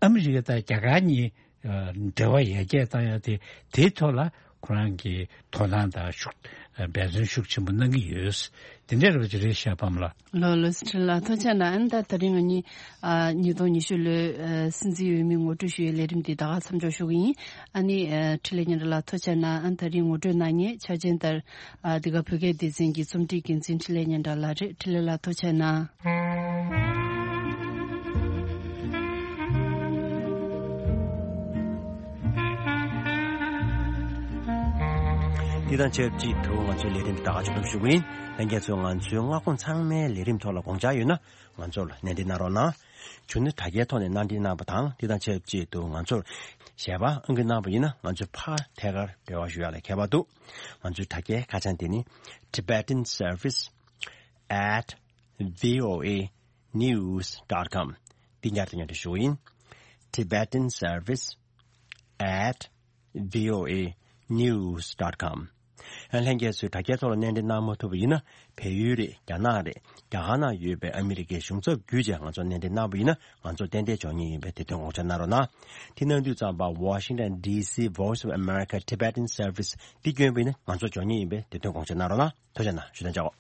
ཨ་མི་རི་ཀ་དང་རྒྱ་གར་གཉིས་ཨ་འབྲེལ་བ་ཡར་རྒྱས་བཏང་ཡ་དེ་དེའི་ཐོག་ལ་ཁོ་རང་གིས་དོ་སྣང་དང་ཤུགས་འབད་བརྩོན་ཤུགས་ཆེན་པོ་གནང་གི་ཡོད། དེ་འདྲ་རེད་པ་ཅིག་རེད་ཤག་པ་མ་ལགས། ལགས་ལགས་སོ། འཕྲིན་ལགས་ཐུགས་རྗེ་གནང་། ཨ་ནི་ད་དེ་རིང་ང་གཉིས་ཨ་ཉིས་སྟོང་ཉི་ཤུ་ལོའི་ཨ་སྲིད་འཛིན་འོས་མི་ངོ་སྤྲོད་ཞུ་ཡའི་ལས་རིམ་འདི་ད་ག་མཚམས་འཇོག་ཞུ་གི་ཡིན། ཨ་ནི་ཨ་འཕྲིན་ལས་སྙན་གྲགས་ལགས་ཐུགས་རྗེ་གནང་། ཨ་ནི་ད་རིང་ངོ་སྤྲོད་གནང་མཁན་ཆ་ཅན་ལྟར་ཨ་འདི་ག་བོད་སྐད་སྡེ་ཚན་གྱི་རྩོམ་སྒྲིག་འགན་འཛིན་འཕྲིན་ལས་སྙན་གྲགས་ལགས་རེད། འཕྲིན་ལས་ལགས་ཐུགས་རྗེ་གནང་། འདི་དང་ཆབས་ཅིག་ཏུ་ང་ཚོའི་ལས་རིམ་ད་ག་མཇུག་བསྡོམས་ཞུ་གི་ཡིན། ལྷན་རྒྱས་ཚོས་ང་ཚོའི་མངའ་ཁོངས་ཚང་མའི་ལས་རིམ་ཐོག་ལ་དགོངས་འཆར་ཡོད་ན་ང་ཚོར་གནས་འདྲི་གནང་རོགས་གནང་། བྱུང་ན་དྲ་རྒྱའི་ཐོག་ནས་གནང་འདྲི་གནང་བ་དང་། འདི་དང་ཆབས་ཅིག་ཏུ་ང་ཚོར་ཞལ་པར་ཨང་ཀི་གནང་བ་ཡིན་ན་ང་ཚོས་ཕར་ཐད་ཀར་འབྲེལ་བ་ཞུ་ཡག་ལ་ཁྱད་པར་འདུག་ང་ཚོའི་དྲ་རྒྱའི་ཁ་བྱང་དེ་ནི་Tibetan Service at V O A News dot com། འདི་ཉར་དང་ཉར་དུ་ཞུ་ཡིན། Tibetan Service at V O A News dot com། ལྷན་རྒྱས་ཚོས་དྲ་རྒྱའི་ཐོག་ལ་གནས་འདྲི་གནང་མ་ཐུབ་པ་ཡིན་ན། བལ་ཡུལ་རེད། རྒྱ་ནག་རེད། རྒྱ་གར་ནང་ཡོད་པའི་ཨ་མི་རི་ཀའི་གཞུང་ཚབ་བརྒྱུད་བྱས་ང་ཚོར་གནས་འདྲི་གནང་བ་ཡིན་ན། ང་ཚོ་ཏན་ཏན་འབྱོར་ངེས་ཡིན་པའི་དེ་དོན་དགོངས་འཇགས་གནང་རོགས་གནང་། དེ་གནང་དུས་ཙམ་པ་Washington D C Voice of America Tibetan Service འདི་བསྐྱོན་པ་ཡིན་ན་ང་ཚོར་འབྱོར་ངེས་ཡིན་པའི་དེ་དོན་དགོངས་འཇགས་གནང་རོགས་གནང་། ཐུགས་རྗེ་གནང་། ཞུ་དང་བཅར་འོ།